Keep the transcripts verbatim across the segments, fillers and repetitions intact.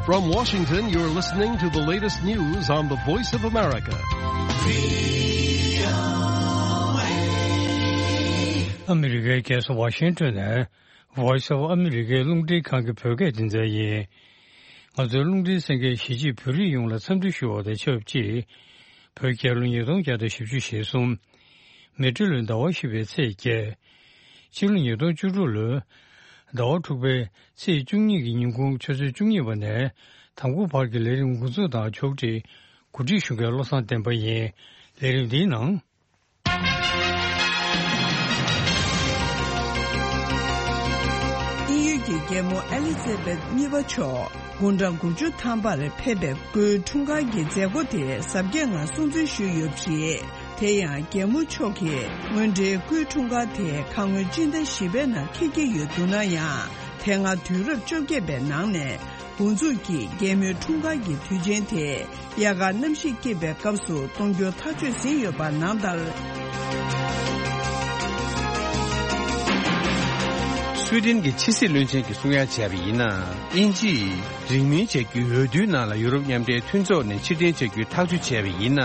From Washington, you're listening to the latest news on the Voice of America. ཨ་མི་རི་ཀའི་རྒྱལ་ས་ཝ་ཤིང་ཏོན་ནས་Voice of America རླུང་འཕྲིན་ཁང་གི་བོད་སྐད་སྡེ་ཚན་ཡིན། ང་ཚོའི་རླུང་འཕྲིན་གསན་མཁན་གཞིས་བྱེས་བོད་རིགས་ཡོངས་ལ་འཚམས་འདྲི་ཞུ་བ་དང་ཆབས་ཅིག་བོད་རྒྱལ་ལོ་ཉིས་སྟོང་བརྒྱ་དང་བཞི་བཅུ་ཞེ་གསུམ། མེ་སྤྲེལ་ལོའི་ཟླ་བ་བཞི་པའི་ཚེས་བརྒྱད། ཕྱི་ལོ་ཉིས་སྟོང་བཅུ་དྲུག་ལོའི་ཟླ་བ་དྲུག་པའི་ཚེས་བཅུ་གཉིས་ཀྱི་ཉིན་གུང་ཆུ་ཚོད་བཅུ་གཉིས་པ་ནས་དང་པོ་བར་གྱི་ལས་རིམ་འགོ་འཛུགས་དང་ཕྱོགས་སྒྲིག་གོ་སྒྲིག་ཞུ་མཁན་བློ་བཟང་བསྟན་པ་ཡིན། ལས་རིམ་འདིའི་ནང་། དབྱིན་ཡུལ་གྱི་རྒྱལ་མོ་ཨེ་ལི་ཛེ་བེད་གཉིས་པ་མཆོག་དགུང་གྲངས་དགུ་བཅུ་ཐམ་པར་ཕེབས་པའི་སྐུའི་འཁྲུངས་སྐར་གྱི་མཛད་སྒོ་དེ་གཟབ་རྒྱས་ངང་སྲུང་བརྩི་ཞུས་ཡོད་པ་རེད། དེ་ཡང་རྒྱལ་མོ་མཆོག་གིས་སྔོན་འགྲོའི་སྐུའི་འཁྲུངས་སྐར་དེ་ཁ་སྔོན་སྤྱི་ཟླ་བཞི་པའི་ནང་འཁེལ་གྱི་ཡོད་འདུག་ན་ཡང་། དེ་སྔ་དུས་རབས་བཅོ་བརྒྱད་པའི་ནང་ནས་འགོ་འཛུགས་ཀྱིས་རྒྱལ་མོའི་འཁྲུངས་སྐར་གྱི་དུས་ཆེན་དེ་དབྱར་ཁར་གནམ་གཤིས་སྐྱིད་པའི་སྐབས་སུ་གཏོང་རྒྱུ་ཐག་གཅོད་ཟིན་ཡོད་པ་ནང་ལྟར། སུའེ་ཏེན་གྱི་ཕྱི་སྲིད་བློན་ཆེན་གྱིས་གསུང་ཡ་བྱས་པ་ཡིན་ན། དབྱིན་ཇིས་རིང་མིན་བྱ་རྒྱུའི་འོས་བསྡུའི་ནང་ལ་ཡུ་རོབ་མཉམ་འབྲེལ་མཐུན་ཚོགས་ནས་ཕྱིར་འཐེན་བྱ་རྒྱུའི་ཐག་གཅོད་བྱས་པ་ཡིན་ན།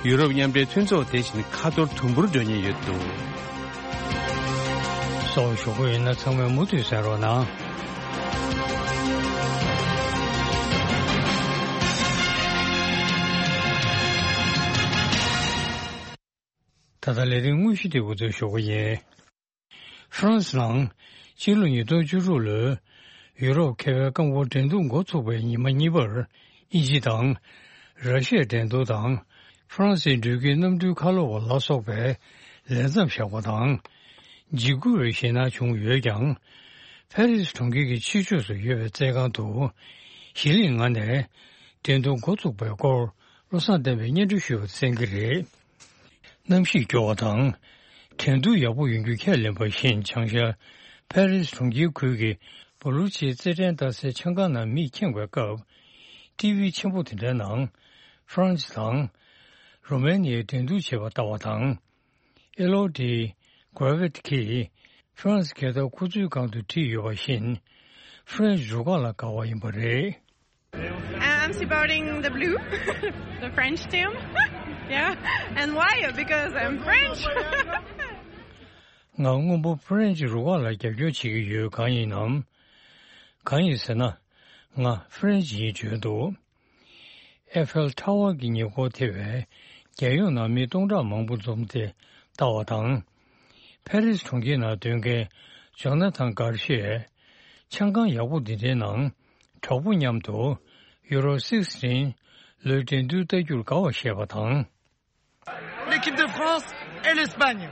ཡུ་རོབ་མཉམ་འབྲེལ་མཐུན་ཚོགས་དེ་བཞིན་ཁ་ཐོར་དུམ་བུར་འགྲོ་ཉེན་ཡོད་འདུག་གསལ་པོ་ཞུ་དགོས་ཡིན་ན་ཚང་མས་མུ་མཐུད་གསན་རོགས་གནང་། ད་ལྟ་ལས་རིམ་དངོས་གཞི་དེ་འགོ་འཛུགས་ཞུ་གི་ཡིན། ཧྥ་རན་སི་ནང་སྤྱི་ལོ་ཉིས་སྟོང་བཅུ་དྲུག་ལོའི་ཡུ་རོབ་མཁས་པའི་རྐང་སྤོལ་འགྲན་བསྡུར་འགོ་ཚུགས་པའི་ཉི་མ་གཉིས་པར་དབྱིན་ཇི་དང་། ར་ཤི་ཡའི་འགྲན་བསྡུར་དང་། ཧྥ་རན་སིའི་འགྲུལ་སྐྱེལ་གནམ་གྲུའི་ཁ་ལོ་བ་ལ་སོགས་པས་ལས་མཚམས་བཞག་པ་དང་། འཇིགས་སྐུལ་བའི་ཞེད་སྣང་བྱུང་ཡོད་ཀྱང་། ཕ་རི་སི་གྲོང་ཁྱེར་གྱི་ཕྱི་ཕྱོགས་སུ་ཡོད་པའི་རྩེད་ཁང་དུ་གཞི་གླིང་ལྔ་ནས་འགྲན་བསྡུར་འགོ་ཚུགས་པའི་སྐོར་བློ་བཟང་བསྟན་པས་སྙན་སྒྲོན་ཞུས་པ་གསན་གྱི་རེད། གནམ་གཤིས་སྐྱོ་བ་དང་། འགྲན་བསྡུར་ཡག་པོ་ཡོང་རྒྱུ་ཁས་ལེན་པ་བཞིན་བྱང་ཤར་ཕ་རི་སི་གྲོང་ཁྱེར་ཁུལ་གྱི་བོ་ལུ་ཆིའི་རྩེད་འགྲན་ལྟ་སའི་ཆང་ཁང་ནང་མིས་ཁེངས་པའི་སྐབས། ཊི་ཝི་ཆེན་པོ་དེ་འདྲའི་ནང་ཧྥ་རན་སི་དང་རོ་མེ་ནི་ཡའི་འགྲན་བསྡུར་བྱེད་པ་ལྟ་བ་དང་། ཨེ་ལོ་ཌི་གྷ་ར་ཝེད་ཀྱིས་ཧྥ་རན་སི་རྒྱལ་དར་ཁོ་ཚོའི་སྒང་དུ་བསྒྲིགས་ཡོད་པ་བཞིན། ཧྥ་རན་སི་རུ་ཁག་ལ་དགའ་བ་ཡིན་པ་རེད། I'm supporting the blue, the French team. Yeah. And why? Because I'm French. ང་སྔོན་པོ་ཧྥ་རན་སི་རུ་ཁག་ལ་རྒྱབ་སྐྱོར་བྱེད་ཀྱི་ཡོད། གང་ཡིན་ནམ། གང་ཡིན་ཟེར་ན། ང་ཧྥ་རན་སི་ཡིན་བརྗོད་འདུག་ཨེ་ཧྥེལ་ཊ་ཝར་གྱི་ཉེ་འཁོར་ཐེ་བའི་རྒྱལ་ཡོངས་ནང་མི་སྟོང་ཕྲག་མང་པོ་འཛོམས་ཏེ་ལྟ་བ་དང་། ཕ་རི་སི་གྲོང་ཁྱེར་ནང་སྡོད་མཁན་ཇོ་ན་ཐན་གར་ཤེས། ཆང་ཁང་ཡག་པོ་འདི་འདྲའི་ནང་གྲོགས་པོ་མཉམ་དུ་ཡུ་རོ་སིག་སི་ཊིན་ལོའི་འགྲན་བསྡུར་ལྟ་རྒྱུར་དགའ་བ་བཤད་པ་དང་། L'équipe de France et l'Espagne.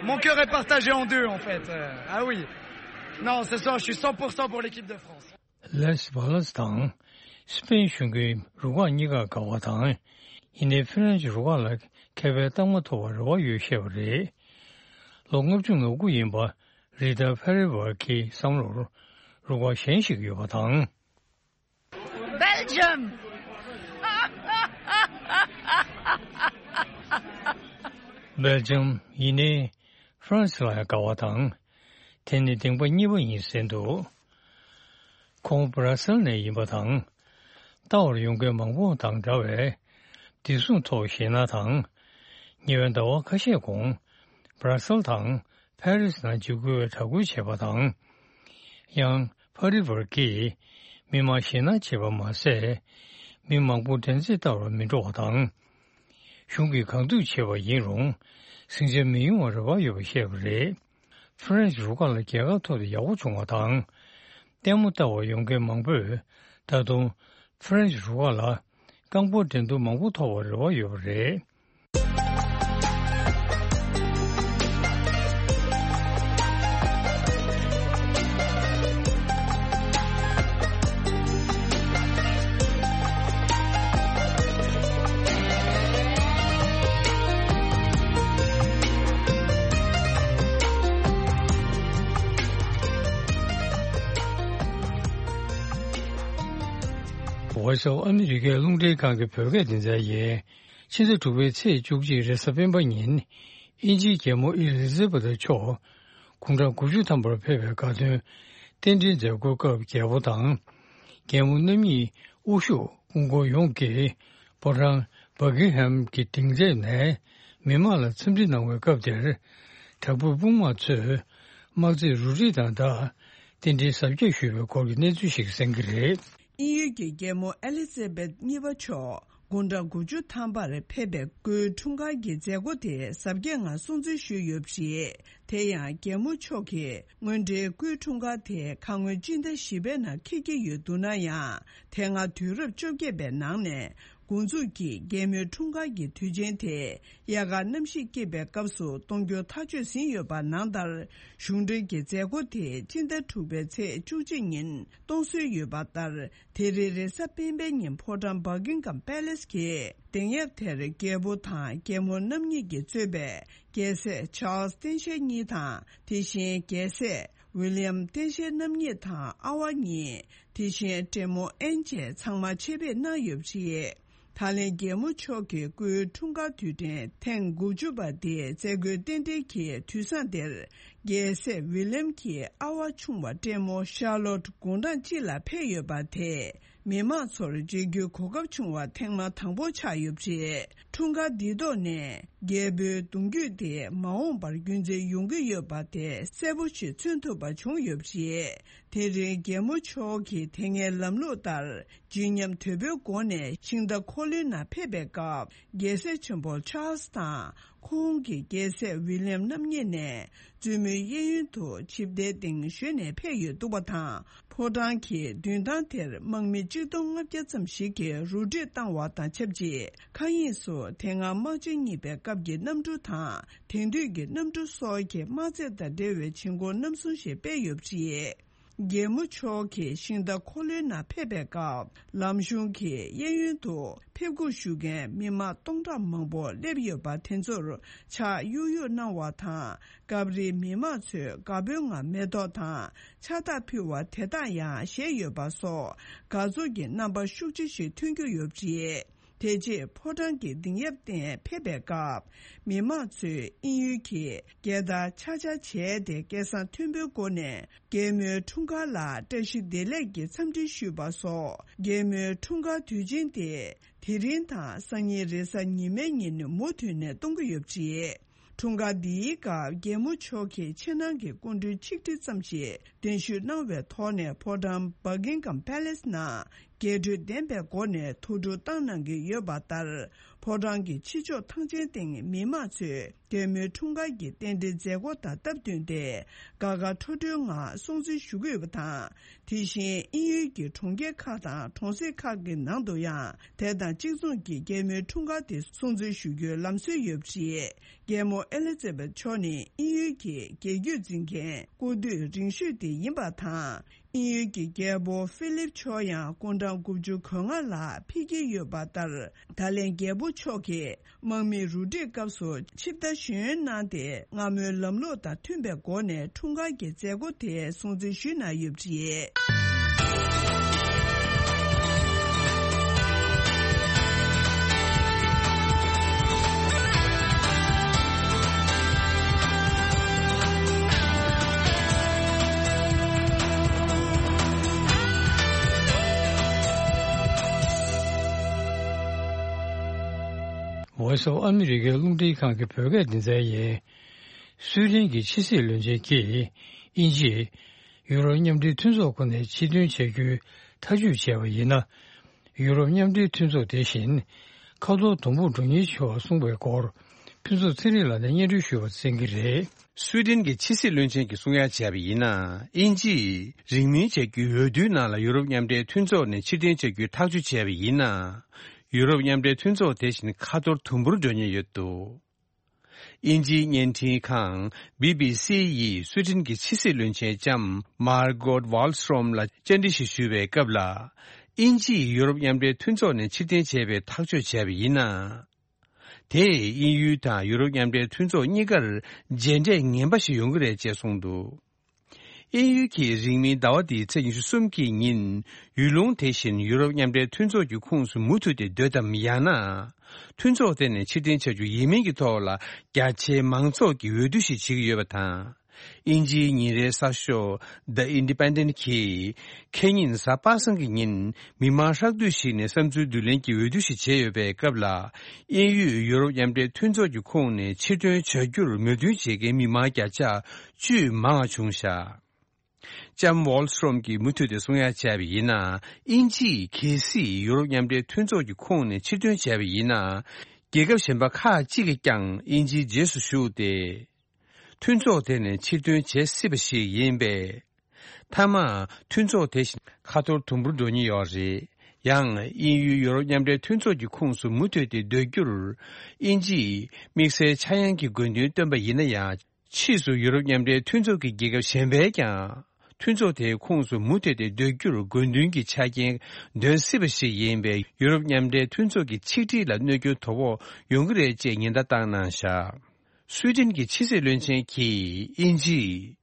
Mon cœur est partagé en deux, en fait. Euh, ah oui. Non, ce soir, je suis cent pour cent pour l'équipe de France. ལས་བྷ་ལ་སི་དང་སི་པེན་གཞོན་སྐྱེས་རུ་ཁག་གཉིས་ཀར་དགའ་བ་དང་། ཡིན་ནའི་ཧྥི་རན་སི་རུ་ཁག་ལ་མཁས་པའི་རྟགས་མ་ཐོབ་པར་རེ་བ་ཡོད་བཤད་པ་རེད། ལོ་ལྔ་བཅུ་ང་དགུ་ཡིན་པ་རི་ཏཱ་ཕེ་རེ་ཝར་གྱི་བསམ་བློར་རུ་ཁག་གཞན་ཞིག་ཡོད་པ་དང་། Belgium. སྦེལ་ཇམ་ཡིན་ནའི་ཧྥ་རན་སི་ལ་ཡང་དགའ་བ་དང་། དེ་ནི་གདེང་པ་གཉིས་པ་ཡིན་ཟེར་འདུག་ཁོང་སྦྲ་སེལ་ནས་ཡིན་པ་དང་། ལྟ་བར་ཡོང་མཁན་མང་པོ་དང་འདྲ་བའི་བདེ་སྲུང་ཐོག་ཞེད་སྣང་དང་། ཉེ་བའི་ཟླ་བ་ཁ་ཤས་གོང་སྦྲ་སེལ་དང་ཕ་རི་སི་ནང་འཇིགས་སྐུལ་བའི་དྲག་རྒོལ་བྱས་པ་དང་། ཡང་ཕ་རི་ཝར་གྱིས་མི་མང་ཞེད་སྣང་བྱེད་པ་མ་ཟད། མི་མང་པོ་འགྲན་རྩོད་ལྟ་བར་མི་འགྲོ་བ་དང་། གཞུང་གིས་གང་ཐུབ་བྱས་པ་ཡིན་རུང་ཟིང་ཆ་མི་ཡོང་བར་རེ་བ་ཡོད་པ་བཤད་པ་རེད། ཧྥ་རན་སི་རུ་ཁག་ལ་རྒྱལ་ཁ་ཐོབ་སྟེ་ཡག་པོ་བྱུང་བ་དང་། ལྟད་མོ་ལྟ་བར་ཡོང་མཁན་མང་པོས་ད་དུང་ཧྥ་རན་སི་རུ་ཁག་ལ་རྐང་སྤོལ་འགྲན་བསྡུར་མང་པོ་ཐོབ་པར་རེ་བ་ཡོད་པ་རེད། Voice of America རླུང་འཕྲིན་ཁང་གི་བོད་སྐད་སྡེ་ཚན་ཡིན། ཕྱི་ཟླ་དྲུག་པའི་ཚེས་བཅུ་གཅིག་རེས་གཟའ་སྤེན་པ་ཉིན། དབྱིན་ཇིའི་རྒྱལ་མོ་ཨེ་ལི་ཛེ་བྷ་ཐ་མཆོག་དགུང་གྲངས་དགུ་བཅུ་ཐམ་པར་ཕེབས་པའི་དགའ་སྟོན་རྟེན་འབྲེལ་མཛད་སྒོའི་སྐབས་རྒྱལ་པོ་དང་། རྒྱལ་མོ་རྣམ་གཉིས་དབུ་བཞུགས་སྐུ་འཁོར་ཡོངས་ཀྱིས་ཕོ་བྲང་བྷ་ཀིང་ཧམ་གྱི་སྡིངས་མཛོད་ནས་མི་མང་ལ་འཚམས་འདྲི་གནང་བའི་སྐབས་དེར། དྲག་པོའི་དཔུང་དམག་ཚོས་དམག་རྩེད་རུ་སྒྲིག་དང་སྦྲགས་རྟེན་འབྲེལ་གཟབ་རྒྱས་ཞུས་པའི་སྐོར་གྱི་གནས་ཚུལ་ཞིག་གསན་གྱི་རེད། དབྱིན་ཡུལ་གྱི་རྒྱལ་མོ་ཨེ་ལི་ཛེ་བེད་གཉིས་པ་མཆོག་དགུང་གྲངས་དགུ་བཅུ་ཐམ་པར་ཕེབས་པའི་སྐུའི་འཁྲུངས་སྐར་གྱི་མཛད་སྒོ་དེ་གཟབ་རྒྱས་ངང་སྲུང་བརྩི་ཞུས་ཡོད་པ་རེད། དེ་ཡང་རྒྱལ་མོ་མཆོག་གིས་སྔོན་འགྲོའི་སྐུའི་འཁྲུངས་སྐར་དེ་ཁ་སྔོན་སྤྱི་ཟླ་བཞི་པའི་ནང་འཁེལ་གྱི་ཡོད་འདུག་ན་ཡང་། དེ་སྔ་དུས་རབས་བཅོ་བརྒྱད་པའི་ནང་ནས་འགོ་འཛུགས་ཀྱིས་རྒྱལ་མོའི་འཁྲུངས་སྐར་གྱི་དུས་ཆེན་དེ་དབྱར་ཁ་གནམ་གཤིས་སྐྱིད་པའི་སྐབས་སུ་གཏོང་རྒྱུ་ཐག་གཅོད་ཟིན་ཡོད་པ་ནང་ལྟར། གཞུང་འབྲེལ་གྱི་མཛད་སྒོ་དེ་སྤྱི་ཟླ་དྲུག་པའི་ཚེས་བཅུ་གཅིག་ཉིན་གཏོང་སྲོལ་ཡོད་པ་ལྟར། དེ་རིང་རེས་གཟའ་སྤེན་པའི་ཉིན་ཕོ་བྲང་Buckingham Palace གྱི་གདན་ཡབ་དེར་རྒྱལ་པོ་དང་རྒྱལ་མོ་རྣམ་གཉིས་ཀྱིས་གཙོས་པའི་རྒྱལ་སྲས་Charles སྟེང་ཤེད་གཉིས་དང་། དེ་བཞིན་རྒྱལ་སྲས་William སྟེང་ཤེད་རྣམ་གཉིས་དང་ཨ་བ་གཉིས། དེ་བཞིན་བགྲེས་མོ་ཨེན་བཅས་ཚང་མ་ཆེད་ཕེབས་གནང་ཡོད་པ་རེད། ད་ལན་རྒྱལ་མོ་མཆོག་གི་སྐུའི་འཁྲུངས་སྐར་དུས་དྲན་ཐེངས་དགུ་བཅུ་པ་དེའི་མཛད་སྒོའི་རྟེན་འབྲེལ་གྱི་དུས་བཟང་དེར། རྒྱལ་སྲས་ཝི་ལེམ་གྱི་ཨ་བ་ཆུང་བ་བགྲེས་མོ་ཤར་ལོཊ་དགུང་གྲངས་གཅིག་ལ་ཕེབས་ཡོད་པ་དེས། མི་མང་ཚོར་མཇལ་རྒྱུའི་གོ་སྐབས་བྱུང་བ་ཐེངས་མ་དང་པོ་ཆགས་ཡོད་པ་རེད། འཁྲུངས་སྐར་འདིའི་ཐོག་ནས་རྒྱལ་པོའི་གདུང་རྒྱུད་དེ་མ་འོངས་པར་རྒྱུན་འཛིན་ཡོང་གི་ཡོད་པ་དེ་གསལ་པོ་ཞིག་མཚོན་ཐུབ་པ་བྱུང་ཡོད་པ་རེད། དེ་རིང་རྒྱལ་མོ་མཆོག་གིས་དེ་སྔའི་ལམ་ལུགས་ལྟར། བརྗིད་ཉམས་དོད་པོའི་སྒོ་ནས་ཤིང་རྟ་འཁོར་ལོའི་ནང་ཕེབས་པའི་སྐབས། རྒྱལ་སྲས་ཆེན་པོ་ཆཱལ་སི་དང་། ཁོང་གི་རྒྱལ་སྲས་ཝི་ལེམ་རྣམ་གཉིས་ནས། བཙུན་མོའི་གཡས་གཡོན་དུ་ཆིབས་རྟའི་སྟེང་བཞོན་ནས་ཕེབས་ཡོད་འདུག་པ་དང་། ཕོ་བྲང་གི་མདུན་ཐང་དེར་དམག་མི་གཅིག་སྟོང་ལྔ་བརྒྱ་ཙམ་ཞིག་གིས་རུ་སྒྲིག་བཏང་བ་དང་ཆབས་ཅིག་མཁའ་དབྱིངས་སུ་དེ་སྔ་དམག་ཆེན་གཉིས་པའི་སྐབས་ཀྱི་གནམ་གྲུ་དང་། དེང་དུས་ཀྱི་གནམ་གྲུ་སོགས་ཀྱི་དམག་རྩེད་དང་འབྲེལ་བའི་བྱེད་སྒོ་རྣམ་གསུམ་ཞིག་སྤེལ་ཡོད་པ་རེད། རྒྱལ་མོ་མཆོག་གིས་ཤིང་རྟ་འཁོར་ལོའི་ནང་ཕེབས་པའི་སྐབས། ལམ་གཞུང་གི་གཡས་གཡོན་དུ་ཕེབས་སྒུག་ཞུ་མཁན་མི་མང་སྟོང་ཕྲག་མང་པོ་སླེབས་ཡོད་པ་དེ་ཚོར་ཕྱག་གཡུག་གཡུག་གནང་བ་དང་། སྐབས་རེ་མི་མང་ཚོས་དགའ་པོའི་ངང་མེ་ཏོག་དང་ཕྱག་རྟགས་ཕུལ་བ་དེ་དག་ཡང་བཞེས་ཡོད་པ་སོགས་དགའ་ཚོར་གྱི་རྣམ་པ་ཤུགས་ཆེ་ཞིག་ཐོན་རྒྱུ་ཡོད་པ་རེད། དེ་རྗེས་ཕོ་བྲང་གི་སྡིངས་ཡབ་སྟེང་ཕེབས་པའི་སྐབས། མི་མང་ཚོས་དབྱིན་ཡུལ་གྱི་རྒྱལ་དར་ཆག་ཆག་བྱས་ཏེ་སྐད་གསང་མཐོན་པོའི་སྒོ་ནས་རྒྱལ་མོའི་འཁྲུངས་སྐར་ལ་བཀྲ་ཤིས་བདེ་ལེགས་ཀྱི་འཚམས་འདྲི་ཞུས་པ་སོགས། རྒྱལ་མོའི་འཁྲུངས་སྐར་དུས་ཆེན་དེ་དེ་རིང་དང་སང་ཉིན་རེས་གཟའ་ཉི་མའི་ཉིན་མུ་མཐུད་ནས་གཏོང་གི་ཡོད་པ་རེད། འཁྲུངས་སྐར་འདིའི་སྐབས་རྒྱལ་མོ་མཆོག་གིས་ཕྱི་ནང་གི་སྐུ་མགྲོན་ཆིག་ཁྲི་ཙམ་ཞིག་གདན་ཞུ་གནང་བའི་ཐོག་ནས་ཕོ་བྲང་Buckingham Palace ནང་རྒྱས་སྤྲོས་ལྡན་པའི་སྒོ་ནས་ཐུགས་སྤྲོ་བཏང་གནང་གི་ཡོད་པ་ལྟར། ཕོ་བྲང་གི་ཕྱི་ཕྱོགས་ཐང་ཆེན་སྟེང་མི་མང་ཚོས་རྒྱལ་མོའི་འཁྲུངས་སྐར་གྱི་རྟེན་འབྲེལ་མཛད་སྒོ་དང་སྟབས་བསྟུན་ཏེ། དགའ་དགའ་སྤྲོ་སྤྲོའི་ངང་སྲུང་བརྩི་ཞུ་གི་ཡོད་པ་དང་། དེ་བཞིན་དབྱིན་ཡུལ་གྱི་གྲོང་ཁྱེར་ཁག་དང་གྲོང་གསེབ་ཁག་གི་ནང་དུ་ཡང་དེ་དང་གཅིག་མཚུངས་ཀྱི་རྒྱལ་མོའི་འཁྲུངས་སྐར་དེ་སྲུང་བརྩི་ཞུ་རྒྱུའི་ལམ་སྲོལ་ཡོད་པ་རེད། རྒྱལ་མོ་ཨེ་ལི་ཛེ་བེད་མཆོག་ནི་དབྱིན་ཡུལ་གྱི་རྒྱལ་རྒྱུད་འཛིན་མཁན་སྐུ་དུས་རིང་ཤོས་དེ་ཡིན་པ་དང་། དབྱིན་ཡུལ་གྱི་རྒྱལ་པོ་ཧྥི་ལིབ་མཆོག་ཡང་སྐུ་འཕྲང་དགུ་བཅུ་གོ་ལྔ་ལ་ཕེབས་ཀྱི་ཡོད་པ་ལྟར། ད་ལན་རྒྱལ་པོ་མཆོག་གིས་དམག་མིའི་རུ་སྒྲིག་སྐབས་སུ་ཆིབས་རྟ་ཞོན་གནང་སྟེ། སྔ་མོའི་ལམ་ལུགས་དང་མཐུན་པའི་སྒོ་ནས་འཁྲུངས་སྐར་གྱི་མཛད་སྒོ་དེ་སྲུང་བརྩི་ཞུས་གནང་ཡོད་པ་རེད། Voice of America རླུང་འཕྲིན་ཁང་གི་བོད་སྐད་སྡེ་ཚན་ཡིན། སུའེ་ཏེན་གྱི་ཕྱི་སྲིད་བློན་ཆེན་གྱིས་དབྱིན་ཇིས་ཡུ་རོབ་མཉམ་འབྲེལ་མཐུན་ཚོགས་ཁོངས་ནས་ཕྱིར་ཐོན་བྱ་རྒྱུའི་ཐག་གཅོད་བྱས་པ་ཡིན་ན། ཡུ་རོབ་མཉམ་འབྲེལ་མཐུན་ཚོགས་དེ་བཞིན་ཁ་ཐོར་དུམ་བུར་འགྲོ་ཉེན་ཆེ་བར་གསུངས་པའི་སྐོར། ཕུན་ཚོགས་ཚེ་རིང་ལགས་ནས་སྙན་སྒྲོན་ཞུ་བར་གསན་གྱི་རེད། སུའེ་ཏེན་གྱི་ཕྱི་སྲིད་བློན་ཆེན་གྱིས་གསུང་ཡ་བྱས་པ་ཡིན་ན། དབྱིན་ཇིས་རིང་མིན་བྱ་རྒྱུའི་འོས་བསྡུའི་ནང་ལ་ཡུ་རོབ་མཉམ་འབྲེལ་མཐུན་ཚོགས་ནས་ཕྱིར་འཐེན་བྱ་རྒྱུའི་ཐག་གཅོད་བྱས་པ་ཡིན་ན། ཡུ་རོབ་མཉམ་འབྲེལ་མཐུན་ཚོགས་དེ་བཞིན་ཁ་ཐོར་དུམ་བུར་འགྲོ་ཉེན་ཡོད་འདུག་དབྱིན་ཇིའི་བརྙན་འཕྲིན་ཁང་བྷི་བྷི་སི་ཡིས་སུའེ་ཏེན་གྱི་ཕྱི་སྲིད་བློན་ཆེན་ལྕམ་མར་གོད་ཝཱལ་སི་ཏྲོམ་ལ་བཅར་འདྲི་ཞིག་ཞུས་པའི་སྐབས་ལ། དབྱིན་ཇིས་ཡུ་རོབ་མཉམ་འབྲེལ་མཐུན་ཚོགས་ནས་ཕྱིར་འཐེན་བྱས་པའི་ཐག་གཅོད་བྱས་པ་ཡིན་ན། དེས་དབྱིན་ཡུལ་དང་ཡུ་རོབ་མཉམ་འབྲེལ་མཐུན་ཚོགས་གཉིས་ཀར་རྗེས་འབྲས་ངན་པ་ཞིག་ཡོང་གི་རེད་ཅེས་གསུངས་འདུག་དབྱིན་ཡུལ་གྱིས་རིང་མིན་ཟླ་བ་འདིའི་ཚེས་ཉི་ཤུ་གསུམ་གྱི་ཉིན། ཡུལ་ལུང་དེ་བཞིན་ཡུ་རོབ་མཉམ་འབྲེལ་མཐུན་ཚོགས་ཀྱི་ཁོངས་སུ་མུ་མཐུད་དེ་སྡོད་དམ། ཡང་ན། མཐུན་ཚོགས་དེ་ནས་ཕྱིར་འཐེན་བྱ་རྒྱུ་ཡིན་མིན་གྱི་ཐོག་ལ། རྒྱ་ཆེའི་མང་ཚོགས་ཀྱིས་འོས་བསྡུ་ཞིག་བྱེད་ཀྱི་ཡོད་པ་དང་། དབྱིན་ཇིའི་ཉིན་རེའི་གསར་ཤོག་The Independent་གྱིས། ཁེ་ཉིན་གཟའ་པ་སངས་ཀྱི་ཉིན། མི་མང་ཧྲག་བསྡུས་ཤིག་ནས་བསམ་ཚུལ་བསྡུ་ལེན་གྱི་འོས་བསྡུ་ཞིག་བྱས་ཡོད་པའི་སྐབས་ལ། དབྱིན་ཡུལ་ཡུ་རོབ་མཉམ་འབྲེལ་མཐུན་ཚོགས་ཀྱི་ཁོངས་ནས་ཕྱིར་ཐོན་བྱ་རྒྱུར་མོས་མཐུན་བྱེད་མཁན་མི་མང་བརྒྱ་ཆ་བཅུ་མང་བ་བྱུང་བཞག་ལྕམ་ཝོལ་སི་ཊོམ་གྱིས་མུ་མཐུད་དེ་གསུང་ཡ་བྱས་པ་ཡིན་ན། དབྱིན་ཇིས་གལ་སྲིད་ཡུ་རོབ་མཉམ་འབྲེལ་མཐུན་ཚོགས་ཀྱི་ཁོངས་ནས་ཕྱིར་ཐོན་བྱས་པ་ཡིན་ན། རྒྱལ་ཁབ་གཞན་པ་ཁག་ཅིག་གིས་ཀྱང་དབྱིན་ཇིའི་རྗེས་སུ་ཞུགས་ཏེ། མཐུན་ཚོགས་དེ་ནས་ཕྱིར་ཐོན་བྱེད་སྲིད་པ་ཞིག་ཡིན་པས། མཐའ་མ་མཐུན་ཚོགས་དེ་བཞིན་ཁ་འཐོར་དུམ་བུར་འགྲོ་ཉེན་ཡོད་རེད། ཡང་དབྱིན་ཡུལ་ཡུ་རོབ་མཉམ་འབྲེལ་མཐུན་ཚོགས་ཀྱི་ཁོངས་སུ་མུ་མཐུད་དེ་སྡོད་རྒྱུར། དབྱིན་ཇིས་དམིགས་བསལ་ཆག་ཡང་གི་དགོས་འདུན་བཏོན་པ་ཡིན་ན་ཡང་། ཕྱིས་སུ་ཡུ་རོབ་མཉམ་འབྲེལ་མཐུན་ཚོགས་ཀྱི་རྒྱལ་ཁབ་གཞན་པས་ཀྱང་། མཐུན་ཚོགས་དེའི་ཁོངས་སུ་མུ་མཐུད་དེ་སྡོད་རྒྱུར་དགོས་འདུན་གྱི་ཆ་རྐྱེན་འདོན་སྲིད་པ་ཞིག་ཡིན་པས། ཡུ་རོབ་མཉམ་འབྲེལ་མཐུན་ཚོགས་ཀྱི་ཆིག་སྒྲིལ་ལ་གནོད་སྐྱོན་དོ་ཕོག་ཡོང་གི་རེད་ཅེས་ཉེན་བརྡ་བཏང་གནང་བཞག་སུའེ་ཏེན་གྱི་ཕྱི་སྲིད་བློན་ཆེན་གྱིས་དབྱིན་ཇིས།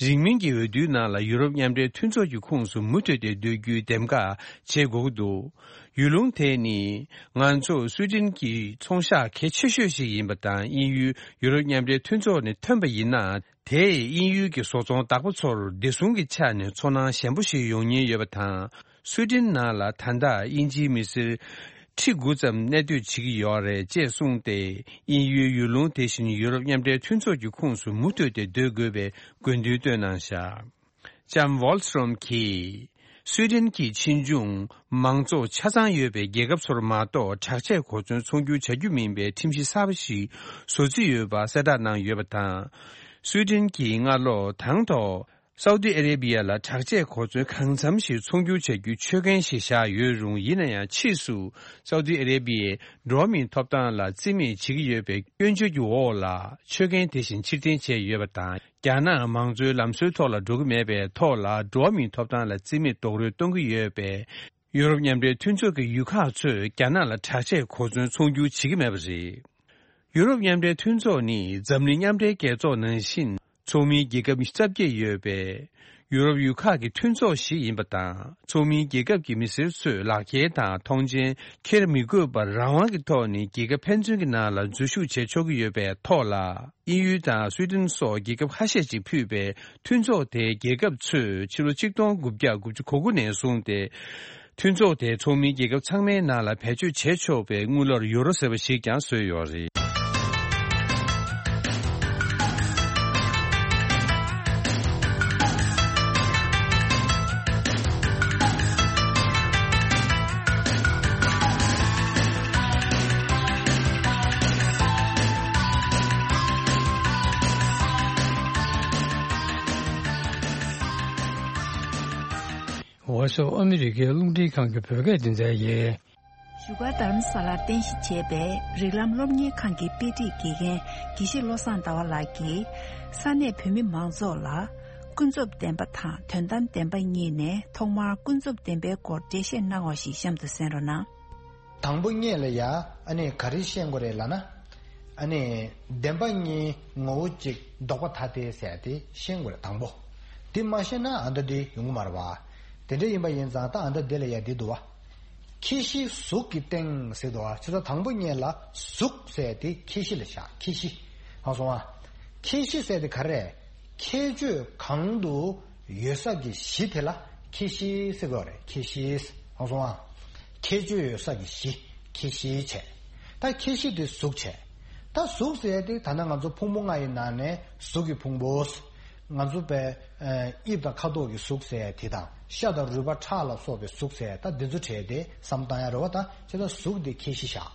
རིང་མིན་གྱི་འོས་བསྡུའི་ནང་ལ་ཡུ་རོབ་མཉམ་འབྲེལ་མཐུན་ཚོགས་ཀྱི་ཁོངས་སུ་མུ་མཐུད་དེ་སྡོད་རྒྱུའི་འདེམས་ཀ་བྱེད་དགོས་ཀྱི་འདུག་ཡུལ་ལུང་དེ་ནི། ང་ཚོ་སུའེ་ཏེན་གྱི་ཚོང་ཤག་གལ་ཆེ་ཤོས་ཤིག་ཡིན་པ་དང་། དབྱིན་ཡུལ་ཡུ་རོབ་མཉམ་འབྲེལ་མཐུན་ཚོགས་ནས་ཐོན་པ་ཡིན་ན། དེས་དབྱིན་ཡུལ་གྱི་བཟོ་ཚོང་བདག་པོ་ཚོར་བདེ་སྲུང་གི་ཆ་ནས་ཚོར་སྣང་ཞན་པོ་ཞིག་ཡོང་ཉེན་ཡོད་པ་དང་། སུའེ་ཏེན་ནང་ལ་ད་ལྟ་དབྱིན་ཇིའི་མི་སེར་ཁྲི་དགུ་ཙམ་གནས་སྡོད་བྱེད་ཀྱི་ཡོད་རེད་ཅེས་གསུངས་ཏེ། དབྱིན་ཡུལ་ཡུལ་ལུང་དེ་བཞིན་ཡུ་རོབ་མཉམ་འབྲེལ་མཐུན་ཚོགས་ཀྱི་ཁོངས་སུ་མུ་མཐུད་དེ་སྡོད་དགོས་པའི་དགོས་འདུན་བཏོན་གནང་བཞག་ལྕམ་ཝོལ་སི་ཊོམ་གྱིས། སུའེ་ཏེན་གྱི་ཕྱིས་འབྱུང་མང་གཙོ་ཆ་ཚང་ཡོད་པའི་རྒྱལ་ཁབ་ཚོར་མ་གཏོགས། དྲག་ཆས་གོ་མཚོན་ཚོང་སྒྱུར་བྱ་རྒྱུ་མིན་པའི་ཁྲིམས་གཞི་གསར་པ་ཞིག་བཟོ་རྩིས་ཡོད་པ་གསལ་བསྒྲགས་གནང་ཡོད་པ་དང་། སུའེ་ཏེན་གྱིས་སྔ་ལོ་དང་ཐོག་སའུ་ཏི་ཨ་རེ་བྷི་ཡ་ལ་དྲག་ཆས་གོ་མཚོན་གང་འཚམ་ཞིག་ཚོང་སྒྱུར་བྱ་རྒྱུའི་ཆོད་གན་ཞིག་བཞག་ཡོད་རུང་། ཡིན་ན་ཡང་ཕྱིས་སུ་སའུ་ཏི་ཨ་རེ་བྷི་ཡའི་འགྲོ་བ་མིའི་ཐོབ་ཐང་ལ་བརྩི་མེད་བྱེད་ཀྱི་ཡོད་པའི་སྐྱོན་བརྗོད་ཀྱི་འོག་ལ་ཆོད་གན་དེ་བཞིན་ཕྱིར་འཐེན་བྱས་ཡོད་པ་དང་། རྒྱ་ནག་མང་གཙོའི་ལམ་སྲོལ་ཐོག་ལ་འགྲོ་གི་མེད་པའི་ཐོག་ལ། འགྲོ་བ་མིའི་ཐོབ་ཐང་ལ་བརྩི་མེད་རྡོག་རོལ་གཏོང་གི་ཡོད་པས། ཡུ་རོབ་མཉམ་འབྲེལ་མཐུན་ཚོགས་ཀྱི་ཡུལ་ཁག་ཚོས་རྒྱ་ནག་ལ་དྲག་ཆས་གོ་མཚོན་ཚོང་སྒྱུར་བྱེད་ཀྱི་མེད་པ་རེད། ཡུ་རོབ་མཉམ་འབྲེལ་མཐུན་ཚོགས་ནི་འཛམ་གླིང་མཉམ་འབྲེལ་རྒྱལ་ཚོགས་ནང་བཞིན་ཚོགས་མིའི་རྒྱལ་ཁབ་རྩ་བརྒྱད་ཡོད་པའི་ཡུ་རོབ་ཡུལ་ཁག་གི་མཐུན་ཚོགས་ཤིག་ཡིན་པ་དང་། ཚོགས་མིའི་རྒྱལ་ཁབ་ཀྱི་མི་སེར་ཚོས་ལག་འཁྱེར་དང་མཐོང་མཆན་འཁྱེར་མི་དགོས་པར་རང་དབང་གི་ཐོག་ནས་རྒྱལ་ཁབ་ཕན་ཚུན་གྱི་ནང་ལ་འཛུལ་ཞུགས་བྱེད་ཆོག་གི་ཡོད་པའི་ཐོག་ལ། དབྱིན་ཡུལ་དང་སུའེ་ཏེན་སོགས་རྒྱལ་ཁབ་ཁ་ཤས་ཀྱིས་ཕུད་པའི་མཐུན་ཚོགས་དེའི་རྒྱལ་ཁབ་ཚོས་ཕྱི་ལོ་ཆིག་སྟོང་དགུ་བརྒྱ་དགུ་བཅུ་གོ་དགུ་ནས་བཟུང་སྟེ། མཐུན་ཚོགས་དེ་ཚོགས་མིའི་རྒྱལ་ཁབ་ཚང་མའི་ནང་ལ་བེད་སྤྱོད་བྱེད་ཆོག་པའི་དངུལ་ལོར་ཡོ་རོ་ཟེར་བ་ཞིག་ཀྱང་བཟོས་ཡོད་རེད། འོ་སོ། ཨ་མི་རི་ཀའི་རླུང་འཕྲིན་ཁང་གི་བོད་སྐད་སྡེ་ཚན་ཡིན། བཞུགས་སྒར་རྡ་རམ་ས་ལར་རྟེན་གཞི་བྱས་པའི་རིགས་ལམ་སློབ་གཉེར་ཁང་གི་དཔེ་ཁྲིད་དགེ་རྒན་དགེ་བཤེས་བློ་བཟང་ཟླ་བ་ལགས་ཀྱིས། ས་གནས་བོད་མི་མང་ཚོགས་ལ་ཀུན་རྫོབ་བདེན་པ་དང་དོན་དམ་བདེན་པ་གཉིས་ནས་ཐོག་མར་ཀུན་རྫོབ་བདེན་པའི་སྐོར་འགྲེལ་བཤད་གནང་བ་ཞིག་གཤམ་དུ་གསན་རོགས་གནང་། དང་པོ་ཉིད་ལ་ཡ་ཨ་ནི་ག་རེ་ཤེས་དགོས་རེད་ལབ་ན། ཨ་ནི་བདེན་པ་གཉིས་ངོ་བོ་གཅིག་ལྡོག་པ་ཐ་དད་ཟེར་ཡ་དེ་ཤེས་དགོས་རེད། དང་པོ་དེ་མ་ཤེས་ན་ཨ་མདའ་དེ་ཡོང་གི་མ་རེད་བ། དེ་འདྲ་ཡིན་པ་ཡིན་ཙང་ད་ཨ་མདའ་དེ་ལ་ཡ་དེ་འདུག་བ། ཁྱད་གཞི་གཟུགས་ཀྱི་སྟེང་ཟེར་འདུག་བ། བྱས་ཙང་དང་པོ་ཉིད་ལ་གཟུགས་ཟེར་ཡ་དེ་ཁྱད་གཞི་ལ་བཞག་ཁྱད་གཞི། ཧ་སོང་བ། ཁྱད་གཞི་ཟེར་དེ་ག་རེ་རེད། ཁྱད་ཆོས་གང་དུ་ཡོད་ས་ཀྱི་གཞི་དེ་ལ་ཁྱད་གཞི་ཟེར་དགོས་རེད། ཁྱད་གཞི། ཧ་སོང་བ། ཁྱད་ཆོས་ཡོད་ས་ཀྱི་གཞི། ཁྱད་གཞི་བྱས། ད་ཁྱད་གཞི་དེ་གཟུགས་བྱས། ད་གཟུགས་ཟེར་ཡ་དེ་ད་ནང་ང་ཚོ་ཕུང་པོ་ལྔ་ཡི་ནང་ནས་གཟུགས་ཀྱི་ཕུང་པོ། ང་ཚོ་པའི་ཨ་དབྱིབས་དང་ཁ་དོག་གི་གཟུགས་ཟེར་ཡ་དེ་དང་། ཤ་དང་རུས་པ་ཁྲག་ལ་སོགས་པའི་གཟུགས་ཟེར་ཡ་ད་འདི་ཚོ་བྲལ་ཏེ་བསམ་བཏང་ཡ་རེད་བ། ད་བྱས་ཙང་གཟུགས་དེ་ཁྱད་གཞི་བཞག་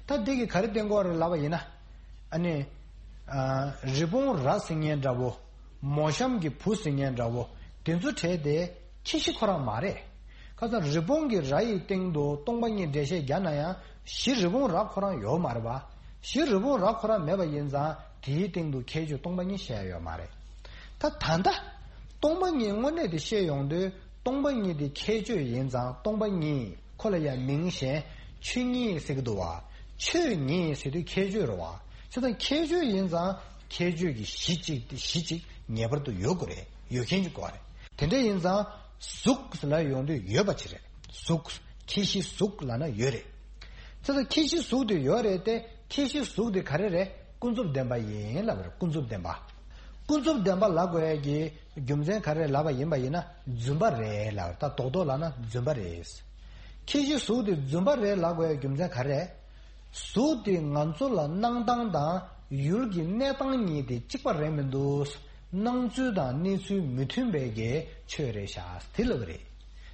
ད་འདི་གིས་ག་རེ་བསྟན་གྱི་ཡོད་རེད་ལབ་པ་ཡིན་ན། ཨ་ནི། ཨ། རི་བོང་རྭ་ཟེར་མཁན་འདྲ་བོ། མོ་གཤམ་གྱི་བུ་ཟེར་མཁན་འདྲ་བོ། དེ་ཚོ་བྲལ་ཏེ་ཁྱད་གཞི་ཁོ་རང་མ་རེད། ཁ་སང་རི་བོང་གི་རྭ་ཡི་སྟེང་དུ་སྟོང་པ་ཉིད་འགྲེལ་བཤད་རྒྱག་ན་ཡང་གཞི་རི་བོང་རྭ་ཁོ་རང་ཡོད་མ་རེད་པ། གཞི་རི་བོང་རྭ་ཁོ་རང་མེད་པ་ཡིན་ཙང་དེའི་སྟེང་དུ་ཁྱད་ཆོས་སྟོང་པ་ཉིད་བཤད་ཡོད་མ་རེད། ད་ད་ལྟ་སྟོང་པ་ཉིད་དངོས་གནས་དེ་བཤད་ཡོང་དུས་སྟོང་པ་ཉིད་དེ་ཁྱད་ཆོས་ཡིན་ཙང་སྟོང་པ་ཉིད། ཁོ་ལ་ཡང་མིང་གཞན་ཆོས་ཉིད་ཟེར་གྱི་འདུག་བ། ཆོས་ཉིད་ཟེར་དུས་ཁྱད་ཆོས་རེད་བ། བྱས་ཙང་ཁྱད་ཆོས་ཡིན་ཙང་ཁྱད་ཆོས་ཀྱི་གཞི་གཅིག་དེ་གཞི་གཅིག་ངེས་པར་དུ་ཡོད་དགོས་རེད། ཡོད་མཁན་གྱི་དགོས་རེད། དེ་འདྲ་ཡིན་ཙང་གཟུགས་ལ་ཡོང་དུས་ཡོད་པ་ཅིག་རེད། གཟུགས། ཁྱད་གཞི་གཟུགས་ལབ་ན་ཡོད་རེད། བྱས་ཙང་ཁྱད་གཞི་གཟུགས་དེ་ཡོད་རེད་དེ། ཁྱད་གཞི་གཟུགས་དེ་ག་རེ་རེད། ཀུན་རྫོབ་བདེན་པ་ཡིན་ལབ་པ་རེད། ཀུན་རྫོབ་བདེན་པ། ཀུན་རྫོབ་བདེན་པ་ལབ་དགོས་ཡ་གི་རྒྱུ་མཚན་ག་རེ་ལབ་པ་ཡིན་པ་ཡིན་ན་རྫུན་པ་རེད་ལབ། ད་རྡོག་རྡོག་ལབ་ན་རྫུན་པ་རེད། ཁྱད་གཞི་གཟུགས་དེ་རྫུན་པ་རེད་ལབ་དགོས་ཡ་རྒྱུ་མཚན་ག་རེ། གཟུགས་དེ་ང་ཚོ་ལ་སྣང་སྟངས་དང་ཡུལ་གྱི་གནས་སྟངས་གཉིས་དེ་གཅིག་པ་རེད་མི་འདུག། སྣང་ཚུལ་དང་གནས་ཚུལ་མི་མཐུན་པའི་གི་ཆོས་རེད་ཤག་དེ་ལབ་རེད།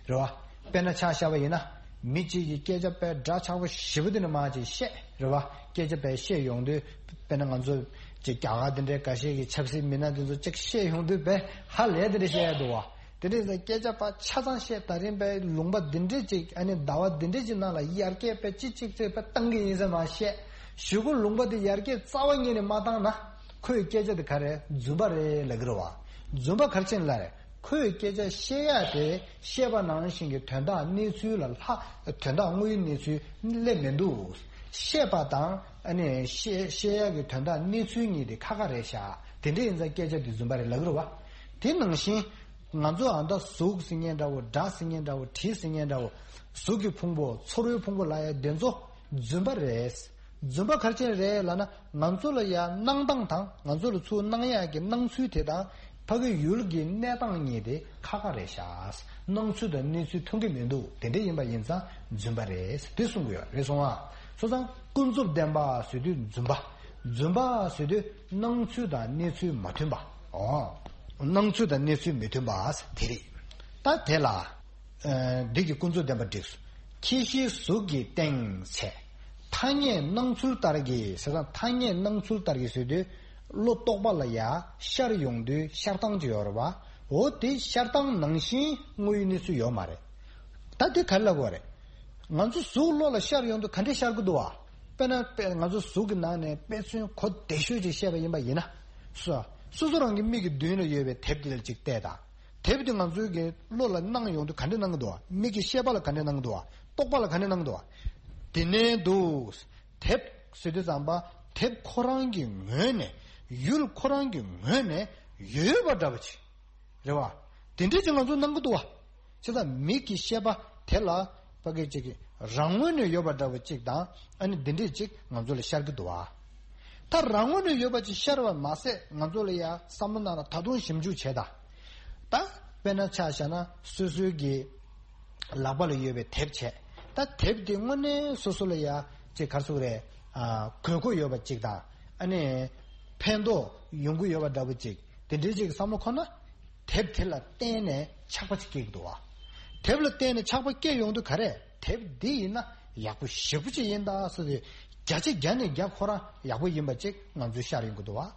རེད་བ། དཔེར་ན་ཆ་བཞག་པ་ཡིན་ན། མི་གཅིག་གིས་སྐད་ཆ་དཔེ་འདྲ་ཆགས་པོ་ཞེ་པོ་དེ་ནས་མར་ཅིག་བཤད་རེད་བ། སྐད་ཆ་དཔེ་བཤད་ཡོང་དུས་དཔེར་ན་ང་ཚོ་ཅིག་རྒྱ་གར་དེ་འདྲའི་འགའ་ཤས་ཀྱི་ཆབ་སྲིད་མི་སྣ་དེ་ཚོ་ཅིག་བཤད་ཡོང་དུས་དཔེ་ཧ་ལས་དེ་འདྲ་བཤད་ཡ་འདུག་བ། དེ་འདྲའི་སྐད་ཆ་ཕར་ཆ་ཚང་བཤད། ད་རིང་དཔེ་ལུང་པ་འདི་འདྲས་ཅིག་ཨ་ནི་ཟླ་བ་འདི་འདྲས་ཅིག་ནང་ལ་ཡར་རྒྱས་དཔེ་ཅིག་ཅིག་ཅིག་དཔེ་བཏང་གི་ཡིན་ཟེར་མར་བཤད། གཞུག་གུ་ལུང་པ་འདི་ཡར་རྒྱས་རྩ་བ་ཉིད་ནས་མ་བཏང་ན་ཁོའི་སྐད་ཆ་དེ་ག་རེ་རྫུན་པ་རེད་ལབ་ཀྱི་རེད་བ། རྫུན་པ་ག་རེ་བྱས་ནས་ལབ་རེད། ཁོས་སྐད་ཆ་བཤད་ཡ་དེ་བཤད་པ་ནང་བཞིན་གྱི་དོན་དག་གནས་ཚུལ་ལ་ལྷག་དོན་དག་དངོས་ཡོད་གནས་ཚུལ་སླེབས་མི་འདུག། བཤད་པ་དང་ཨ་ནི་བཤད་བཤད་ཡ་གི་དོན་དག་གནས་ཚུལ་གཉིས་དེ་ཁ་ཁ་རེད་ཤག། དེ་འདྲ་ཡིན་ཙང་སྐད་ཆ་དེ་རྫུན་པ་རེད་ལབ་ཀྱི་རེད་བ། དེ་ནང་བཞིན་ང་ཚོ་ཨ་ད་གཟུགས་ཟེར་མཁན་འདྲ་བོ། སྒྲ་ཟེར་མཁན་འདྲ་བོ། དྲི་ཟེར་མཁན་འདྲ་བོ། གཟུགས་ཀྱི་ཕུང་པོ། ཚོར་བའི་ཕུང་པོ་ལབ་ཡ་དེ་ཚོ་རྫུན་པ་རེད། རྫུན་པ་ག་རེ་བྱས་རེད་ལབ་ན། ང་ཚོ་ལ་ཡ་སྣང་སྟངས་དང་ང་ཚོ་ལ་ཚུར་སྣང་ཡག་གི་སྣང་ཚུལ་དེ་དང་ཕ་གི་ཡུལ་གྱི་གནས་སྟངས་གཉིས་དེ་ཁ་ཁ་རེད་ཤག། སྣང་ཚུལ་དང་གནས་ཚུལ་མཐུན་གྱི་མི་འདུག། དེ་འདྲ་ཡིན་པ་ཡིན་ཙང་རྫུན་པ་རེད་དེ་གསུང་གི་ཡོད་རེད་སོང་ཨ། སོང་ཙང་ཀུན་རྫོབ་བདེན་པ་ཟེར་དུས་རྫུན་པ། རྫུན་པ་ཟེར་དུས་སྣང་ཚུལ་དང་གནས་ཚུལ་མ་མཐུན་པ། ཨོ། སྣང་ཚུལ་དང་གནས་ཚུལ་མི་མཐུན་པ་དེ་རེད། ད་དེ་ལ། ཨ། འདི་གི་ཀུན་རྫོབ་བདེན་པ་འགྲིགས་སོང་། ཁྱད་གཞི་གཟུགས་ཀྱི་སྟེང་བྱས། ཐ་སྙད་སྣང་ཚུལ་ལྟར་གྱི་ཟེར་ན། ཐ་སྙད་སྣང་ཚུལ་ལྟར་གྱི་ཟེར་དུས་བློ་རྟོག་པ་ལ་ཡ་ཤར་ཡོང་དུས་ཤར་སྟངས་ཅིག་ཡོད་རེད་བ། འོ་དེ་ཤར་སྟངས་ནང་བཞིན་དངོས་ཡོད་གནས་ཚུལ་ཡོད་མ་རེད། ད་དེ་ག་རེ་ལབ་དགོས་རེད། ང་ཚོ་གཟུགས་བློ་ལ་ཤར་ཡོང་དུས་ག་འདྲས་ཤར་གི་འདུག་བ། དཔེར་ན་དཔེ་ང་ཚོ་གཟུགས་ཀྱི་ནང་ནས་དཔེ་མཚོན་གོ་བདེ་ཤོས་ཅིག་བཤད་པ་ཡིན་པ་ཡིན་ན། སོ་སོ་སོ་རང་གི་མིག་གི་མདུན་ལ་ཡོད་པའི་དེབ་དེ་ལ་ཅིག་བལྟས་དང་། དེབ་དེ་ང་ཚོའི་གི་བློ་ལ་སྣང་ཡོང་དུས་ག་འདྲ་སྣང་གི་འདུག་བ། མིག་གི་ཤེས་པ་ལ་ག་འདྲ་སྣང་གི་འདུག་བ། རྟོག་པ་ལ་ག་འདྲ་སྣང་གི་འདུག་བ། དེ་ནས་འདུག། དེབ་ཟེར་དུས་ཙམ་པ་དེབ་ཁོ་རང་གི་ངོས་ནས། ཡུལ་ཁོ་རང་གི་ངོས་ནས་ཡོད་པ་འདྲ་པོ་ཅིག་རེད་བ། དེ་འདྲས་ཅིག་ང་ཚོ་སྣང་གི་འདུག་བ། བྱས་ཙང་མིག་གི་ཤེས་པ་དེ་ལ་ཕ་གི་ཅིག་གི་རང་ངོས་ནས་ཡོད་པ་འདྲ་པོ་ཅིག་དང་། ཨ་ནི་འདི་འདྲས་ཅིག་ང་ཚོ་ལ་ཤར་གི་འདུག་བ། ད་རང་ངོས་ནས་ཡོད་པ་ཅིག་ཤར་བ་མ་ཟད་ང་ཚོ་ལ་ཡ་བསམ་བློ་ནང་ལ་ད་དུང་ཞིབ་འཇུག་བྱས་དང་། ད་དཔེར་ན་ཆ་བཞག་ན་སོ་སོའི་གི་ལག་པ་ལ་ཡོད་པའི་དེབ་བྱས། ད་དེབ་དེ་དངོས་གནས་སོ་སོ་ལ་ཡ་ཅིག་ག་རེ་ཟེར་དགོས་རེད། ཨ། དགོས་མཁོ་ཡོད་པ་ཅིག་དང་། ཨ་ནི་ཕན་ཐོགས་ཡོང་གི་ཡོད་པ་འདྲ་པོ་ཅིག། དེ་འདྲའི་ཅིག་བསམ་བློ་འཁོར་ན། དེབ་དེ་ལ་བརྟེན་ནས་ཆགས་པ་ཅིག་སྐྱེ་གི་འདུག་བ། དེབ་ལ་བརྟེན་ནས་ཆགས་པ་སྐྱེ་ཡོང་དུས་ག་རེ། དེབ་འདི་ཡིན་ན་ཡག་པོ་ཞེ་པོ་ཅིག་ཡིན་ད་ཟེར་ཏེ། བརྒྱ་ཆ་བརྒྱ་ནས་བརྒྱ་ཁོ་རང་ཡག་པོ་ཡིན་པ་ཅིག་ང་ཚོའི་ཤར་ཡོང་གི་འདུག་བ།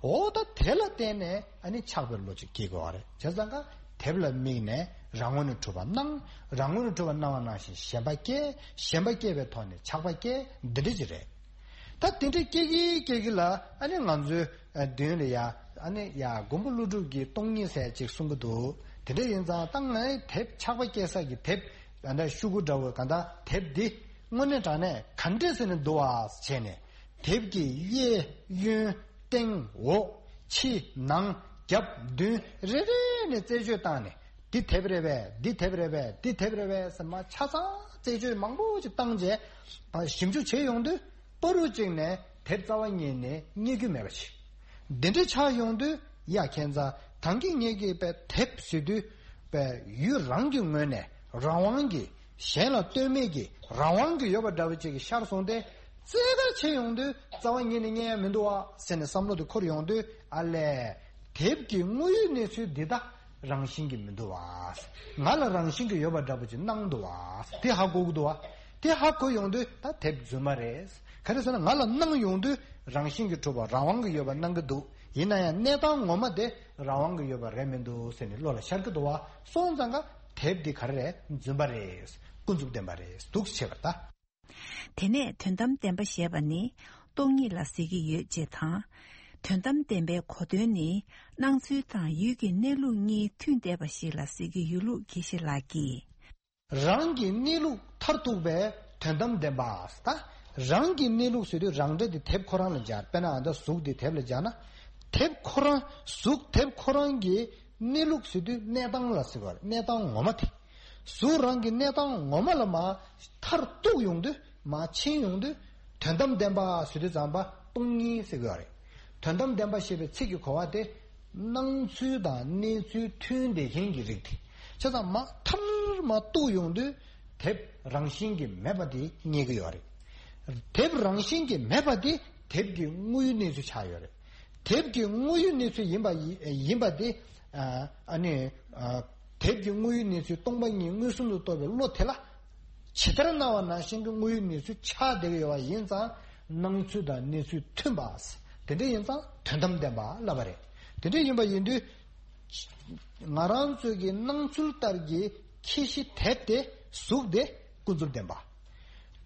འོ་ད་དེ་ལ་བརྟེན་ནས་ཨ་ནི་ཆགས་པའི་བློ་ཅིག་སྐྱེ་དགོས་བ་རེད། བྱས་ཙང་ཀ་དེབ་ལ་དམིགས་ནས་རང་ངོས་ནས་གྲུབ་པ་སྣང་། རང་ངོས་ནས་གྲུབ་པ་སྣང་བ་ནང་བཞིན་ཞེན་པ་སྐྱེ། ཞེན་པ་སྐྱེ་བའི་ཐོག་ནས་ཆགས་པ་སྐྱེ། འདི་འདྲ་ཅིག་རེད། ད་དེ་འདྲ་སྐྱེ་གི་སྐྱེ་གི་ལ་ཨ་ནི་ང་ཚོའི་མདུན་ལ་ཡ་ཨ་ནི་ཡ་མགོན་པོ་ཀླུ་སྒྲུབ་ཀྱིས་སྟོང་ཉིད་ཟེར་ཅིག་གསུང་གི་འདུག། དེ་འདྲ་ཡིན་ཙང་ད་ངའི་དེབ་ཆགས་པ་སྐྱེ་ས་གི་དེབ་ག་འདྲ་ཤོག་གུ་འདྲ་བོ་ག་འདྲ་དེབ་འདི་དངོས་གནས་དྲང་གནས་ག་འདྲས་ཟེར་ནས་འདུག་བ་བྱས་ནས། དེབ་ཀྱི་གཡས་གཡོན་སྟེང་འོག་ཕྱི་ནང་རྒྱབ་མདུན་རེ་རེ་ནས་རྩད་གཅོད་བཏང་ནས། འདི་དེབ་རེད་པས། འདི་དེབ་རེད་པས། འདི་དེབ་རེད་པས་ཟེར་མ་ཆ་ཚང་རྩད་གཅོད་མང་པོ་ཅིག་བཏང་རྗེས། ཞིབ་འཇུག་བྱེད་ཡོང་དུས་པ་རུ་གཅིག་ནས་དེབ་རྩ་བ་ཉིད་ནས་རྙེད་རྒྱུ་མེད་པ་ཞིག། འདི་འདྲ་ཆགས་ཡོང་དུས་ཡ་ཁྱེད་ཚ་ད་གིན་ངེད་ཀྱིས་པའི་དེབ་ཟེར་དུས་པའི་ཡུལ་རང་གི་ངོས་ནས་རང་དབང་གིས། གཞན་ལ་ལྟོས་མེད་ཀྱི་རང་དབང་གི་ཡོད་པ་འདྲ་བོ་ཅིག་གི་ཤར་སོང་སྟེ། རྩད་གར་ཕྱིན་ཡོང་དུས་རྩ་བ་ཉིད་ནས་རྙེད་ཡ་མི་འདུག་བ་ཟེར་ནས་བསམ་བློ་དེ་འཁོར་ཡོང་དུས། ཨ་ལས། དེབ་ཀྱི་དངོས་ཡོད་གནས་ཚུལ་འདི་དག་རང་བཞིན་གྱིས་མི་འདུག་བ། ང་ལ་རང་བཞིན་གྱིས་ཡོད་པ་འདྲ་པོ་ཅིག་སྣང་འདུག་བ། དེ་ཧ་གོ་གི་འདུག་བ། དེ་ཧ་གོ་ཡོང་དུས་ད་དེབ་རྫུན་མ་རེད། ག་རེ་ཟེར་ན་ང་ལ་སྣང་ཡོང་དུས་རང་བཞིན་གྱིས་གྲུབ་པ་རང་དབང་གིས་ཡོད་པ་སྣང་གི་འདུག། ཡིན་ན་ཡང་གནས་སྟངས་ངོ་མ་དེ་རང་དབང་གིས་ཡོད་པ་རེད་མི་འདུག་ཟེར་ནས་བློ་ལ་ཤར་གི་འདུག་བ། སོང་ཙང་ཀ་དེབ་འདི་ག་རེ་རེད། རྫུན་པ་རེད། ཀུན་རྫོབ་བདེན་པ་རེད་འདུག་ཟེར་བ་ད། དེ་ནས་དོན་དམ་བདེན་པ་ཞེས་པ་ནི་སྟོང་ཉིད་ལ་ཟེར་གྱི་ཡོད་ཅེས་དང་། དོན་དམ་བདེན་པའི་གོ་དོན་ནི་སྣང་ཚུལ་དང་ཡུལ་གྱི་གནས་ལུགས་གཉིས་མཐུན་བསྡད་པ་ཞིག་ལ་ཟེར་གྱི་ཡོད་ལུགས་དགེ་བཤེས་ལགས་ཀྱིས། རང་གི་གནས་ལུགས་མཐར་ཐུག་པའི་དོན་དམ་བདེན་པ། ད་རང་གི་གནས་ལུགས་ཟེར་དུས་རང་འདྲ་དེ་དེབ་ཁོ་རང་ལ་སྦྱར། དཔེར་ན་ཨ་ད་གཟུགས་དེ་དེབ་ལ་སྦྱར་ན། དེབ་ཁོ་རང་གཟུགས་དེབ་ཁོ་རང་གི་གནས་ལུགས་ཟེར་དུས་གནས་སྟངས་ལ་ཟེར་བ་རེད། གནས་སྟངས་ངོ་མ་དེ། གཟུགས་རང་གི་གནས་སྟངས་ངོ་མ་ལ་མར་མཐར་གཏུགས་ཡོང་དུས། མར་ཕྱིན་ཡོང་དུས། དོན་དམ་བདེན་པ་ཟེར་དུས་ཙམ་པ་སྟོང་ཉིད་ཟེར་གྱི་ཡོད་རེད། དོན་དམ་བདེན་པ་ཞེས་པའི་ཚིག་གི་གོ་བ་དེ། སྣང་ཚུལ་དང་གནས་ཚུལ་མཐུན་བསྡད་མཁན་གྱི་རིགས་དེ། བྱས་ཙང་མ་མཐར་མ་གཏུགས་ཡོང་དུས་དེབ་རང་བཞིན་གྱིས་མེད་པ་དེ་རྙེད་ཀྱི་ཡོད་རེད། དེབ་རང་བཞིན་གྱིས་མེད་པ་དེ་དེབ་ཀྱི་དངོས་ཡོད་གནས་ཚུལ་ཆགས་ཡོད་རེད། དེབ་ཀྱི་དངོས་ཡོད་གནས་ཚུལ་ཡིན་པ་ཡི་ཡིན་པ་དེ། ཨ་ཨ་ནི་ཨ་དེབ་ཀྱི་དངོས་ཡོད་གནས་ཚུལ་སྟོང་པ་ཉིད་མངོན་སུམ་དུ་རྟོགས་པའི་བློ་དེ་ལ་ཇི་ལྟར་སྣང་བ་ནང་བཞིན་གྱི་དངོས་ཡོད་གནས་ཚུལ་ཆགས་བསྡད་ཀྱི་ཡོད་པ་ཡིན་ཙང་། སྣང་ཚུལ་དང་གནས་ཚུལ་མཐུན་པ། དེ་འདྲ་ཡིན་ཙང་དོན་དམ་བདེན་པ་ལབ་པ་རེད། དེ་འདྲ་ཡིན་པ་ཡིན་དུས། ང་རང་ཚོའི་གི་སྣང་ཚུལ་ལྟར་གྱི་ཁྱད་གཞི་དེབ་དེ་གཟུགས་དེ་ཀུན་རྫོབ་བདེན་པ།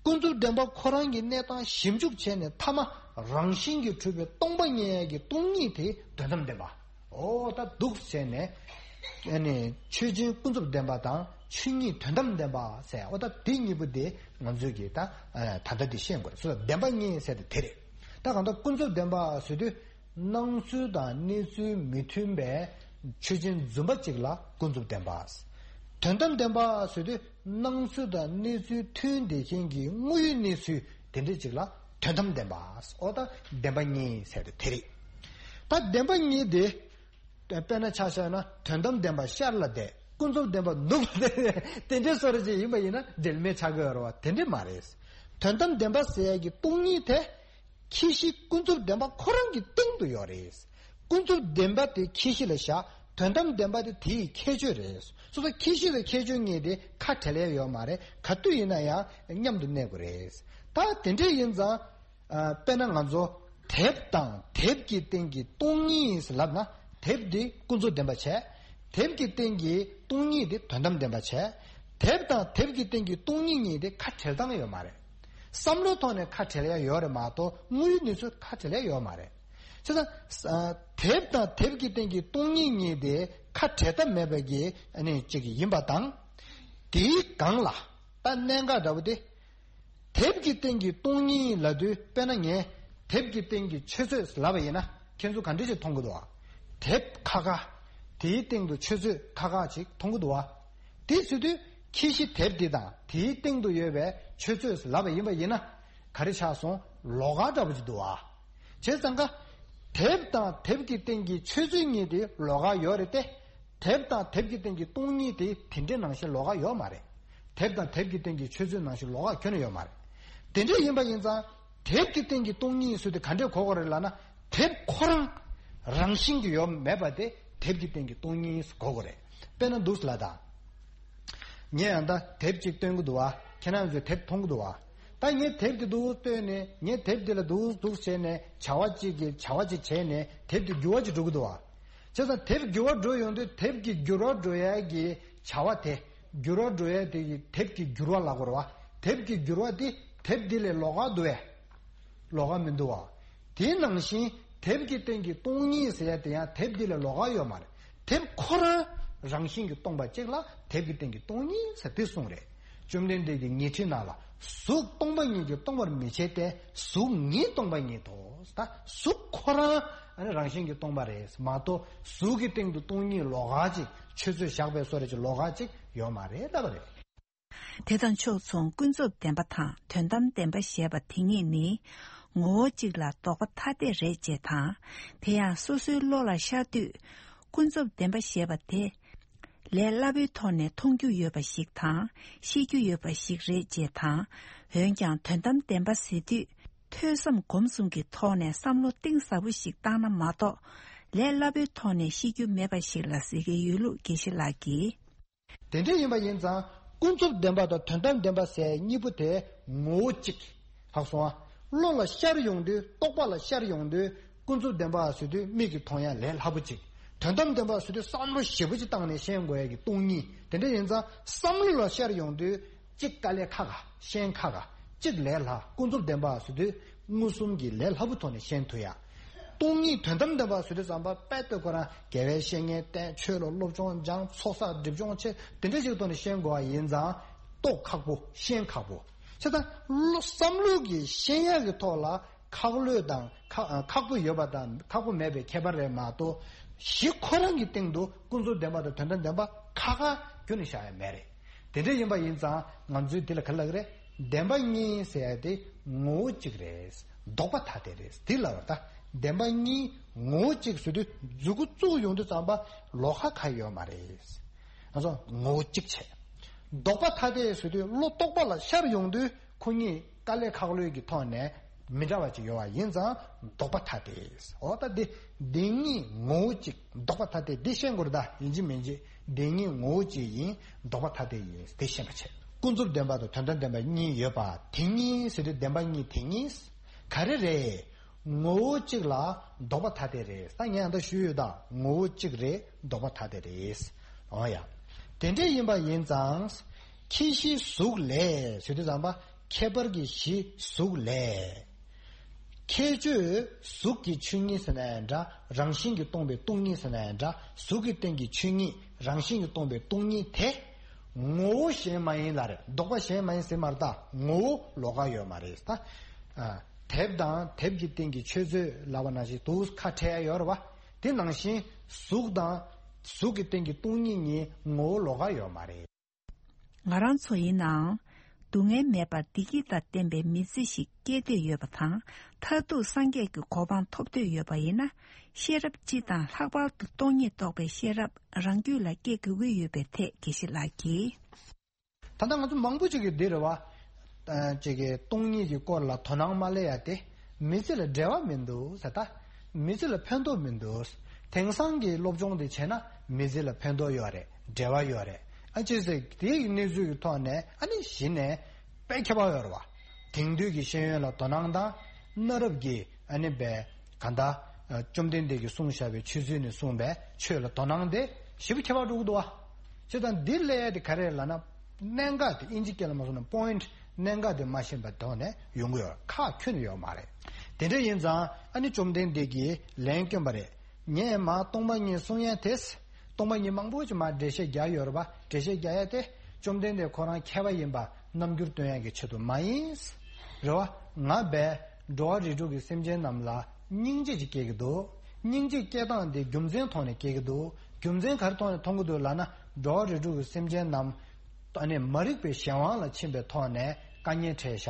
ཀུན་རྫོབ་བདེན་པ་ཁོ་རང་གི་གནས་སྟངས་ཞིབ་འཇུག་བྱས་ནས་མཐའ་མ་རང་བཞིན་གྱིས་གྲུབ་པའི་སྟོང་པ་ཉིད་ཀྱི་སྟོང་ཉིད་དེ་དོན་དམ་བདེན་པ། འོ་ད་འདུག་བྱས་ནས། ཨ་ནི་ཆོས་ཅན་ཀུན་རྫོབ་བདེན་པ་དང་ཆོས་ཉིད་དོན་དམ་བདེན་པ་ཟེར། འོ་ད་དེ་གཉིས་པོ་དེ་ང་ཚོས་ཀྱིས་ད་ཨ་ད་ལྟ་དེ་ཤེས་དགོས་རེད། སོ་བདེན་པ་གཉིས་ཟེར་དེ་དེ་རེད། ད་གང་ལྟར་ཀུན་རྫོབ་བདེན་པ་ཟེར་དུས། སྣང་ཚུལ་དང་གནས་ཚུལ་མི་མཐུན་པའི་ཆོས་ཅན་རྫུན་པ་གཅིག་ལ་ཀུན་རྫོབ་བདེན་པ། དོན་དམ་བདེན་པ་ཟེར་དུས་སྣང་ཚུལ་དང་གནས་ཚུལ་མཐུན་བསྡད་མཁན་གྱི་དངོས་ཡོད་གནས་ཚུལ་དེ་འདྲ་གཅིག་ལ་དོན་དམ་བདེན་པ། འོ་ད་བདེན་པ་གཉིས་ཟེར་དེ་དེ་རེད། ད་བདེན་པ་གཉིས་དེ། དཔེར་ན་ཆ་བཞག་ན་དོན་དམ་བདེན་པ་ཤར་ལ་བསྡད། ཀུན་རྫོབ་བདེན་པ་ནུབ་ལ་བསྡད། དེ་འདྲའི་བཟོ་འདྲ་ཅིག་ཡིན་པ་ཡིན་ན་འབྲེལ་མེད་ཆགས་ཀྱི་ཡོད་རེད་བ། དེ་འདྲ་མ་རེད། དོན་དམ་བདེན་པ་ཟེར་ཡ་གི་སྟོང་ཉིད་དེ། ཁྱད་གཞི་ཀུན་རྫོབ་བདེན་པ་ཁོ་རང་གི་སྟེང་དུ་ཡོད་རེད། ཀུན་རྫོབ་བདེན་པ་དེ་ཁྱད་གཞི་ལ་བཞག། དོན་དམ་བདེན་པ་དེ་དེའི་ཁྱད་ཆོས་རེད། སོ་སོ་ཁྱད་གཞི་དང་ཁྱད་ཆོས་གཉིས་དེ་ཁ་བྲལ་ཡ་ཡོད་མ་རེད། ག་དུས་ཡིན་ན་ཡང་མཉམ་དུ་གནས་དགོས་རེད། ད་དེ་འདྲ་ཡིན་ཙང་། ཨ། དཔེར་ན་ང་ཚོ་དེབ་དང་དེབ་ཀྱི་སྟེང་གི་སྟོང་ཉིད་ལབ་ན། དེབ་འདི་ཀུན་རྫོབ་བདེན་པ་བྱས། དེབ་ཀྱི་སྟེང་གི་སྟོང་ཉིད་འདི་དོན་དམ་བདེན་པ་བྱས། དེབ་དང་དེབ་ཀྱི་སྟེང་གི་སྟོང་ཉིད་གཉིས་དེ་ཁ་བྲལ་སྟངས་ཡོད་མ་རེད། བསམ་བློའི་ཐོག་ནས་ཁ་བྲལ་ཡ་ཡོད་རེད་མ་གཏོགས་དངོས་ཡོད་གནས་ཚུལ་ཁ་བྲལ་ཡ་ཡོད་མ་རེད། བྱས་ཙང་། ཨ། དེབ་དང་དེབ་ཀྱི་སྟེང་གི་སྟོང་ཉིད་གཉིས་དེ་ཁ་བྲལ་ཐབས་མེད་པ་གི་ཨ་ནི་གཅིག་ཡིན་པ་དང་། དེའི་སྒང་ལ་ད་གནད་འགག་འདྲ་བོ་དེ། དེབ་ཀྱི་སྟེང་གི་སྟོང་ཉིད་ལབ་དུས། དཔེར་ན་ངས་དེབ་ཀྱི་སྟེང་གི་ཆུ་ཚོད་ལབ་པ་ཡིན་ན། ཁྱེད་ཚོ་ག་འདྲ་ཞིག་མཐོང་གི་འདུག་བ། དེབ་ཁ་ཁ། དེའི་སྟེང་དུ་ཆུ་ཚོད་ཁ་ཁ་ཅིག་མཐོང་གི་འདུག་བ། དེ་ཟེར་དུས་ཁྱད་གཞི་དེབ་འདི་དང་དེའི་སྟེང་དུ་ཡོད་པའི་ཆུ་ཚོད་ལབ་པ་ཡིན་པ་ཡིན་ན། ག་རེ་ཆགས་སོང་། ལོགས་ཀ་འདྲ་པོ་ཅིག་འདུག་བ། བྱས་ཙང་ཀ། དེབ་དང་དེབ་ཀྱི་སྟེང་གི་ཆུ་ཚོད་གཉིས་དེ་ལོགས་ཀ་ཡོད་རེད་དེ། དེབ་དང་དེབ་ཀྱི་སྟེང་གི་སྟོང་ཉིད་དེ་དེ་འདྲའི་ནང་བཞིན་ལོགས་ཀ་ཡོད་མ་རེད། དེབ་དང་དེབ་ཀྱི་སྟེང་གི་ཆུ་ཚོད་ནང་བཞིན་ལོགས་ཀ་ཁྱོན་ནས་ཡོད་མ་རེད། དེ་འདྲ་ཡིན་པ་ཡིན་ཙང་། དེབ་ཀྱི་སྟེང་གི་སྟོང་ཉིད་ཟེར་དེ་ག་འདྲས་གོ་དགོས་རེད་ལབ་ན། དེབ་ཁོ་རང་རང་བཞིན་གྱིས་ཡོད་མེད་པ་དེ་དེབ་ཀྱི་སྟེང་གི་སྟོང་ཉིད་གོ་དགོས་རེད། དཔེར་ན་འདུག་ལ་ད། ངས་ཡང་ད་དེབ་ཅིག་སྟོན་གྱི་འདུག་བ། ཁྱེད་རང་ཚོས་དེབ་མཐོང་གི་འདུག་བ། ད་ངས་དེབ་དེ་འདུག་སྟོན་ནས། ངས་དེབ་དེ་ལ་འདུག་འདུག་བྱས་ནས་བྱ་བ་ཅིག་གི་བྱ་བ་ཅིག་བྱས་ནས་དེབ་དེ་འགྱུར་བ་ཅིག་འགྲོ་གི་འདུག་བ། བྱས་ཙང་དེབ་འགྱུར་བ་འགྲོ་ཡོང་དུས་དེབ་ཀྱི་འགྱུར་བ་འགྲོ་ཡ་གི་བྱ་བ་དེ། འགྱུར་བ་འགྲོ་ཡ་དེ་གི་དེབ་ཀྱི་འགྱུར་བ་ལབ་དགོས་རེད་བ། དེབ་ཀྱི་འགྱུར་བ་དེ་དེབ་འདི་ལས་ལོགས་ཀ་འདུག་བས། ལོགས་ཀ་མི་འདུག་བ། དེ་ནང་བཞིན་དེབ་ཀྱི་སྟེང་གི་སྟོང་ཉིད་ཟེར་ཡ་དེ་ཡང་དེབ་འདི་ལས་ལོགས་ཀ་ཡོད་མ་རེད། དེབ་ཁོ་རང་རང་བཞིན་གྱིས་སྟོང་པ་གཅིག་ལ་དེབ་ཀྱི་སྟེང་གི་སྟོང་ཉིད་ཟེར་དེ་གསུངས་རེད། བཅོམ་ལྡན་འདས་ཀྱིས་ཉི་ཁྲི་ནང་ལ་གཟུགས་སྟོང་པ་ཉིད་ཀྱིས་སྟོང་པར་མི་བྱེད་དེ། གཟུགས་ཉིད་སྟོང་པ་ཉིད་དོ། ད་གཟུགས་ཁོ་རང་ཨ་ནི་རང་བཞིན་གྱིས་སྟོང་པ་རེད་མ་གཏོགས། གཟུགས་ཀྱི་སྟེང་དུ་སྟོང་ཉིད་ལོགས་ཀ་ཅིག་ཆུ་ཚོད་བཞག་པའི་བཟོ་འདྲ་ཅིག་ལོགས་ཀ་ཅིག་ཡོད་མ་རེད་ལབ་པ་རེད། དེ་དང་ཕྱོགས་མཚུངས་ཀུན་རྫོབ་བདེན་པ་དང་དོན་དམ་བདེན་པ་ཞེས་པ་དེ་གཉིས་ནི་ངོ་བོ་གཅིག་ལ་ལྡོག་པ་ཐ་དད་རེད་ཅེས་དང་། དེ་ཡང་སོ་སོའི་བློ་ལ་ཤར་དུས་ཀུན་རྫོབ་བདེན་པ་ཞེས་པ་དེ་ལས་སླ་པོའི་ཐོག་ནས་མཐོང་རྒྱུ་ཡོད་པ་ཞིག་དང་ཤེས་རྒྱུ་ཡོད་པ་ཞིག་རེད་ཅེས་དང་། འོན་ཀྱང་དོན་དམ་བདེན་པ་ཟེར་དུས་ཐོས་བསམ་སྒོམ་གསུམ་གྱི་ཐོག་ནས་བསམ་བློ་གཏིང་ཟབ་པོ་ཞིག་བཏང་ན་མ་གཏོགས། ལས་སླ་པོའི་ཐོག་ནས་ཤེས་རྒྱུ་མེད་པ་ཞིག་ལ་ཟེར་གྱི་ཡོད་ལུགས་དགེ་བཤེས་ལགས་ཀྱིས། དེ་འདྲ་ཡིན་པ་ཡིན་ཙང་ཀུན་རྫོབ་བདེན་པ་དང་དོན་དམ་བདེན་པ་ཟེར་གཉིས་པོ་དེ་ངོ་བོ་གཅིག་ལྷག་སོང་ཨ། བློ་ལ་ཤར་ཡོང་དུས། རྟོག་པ་ལ་ཤར་ཡོང་དུས་ཀུན་རྫོབ་བདེན་པ་ཟེར་དུས་མིག་གིས་མཐོང་ཡ་ལས་སླ་པོ་གཅིག་དོན་དམ་བདེན་པ་ཟེར་དུས་བསམ་བློ་ཞེ་པོ་ཅིག་བཏང་ནས་ཤེས་དགོས་ཡ་གི་སྟོང་ཉིད། དེ་འདྲ་ཡིན་ཙང་བསམ་བློ་ལ་ཤར་ཡོང་དུས། གཅིག་དཀའ་ལས་ཁག་ག་ཤེས་ཁག་ག་གཅིག་ལས་སླ། ཀུན་རྫོབ་བདེན་པ་ཟེར་དུས་མངོན་སུམ་གྱི་ལས་སླ་པོ་ཐོག་ནས་ཤེས་ཐུབ་ཡ། སྟོང་ཉིད་དོན་དམ་བདེན་པ་ཟེར་དུས་ཙམ་པ་དཔེ་ལྟོས་ཁོ་རང་དགེ་བའི་བཤེས་གཉེན་བསྟེན། ཆོས་ལ་སློབ་སྦྱོང་སྦྱང་། ཚོགས་བསགས་སྒྲིབ་སྦྱོང་བྱེད། དེ་འདྲ་ཞིག་ཐོག་ནས་ཤེས་དགོས་པ་ཡིན་ཙང་རྟོགས་ཁག་པོ། ཤེས་ཁག་པོ། བྱས་ཙང་བློ་བསམ་བློ་གི་ཤེས་ཡ་གི་ཐོག་ལ་ཁག་ལོས་དང་ཁག་ཁག་པོ་ཡོད་པ་དང་ཁག་པོ་མེད་པའི་ཁྱད་པར་རེད་མ་གཏོགས། གཞི་ཁོ་རང་གི་སྟེང་དུ་ཀུན་རྫོབ་བདེན་པ་དང་དོན་དམ་བདེན་པ་ཁ་ཁ་ཁྱོན་ནས་བཞག་ཡ་མེད་རེད། དེ་འདྲ་ཡིན་པ་ཡིན་ཙང་ང་ཚོས་འདི་ལ་ག་རེ་ལབ་ཀྱི་རེད། བདེན་པ་གཉིས་ཟེར་ཡ་དེ་ངོ་བོ་གཅིག་རེད། ལྡོག་པ་ཐ་དད་རེད། འདི་ལབ་པ་ད་ བདེན་པ་གཉིས་ངོ་བོ་གཅིག་ཟེར་དུས་མཛུ་གུ་བཙུགས་ཡོང་དུས་ཙམ་པ་ལོགས་ཀ་གང་ཡོད་མ་རེད། ང་ཚོ་ངོ་བོ་གཅིག་བྱས། ལྡོག་པ་ཐ་དད་ཟེར་དུས་བློ་རྟོག་པ་ལ་ཤར་ཡོང་དུས་ཁོ་གཉིས་དཀའ་ལས་ཁག་ལོས་ཀྱི་ཐོག་ནས་མི་འདྲ་བ་ཅིག་ཡོད་པ་ཡིན་ཙང་ལྡོག་པ་ཐ་དད། འོ་ད་འདི་བདེན་གཉིས་ངོ་བོ་གཅིག་ལྡོག་པ་ཐ་དད་འདི་ཤེས་དགོས་རེད། ད་ཡིན་གཅིག་མིན་གཅིག་བདེན་གཉིས་ངོ་བོ་གཅིག་ཡིན། ལྡོག་པ་ཐ་དད་ཡིན་འདི་ཤེས་པ་བྱས། ཀུན་རྫོབ་བདེན་པ་དང་དོན་དམ་བདེན་པ་གཉིས་ཡོད་པ་དེ་གཉིས་ཟེར་དུས་བདེན་པ་གཉིས་དེ་གཉིས་ག་རེ་རེད། ངོ་བོ་གཅིག་ལ་ལྡོག་པ་ཐ་དད་རེད། ད་ངས་ད་ལྟ་ཞུས་ཡོད། ད་ངོ་བོ་གཅིག་རེད། ལྡོག་པ་ཐ་དད་རེད། འོ་ཡ། དེ་འདྲ་ཡིན་པ་ཡིན་ཙང་། ཁྱད་གཞི་གཟུགས་ལས་ཟེར་དུས་ཙམ་པ་ཁྱད་པར་གྱི་གཞི་གཟུགས་ལས། ཁྱད་ཆོས་གཟུགས་ཀྱི་ཆོས་ཉིད་ཟེར་ན་ཡང་འདྲ། རང་བཞིན་གྱིས་སྟོང་པའི་སྟོང་ཉིད་ཟེར་ན་ཡང་འདྲ། གཟུགས་ཀྱི་སྟེང་གི་ཆོས་ཉིད་རང་བཞིན་གྱིས་སྟོང་པའི་སྟོང་ཉིད་དེ། ངོ་བོ་གཞན་མ་ཡིན་ལ་རེད། ལྡོག་པ་གཞན་མ་ཡིན་ཟེར་མ་རེད། ད་ངོ་བོ་ལོགས་ཀ་ཡོད་མ་རེད། ད། ཨ། དེབ་དང་དེབ་ཀྱི་སྟེང་གི་ཆོས་མཛོད་ལབ་པ་ནང་བཞིན་དུ་ཁ་བྲལ་ཡ་ཡོད་རེད་བ། དེ་ནང་བཞིན་གཟུགས་དང་གཟུགས་ཀྱི་སྟེང་གི་སྟོང་ཉིད་གཉིས་ངོ་བོ་ལོགས་ཀ་ཡོད་མ་རེད། ང་རང་ཚོ་ཡིན་ནའང་སྡུག་བསྔལ་མེད་པར་བདེ་སྐྱིད་དང་ལྡན་པའི་མི་ཚེ་ཞིག་སྐྱེལ་འདོད་ཡོད་པ་དང་། མཐར་ཐུག་སངས་རྒྱས་ཀྱི་གོ་འཕང་ཐོབ་འདོད་ཡོད་པ་ཡིན་ན། ཤེས་རབ་སྤྱི་དང་ལྷག་པར་དུ་སྟོང་ཉིད་རྟོགས་པའི་ཤེས་རབ་རང་རྒྱུད་ལ་སྐྱེ་དགོས་ཀྱི་ཡོད་པའི་ཐད་དགེ་བཤེས་ལགས་ཀྱིས། ད་ལྟ་ང་ཚོ་མང་པོ་ཅིག་གིས་འདི་རེད་བ། ཨ། ཅིག་གིས་སྟོང་ཉིད་ཀྱི་སྐོར་ལ་དོ་སྣང་མ་སླེབས་ཡ་དེ་མི་ཚེ་ལ་འབྲེལ་བ་མི་འདུག་ཟེར། ད་མི་ཚེ་ལ་ཕན་ཐོགས་མི་འདུག་དེང་སང་གི་སློབ་སྦྱོང་དེ་བྱས་ན་མི་ཚེ་ལ་ཕན་ཐོགས་ཡོད་རེད། འབྲེལ་བ་ཡོད་རེད། ཨ། ཅི་ཟེར་དེའི་གནས་ཚུལ་གྱི་ཐོག་ནས་ཨ་ནི་གཞི་ནས་དཔེ་ཁྱད་པར་ཡོད་རེད་བ། དེང་དུས་ཀྱི་ཤེས་ཡོན་ལ་དོ་སྣང་དང་། གནའ་རབས་ཀྱི་ཨ་ནི་བའི་གང་ལྟར་བཅོམ་ལྡན་འདས་ཀྱིས་གསུངས་བཞག་པའི་ཆོས་ཚུལ་ནས་གསུངས་པའི་ཆོས་ལ་དོ་སྣང་དེ་ཞེ་པོ་ཁྱད་པར་འགྲོ་གི་འདུག་བ། བྱས་ཙང་འདི་སླེབས་ཡ་དེ་ག་རེ་ལབ་ན། གནད་འགག་དེ་ཨིན་ཇི་སྐད་ལ་མ་སོང་ན་པོ་ཡིན་ཊི། གནད་འགག་དེ་མ་ཤེས་པའི་ཐོག་ནས་ཡོང་གི་ཡོད། ཁག་ཁྱོན་ནས་ཡོད་མ་རེད། དེ་འདྲ་ཡིན་ཙང་ཨ་ནི་བཅོམ་ལྡན་འདས་ཀྱིས་ལན་བསྐྱོན་པ་རེད། ངས་མར་སྟོང་པ་ཉིད་གསུང་ཡ་དེ། སྟོང་པ་ཉིད་མང་པོ་ཅིག་མར་འགྲེལ་བཤད་རྒྱག་ཡོད་རེད་པ། འགྲེལ་བཤད་རྒྱག་ཡ་དེ་བཅོམ་ལྡན་འདས་ཁོ་རང་མཁས་པ་ཡིན་པ་རྣམ་འགྱུར་སྟོན་ཡ་གི་ཆེད་དུ་མ་ཡིན། རེད་བ། ང་བས་འགྲོ་བ་རིགས་དྲུག་གི་སེམས་ཅན་རྣམས་ལ་སྙིང་རྗེ་ཅིག་སྐྱེ་གི་འདུག་སྙིང་རྗེ་སྐྱེ་སྟངས་དེ་རྒྱུ་མཚན་ཐོག་ནས་སྐྱེ་གི་འདུག་རྒྱུ་མཚན་ག་རེ་ཐོག་ནས་མཐོང་གི་འདུག་ལབ་ན། འགྲོ་བ་རིགས་དྲུག་གི་སེམས་ཅན་རྣམས་ཨ་ནི་མ་རིག་པའི་གཞན་དབང་ལ་ཕྱིན་པའི་ཐོག་ནས་དཀའ་ངལ་འཕྲད་བཞག་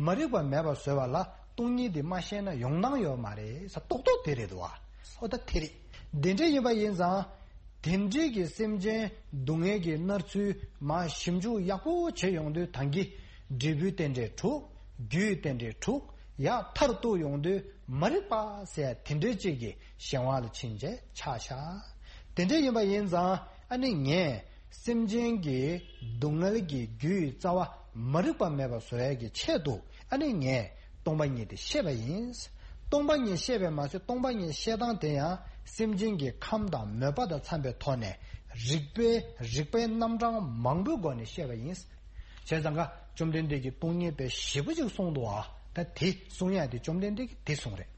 མ་རིག་པ་མེད་པར་བཟོ་བ་ལ་སྟོང་ཉིད་དེ་མ་ཤེས་ན་ཡོང་སྟངས་ཡོད་མ་རེད་ཟེར། རྡོག་རྡོག་དེ་རེད་འདུག་བ། ཨོ་ད་དེ་རེད། དེ་འདྲ་ཡིན་པ་ཡིན་ཙང་། དེ་འདྲའི་གི་སེམས་ཅན་སྡུག་བསྔལ་གྱི་མནར་ཚུལ་མར་ཞིབ་འཇུག་ཡག་པོ་བྱེད་ཡོང་དུས། ད་གིན་འབྲས་བུའི་རྟེན་འབྲེལ་དྲུག་རྒྱུའི་རྟེན་འབྲེལ་དྲུག་ཡར་མཐར་གཏུགས་ཡོང་དུས་མ་རིག་པ་ཟེར་དེ་འདྲའི་ཅིག་གི་གཞན་དབང་ལ་ཕྱིན་བྱས་ཆགས་བཞག་དེ་འདྲ་ཡིན་པ་ཡིན་ཙང་ཨ་ནི་ངས་སེམས་ཅན་གྱི་སྡུག་བསྔལ་གྱི་རྒྱུའི་རྩ་བ་མ་རིག་པ་མེད་པ་བཟོ་ཡས་ཀྱི་ཆེད་དུ་ཨ་ནི་ངས་སྟོང་པ་ཉིད་དེ་བཤད་པ་ཡིན། སྟོང་པ་ཉིད་བཤད་པས་མ་ཚད་སྟོང་པ་ཉིད་བཤད་སྟངས་དེ་ཡང་སེམས་ཅན་གྱི་ཁམས་དང་མོས་པ་དང་འཚམ་པའི་ཐོག་ནས་རིགས་པའི་རིགས་པའི་རྣམ་གྲངས་མང་པོའི་སྒོ་ནས་བཤད་པ་ཡིན། བྱས་ཙང་ཀ་བཅོམ་ལྡན་འདས་ཀྱིས་སྟོང་ཉིད་དཔེ་ཞིབ་པོ་ཅིག་གསུངས་འདུག་ཨ། ད་དེ་གསུང་ཡ་དེ་བཅོམ་ལྡན་འདས་ཀྱིས་དེ་གསུངས་རེད།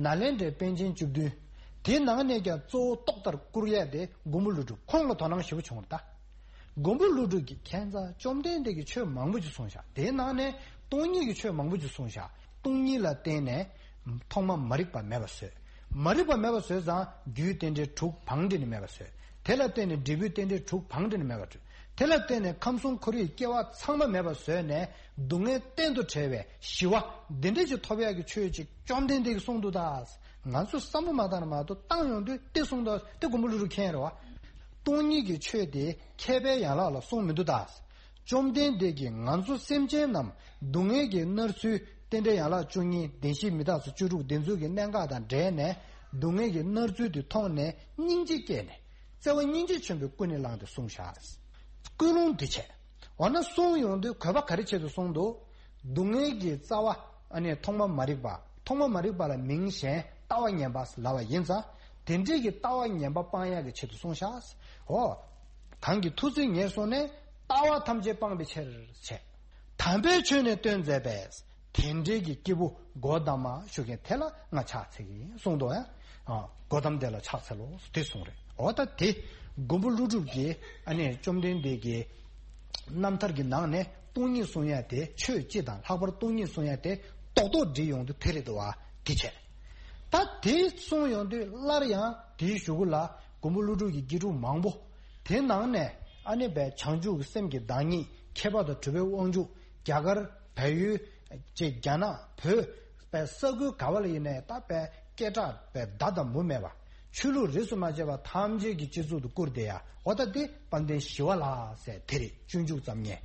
ནཱ་ལེནྡྲའི་པཎ་ཆེན་བཅུ་བདུན། དེ་ནང་ནས་ཀྱང་གཙོ་བོ་ཏོག་ལྟར་བཀུར་ཡ་དེ་མགོན་པོ་ཀླུ་སྒྲུབ་ཁོང་ལ་དོ་སྣང་ཞིབ་པོ་བྱུང་བ་རེད་ད། མགོན་པོ་ཀླུ་སྒྲུབ་ཀྱིས་ཁྱད་མཚར་བཅོམ་ལྡན་འདས་ཀྱིས་ཆོས་མང་པོ་ཅིག་གསུངས་བཞག་དེའི་ནང་ནས་སྟོང་ཉིད་ཀྱི་ཆོས་མང་པོ་ཅིག་གསུངས་བཞག་སྟོང་ཉིད་ལ་བརྟེན་ནས་ཐོག་མ་མ་རིག་པ་མེད་པ་བཟོས། མ་རིག་པ་མེད་པ་བཟོས་ཙང་རྒྱུའི་རྟེན་འབྲེལ་དྲུག་བང་སྒྲིག་ནས་མེད་པ་བཟོས། དེ་ལ་བརྟེན་ནས་འབྲས་བུའི་རྟེན་འབྲེལ་དྲུག་བང་སྒྲིག་ནས་མེད་པ་བཟོས། དེ་ལ་བརྟེན་ནས་ཁམས་གསུམ་འཁོར་བའི་སྐྱེ་བ་ཚང་མ་མེད་པ་བཟོས་ནས་སྡུག་བསྔལ་གཏན་དུ་བྲལ་བའི་ཞི་བ་འདི་འདྲ་ཅིག་ཐོབ་ཡག་གི་ཆོས་ཅིག་བཅོམ་ལྡན་འདས་ཀྱིས་གསུངས་འདུག་ད། ང་ཚོས་བསམ་བློ་མ་བཏང་ན་མ་གཏོགས་བཏང་ཡོང་དུས་དེ་གསུངས་འདུག་དེ་མགོན་པོ་ཀླུ་སྒྲུབ་མཁྱེན་རེད་བ། སྟོང་ཉིད་ཀྱི་ཆོས་དེ་མཁས་པའི་ཡན་ལག་ལ་གསུངས་མི་འདུག་ད། བཅོམ་ལྡན་འདས་ཀྱིས་ང་ཚོ་སེམས་ཅན་རྣམས་སྡུག་བསྔལ་གྱིས་མནར་ཚུལ་རྟེན་འབྲེལ་ཡན་ལག་བཅུ་གཉིས་བདེན་བཞི་མི་རྟག་སོགས་བཅུ་དྲུག་འདི་ཚོ་གི་གནད་འགག་དང་འབྲེལ་ནས་སྡུག་བསྔལ་གྱི་མནར་ཚུལ་དེ་མཐོང་ནས་སྙིང་རྗེ་སྐྱེས་ནས་བརྩེ་བ་སྙིང་རྗེ་ཆེན་པོས་ཀུན་ནས་བསླངས་ཏེ་གསུངས་བཞག་ཀུན་སློང་འདི་བྱས། འོ་ན་གསུངས་ཡོང་དུས་གོ་བ་ག་རེ་ཆེད་དུ་གསུངས་འདུག་སྡུག་བསྔལ་གྱི་རྩ་བ་ཨ་ནི་ཐོག་མ་མ་རིག་པ། ཐོག་མ་མ་རིག་པ་ལ་མིང་གཞན་ལྟ་བ་ངན་པ་ལབ་པ་ཡིན་ཙང་དེ་འདྲའི་གི་ལྟ་བ་ངན་པ་སྤང་ཡག་གི་ཆེད་དུ་གསུངས་བཞག་འོ། གང་གི་ཐུགས་བརྩེ་ཉེར་བཟུང་ནས་ལྟ་བ་ཐམས་ཅད་སྤངས་པའི་ཕྱིར་བྱས། དམ་པའི་ཆོས་ནི་སྟོན་མཛད་པས། དེ་འབྲེལ་གྱི་སྐྱེས་བུ་གོ་ཏ་མ་ཞུ་མཁན་དེ་ལ་ང་ཕྱག་འཚལ་གྱི་ཡིན་གསུངས་འདུག་ཡ། གོ་ཏམ་དེ་ལ་ཕྱག་འཚལ་ལོ་དེ་གསུངས་རེད། འོ་ད་དེ་མགོན་པོ་ཀླུ་སྒྲུབ་ཀྱིས་ཨ་ནི་བཅོམ་ལྡན་འདས་ཀྱི་རྣམ་ཐར་གྱི་ནང་ནས་སྟོང་ཉིད་གསུང་ཡ་དེ་ཆོས་སྤྱི་དང་ལྷག་པར་སྟོང་ཉིད་གསུང་ཡ་དེ་རྡོག་རྡོག་བསྒྲིལ་ཡོང་དུས་དེ་རེད་འདུག་བ་དེ་བྱས། ད་དེ་གསུངས་ཡོང་དུས་སླར་ཡང་དེའི་གཞུག་གུ་ལ་མགོན་པོ་ཀླུ་སྒྲུབ་ཀྱི་དགེ་ཕྲུག་མང་པོ། དེ་ནང་ནས་ཨ་ནི་བས་བྱང་ཆུབ་ཀྱི་སེམས་ཀྱི་བདག་ཉིད་མཁས་པ་དང་གྲུབ་པའི་དབང་ཕྱུག་རྒྱ་གར་བལ་ཡུལ་ཅེས་རྒྱ་ནག་བོད་པའི་ས་ཁུལ་ག་བ་ལ་ཡིན་ནའི་ད་བས་ སྐད་གྲགས་པའི་མདའ་དང་མུ་མེད་པ། ཆོས་ལུགས་རིས་སུ་མ་ཆད་པ་ཐམས་ཅད་ཀྱི་སྤྱི་གཙུག་ཏུ་བཀུར་བསྡད་ཡ། འོ་ད་དེ་དཔལ་ལྡན་ཞི་བ་ལྷ་ཟེར་དེ་རེད། སྤྱོད་འཇུག་ཙམ་ཉན།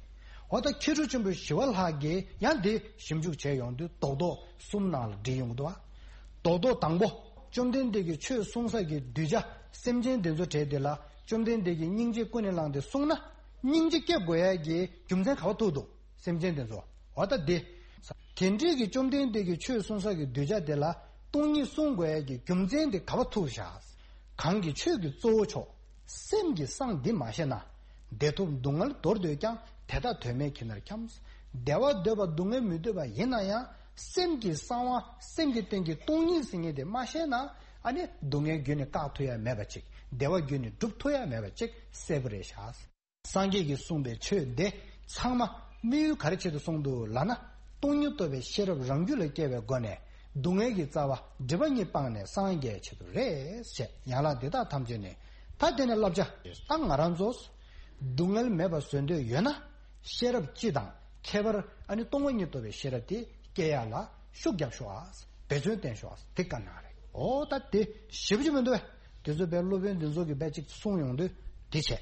འོ་ད་མཁས་གྲུབ་ཆེན་པོ་ཞི་བ་ལྷ་གིས་ཡང་དེ་ཞིབ་འཇུག་བྱས་ཡོང་དུས་རྡོག་རྡོག་གསུམ་ནང་ལ་བསྒྲིལ་ཡོང་གི་འདུག་བ། རྡོག་རྡོག་དང་པོ། བཅོམ་ལྡན་འདས་ཀྱིས་ཆོས་གསུང་ས་ཀྱི་གདུལ་བྱ་སེམས་ཅན་དེ་ཚོ་གྲས་དེ་ལ། བཅོམ་ལྡན་འདས་ཀྱིས་སྙིང་རྗེ་ཀུན་ནས་བསླངས་ཏེ་གསུངས་ན། སྙིང་རྗེ་སྐྱེ་དགོས་ཡ་གི་རྒྱུ་མཚན་ག་བ་ཐུག་འདུག་སེམས་ཅན་དེ་ཚོ། འོ་ད་དེ། དེ་འདྲའི་གི་བཅོམ་ལྡན་འདས་ཀྱིས་ཆོས་གསུང་ས་གི་གདུལ་བྱ་དེ་ལ་སྟོང་ཉིད་གསུང་དགོས་ཡ་གི་རྒྱུ་མཚན་དེ་ག་བ་ཐུག་བཞག་གང་གི་ཆོས་ཀྱི་གཙོ་བོ་མཆོག་སེམས་ཀྱི་གསང་འདི་མ་ཤེས་ན། བདེ་ཐོབ་སྡུག་བསྔལ་འདོར་འདོད་ཀྱང་། དེ་དག་དོན་མེད་ཁྱིམ་ནར་འཁྱམས། བདེ་བ་འདོད་པ་སྡུག་བསྔལ་མི་འདོད་པ་ཡིན་ན་ཡང་། སེམས་ཀྱི་གསང་བ་སེམས་ཀྱི་སྟེང་གི་སྟོང་ཉིད་ཟེར་མཁན་དེ་མ་ཤེས་ན། ཨ་ནི་སྡུག་བསྔལ་རྒྱུད་ནས་བཀག་ཐུབ་ཡ་མེད་པ་ཅིག་བདེ་བ་རྒྱུད་ནས་སྒྲུབ་ཐུབ་ཡ་མེད་པ་ཅིག་གསལ་པོ་རེད་ཤག་སངས་རྒྱས་ཀྱིས་གསུངས་པའི་ཆོས་འདི་ཚང་མ་དམིགས་ཡུལ་ག་རེ་ཆེད་དུ་གསུངས་འདུག་ལབ་ན། སྟོང་ཉིད་རྟོགས་པའི་ཤེས་རབ་རང་རྒྱུད་ལ་སྐྱེ་བའི་སྒོ་ནས་སྡུག་བསྔལ་གྱི་རྩ་བ་སྒྲིབ་པ་གཉིས་སྤངས་ནས་སངས་རྒྱས་ཆེད་དུ་རེད་ཞེས། ཡན་ལག་འདི་དག་ཐམས་ཅད་ནི། ད་དེ་ནས་བསླབ་བྱ། ད་ང་རང་ཚོ་སྡུག་བསྔལ་མེད་པ་བཟོ་འདོད་ཡོད་ན། ཤེས་རབ་སྤྱི་དང་ཁྱད་པར། ཨ་ནི་སྟོང་པ་ཉིད་རྟོགས་པའི་ཤེས་རབ་དེ་སྐྱེ་ཡ་ལ་ཤུགས་རྒྱབ་ཤོག་ཨ། འབད་བརྩོན་བསྟེན་ཤོག་ཨ། དེ་བཀའ་གནང་རེད། འོ་ད་དེ་ཞེ་པོ་ཅིག་མི་འདུག་བས། དེ་ཚོ་བས་སློབ་དཔོན་འདི་ཚོ་གི་བས་ཅིག་གསུངས་ཡོང་དུས་དེ་བྱས།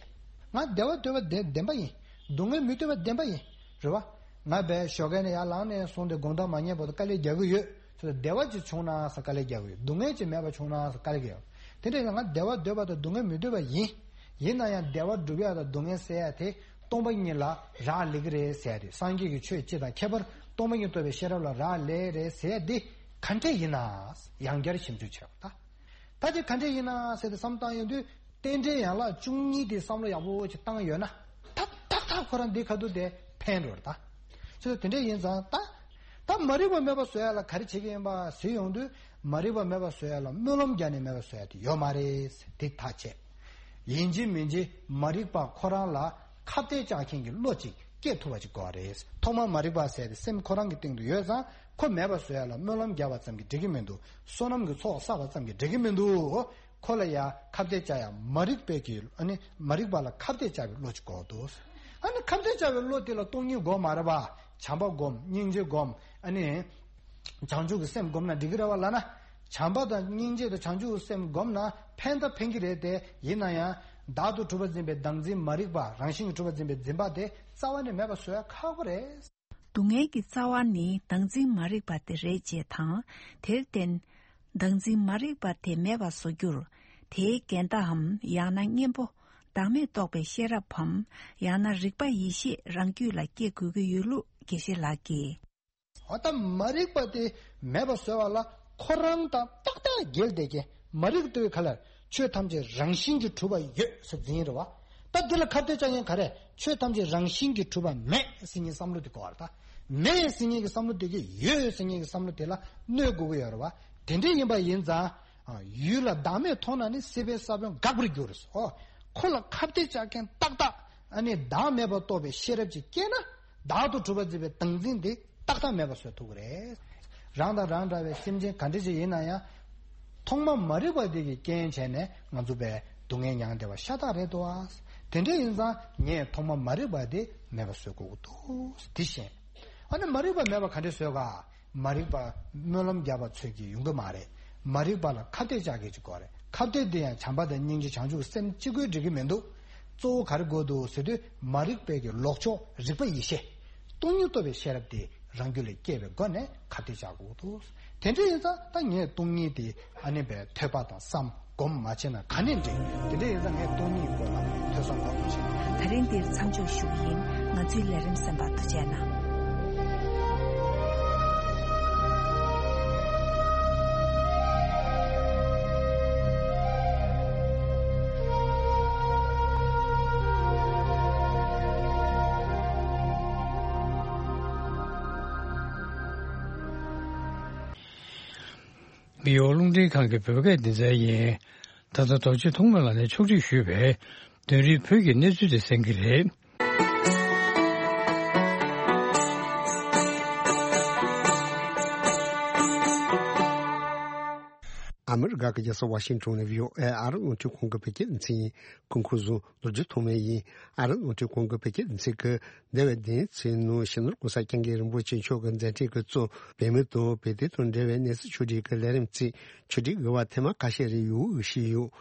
ང་བདེ་བ་འདོད་པ་བདེན་བདེན་པ་ཡིན། སྡུག་བསྔལ་མི་འདོད་པ་བདེན་པ་ཡིན། རེད་བ། ང་བས་ཞོགས་ཀས་ནས་ཡར་ལངས་ནས་སོང་སྟེ་དགོང་དག་མ་ཉལ་བར་དུ་དཀའ་ལས་རྒྱག་གི་ཡོད། ཚོད་བདེ་བ་ཅིག་བྱུང་ན་ཟེར་དཀའ་ལས་རྒྱག་གི་ཡོད། སྡུག་བསྔལ་ཅིག་མེད་པ་བྱུང་ན་ཟེར་དཀའ་ལས་རྒྱག་གི་ཡོད། དེ་འདྲ་ཡིན་ན་ང་བདེ་བ་འདོད་པ་དང་སྡུག་བསྔལ་མི་འདོད་པ་ཡིན། ཡིན་ན་ཡང་བདེ་བ་སྒྲུབ་ཡ་དང་སྡུག་བསྔལ་སེལ་ཡ་དེ་སྟོང་པ་ཉིད་ལ་རག་ལས་ཀྱི་རེད་ཟེར་ཡ་དེ། སངས་རྒྱས་ཀྱི་ཆོས་སྤྱི་དང་ཁྱད་པར་སྟོང་པ་ཉིད་རྟོགས་པའི་ཤེས་རབ་ལ་རག་ལས་རེད་ཟེར་ཡ་དེ་ག་འདྲས་ཡིན་ན་ཡང་བསྐྱར་ཞིབ་འཇུག་བྱས་པ་ད། ད་དེ་ག་འདྲས་ཡིན་ན་ཟེར་ཏེ་བསམ་བཏང་ཡོང་དུས། རྟེན་འབྲེལ་ཡན་ལག་བཅུ་གཉིས་དེ་བསམ་བློ་ཡག་པོ་ཅིག་བཏང་ཡོད་ན། ད་ཏག་ཏག་ཁོ་རང་འདི་ཁ་ཐུག་དེ་ཕན་འགྲོ་རེད་ད། ཅི་ལ་དེ་འདྲས་ཡིན་ཙང་ད། ད་མ་རིག་པ་མེད་པ་བཟོ་ཡ་ལ་ག་རེ་བྱེད་ཀྱི་ཡིན་པ་ཟེར་ཡོང་དུས། མ་རིག་པ་མེད་པ་བཟོ་ཡ་ལ་སྨོན་ལམ་རྒྱག་ནས་མེད་པ་བཟོ་ཡ་དེ་ཡོད་མ་རེད། དེ་ཐག་བཅད། ཡིན་གཅིག་མིན་གཅིག་མ་རིག་པ་ཁོ་རང་ལ་ཁ་གཏད་བཅག་མཁན་གྱི་བློ་ཅིག་སྐྱེ་ཐུབ་པ་ཅིག་དགོས་པ་རེད། ཐོག་མར་མ་རིག་པ་ཟེར་དེ་སེམས་ཁོ་རང་གི་སྟེང་དུ་ཡོད་ཙང་ཁོ་མེད་པ་བཟོ་ཡ་ལ་སྨོན་ལམ་རྒྱག་པ་ཙམ་གྱིས་འགྲིག་གི་མི་འདུག་བསོད་ནམས་ཀྱི་ཚོགས་བསགས་པ་ཙམ་གྱིས་འགྲིག་གི་མི་འདུག་ཁོ་ལ་ཡ་ཁ་གཏད་བཅག་ཡ་མ་རིག་པའི་གི་ཨ་ནི་མ་རིག་པ་ལ་ཁ་གཏད་བཅག་པའི་བློ་ཅིག་དགོས་འདུག་ཨ་ནི་ཁ་གཏད་བཅག་པའི་བློ་དེ་ལ་སྟོང་ཉིད་སྒོམ་མ་རེད་པ། བྱམས་པ་སྒོམ། སྙིང་རྗེ་སྒོམ། ཨ་ནི་བྱང་ཆུབ་ཀྱི་སེམས་སྒོམ་ན་འགྲིག་གི་རེད་པ་ལབ་ན། བྱམས་པ་དང་སྙིང་རྗེ་དང་བྱང་ཆུབ་ཀྱི་སེམས་སྒོམ་ན་ཕན་ད་ཕན་གྱི་རེད་དེ། ཡིན་ན་ཡང་བདག་ཏུ་གྲུབ་པར་འཛིན་པའི་བདག་འཛིན་མ་རིག་པ། རང་བཞིན་གྱིས་གྲུབ་པར་འཛིན་པའི་འཛིན་པ་དེ་རྩ་བ་ནས་མེད་པ་བཟོ་ཡ་ཁག་པོ་རེད། སྡུག་བསྔལ་གྱི་རྩ་བ་ནི་བདག་འཛིན་མ་རིག་པ་དེ་རེད་ཅེས་དང་། དེར་བརྟེན། བདག་འཛིན་མ་རིག་པ་དེ་མེད་པར་བཟོ་རྒྱུར། དེའི་འགལ་ཟླའམ་ཡང་ན་གཉེན་པོ་བདག་མེད་རྟོགས་པའི་ཤེས་རབ་བམ། ཡང་ན་རིག་པ་ཡེ་ཤེས་རང་རྒྱུད་ལ་སྐྱེ་དགོས་ཀྱི་ཡོད་ལུགས་དགེ་བཤེས་ལགས་ཀྱིས། འོ་ད་མ་རིག་པ་དེ་མེད་པར་བཟོ་བ་ལ་ཁོ་རང་དང་ཏག་ཏག་འགལ་བསྡད་མཁན་མ་རིག་ཏུ་ག་ལ་ཆོས་ཐམས་ཅད་རང་བཞིན་གྱིས་གྲུབ་པ་ཡོད་ཟེར་འཛིན་རེད་བ། ད་འདི་ལ་ཁ་གཏད་བཅག་མཁན་ག་རེ། ཆོས་ཐམས་ཅད་རང་བཞིན་གྱིས་གྲུབ་པ་མེད་ཟེར་མཁན་བསམ་བློ་དེ་གོ་བར་ད། མེད་ཟེར་མཁན་གྱི་བསམ་བློ་དེ་གིས་ཡོད་ཟེར་མཁན་གྱི་བསམ་བློ་དེ་ལ་གནོད་དགོས་ཀྱི་ཡོད་རེད་བ། དེ་འདྲ་ཡིན་པ་ཡིན་ཙང་། ཡུལ་ལ་བདག་མེད་མཐོང་ན་ནི་སྲིད་པའི་ས་བོན་འགག་པར་འགྱུར། ཨོ། ཁོ་ལ་ཁ་གཏད་བཅག་མཁན་ཏག་ཏག་ཨ་ནི་བདག་མེད་པར་རྟོགས་པའི་ཤེས་རབ་ཅིག་སྐྱེས་ན། བདག་ཏུ་གྲུབ་པར་འཛིན་པའི་བདག་འཛིན་དེ་ཏག་ཏག་མེད་པར་བཟོ་ཐུབ་ཀྱི་རེད། རང་དང་རང་འདྲ་བའི་སེམས་ཅན་ག་འདྲ་ཞིག་ཡིན་ན་ཡང་། ཐོག་མ་མ་རིག་པ་དེ་གི་རྐྱེན་བྱས་ནས་ང་ཚོ་བས་སྡུག་བསྔལ་མྱངས་བསྡད་པ་ཤ་སྟག་རེད་དོ། དེ་འདྲ་ཡིན་ཙང་ངས་ཐོག་མ་མ་རིག་པ་དེ་མེད་པར་བཟོ་དགོས་ཀྱི་འདུག་དེ་བཞིན། ཨ་ནི་མ་རིག་པ་མེད་པ་ག་འདྲས་བཟོས་ག་མ་རིག་པ་སྨོན་ལམ་རྒྱབ་པ་ཚོད་ཀྱིས་ཡོང་གི་མ་རེད། མ་རིག་པ་ལ་ཁ་གཏད་བཅག་གི་ཅིག་དགོས་རེད། ཁ་གཏད་དེ་ཡང་བྱམས་པ་དང་སྙིང་རྗེ་བྱང་ཆུབ་སེམས་གཅིག་པུས་འགྲིག་གི་མི་འདུག་གཙོ་བོ་ག་རེ་དགོས་འདུག་ཟེར་དུས་མ་རིག་པའི་གི་ལོག་ཕྱོགས་རིག་པ་ཡེ་ཤེས། སྟོང་ཉིད་རྟོགས་པའི་ཤེས་རབ་དེ་རང་རྒྱུད་ལ་སྐྱེ་བའི་སྒོ་ནས་ཁ་གཏད་བཅག་དགོས་འདུག་དེ་འདྲ་ཡིན་ཙང་ད་ངས་སྟོང་ཉིད་དེ་ཨ་ནི་བའི་ཐོས་པ་དང་བསམ། སྒོམ་མ་བྱས་ན་ག་ནས་འགྲིག་དེ་འདྲ་ཡིན་ཙང་ངས་སྟོང་ཉིད་སྐོར་ལ་ཐོས་བསམ་སྒོམ་བྱེད། ད་རིང་འདིར་མཚམས་འཇོག་ཞུ་གི་ཡིན། ང་ཚོའི་ལས་རིམ་གསན་པར་ཐུགས་རྗེ་གནང་། མི་ཡོང་རླུང་འཕྲིན་ཁང་གི་བོད་སྐད་སྡེ་ཚན་ཡིན། ད་ལྟ་རྡོ་རྗེ་ཐོགས་མེད་ལགས་ནས་ཕྱོགས་སྒྲིག་ཞུས་པའི་དོན་རིག་བོད་ཀྱི་གནས་ཚུལ་དེ་གསན་གྱི་རེད། ཨ་མི་རི་ཀ་གི་རྒྱལ་ས་ཝ་ཤིང་ཊོན་ནས་བྷི་ཨོ་ཨེ་ཨ་རི་རླུང་འཕྲིན་ཁང་གི་བོད་སྐད་སྡེ་ཚན་ཡིན། སྐུ་ཁམས་བཟང་། ལོ་རྒྱུས་ཐོག་མའི་ཡིན། ཨ་རི་རླུང་འཕྲིན་ཁང་གི་བོད་སྐད་སྡེ་ཚན་གྱིས་འདས་པའི་བདུན་ཚེས་ནང་སྤྱི་ནོར་གོང་ས་སྐྱབས་མགོན་རིན་པོ་ཆེ་མཆོག་གི་མཛད་འཕྲིན་གྱི་གཙོ་བོད་མི་དང་བོད་དོན་དང་འབྲེལ་བའི་གནས་ཚུལ་ཕྱོགས་སྒྲིག་གི་ལས་རིམ་བརྩིས། ཕྱོགས་སྒྲིག་དགོས་པ་ཐེངས་མ་ཁ་ཤས་རེ་ཡོང་འོས་བཤད་ཡོད།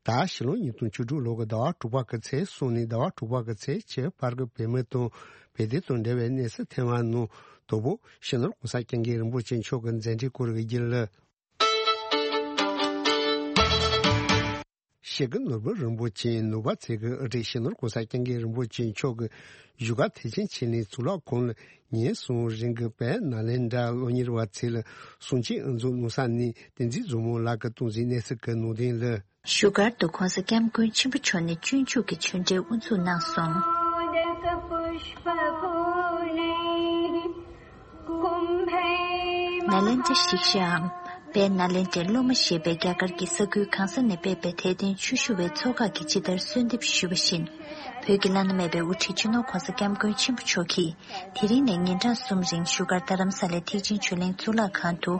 ད་ཕྱི་ལོ་ཉིས་སྟོང་བཅུ་དྲུག་ལོ་གི་ཟླ་བ་དྲུག་པ་གི་ཚེས་གསུམ་ནས་ཟླ་བ་དྲུག་པ་གི་ཚེས་བཅུ་བར་གྱི་བོད་མི་དང་བོད་དོན་དང་འབྲེལ་བའི་གནས་ཚུལ་ཐེངས་མ་ནང་དང་པོ་སྤྱི་ནོར་གོང་ས་སྐྱབས་མགོན་རིན་པོ་ཆེ་མཆོག་གི་མཛད་འཕྲིན་སྐོར་གྱི་རྒྱུན་ལས། སྤྱི་ནོར་བུ་རིན་པོ་ཆེ་ནོར་བུ་རྩེ་གི་ཨ་རིའི་སྤྱི་ནོར་གོང་ས་སྐྱབས་མགོན་རིན་པོ་ཆེ་མཆོག་གི་བཞུགས་སྒར་ཐེག་ཆེན་ཆོས་གླིང་གཙུག་ལག་ཁང་ལ་ཉིན་གསུམ་རིང་གི་བོད་ནཱ་ལེནྡྲ་སློབ་གཉེར་བ་ཚོ་ལ་གསུང་ཆོས་དབུ་འཛུགས་གནང་ས་ནས་བསྟན་འཛིན་བཟང་མོ་ལགས་ཀྱིས་གཏོང་མཛད་གནས་ཚུལ་གྱི་ནང་དོན་ལ། བཞུགས་སྒར་དུ་གོང་ས་སྐྱབས་མགོན་ཆེན་པོ་མཆོག་ནས་སྤྱོད་འཇུག་གི་ཆོས་འབྲེལ་དབུ་འཛུགས་གནང་སོང་། ནཱ་ལེནྡྲ་ཤིག་ཤའམ། དཔལ་ནཱ་ལེནྡྲའི་སློབ་མ་ཞེས་པའི་རྒྱ་གར་གྱི་ས་ཁུལ་གང་ས་ནས་ཕེབས་པའི་དད་ལྡན་ཆོས་ཞུ་བའི་ཚོགས་ཁག་གིས་ཇི་ལྟར་གསོལ་འདེབས་ཞུས་པ་བཞིན། བོད་ཀྱི་བླ་ན་མེད་པའི་དབུ་ཁྲིད་སྤྱི་ནོར་གོང་ས་སྐྱབས་མགོན་ཆེན་པོ་མཆོག་གིས། དེ་རིང་ནས་ཉིན་གྲངས་གསུམ་རིང་བཞུགས་སྒར་རྡ་རམ་ས་ལའི་ཐེག་ཆེན་ཆོས་གླིང་གཙུག་ལག་ཁང་དུ།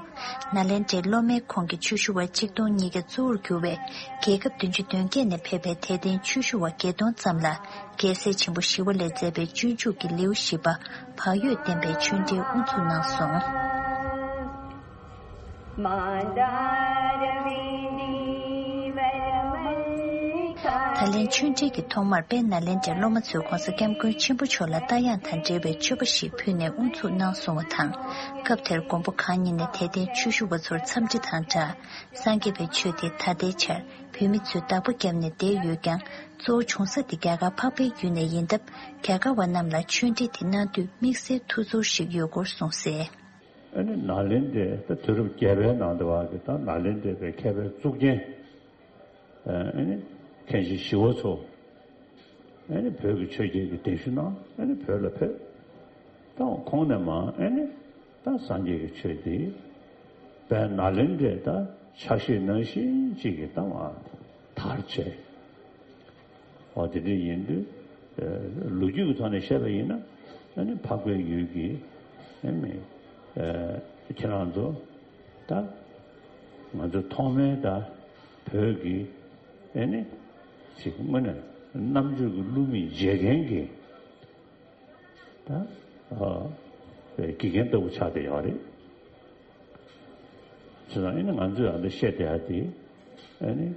ནཱ་ལེནྡྲའི་སློབ་མའི་ཁོངས་ཀྱི་ཆོས་ཞུ་བ་གཅིག་སྟོང་ཉིས་བརྒྱ་གཙོ་བོར་གྱུར་བའི་རྒྱལ་ཁབ་བདུན་ཅུ་དོན་བརྒྱད་ནས་ཕེབས་པའི་དད་ལྡན་ཆོས་ཞུ་བ་བརྒྱད་སྟོང་ཙམ་ལ་རྒྱལ་སྲས་ཆེན་པོ་ཞི་བ་ལྷས་མཛད་པའི་སྤྱོད་འཇུག་གི་ལེའུ་བཞི་པ་བག་ཡོད་བསྟན་པའི་ཆོས་འབྲེལ་དབུ་འཛུགས་གནང་སོང་། ད་ལན་ཆོས་འབྲེལ་གྱི་ཐོག་མར་དཔལ་ནཱ་ལེནྡྲའི་སློབ་མ་ཚོས་གོང་ས་སྐྱབས་མགོན་ཆེན་པོ་མཆོག་ལ་རྟ་དབྱངས་དང་འབྲེལ་བའི་མཆོད་པ་ཞིག་ཕུལ་ནས་དབུ་འཛུགས་གནང་སོང་བ་དང་། སྐབས་དེར་མགོན་པོ་གང་ཉིད་ནས་དད་ལྡན་ཆོས་ཞུ་བ་ཚོར་འཚམས་འདྲི་དང་སྦྲགས། སངས་རྒྱས་པའི་ཆོས་དེ་ད་ལྟའི་ཆར་བོད་མི་ཚོས་བདག་པོ་བརྒྱབ་ནས་བསྡད་ཡོད་ཀྱང་། གཙོ་བོ་བྱུང་ས་དེ་རྒྱ་གར་འཕགས་པའི་ཡུལ་ནས་ཡིན་སྟབས། རྒྱ་གར་བ་རྣམས་ལ་ཆོས་འབྲེལ་དེ་གནང་དུས་དམིགས་བསལ་ཐུགས་ཚོར་ཞིག་ཡོད་སྐོར་གསུངས་གསལ། ཨ་ནི་ནཱ་ལེནྡྲའི་ད་དུས་རབས་བརྒྱད་པའི་ནང་དུ་བ་གི་ད་ནཱ་ལེནྡྲའི་པའི་མཁས་པའི་གཙུག་རྒྱན། ཨ་ནི་མཁན་ཆེན་ཞི་བ་འཚོ། ཨ་ནི་བོད་ཀྱི་ཆོས་རྒྱལ་གྱི་གདན་ཞུ་གནང་། ཨ་ནི་བོད་ལ་ཕེབས། ད་ཁོང་ནས་མ་ཨ་ནི་ད་སངས་རྒྱས་ཀྱི་ཆོས་འདི་བོད་ནཱ་ལེནྡྲའི་ད་ཕྱག་བཞེས་ནང་བཞིན་ཅིག་གི་ད་མ་དར་བྱས། འོ་དེ་འདྲ་ཡིན་དུས། ཨ་ལོ་རྒྱུས་ཀྱི་ཐོག་ནས་བཤད་པ་ཡིན་ན། ཨ་ནི་འཕགས་པའི་ཡུལ་གྱི་ཨ་ནི་ཨ་ཁྱེད་རང་ཚོ་ད་ང་ཚོ་ཐོག་མའི་ད་བོད་ཀྱི་ཨ་ནི་ཅིག་དངོས་གནས་རྣམ་དཔྱོད་ཀྱི་བསླུ་མེད་བརྗེད་མཁན་གྱི་ད་ཨ་དགེ་རྒན་ལྟ་བུ་ཆགས་བསྡད་ཡོད་རེད། བྱས་ཙང་ཨ་ནི་ང་ཚོས་ཨ་འདི་བཤད་བསྡད་ཡ་དེ་ཨ་ནི་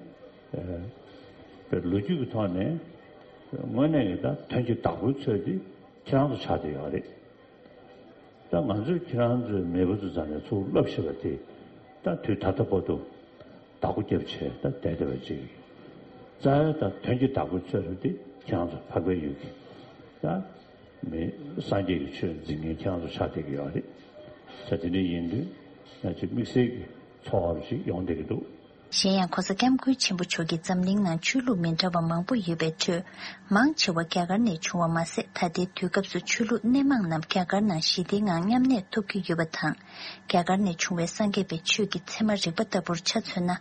ཨ་པའི་ལོ་རྒྱུས་ཀྱི་ཐོག་ནས་དངོས་གནས་ཀྱི་ད་དོན་གྱི་བདག་པོའི་ཚོད་དེ་ཁྱེད་རང་ཚོ་ཆགས་བསྡད་ཡོད་རེད། ད་ང་ཚོས་ཁྱེད་རང་ཚོའི་མེས་པོ་ཚོ་རྩ་ནས་ཚུར་བསླབ་ཤེས་པ་དེ་ད་དུས་ད་ལྟ་བར་དུ་བདག་པོ་རྒྱབ་བྱས་ད་བསྡད་བསྡད་པ་ཅིག་རྩ་བའི་ད་དོན་གྱི་བདག་པོའི་ཚོད་དེ་ཁྱེད་རང་ཚོ་འཕགས་པའི་ཡུལ་གྱི་ད་མི་སངས་རྒྱས་ཀྱི་ཆོས་འཛིན་མཁན་ཁྱེད་རང་ཚོ་ཆགས་བསྡད་ཀྱི་ཡོད་རེད། ད་དེ་འདྲ་ཡིན་དུས་ང་ཚོས་དམིགས་བསལ་གྱི་ཚོར་བ་ཞིག་ཡོང་བསྡད་ཀྱི་འདུག་གཞན་ཡང་གོང་ས་སྐྱབས་མགོན་ཆེན་པོ་མཆོག་གིས་འཛམ་གླིང་ནང་ཆོས་ལུགས་མི་འདྲ་བ་མང་པོ་ཡོད་པའི་ཁྲོད། མང་ཆེ་བ་རྒྱ་གར་ནས་བྱུང་བ་མ་ཟད། ད་ལྟའི་དུས་སྐབས་སུ་ཆོས་ལུགས་སྣེ་མང་རྣམས་རྒྱ་གར་ནང་ཞི་བདེའི་ངང་མཉམ་གནས་ཐུབ་ཀྱི་ཡོད་པ་དང་། རྒྱ་གར་ནས་བྱུང་བའི་སངས་རྒྱས་པའི་ཆོས་ཀྱི་ཚད་མ་རིག་པ་ལྟ་བུར་ཆ་མཚོན་ན།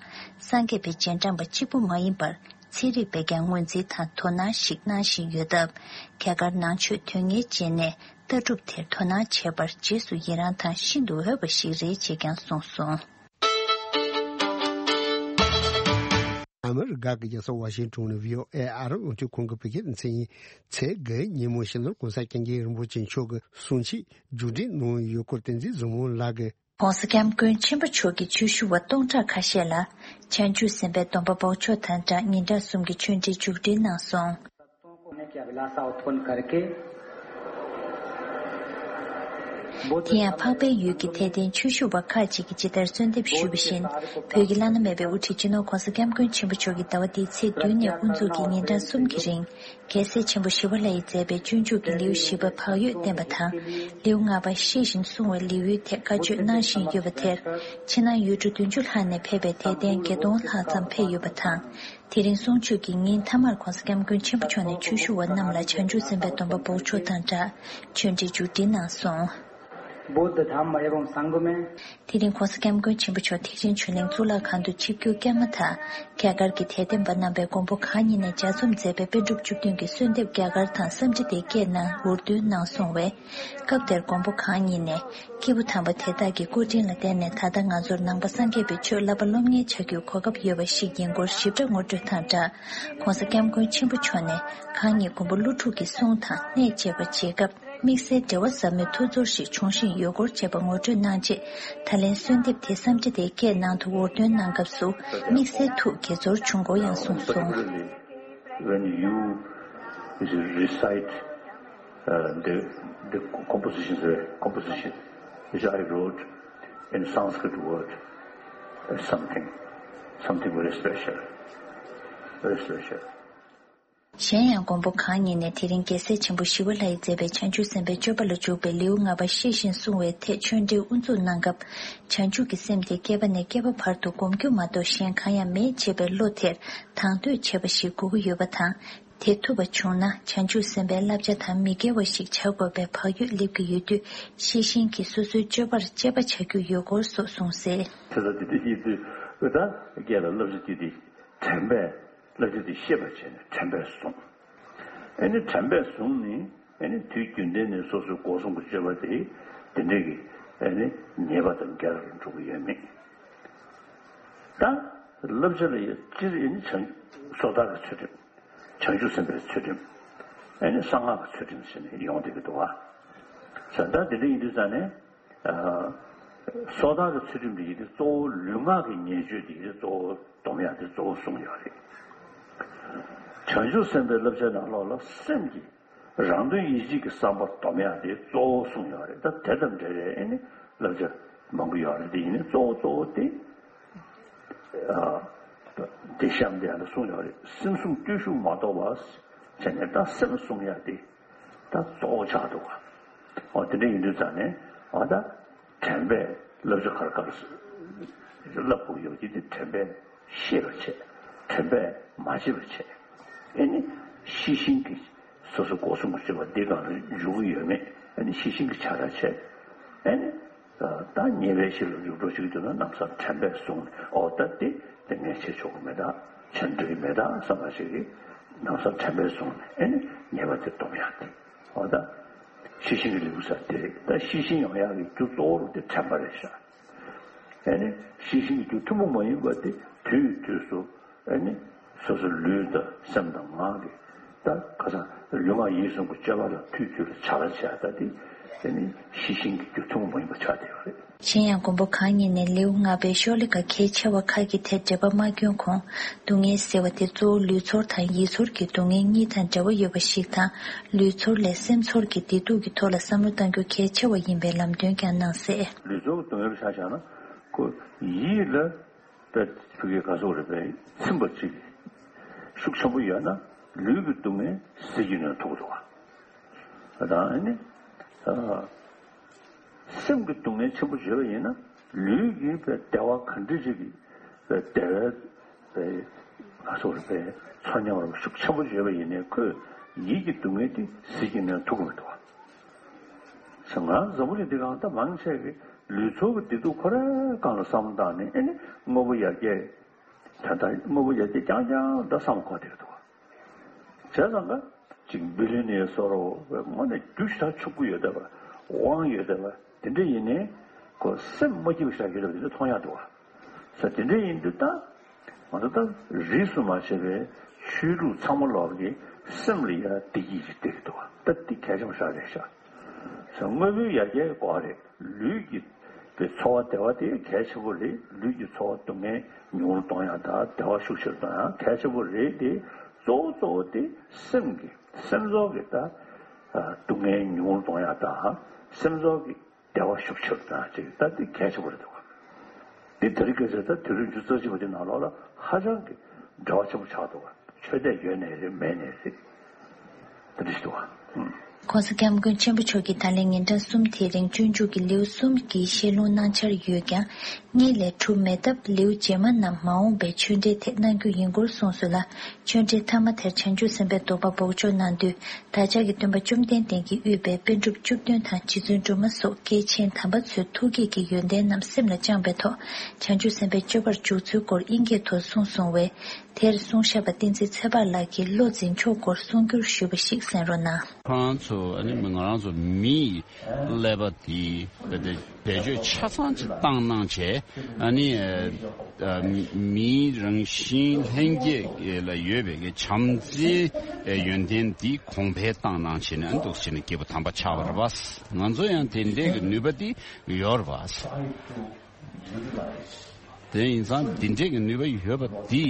སངས་རྒྱས་པའི་རྗེས་འབྲང་པ་གཅིག་པུ་མ་ཡིན་པར། ཚན་རིག་པས་ཀྱང་ངོས་འཛིན་དང་དོ་སྣང་ཞིག་གནང་བཞིན་ཡོད་སྟབས། རྒྱ་གར་ནང་ཆོས་དོན་གཉེར་ཅན་ནས་ལྟ་གྲུབ་དེར་དོ་སྣང་བྱེད་པར་རྗེས་སུ་ཡི་རང་དང་ཤིན་ཏུ་འོས་པ་ཞིག་རེད་ཅེས་ཀྱང་གསུངས་སོང་། ཨ་མི་རི་ཀ་གི་རྒྱལ་ས་ཝ་ཤིང་ཊོན་ནས་བྷི་ཨོ་ཨེ་ཨ་རི་རླུང་འཕྲིན་ཁང་གི་བོད་སྐད་སྡེ་ཚན་ཡིན། ཚེས་དགུ་ཉིན་མོ་སྤྱི་ནོར་གོང་ས་སྐྱབས་མགོན་རིན་པོ་ཆེ་མཆོག་གིས་གསུང་ཆོས་མཇུག་སྒྲིལ་གནང་ཡོད་སྐོར་བསྟན་འཛིན་བཟང་མོ་ལགས་ཀྱིས། ༸གོང་ས་༸སྐྱབས་མགོན་ཆེན་པོ་མཆོག་གིས་ཆོས་ཞུ་བ་སྟོང་ཕྲག་ཁ་ཤས་ལ་བྱང་ཆུབ་སེམས་དཔའི་སྡོམ་པ་འབོགས་ཆོག་དང་སྦྲགས་ཉིན་གྲངས་གསུམ་གྱི་ཆོས་འབྲེལ་མཇུག་སྒྲིལ་གནང་སོང་། དེ་ཡང་འཕགས་པའི་ཡུལ་གྱི་དད་ལྡན་ཆོས་ཞུ་བ་ཁག་ཅིག་གིས་ཇི་ལྟར་གསོལ་འདེབས་ཞུས་པ་བཞིན། བོད་ཀྱི་བླ་ན་མེད་པའི་དབུ་ཁྲིད་སྤྱི་ནོར་༸གོང་ས་༸སྐྱབས་མགོན་ཆེན་པོ་མཆོག་གིས་ཟླ་བ་འདིའི་ཚེས་བདུན་ནས་དབུ་འཛུགས་ཀྱིས་ཉིན་གྲངས་གསུམ་གྱི་རིང་། རྒྱལ་སྲས་ཆེན་པོ་ཞི་བ་ལྷ་ཡིས་མཛད་པའི་སྤྱོད་འཇུག་གི་ལེའུ་བཞི་པ་བག་ཡོད་བསྟན་པ་དང་། ལེའུ་ལྔ་པ་ཤེས་བཞིན་བསྲུང་བའི་ལེའུའི་ཐད་བཀའ་ཆོས་གནང་བཞིན་ཡོད་པ་དེར། ཕྱི་ནང་ཡུལ་གྲུ་བདུན་ཅུ་ལྷག་ནས་ཕེབས་པའི་དད་ལྡན་བརྒྱད་སྟོང་ལྷག་ཙམ་ཕེབས་ཡོད་པ་དང་། དེ་རིང་གསུང་ཆོས་ཀྱི་ཉིན་མཐའ་མར་༸གོང་ས་༸སྐྱབས་མགོན་ཆེན་པོ་མཆོག་ནས་ཆོས་ཞུ་བ་རྣམས་ལ་བྱང་ཆུབ་སེམས་དཔའི་སྡོམ་པ་འབོགས་ཆོག་དང་སྦྲགས་ཆོས་འབྲེལ་མཇུག་སྒྲིལ་གནང་སོང་། बुद्ध धम्म एवं संघ में। དེ་རིང་༸གོང་ས་༸སྐྱབས་མགོན་ཆེན་པོ་མཆོག་ཐེག་ཆེན་ཆོས་གླིང་གཙུག་ལག་ཁང་དུ་ཆིབས་བསྒྱུར་བསྐྱངས་མ་ཐག་རྒྱ་གར་གྱི་དད་ལྡན་པ་རྣམ་པས་མགོན་པོ་གང་ཉིད་ནས་ལྗགས་རྩོམ་མཛད་པའི་པཎ་གྲུབ་བཅུ་བདུན་གྱི་གསོལ་འདེབས་རྒྱ་གར་དང་བསམ་འཆར་དེ་སྐད་ནང་འུར་འདོན་གནང་སོང་བས། སྐབས་དེར་མགོན་པོ་གང་ཉིད་ནས། སྐྱེས་བུ་དམ་པ་དེ་དག་གི་སྐུ་དྲིན་ལ་བརྟེན་ནས་ད་ལྟ་ང་ཚོར་ནང་པ་སངས་རྒྱས་པའི་ཆོས་བསླབ་པ་སློབ་གཉེར་བྱ་རྒྱུའི་གོ་སྐབས་ཡོད་པ་ཞིག་ཡིན་སྐོར་ཞིབ་ཕྲ་ངོ་སྤྲོད་དང་སྦྲགས། ༸གོང་ས་༸སྐྱབས་མགོན་ཆེན་པོ་མཆོག་ནས་གང་ཉིད་མགོན་པོ་ཀླུ་སྒྲུབ་ཀྱི་གསུང་དང་གནས་མཇལ་བར་བྱེད་སྐབས། དམིགས་བསལ་འབྲེལ་བ་ཟབ་མོའི་ཐུགས་ཚོར་ཞིག་འབྱུང་བཞིན་ཡོད་སྐོར་བཅས་པ་ངོ་སྤྲོད་གནང་རྗེས། ད་ལན་གསོལ་འདེབས་དེ་བསམ་འཆར་དེ་སྐད་ནང་དུ་འུར་འདོན་གནང་སྐབས་སུ་དམིགས་བསལ་ཐུགས་དགྱེས་ཚོར་བྱུང་སྐོར་ཡང་གསུངས་སོང་། Particularly when you recite uh, the, the compositions, uh, composition which I wrote in Sanskrit word, uh, something, something very special, very special. གཞན་ཡང་མགོན་པོ་གང་ཉིད་ནས་དེ་རིང་རྒྱལ་སྲས་ཆེན་པོ་ཞི་བ་ལྷ་ཡིས་མཛད་པའི་བྱང་ཆུབ་སེམས་དཔའི་སྤྱོད་པ་ལ་འཇུག་པའི་ལེའུ་ལྔ་པ་ཤེས་བཞིན་བསྲུང་བའི་ཐད་ཆོས་འབྲེལ་དབུ་འཛུགས་གནང་སྐབས། བྱང་ཆུབ་ཀྱི་སེམས་དེ་བསྐལ་པ་ནས་བསྐལ་པ་བར་དུ་སྒོམ་རྒྱུ་མ་གཏོགས་གཞན་གང་ཡང་མེད་ཅེས་པའི་བློ་དེར་དང་དོད་ཆེ་བ་ཞིག་དགོས་ཀྱི་ཡོད་པ་དང་། དེ་ཐུབ་པ་བྱུང་ན་བྱང་ཆུབ་སེམས་དཔའི་བསླབ་བྱ་དང་མི་འགལ་བ་ཞིག་བྱ་དགོས་པའི་བག་ཡོད་སླེབས་ཀྱི་ཡོད་དུས། ཤེས་བཞིན་གྱིས་སོ་སོའི་སྤྱོད་པར་དཔྱད་པ་བྱ་རྒྱུ་ཡོད་སྐོར་སོགས་གསུངས་གསལ། དེ་ལ་དེ་འདྲ་ཡིན་དུས་ད་སྐད་ལ་བསླབ་བྱ་དེ་དེ་དྲན་པས་བསླབ་བྱ་དེ་ཤེས་པར་བྱས་ནས་དྲན་པས་བཟུང་། ཨེ་ནི་དྲན་པས་བཟུང་ནས་ཨེ་ནི་དུས་རྒྱུན་ལྡན་ནས་སོ་སོའི་སྒོ་གསུམ་གྱི་སྤྱོད་པ་དེ་དེ་འདྲའི་གི་ཨེ་ནི་ཉེས་པ་དང་འགལ་བར་འགྲོ་གི་ཡོད་མེད། ད་བསླབ་བྱ་ལ་ཡང་སྤྱིར་ཨེ་ནི་བྱང་སོ་ཐར་གྱི་ཚུལ་ཁྲིམས། བྱང་ཆུབ་སེམས་དཔའི་ཚུལ་ཁྲིམས། ཨེ་ནི་གསང་སྔགས་ཀྱི་ཚུལ་ཁྲིམས་ཟེར་ནས་ཡོང་བསྡད་ཀྱི་འདུག་བ། བྱས་ཙང་དེ་འདྲ་ཡིན་དུས་ཙང་ནས། ཨ། སོ་ཐར་གྱི་ཚུལ་ཁྲིམས་དེ་ཡིན་དུས་གཙོ་བོ་ལུས་ངག་གི་ཉེས་སྤྱོད་དེ་ཡིན་དུས་གཙོ་བོ་སྡོམ་ཡག་དེ་གཙོ་བོ་གསུངས་ཡོད་རེད། བྱང་ཆུབ་སེམས་དཔའི་བསླབ་བྱའི་ནང་ལོགས་ལ་སེམས་ཀྱི་རང་དོན་ཡིད་བྱེད་ཀྱི་བསམ་པ་སྡོམ་ཡག་དེ་གཙོ་བོ་གསུངས་ཡོད་རེད། ད་དེ་དང་འབྲེལ་བའི་ཨེ་ནི་བསླབ་བྱ་མང་པོ་ཡོད་རེད། དེ་ཡིན་ནའི་གཙོ་བོ་གཙོ་བོ་དེ། ཨ། དེ་གཤམ་དེ་ཡང་གསུངས་ཡོད་རེད། སེམས་བཟུང་བརྟུལ་ཞུགས་མ་གཏོགས་པ་བྱས་ནས་ད་སེམས་བཟུང་ཡག་དེ་ད་གཙོ་བོ་ཆགས་འདུག་ག། འོ་དེ་འདྲ་ཡིན་དུས་ཙང་ནས་ཨ་ད་དྲན་པས་བསླབ་བྱ་ག་རེ་ག་རེ་བསླབ་དགོས་ཡོད་ཀྱི་དེ་དྲན་པས་ཤེས་པར་བྱས། དྲན་པས་མ་བརྗེད་པར་བྱས། ཨེ་ནི་ཤེས་བཞིན་གྱིས་སོ་སོ་སྒོ་གསུམ་གྱི་སྤྱོད་པ་འདི་སྒང་ལ་འཇུག་གི་ཡོད་མེད་ཨེ་ནི་ཤེས་བཞིན་གྱིས་ཕྱག་བྲལ་བྱས། ཨེ་ནི། ད་ཉེས་པའི་གཞི་ལ་འཇུག་འགྲོ་ཞིག་འདུག་ན་ལམ་སང་དྲན་པས་བཟུང་ནས་ཨོ་ད་དེ་དེ་ངས་བྱེད་ཆོག་གི་མེད་ད། བྱེད་འགྲོ་གི་མེད་ད་བསམ་པ་ཞིག་གིས་ལམ་སང་དྲན་པས་བཟུང་ནས་ཨེ་ནི་ཉེས་པ་དེ་སྡོམ་ཡག་དེ་ཨོ་ད་ཤེས་བཞིན་གྱི་ལེའུ་ས་དེ་རེད། ད་ཤེས་བཞིན་ཡོང་ཡག་གི་རྒྱུ་གཙོ་བོ་རུ་དེ་དྲན་པ་རེད་ཤག། ཨེ་ནི་ཤེས་བཞིན་གྱི་རྒྱུ་ཐུན་མོང་མ་ཡིན་པ་དེ་དུས་དུས་སུ། ཨེ་ནི་སོ་སོ་ལུས་དང་སེམས་དང་ངག་གི་ད་ཁ་སང་ལུས་ངག་ཡིད་གསུམ་གྱི་སྤྱོད་པ་ལ་དུས་དུས་ལ་བྱ་ལ་བྱ་ད་དེ་ཨེ་ནི་ཤེས་བཞིན་གྱི་རྒྱུ་ཐུན་མོང་མ་ཡིན་པ་ཆགས་བསྡད་ཡོད་རེད། གཞན་ཡང་མགོན་པོ་གང་ཉིད་ནས་ལེའུ་ལྔ་པའི་ཤོ་ལོ་ཀ་གལ་ཆེ་བ་ཁག་གི་ཐད་འགྲེལ་པ་མ་བསྐྱོན་གོང་། སྡུག་བསྔལ་ཟེར་བ་དེ་གཙོ་བོ་ལུས་ཚོར་དང་ཡིད་ཚོར་གྱི་སྡུག་བསྔལ་གཉིས་དང་འབྲེལ་བ་ཡོད་པ་ཞིག་དང་། ལུས་ཚོར་ལས་སེམས་ཚོར་གྱི་བདེ་སྡུག་གི་ཐོག་ལ་བསམ་བློ་གཏང་རྒྱུ་གལ་ཆེ་བ་ཡིན་པའི་ལམ་སྟོན་ཀྱང་གནང་གསལ། ལུས་ཚོར་གྱི་སྡུག་བསྔལ་ཆ་བཞག་ན་ཁོ་ཡིད་ལ། དཔེ་ཕ་གིའི་ག་ཟེར་རེད་པས་ཚིམ་པ་གཅིག་ཤུགས་ཆེན་པོ་ཡོད་ན་ལུས་ཀྱི་སྡུག་བསྔལ་ཟིལ་གྱིས་གནོན་ཐུབ་འདུག་བ། དང་ཨ་ནི་ཨ། སེམས་ཀྱི་སྡུག་བསྔལ་ཆེན་པོ་བརྗོད་པ་ཡིན་ན་ལུས་ཀྱི་དཔེ་བདེ་བ་ག་འདྲ་ཅིག་གི་དཔེ་བདེ་བའི་དཔེ་ག་ཟེར་རེད་པས་ཚོར་སྙོམས་རོགས་ཤུགས་ཆེན་པོ་བརྗོད་པ་ཡིན་ནའི་ཁོས་ཡིད་ཀྱི་སྡུག་བསྔལ་དེ་ཟིལ་གྱིས་གནོན་ཐུབ་ཀྱི་མི་འདུག་བ། ང་འཛམ་བུ་གླིང་འདི་སྒང་ད་མང་ཆེ་གི་ལུས་ཚོར་གྱི་བདེ་སྡུག་ཁོ་རའི་སྒང་ལ་བསམ་བློ་བཏང་ནས་ཨེ་ནི་དངོས་པོ་ཡར་རྒྱས་ད་ལྟ་དངོས་པོ་ཡར་རྒྱས་རྐྱང་རྐྱང་ད་བསམ་གོ་བསྡད་འདུག་བྱས་ཙང་ཀ་ཅིག་བི་ལི་ནི་ཡ་སོགས་རོ་དངོས་གནས་རྒྱུ་ཞེ་དྲག་ཕྱུག་པོ་ཡོད་བསྡད་པ་དབང་ཡོད་བསྡད་པ་དེ་འདྲ་ཡིན་ནའི་ཁོ་སེམས་མ་སྐྱིད་པ་ཞེ་དྲག་ཡོད་བསྡད་པ་དེ་འདྲ་མཐོང་ཡག་འདུག་བ། ས་དེ་འདྲ་ཡིན་དུས་ད། ང་ཚོ་ད་རིས་སུ་མ་ཆད་པའི་ཆོས་ལུགས་ཚང་མ་ལོག་གི་སེམས་ལ་ཡ་བདེ་སྐྱིད་ཅིག་སྟེར་གི་འདུག་བ། ད་འདི་གལ་ཆེན་པོ་ཞིག་རེད་ཤག། ས་དངོས་པོའི་ཡར་རྒྱས་ཀྱི་སྐོར་རེད། ལུས་ཀྱི་པའི་ཚོར་བ་བདེ་བ་དེ་གལ་ཆེན་པོ་རེད། ལུས་ཀྱི་ཚོར་བ་སྡུག་བསྔལ་ཉུང་རུ་གཏོང་ཡག་དང་བདེ་བ་ཤུགས་ཆེ་རུ་གཏོང་ཡག་གལ་ཆེན་པོ་རེད་དེ། གཙོ་བོ་གཙོ་བོ་དེ་སེམས་ཀྱི་སེམས་ཚོར་གྱི་ད་སྡུག་བསྔལ་ཉུང་རུ་གཏོང་ཡག་དང་སེམས་ཚོར་གྱི་བདེ་བ་ཤུགས་ཆེ་རུ་བཏང་ཅིག་ད་འདི་གལ་ཆེན་པོ་རེད་འདུག་ག། འདི་དེ་རིང་ཁ་སང་ད་དུས་རབས་ཉི་ཤུ་རྩ་གཅིག་པ་འདི་ནང་ལོགས་ལ་ཧ་ཅང་གི་འབྲེལ་བ་ཆེན་པོ་ཆགས་འདུག་ག། ཆོས་དད་ཡོད་ནའི་རེད་མེད་ནའི་རེད། དེ་འདྲ་ཞིག་འདུག་ག། ཨུམ། ༸གོང་ས་༸སྐྱབས་མགོན་ཆེན་པོ་མཆོག་གིས་ད་ལན་ཉིན་གྲངས་གསུམ་དེའི་རིང་སྤྱོད་འཇུག་གི་ལེའུ་གསུམ་གྱི་བཤད་ལུང་གནང་འཆར་ཡོད་ཀྱང་། གཉིས་ལས་གྲུབ་མེད་སྟབས། ལེའུ་རྗེས་མ་རྣམས་མ་འོངས་པའི་ཆོས་འབྲེལ་ཐད་གནང་རྒྱུ་ཡིན་སྐོར་གསུངས་སོང་ལ། ཆོས་འབྲེལ་མཐའ་མ་དེར་བྱང་ཆུབ་སེམས་དཔའི་དོགས་པ་འབོགས་ཆོག་གནང་དུས། བདག་ཅག་གི་སྟོན་པ་བཅོམ་ལྡན་འདས་ཀྱིས་དབུས་པའི་པཎ་གྲུབ་བཅུ་བདུན་དང་རྗེ་བཙུན་སྒྲོལ་མ་སོགས་སྐྱེས་ཆེན་དམ་པ་ཚོའི་ཐུགས་བསྐྱེད་ཀྱི་ཡོན་ཏན་རྣམས་སེམས་ལ་བཅངས་པའི་ཐོག་བྱང་ཆུབ་སེམས་དཔའི་སྤྱོད་པར་འཇུག་ཚུལ་སྐོར་དབྱིན་སྐད་དུ་གསུངས་སོང་བས། དེར་གསུང་བཤད་པ་བསྟན་འཛིན་ཚེ་དཔག་ལགས་ཀྱིས་བློ་འཛིན་ཕྱོགས་སྐོར་གསུང་སྒྱུར་ཞུས་པ་ཞིག་གསན་རོགས་གནང་། ཁོ་རང་ཚོ་ཨ་ནི་ང་རང་ཚོ་མིའི་ཀླད་པ་དེ་བེད་སྤྱོད་ཆ་ཚང་ཅིག་བཏང་གནང་བྱས། ཨ་ནི་ཨ་མིའི་རང་བཞིན་ལྷན་སྐྱེས་ལ་ཡོད་པའི་བྱམས་བརྩེའི་ཡོན་ཏན་འདི་གོང་འཕེལ་བཏང་གནང་བྱས་ནས། ཨ་ནི་འདུག་བྱས་ནས་སྐྱེས་བུ་དམ་པ་ཆགས་པ་རེད་པ། ང་ཚོ་ཡང་དེ་འདྲའི་གི་ནུས་པ་འདི་ཡོད་རེད་པ། དེ་ཡིན་ཙང་འདི་འདྲའི་གི་ནུས་པ་ཡོད་པ་འདི་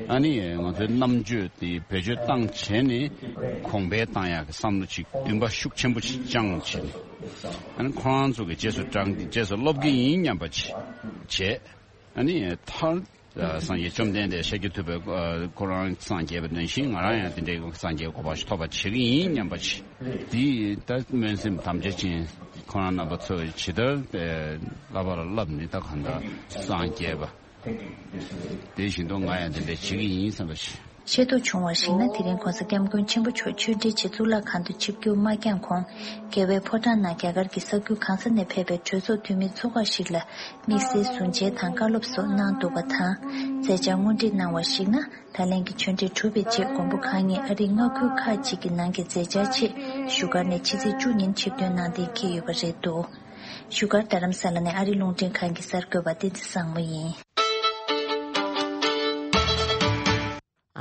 ཨ་ནི་ང་ཚོའི་རྣམ་དཔྱོད་དེ་བེད་སྤྱོད་བཏང་བྱས་ནས་གོང་འཕེལ་བཏང་ཡག་གི་བསམ་བློ་ཅིག་འདུན་པ་ཤུགས་ཆེན་པོ་ཞིག་བཅངས་བྱས་ནས། ཨ་ནི་ཁོ་རང་ཚོ་གི་རྗེས་སུ་འབྲང་རྗེས་སུ་སློབ་ཀྱི་ཡིན་སྙམ་པ་ཅིག་བྱས། ཨ་ནི་མཐར་སངས་རྒྱས་བཅོམ་ལྡན་འདས་ཤཱཀྱ་ཐུབ་པས་ཁོ་རང་སངས་རྒྱས་པ་ནང་བཞིན་ང་རང་ཡང་དེ་འདྲའི་སངས་རྒྱས་གོ་འཕང་ཞིག་ཐོབ་པ་བྱེད་ཀྱི་ཡིན་སྙམ་པ་ཅིག། འདི་ད་སྨོན་སེམས་དམ་བཅའ་ཅན་ཁོ་རང་རྣམ་པ་ཚོས་ཇི་ལྟར་བསླབ་པར་བསླབ་ནས། ད་གང་ལྟར་སངས་རྒྱས་པ་དེ་བཞིན་དུ་ང་ཡང་དེ་འདྲ་བྱེད་ཀྱི་ཡིན་བསམ་པ་ཞིག། ཤེས་རྟོགས་བྱུང་བར་གཞིགས་ན། དེ་རིང་༸གོང་ས་༸སྐྱབས་མགོན་ཆེན་པོ་མཆོག་ཆོས་འབྲེལ་ཆེད་གཙུག་ལག་ཁང་དུ་ཆིབས་བསྒྱུར་མ་བསྐྱངས་གོང་། རྒྱལ་བའི་ཕོ་བྲང་ནང་རྒྱ་གར་གྱི་ས་ཁུལ་གང་ས་ནས་ཕེབས་པའི་གྲོས་ཚོགས་འཐུས་མི་ཚོགས་ཁག་ཞིག་ལ་དམིགས་བསལ་གཟུང་འཇལ་དང་བཀའ་སློབ་སོགས་གནང་འདུག་པ་དང་། མཛད་འཆར་དངོས་བྲིས་གནང་བར་གཞིགས་ན། ད་ལན་གྱི་ཆོས་འབྲེལ་གྲུབ་པའི་རྗེས། མགོན་པོ་གང་ཉིད་ཨ་རིའི་མངའ་ཁུལ་ཁག་ཅིག་གི་ནང་གི་མཛད་འཆར་ཆེད་བཞུགས་སྒར་ནས་ཕྱི་ཚེས་བཅུ་ཉིན་ཆིབས་ཐོན་གནང་གཏན་འཁེལ་ཡོད་པ་རེད་འདུག། བཞུགས་སྒར་རྡ་རམ་ས་ལ་ནས་ཨ་རིའི་རླུང་འཕྲིན་ཁང་གི་གསར་འགོད་པ་བསྟན་འཛིན་བཟང་མོ་ཡིན།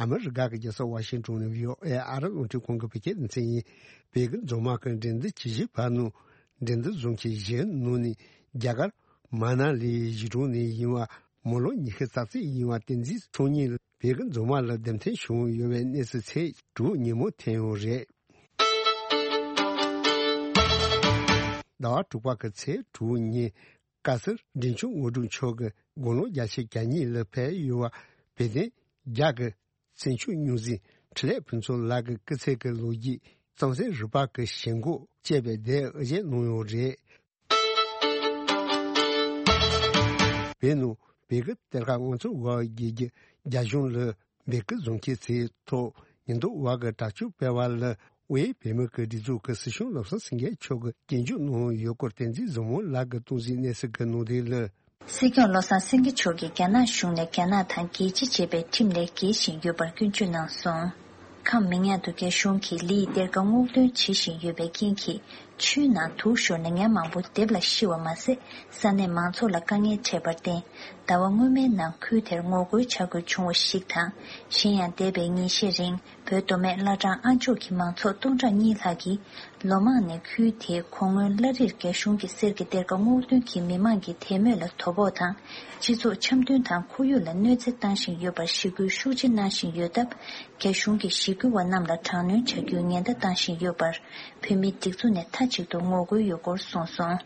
ཨ་མི་རི་ཀ་གི་རྒྱལ་ས་ཝ་ཤིང་ཏོན་ནས་བྷི་ཨོ་ཨེ་ཨ་རི་རླུང་འཕྲིན་ཁང་གི་བོད་སྐད་སྡེ་ཚན་ཡིན། བོད་ཀྱི་རྫོང་དམག་གི་འགྲན་བསྡུར་ཇི་ཞིག་བར་ནུ། འགྲན་བསྡུར་རྫོང་ཆེན་བཞིའི་ནང་ནས་རྒྱ་གར་མ་ན་ལིའི་གཞིས་གྲོང་ནས་ཡིན་པ། མི་ལོ་ཉི་ཤུ་རྩ་གཅིག་ཡིན་པ་བསྟན་འཛིན་ཚེ་རིང་ལགས་བོད་ཀྱི་རྫོང་དམག་ལ་འདེམས་ཐོན་བྱུང་ཡོད་པའི་གནས་ཚུལ་ཚེས་དྲུག་ཉིན་མོ་ཐོན་ཡོད་རེད། ཟླ་བ་དྲུག་པ་གི་ཚེས་དྲུག་ཉིན། བཀའ་ཟུར་འབྲིང་ཆུང་དངོས་གྲུབ་མཆོག་གིས་དགུང་ལོ་བརྒྱད་ཅུ་གྱ་གཉིས་ལ་ཕེབས་ཡོད་པ། བོད་དོན་རྒྱ་གི་བཙན་བྱོལ་སྙུང་གཟིགས་འཕྲིན་ལས་ཕུན་ཚོགས་ལགས་ཀྱི་སྐུ་ཚེ་གི་ལོ་རྒྱུས་རྩོམ་གསེར་རུ་སྤགས་ཀྱི་ཞེན་ཁོག་ཅེས་པའི་དེབ་དབུ་འབྱེད་གནང་ཡོད་རེད། བོད་ནང་བོད་ཀྱི་གཏེར་ཁ་དབང་ཚད་འོག་བརྒྱུད་རྒྱ་གཞུང་ལ་བོད་ཀྱི་རྫོང་ཁྱིམ་ཚེས་ཐོག་ཉེན་རྟོག་པ་གིས་དྲག་སྤྱོད་སྤེལ་བ་ལ། དབུས་བོད་མི་གི་སྒྲིག་འཛུགས་ཀྱི་སྲིད་སྐྱོང་བློ་བཟང་སེང་གེ་མཆོག་གིས་སྐྱོན་བརྗོད་གནང་ཡོད་སྐོར་བསྟན་འཛིན་བཟང་མོ་ལགས་ཀྱིས་གཏོང་གཟིགས་གནས་ཚུལ་གྱི་ནང་དོན་ལ། སྲིད་སྐྱོང་བློ་བཟང་སེང་གེ་མཆོག་གིས་རྒྱ་ནག་གཞུང་ནས་རྒྱ་ནག་དང་རྒྱལ་སྤྱི་བྱེད་པའི་ཁྲིམས་ལས་འགལ་བཞིན་ཡོད་པར་སྐྱོན་བརྗོད་གནང་སོང་། ཁམས་མི་ཉག་ཏུ་རྒྱ་གཞུང་གིས་ལིའི་གཏེར་ཁ་སྔོག་འདོན་བྱེད་བཞིན་ཡོད་པའི་རྐྱེན་གྱིས། ཆུའི་ནང་དུག་ཤོར་ནས་ཉ་མང་པོ་འདེབས་ལ་ཤི་བ་མ་ཟད། ས་གནས་མང་ཚོགས་ལ་དཀའ་ངལ་འཕྲད་པར་བརྟེན། ཟླ་བ་སྔོན་མའི་ནང་ཁུལ་དེར་ངོ་རྒོལ་བྱ་དགོས་བྱུང་བ་ཞིག་དང་། གཞན་ཡང་། འདས་པའི་ཉིན་ཤས་རིང་། བོད་མདོ་སྨད་བླ་བྲང་ཨ་མཆོག་གི་མང་ཚོགས་སྟོང་ཕྲག་གཉིས་ལྷག་གིས། ལོ་མང་ནས་ཁུལ་དེའི་གོ་སྔོན་བླ་རིར་རྒྱ་གཞུང་གི་གསེར་གྱི་གཏེར་ཁ་སྔོག་འདོན་གྱིས་མི་མང་གི་དད་མོས་ལ་དོ་ཕོག་དང་། སྤྱི་ཚོགས་འཆམ་མཐུན་དང་ཁོར་ཡུག་ལ་གནོད་འཚེ་བཏང་བཞིན་ཡོད་པར་ཞི་རྒོལ་ཤུགས་ཆེ་གནང་བཞིན་ཡོད་སྟབས། རྒྱ་གཞུང་གིས་ཞི་རྒོལ་བ་རྣམས་ལ་དྲག་གནོན་བྱ་རྒྱུའི་ཉེན་བརྡ་བཏང་བཞིན་ཡོད་པར། བོད་མིའི་སྒྲིག་འཛུགས་ནས་མཐའ་གཅིག་ཏུ་ངོ་རྒོལ་ཡོད་སྐོར་གསུངས་སོང་།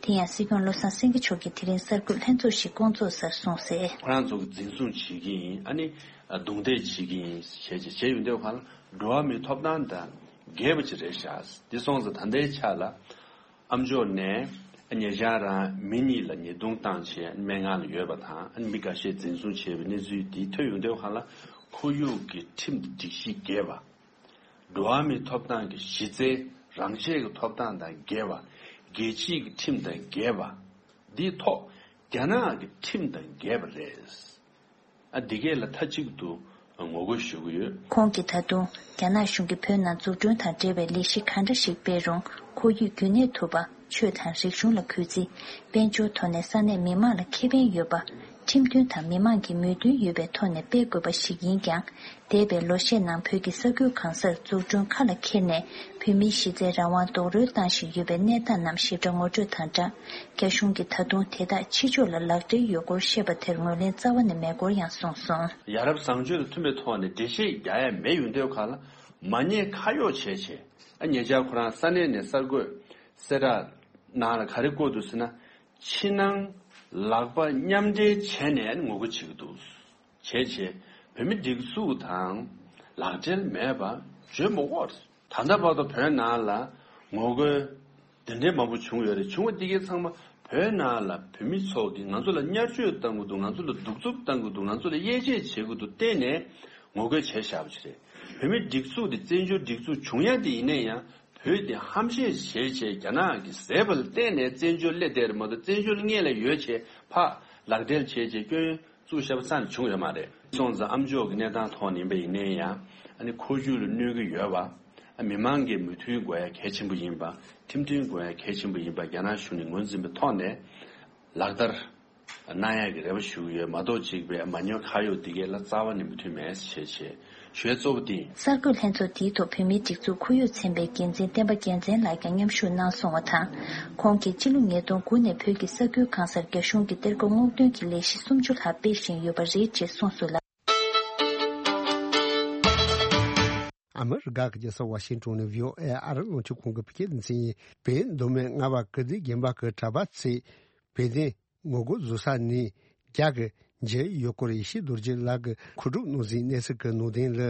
དེ་ཡང་སྲིད་སྐྱོང་བློ་བཟང་སེང་གེ་མཆོག་གིས་དེ་རིང་གསར་འགོད་ལྷན་ཚོགས་ཤིག་བསྐོང་ཚོགས་སར་གསུངས་གསལ། ཁོ་རང་ཚོ་གིས་འཛིན་བཟུང་བྱེད་ཀྱི་ཡིན། ཨ་ནི་རྡུང་རྡེག་བྱེད་ཀྱི་ཡིན་ཞེས་བྱས་བྱས་ཡོང་དུས་གང་ལ་འགྲོ་བ་མིའི་ཐོབ་ཐང་དང་འགལ་བ་ཅིག་རེད་ཤག། འདི་སོང་ཙང་ད་ལྟའི་ཆ་ལ་ཨ་མཆོག་ནས་ཉེ་ཆར་རང་མི་གཉིས་ལ་ཉེས་རྡུང་བཏང་བྱས་སྨན་ཁང་ལ་ཡོད་པ་དང་། ཨ་ནི་མི་འགའ་ཤས་འཛིན་བཟུང་བྱས་པའི་གནས་ཚུལ་འདི་ཐོན་ཡོང་དུས་གང་ལ་ཁོར་ཡུག་གི་ཁྲིམས་དང་སྒྲིག་གཞི་འགལ་བ། འགྲོ་བ་མིའི་ཐོབ་ཐང་གི་གཞི་རྩའི་རང་ཆས་ཀྱི་ཐོབ་ཐང་དང་འགལ་བ། རྒྱལ་སྤྱིའི་གི་ཁྲིམས་དང་འགལ་བ། འདིའི་ཐོག་རྒྱ་ནག་གི་ཁྲིམས་དང་འགལ་བ་རེད། ཨ་འདི་གས་ལ་མཐའ་གཅིག་ཏུ་ངོ་རྒོལ་ཞུ་གི་ཡོད། ཁོང་གིས་ད་དུང་རྒྱ་ནག་གཞུང་གིས་བོད་ནང་འཛུགས་སྐྲུན་དང་འབྲེལ་བའི་ལས་གཞི་ག་འདྲ་ཞིག་སྤེལ་རུང་། ཁོར་ཡུག་རྒྱུན་གནས་ཐུབ་པ། ཆོས་དང་རིག་གཞུང་ལ་གུས་བརྩི། དཔལ་འབྱོར་ཐོག་ནས་ས་གནས་མི་མང་ལ་ཁེ་ཕན་ཡོད་པ། ཁྲིམས་མཐུན་དང་མི་མང་གི་མོས་མཐུན་ཡོད་པའི་ཐོག་ནས་སྤེལ་དགོས་པ་ཞིག་ཡིན་ཀྱང་། འདས་པའི་ལོ་ཤས་ནང་བོད་ཀྱི་ས་ཁུལ་གང་སར་འཛུགས་སྐྲུན་ཁ་ལ་འཁྱེར་ནས། བོད་མིའི་གཞི་རྩའི་རང་དབང་རྡོག་རོལ་བཏང་བཞིན་ཡོད་པའི་གནས་སྟངས་རྣམས་ཞིབ་ཕྲ་ངོ་སྤྲོད་དང་སྦྲགས། རྒྱ་གཞུང་གིས་ད་དུང་དེ་དག་ཕྱི་ཕྱོགས་ལ་ལག་སྦྲེལ་ཡོད་སྐོར་བཤད་པ་དེར་ངོས་ལེན་རྩ་བ་ནས་མེད་སྐོར་ཡང་གསུངས་སོང་། ཡ་རབས་བཟང་སྤྱོད་དང་མཐུན་པའི་ཐོག་ནས་འགྲེལ་བཤད་རྒྱག་ཡ་མེད་ཡོང་དུས་གང་ལ་མ་ཉེས་ཁ་གཡོགས་བྱས་བྱས། ཨ་ཉེ་ཆར་ཁོ་རང་ས་གནས་ནས་གསར་འགོད་གསལ་བསྒྲགས་ནང་ལ་ག་རེ་བཀོད་འདུག་ཟེར་ན། ཕྱི་ནང་ལག་པ་མཉམ་འབྲེལ་བྱས་ནས་ངོ་རྒོལ་བྱེད་ཀྱི་འདུག། བྱས་བྱས་བོད་མི་སྒྲིག་འཛུགས་དང་ལག་འབྲེལ་མེད་པ་བརྗོད་མི་དགོས། ད་ལྟ་བར་དུ་བོད་ནང་ལ་ ངོ་རྒོལ་དེ་འདྲའི་མང་པོ་བྱུང་ཡོད་རེད། བྱུང་བ་འདི་གའི་ཚང་མ་བོད་ནང་ལ་བོད་མི་ཚོ་གིས་ང་ཚོ་ལ་བརྙས་བཅོས་བཏང་གི་འདུག་ང་ཚོ་ལ་གདུག་རྩུབ་བཏང་གི་འདུག་ང་ཚོ་ལ་དབྱེ་འབྱེད་བྱེད་ཀྱི་འདུག་བལྟས་ནས་ངོ་རྒོལ་བྱས་བཞག་པ་ཞིག་རེད། བོད་མི་སྒྲིག་འཛུགས་དེ་བཙན་བྱོལ་སྒྲིག་འཛུགས་བྱུང་ཡ་དེ་ཡིན་ན་ཡང་། བོད་དེ་ཧམ་བཤད་བྱས་བྱས་རྒྱ་ནག་གིས་བཟས་པ་ལ་བརྟེན་ནས་བཙན་བྱོལ་སླེབས་བསྡད་རེད་མ་གཏོགས། བཙན་བྱོལ་སྔོན་ལ་ཡོད་བྱས་ཕར་ལག་སྦྲེལ་བྱས་བྱས་སྐྱོན་བཙུགས་བཞག་པ་རྩ་ནས་བྱུང་ཡོད་མ་རེད། སོང་ཙང་ཨ་མཆོག་གི་གནས་སྟངས་ཐོག་ནས་ཡིན་པ་ཡིན་ན་ཡང་། ཨ་ནི་ཁོར་ཡུག་ལ་གནོད་ཀྱི་ཡོད་པ། ཨ་མི་མང་གི་མོས་མཐུན་དགོས་ཡ་གལ་ཆེན་པོ་ཡིན་པ། ཁྲིམས་མཐུན་དགོས་ཡ་གལ་ཆེན་པོ་ཡིན་པ་རྒྱ་ནག་གཞུང་ནས་ངོས་འཛིན་པའི་ཐོག་ནས་ལག་བསྟར་གནང་ཡག་གི་རེ་བ་ཞུ་གི་ཡོད་མ་གཏོགས། གཅིག་པའི་མ་ཉོ་ཁ་གཡོག་འདི་གའི་ལ་རྩ་བ་ནས་མོས་མཐུན་མེད་ཞེས་བྱས། ཞུ་ཡ་གཙོ་བོ་དེ་ཡིན། གསར་འགོད་ལྷན་ཚོགས་དེའི་ཐོག་བོད་མིའི་སྒྲིག་འཛུགས་ཁོར་ཡུག་ཚན་པའི་འགན་འཛིན་བསྟན་པ་རྒྱལ་མཚན་ལགས་ཀྱང་མཉམ་ཞུགས་གནང་སོང་བ་དང་། ཁོང་གིས་སྤྱི་ལོ་ཉིས་སྟོང་དགུ་ནས་བོད་ཀྱི་ས་ཁུལ་གང་སར་རྒྱ་གཞུང་གི་གཏེར་སྒོ་སྔོག་འདོན་གྱི་ལས་གཞི་སུམ་ཅུ་ལྷག་སྤེལ་བཞིན་ཡོད་པ་རེད་ཅེས་གསུངས་སོང་ལ། ཨ་མི་རི་ཀ་གི་རྒྱལ་ས་ཝ་ཤིང་ཏོན་ནས་བྷི་ཨོ་ཨེ་ཨ་རི་རླུང་འཕྲིན་ཁང་གི་བོད་སྐད་སྡེ་ཚན་ཡིན། བོད་མདོ་སྨད་རྔ་བ་ཀིརྟི་དགོན་པ་གི་གྲྭ་པ་ཚོས་བོད་དོན་ངོ་རྒོལ་བཟོ་ས་ནས་རྒྱ་གི་མཇལ་ཡུལ་སྐོར་ཡེ་ཤེས་རྡོ་རྗེ་ལགས་ཀྱིས་མཁོ་སྒྲུབ་གནང་ཟིན་གནས་ཚུལ་གྱི་ནང་དོན་ལ།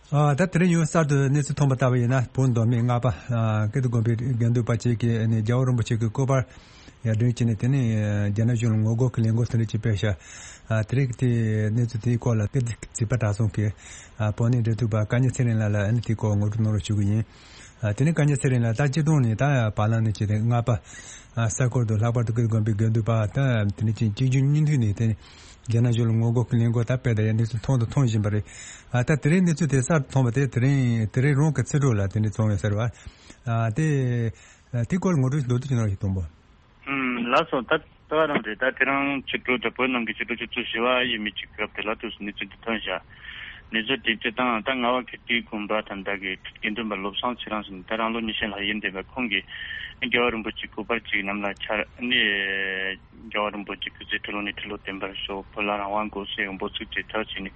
ཨ། ད་དེ་རིང་ཡང་གསར་དུ་གནས་ཚུལ་ཐོན་པ་ལྟ་བུ་ཡིན་ན། བོད་མདོ་སྨད་རྔ་བ་ཨ་ཀིརྟི་དགོན་པའི་དགེ་འདུན་པ་ཅིག་གིས་ནི་རྒྱལ་བ་རིན་པོ་ཆེ་གི་སྐུ་པར་ཡར་སྒྲོན་བྱས་ནས། དེ་ནས་རྒྱ་ནག་གཞུང་ལ་ངོ་རྒོལ་གྱི་ལས་འགུལ་དེ་འདྲ་ཅིག་སྤེལ་ཤག་ཨ། དེ་རིང་གི་དེ་གནས་ཚུལ་དེའི་སྐོར་ལ་ཀིརྟི་རྩིས་པ་གྲྭ་ཚང་གི་ཨ་བོད་གནས་འབྲེལ་མཐུད་པ་བཀའ་ཉན་ཚེ་རིང་ལགས་ལ་ཨ་ནི་དེའི་སྐོར་ངོ་སྤྲོད་གནང་རོགས་ཞུ་གི་ཡིན། ཨ། དེ་ནས་བཀའ་ཉན་ཚེ་རིང་ལགས། ད་སྤྱིར་བཏང་ནས་ད་བར་ལམ་ནས་བྱས་ཏེ་རྔ་བ་ཨ་ས་ཁུལ་དུ་ལྷག་པར་དུ་ཀིརྟི་དགོན་པའི་དགེ་འདུན་པ་ད་དེ་ནས་ཅིག་གཅིག་མཇུག་གཉིས་མཐུད་ནས་དེ་ནས་རྒྱ་ནག་གཞུང་ལ་ངོ་རྒོལ་གྱི་ལས་འགུལ་ད་སྤེལ་བསྡད་ཡ་གནས་ཚུལ་མཐོང་དང་མཐོང་བཞིན་པ་རེད། ཨ། ད་དེ་རིང་གནས་ཚུལ་དེ་གསར་དུ་ཐོན་པ་དེ་དེ་རིང་དེ་རིང་རང་གི་ཚེ་སྒྲུབ་ལ་དེ་ནས་བྱུང་ཡོད་ཟེར་བ། ཨ། དེ་དེ་སྐོར་ངོ་སྤྲོད་མདོར་བསྡུས་ཅིག་གནང་རོགས་ཞུ། དང་པོ། ཨུམ། ལགས་སོ། ད་ལྟ་བ་རང་རེད། ད་དེ་རིང་ཕྱི་དྲོ་ད་བོད་ནང་གི་ཕྱི་དྲོ་ཆུ་ཚོད་བཞི་པ་ཡས་མས་ཀྱི་སྐབས་དེ་ལ་དུས་སུ་གནས་ཚུལ་འདི་ཐོན་ཤག་གནས་ཚུལ་དེ་སྤྱིར་བཏང་ད་རྔ་བ་ཀིརྟི་དགོན་པ་ད་ལྟ་གི་དགེ་འདུན་པ་བློ་བཟང་ཚེ་རིང་ཟེར་ནས་ད་རང་ལོ་ཉི་ཤུ་ལྷག་ཡིན་བསྡད་པའི་ཁོང་གིས་རྒྱལ་བ་རིན་པོ་ཆེའི་སྐུ་པར་ཅིག་གནམ་ལ་འཕྱར་ནས། རྒྱལ་བ་རིན་པོ་ཆེ་སྐུ་ཚེ་ཁྲི་ལོ་ནས་ཁྲི་ལོ་བརྟན་པར་ཤོག་བོད་ལ་རང་དབང་དགོས་ཟེར་འབོད་ཚིག་ཅིག་གྲགས་བྱས་ནས།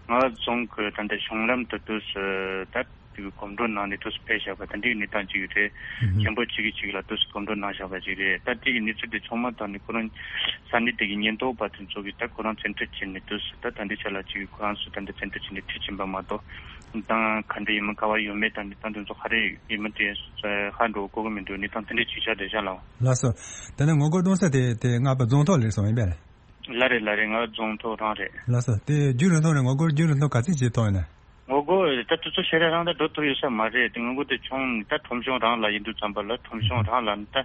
རྔ་བ་རྫོང་གི་ད་ལྟ་གཞུང་ལམ་དུ་དུས་སུ་ད་དེ་གི་གོམ་བགྲོད་གནང་ནས་དུས་སུ་ཕེབས་བཞག་པ་དེ་འདྲའི་གནས་སྟངས་ཅིག་རེད། ཨུ་ཧུ། མཁན་པོ་གཅིག་གིས་གཅིག་ལ་དུས་སུ་གོམ་བགྲོད་གནང་བཞག་པ་ཅིག་རེད། ད་དེ་གི་གནས་ཚུལ་དེ་ཚང་མ་ཐོག་ནས་ཁོ་རང་ས་གནས་དེ་གི་ཉེན་རྟོག་པ་དེ་ཚོ་གིས་ད་ཁོ་རང་བཙན་ཁྲིད་བྱས་ནས་དུས་སུ་ད་ད་འདི་ཆ་ལ་ཅིག་ཁོ་རང་ཚོ་ད་འདི་བཙན་ཁྲིད་བྱས་ནས་ཁྲིད་ཕྱིན་པ་མ་གཏོགས། གནས་སྟངས་ག་འདྲ་ཡིན་མིན་ག་བ་ཡོད་མེད་དང་གནས་སྟངས་དེ་ཚོ་ག་རེ་ཡིན་མིན་དེ་ཧ་འགྲོ་གོ་གི་མི་འདུག་གནས་སྟངས་དེ་འདྲ་ཅིག་ཆགས་བསྡད་ཤག་ལགས། ལགས་སོ། དེ་ནས་ངོ་རྒོལ་གཏོང་ས་དེ་དེ་རྔ་བ་རྫོང་ཐོག་ལ་རེད་གསུངས་ཡིན་པས། ལགས་རེད། ལགས་རེད། རྔ་བ་རྫོང་ཐོག་རང་རེད། ལགས་སོ། དེ་རྒྱུན་རིང་ཐུང་ནས་ངོ་རྒོལ་རྒྱུན་རིང་ཐུང་ག་ཚོད་ཅིག་ཐོག་ཡིན་ན། ངོ་རྒོལ་ད་དུས་ཚོད་ཞེ་དྲག་རིང་ད་འགྲོ་ཐུབ་ཡོད་ས་མ་རེད། དེ་ངོ་རྒོལ་དེ་བྱུང་ད་ཁྲོམ་གཞུང་རང་ལ་ཡིན་དུས་ཙམ་པ་ལ། ཁྲོམ་གཞུང་རང་ལ་ད་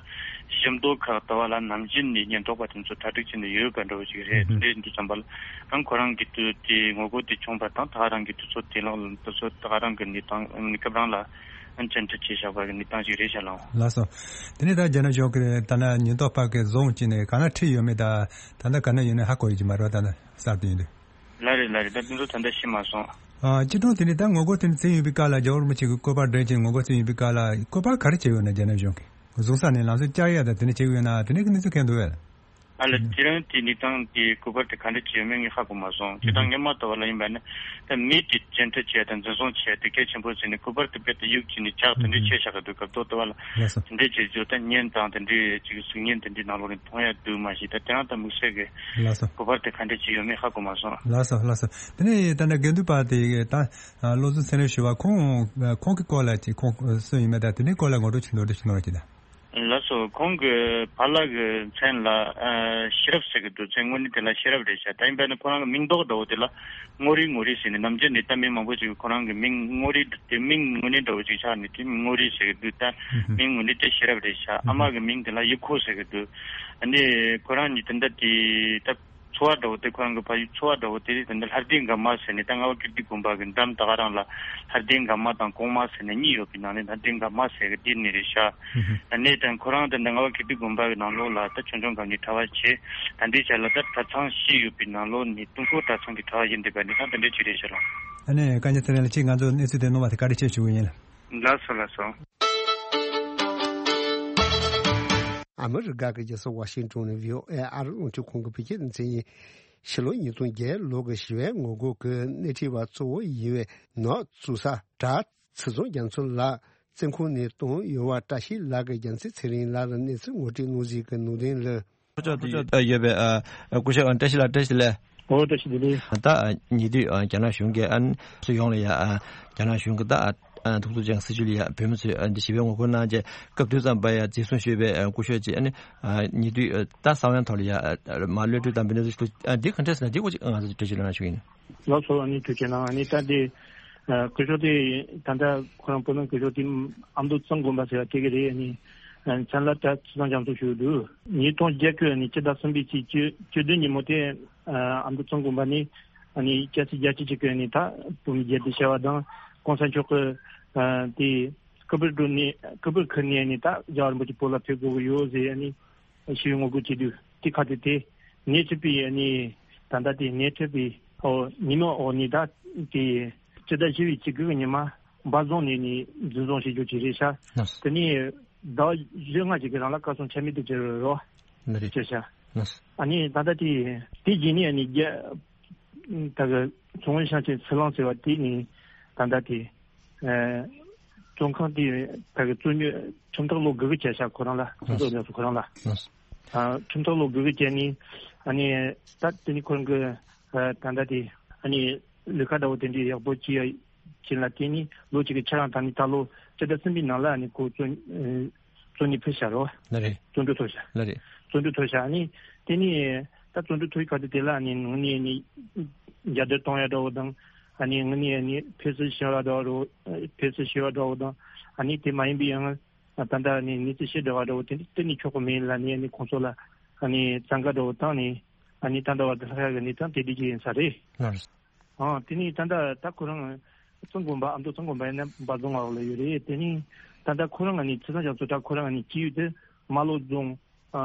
ཞིང་མདོ་ཁག་ལྟ་བུ་ལ་ནམ་རྒྱུན་ནས་ཉེན་རྟོག་པ་དེ་ཚོ་གྲ་སྒྲིག་བྱས་ནས་ཡོད་པ་འདྲ་བོ་ཅིག་རེད། དེ་འདྲ་ཡིན་དུས་ཙམ་པ་ལ་རང་ཁོ་རང་གི་དུས་དེ་ངོ་རྒོལ་དེ་བྱུང་བ་དང་ད་ག་རང་གི་དུས་ཚོད་དེ་ལ་དུས་ཚོད་ད་ག་རང་གི་གནས་སྟངས་གནས་སྐབས་རང་ལ་བཅར་འདྲི་བྱས་བཞག་པ་གི་གནས་སྟངས་ཅིག་རེད་ཤག་ལགས། ལགས་སོ། དེ་ནས་ད་རྒྱ་ནག་གཞུང་གིས་ད་ནི་ཉེན་རྟོག་པ་གིས་བཟུང་བྱས་ནས་ག་ན་ཁྲིད་ཡོད་མེད་ད་ད་ལྟ་ག་ན་ཡོད་ན་ཧ་གོ་ཡོད་ཀྱི་མ་རེད་པ། ད་ནི་གསར་དུ་ཡིན་དུས། ལགས་རེད། ལགས་རེད། ད་དེ་ཚོ་ད་ལྟ་ཤེས་མ་སོང་། ཨ། སྤྱིར་བཏང་དེ་ནས་ད་ངོ་རྒོལ་དེ་ནས་བྱས་ཡོང་བའི་སྐབས་ལ། རྒྱལ་བ་རིན་པོ་ཆེ་གི་སྐུ་པར་སྒྲོན་བྱས་ངོ་རྒོལ་བྱས་ཡོང་བའི་སྐབས་ལ་སྐུ་པར་ག་རེ་བྱས་ཡོད་ན། རྒྱ་ནག་གཞུང་གིས་བཟུང་ས་ནས་ལམ་སང་བསྐྱར་ཡ་དང་དེ་འདྲ་བྱས་ཡོད་ན། དེ་འདྲའི་གི་གནས་ཚུལ་གང་འདུག་པས། ཨ་ལ། དེ་རིང་དེ་གནས་སྟངས་དེ་སྐུ་པར་དེ་ག་འདྲ་བྱས་ཡོད་མེད་ངས་ཧ་གོ་མ་སོང་། སྤྱིར་བཏང་སྔོན་མ་ལྟ་བུ་ལ་ཡིན་པ་ན་ད་མི་དེ་བཅར་འདྲི་བྱས་དང་འཛིན་བཟུང་བྱས་དེ་གལ་ཆེན་པོ་བྱས་ནས་སྐུ་པར་དེ་རྦད་དེ་གཡུག་བྱས་ནས་འཇག་དེ་འདྲ་བྱས་བཞག་གི་འདུག་སྐབས་ཐོག་ལྟ་བུ་ལ། ལགས་སོ། དེ་འདྲ་བྱས་རྗེས་ད་བརྙན་དང་དེ་འདྲའི་ཅིག་གཟིགས་བརྙན་དེ་འདྲའི་ནང་ལོགས་ནས་མཐོང་ཡ་འདུག་མ་གཞི་ད་དེ་རིང་ད་དམིགས་བསལ་གི་ལགས་སོ། སྐུ་པར་དེ་ག་འདྲ་ཅིག་ཡོད་མེད་ཧ་གོ་མ་སོང་། ལགས་སོ། ལགས་སོ། དེ་ནས་ད་ནི་དགེ་འདུན་པ་དེ་ད་བློ་བཟང་ཚེ་རིང་ཞུ་བ་ཁོང་ཁོང་གི་སྐོར་ལ་ཅིག་ཁོང་སུ་ཡིན་མིན་དང་དེ་འདྲའི་སྐོར་ལ་ངོ་སྤྲོད་ཅིག་མདོར་བསྡུས་ཅིག་གནང་རོགས་གྱིས་དང་། ལགས་སོ། ཁོང་གི་ཕ་ལགས་ཀྱི་མཚན་ལ་ཨ་ཤེས་རབ་ཟེར་གྱི་འདུག་མཚན་དངོས་གནས་དེ་ལ་ཤེས་རབ་རེད་ཤག་ད་ཡིན་པ་ན་ཁོ་རང་གི་མིང་འདོགས་འདྲ་བོ་དེ་ལ་ངོ་རིས་ངོ་རིས་ཟེར་ནས། ནམ་རྒྱུན་ནས་ད་མི་མང་པོ་ཅིག་གིས་ཁོ་རང་གི་མིང་ངོ་རིས་དེ་མིང་དངོས་གནས་འདྲ་བོ་ཅིག་ཆགས་ནས་དེ་ངོ་རིས་ཟེར་གྱི་འདུག་ད་ཨུ་ཧུ། མིང་དངོས་གནས་དེ་ཤེས་རབ་རེད་ཤག་ཨ་མ་གི་མིང་དེ་ལ་ཡེ་ཁོ་ཟེར་གྱི་འདུག་ཨ་ནི་ཁོ་རང་གཉིས་དེ་འདྲ་དེ་ད། ཚོ་བ་འདྲ་བོ་དེ་ཁོ་རང་གི་ཕ་ཡུལ་ཚོ་བ་འདྲ་བོ་དེ་རེད། དེ་འདྲ་ལྷ་ལྡན་དགའ་མ་ཟེར་ནས་ད་རྔ་བ་ཀིརྟི་དགོན་པ་གི་འགྲམ་ད་ག་རང་ལ་ལྷ་ལྡན་དགའ་མ་དང་གོང་མ་ཟེར་ནས་གཉིས་ཡོད་པའི་ནང་ནས་ལྷ་ལྡན་དགའ་མ་ཟེར་གི་དེ་ནས་རེད་ཤག་ཨ་ནས་ད་ཁོ་རང་དེ་འདྲ་རྔ་བ་ཀིརྟི་དགོན་པ་གི་ནང་ལོགས་ལ་ད་ཆོས་འབྱུང་སྒམ་ནས་གྲྭ་པ་བྱས། ད་འདི་ཆ་ལ་ད་གྲྭ་ཚང་བཞི་ཡོད་པའི་ནང་ལོགས་ནས་དུས་འཁོར་གྲྭ་ཚང་གི་གྲྭ་པ་ཡིན་བསྡད་པ་འདི་ད་དེ་འདྲ་ཅིག་རེད་ཤག་ལགས། ཨ་ནས་བཀའ་ཉན་ཚེ་རིང་ལགས་ཅིག་ང་ཚོ་གནས་ཚུལ་དེ་གནང་བ་དེ་བཀའ་དྲིན་ཆེ་ཞུ་གི་ཡིན། ལགས་སོ། ལགས་སོ། ཨ་མི་རི་ཀ་གི་རྒྱལ་ས་ཝ་ཤིང་ཏོན་ནས་བྷི་ཨོ་ཨེ་ཨ་རི་རླུང་འཕྲིན་ཁང་གི་བོད་སྐད་སྡེ་ཚན་ཡིན། ཕྱི་ལོ་ཉིས་སྟོང་བརྒྱད་ལོ་གི་ཞི་བའི་ངོ་རྒོལ་གྱི་སྣེ་ཁྲིད་པ་གཙོ་བོ་ཡིན་པའི་ནག་བཙུགས་ས་གྲྭ་ཚེ་བཟང་རྒྱ་མཚོ་ལགས་བཙོན་ཁང་ནས་བཏང་ཡོད་པ་བཀྲ་ཤིས་ལགས་ཀྱིས་རྒྱལ་མཚན་ཚེ་རིང་ལགས་ལ་གནས་ཚུལ་ངོ་སྤྲོད་གནང་ཟིན་གྱི་ནང་དོན་ལ། ཡོད་པའི་སྐུ་ཞབས་བཀྲ་ཤིས་ལགས། བཀྲ་ཤིས་བདེ་ལེགས། ཨོ་བཀྲ་ཤིས་བདེ་ལེགས། ད་ཉེ་དུས་རྒྱ་ནག་གཞུང་གིས་ཨ་ནི་སུ་ཡོང་ལ་ཡ་རྒྱ་ནག་གཞུང་གི་ད་ཐུགས་ཚོད་ཅན་སྲིད་བྱུས་ལ་ཡ་བོད་མི་ཚོས་འདི་ཞི་བའི་ངོ་རྒོལ་གནང་རྗེས་སྐབས་དུས་ཙམ་པ་ཡ་འཛིན་བཟུང་ཞུས་པའི་སྐུ་ཞབས་ཀྱིས་ཨ་ནི་ཉེ་དུས་ད་གསང་བའི་ཐོག་ལ་ཡ་མ་གློད་གྲོལ་དང་འབུལ་གནས་འདི་ག་འདྲས་ཟེར་ན་འདི་སྐོར་ཅིག་ང་ཚོ་འགྲེལ་བརྗོད་གནང་ཞུ་ཡིན། ལགས་སོ། ཨ་ནི་ཐུགས་རྗེ་གནང་། ཨ་ནི་ད་འདི་སྐུ་ཞབས་དེ་ད་ལྟ་ཁོ་རང་བོད་ནང་སྐུ་ཞབས་དེ་ཨ་མདོ་གཙང་དགོན་པ་ཟེར་བ་དེ་ག་རེད། ཨ་ནི་མཚན་ལ་ད་ཚུལ་བཟང་རྒྱ་མཚོ་ཞུ་འདུག་ཉིས་སྟོང་བརྒྱད་ཀྱི་ཨ་ནི་སྤྱི་ཟླ་གསུམ་པའི་ཚེས་བཅུ་བཅུ་བདུན་ཉིན་མོ་དེ་ཨ་མདོ་གཙང་དགོན་པ་ནས་ཨ་ནི་སྐྱ་སེར་རྒྱ་ཆེ་ཆེ་གི་ཨ་ནི་ད་བོད་མི་རྒྱལ་དེ་བྱ་བ་དང་གོང་ས་མཆོག་གི་ཨ་དེ་སྐུ་པར་བསྒྲོན་ནས་སྐུ་པར་ཁུར་ནས་ཨ་ནི་ད་རྒྱལ་བ་རིན་པོ་ཆེ་བོད་ལ་ཕེབས་དགོས་ཀྱི་ཡོད་ཟེར་ཨ་ནི་ཞུ་བའི་ངོ་རྒོལ་བྱེད་དུས་དེ་ཁ་དེ་དེ་ནས་ཚུད་པའི་ཨ་ནི་ད་ལྟ་དེ་ནས་ཚུད་པའི་ཨོ་ཉིན་མོ་ཨོ་ནི་ད་དེ་སྤྱི་ཟླ་བཞི་པའི་ཚེས་དགུ་གི་ཉི་མ་འབའ་རྫོང་ནས་ནི་འཛིན་བཟུང་བྱེད་རྒྱུ་ཅིག་རེད་ཤག་ལགས། དེ་ནས་ཟླ་བ་བཞི་ལྔ་ཅིག་གི་རིང་ལ་བཀའ་ཚོམས་ཆ་མེད་དུ་གྱུར་རོ། ལགས་རེད། ཅེས་བྱ། ལགས། ཨ་ནི་ད་ལྟ་དེ་དེ་རྗེས་ནས་ཨ་ནི་རྒྱ་ད་གི་ཚོང་དབང་ཤང་ཆེན་ཚུར་ལང་ཟེར་བ་དེ་ནི་ད་ལྟ་དེ་ཨ་བཙོན་ཁང་དེ་ད་གི་བཙོན་འཇུག་ཁྲིམས་ཐག་ལོ་དགུ་གི་བཅད་བཞག་ཁོ་རང་ལ་ལགས། ཁོ་ཚོ་ལ་སོ་ཁོ་རང་ལ། ལགས། ཨ་ཁྲིམས་ཐག་ལོ་དགུ་གི་བཅད་ནི་ཨ་ནི་ད་དེ་ནི་ཁོ་རང་གི་ཨ་ད་ལྟ་དེ་ཨ་ནི་ལས་ཀ་འདྲ་བོ་དེ་འདྲའི་ཡག་པོ་ཅི་ཡ། ཅན་ལ་བརྟེན་ནས་ལོ་གཅིག་གི་ཆ་རང་དང་ནི་ད་ལོ་སྤྱི་ཟླ་གསུམ་པའི་ནང་ལ་ནི་ཁོ་བཙོན་ཨ་བཙོན་ནས་ཕུད་བཞག་རོ། ལགས་རེད། བཙོན་གྲོལ་ཐོབ་བཞག་ལགས་རེད། བཙོན་གྲོལ་ཐོབ་བཞག་ནི་དེ་ནི་ད་བཙོན་གྲོལ་ཐོབ་ཡི་ག་དེ་དེ་ལ་ནི་ངོ་ནས་ནི་རྒྱབ་སྐྱོར་གཏོང་ཡ་འདྲ་བོ་དང་ཨ་ནི་ངོ་ནས་ནི་ཕེབས་བསུ་ཞུ་བ་འདྲ་བོ་ཕེབས་བསུ་ཞུ་བ་འདྲ་བོ་དང་ཨ་ནི་དེ་མ་ཡིན་པའི་ཡང་ད་ལྟ་ནི་གནས་ཚུལ་ཤེས་འདྲ་བ་འདྲ་བོ་དེ་འདྲ་གཏན་ནས་ཆོག་གི་མེད་ལ་ནི་ཨ་ནི་ཁོང་ཚོ་ལ་ཨ་ནི་བཙན་བཀའ་འདྲ་བོ་བཏང་ནས་ཨ་ནི་ད་ལྟ་བར་དུ་ལྷག་ཡ་གི་གནས་སྟངས་དེ་འདྲ་ཅིག་ཡིན་ས་རེད། ལགས་རེད། ཨ་དེ་ནས་ད་ལྟ་ད་ཁོ་རང་གཙང་དགོན་པ་ཨ་མདོ་གཙང་དགོན་པ་ཡིན་ན་འབའ་རྫོང་བ་ལ་ཡོད་རེད། དེ་ནས་ད་ལྟ་ཁོ་རང་ནི་ཚེ་བཟང་རྒྱ་མཚོ་ད་ཁོ་རང་ནི་སྐྱེས་ཡུལ་དེ་རྨ་ལྷོ་རྫོང་ཨ་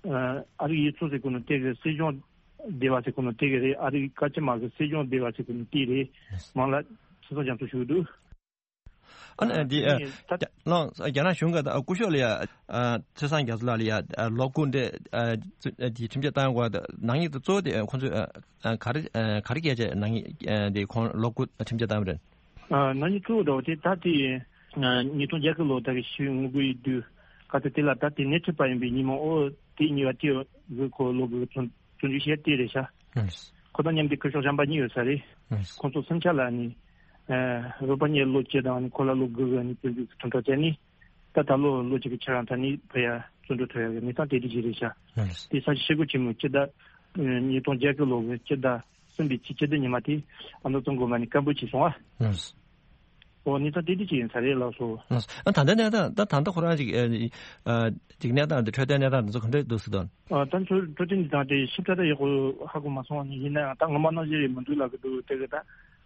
ཨ་རིག་གཡུ་མཚོ་ཟེར་གོ་ནོ་དེ་གི་སྲིད་སྐྱོང་སྡེ་བ་ཟེར་གོ་ནོ་དེ་གི་རེད། ཨ་རིག་བཀའ་སྤྱི་དམངས་ཀྱི་སྲིད་སྐྱོང་སྡེ་བ་ཟེར་གོ་ནོ་དེ་རེད། མང་ལ་ཚེ་བཟང་རྒྱ་མཚོ་ཞུ་གི་འདུག་ཨ་ནི་འདི་ཨ་ད་ལོ་རྒྱ་ནག་གཞུང་གི་སྐུ་ཞབས་ལ་ཡ་ཨ་ཚེ་བཟང་རྒྱ་མཚོ་ལགས་ལ་ཡ་ཨ་ལོ་དགུ་འདི་ཨ་ཨ་འདི་ཁྲིམས་ཆད་བཏང་ཡོད་སྐོར་དང་ནག་ཉེས་དེ་གཙོ་བོ་དེ་ཁོང་ཚོས་ཨ་ཨ་ག་རེ་ཨ་ག་རེ་བཀལ་བྱས་ནག་ཉེས་ཨ་འདི་ཁོང་ལོ་དགུ་ཁྲིམས་ཆད་བཏང་བ་རེད། ཨ་ནག་ཉེས་གཙོ་བོ་འདྲ་བོ་དེ་ད་དེ་ཨ་ཉིས་སྟོང་བརྒྱད་ཀྱི་ལོ་ད་གི་ཞུ་ངོ་རྒོལ་ཡོད་དུས་ག་ཚོད་དེ་ལ་ད་དེ་སྣེ་ཁྲིད་པ་ཡིན་པའི་ཉིན་མོ་ཨོ་དེ་གཉིས་པ་དེ་གི་ཁོ་ལོ་དགུ་བཙོན་བཙོན་འཇུག་བྱས་དེ་རེད་ཤག་ཨ་ཁོ་དང་མཉམ་དུ་སྐུ་ཞབས་གཞན་པ་གཉིས་ཡོད་ས་རེད། ཨ་ཁོང་ཚོ་སུམ་ཆ་ལ་ནི་ཨ་རོགས་པ་གཉིས་ལོ་བཅུ་དང་ནི་ཁོ་ལ་ལོ་དགུ་གི་ནི་བཙོན་འཇུག་གི་ཁྲིམས་ཐག་བཅད་ནི་ད་ད་ལོ་ལོ་གཅིག་གི་ཆ་རང་ད་ནི་ཕ་ཡ་བཙོན་གྲོལ་ཐོབ་ཡ་གི་གནས་སྟངས་དེ་འདྲ་ཞིག་རེད་ཤག་ཨ་དེ་ས་ཆ་ཤེལ་སྒོ་ཆེན་མོ་སྤྱི་ཟླ་ཨ་ཉིས་སྟོང་བརྒྱད་ཀྱི་ལོ་གི་སྤྱི་ཟླ་གསུམ་པའི་ཚེས་བཅུ་བདུན་ཉི་མ་དེ་ཨ་མདོ་གཙང་དགོན་པ་ནས་བཀའ་འབོད་བྱས་སོང་ཨ། ཨ་ཨོ་གནས་སྟངས་དེ་འདྲ་ཅིག་ཡིན་ས་རེད་ལགས་སོ། ལགས་སོ། ཨ་ད་ལྟའི་གནས་སྟངས་ད་ད་ལྟ་ཁོ་རང་ཅིག་ཨ་ཅིག་གནས་སྟངས་འདི་འཕྲོད་བསྟེན་གནས་སྟངས་འདི་ཚོ་ག་འདྲ་འདུག་ཟེར་དོན། ཨ་ད་ཚོ་འཕྲོད་བསྟེན་འདི་དང་དེ་ཞིབ་ཕྲ་ད་ཡག་པོ་ཧ་གོ་མ་སོང་བ་ནི་ཡིན་ན་ཡང་ད་ངོ་མ་ནང་བཞིན་རེད་མི་འདུག་ལབ་གི་འདུག་དེ་གི་ད་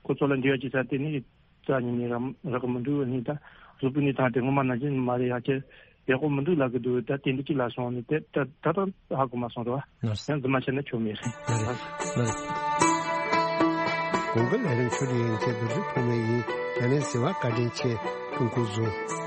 ཁོ་ཚོ་ལ་འབྲེལ་བ་བྱེད་ས་དེ་ནི་རྩ་ཉིད་ནས་རག་རག་གི་མི་འདུག་ནི་ད་གཟུགས་པོའི་གནས་སྟངས་དེ་ངོ་མ་ནང་བཞིན་མ་རེད་ཡག་ཆེ་ཡག་པོ་མི་འདུག་ལབ་གི་འདུག་ད་དེ་འདྲ་ཅིག་ལབ་སོང་ནི་དེ་ད་ད་ད་ཧ་གོ་མ་སོང་རེད་བ། ལགས་སོ། ཡང་རྫུན་མ་བཤད་ན་ཆོ་མེད་རེད། ལགས་རེད། ལགས་རེད། གོང་གི་ལས་རིམ་ཆོས་རིག་ཡན་ཆད་བསྡུ་སྒྲིག་ཕུལ་མི་ཡིན། ལས་རིམ་གསན་པར་བཀའ་དྲིན་ཆེ། སྐུ་ཁམས་བཟང་།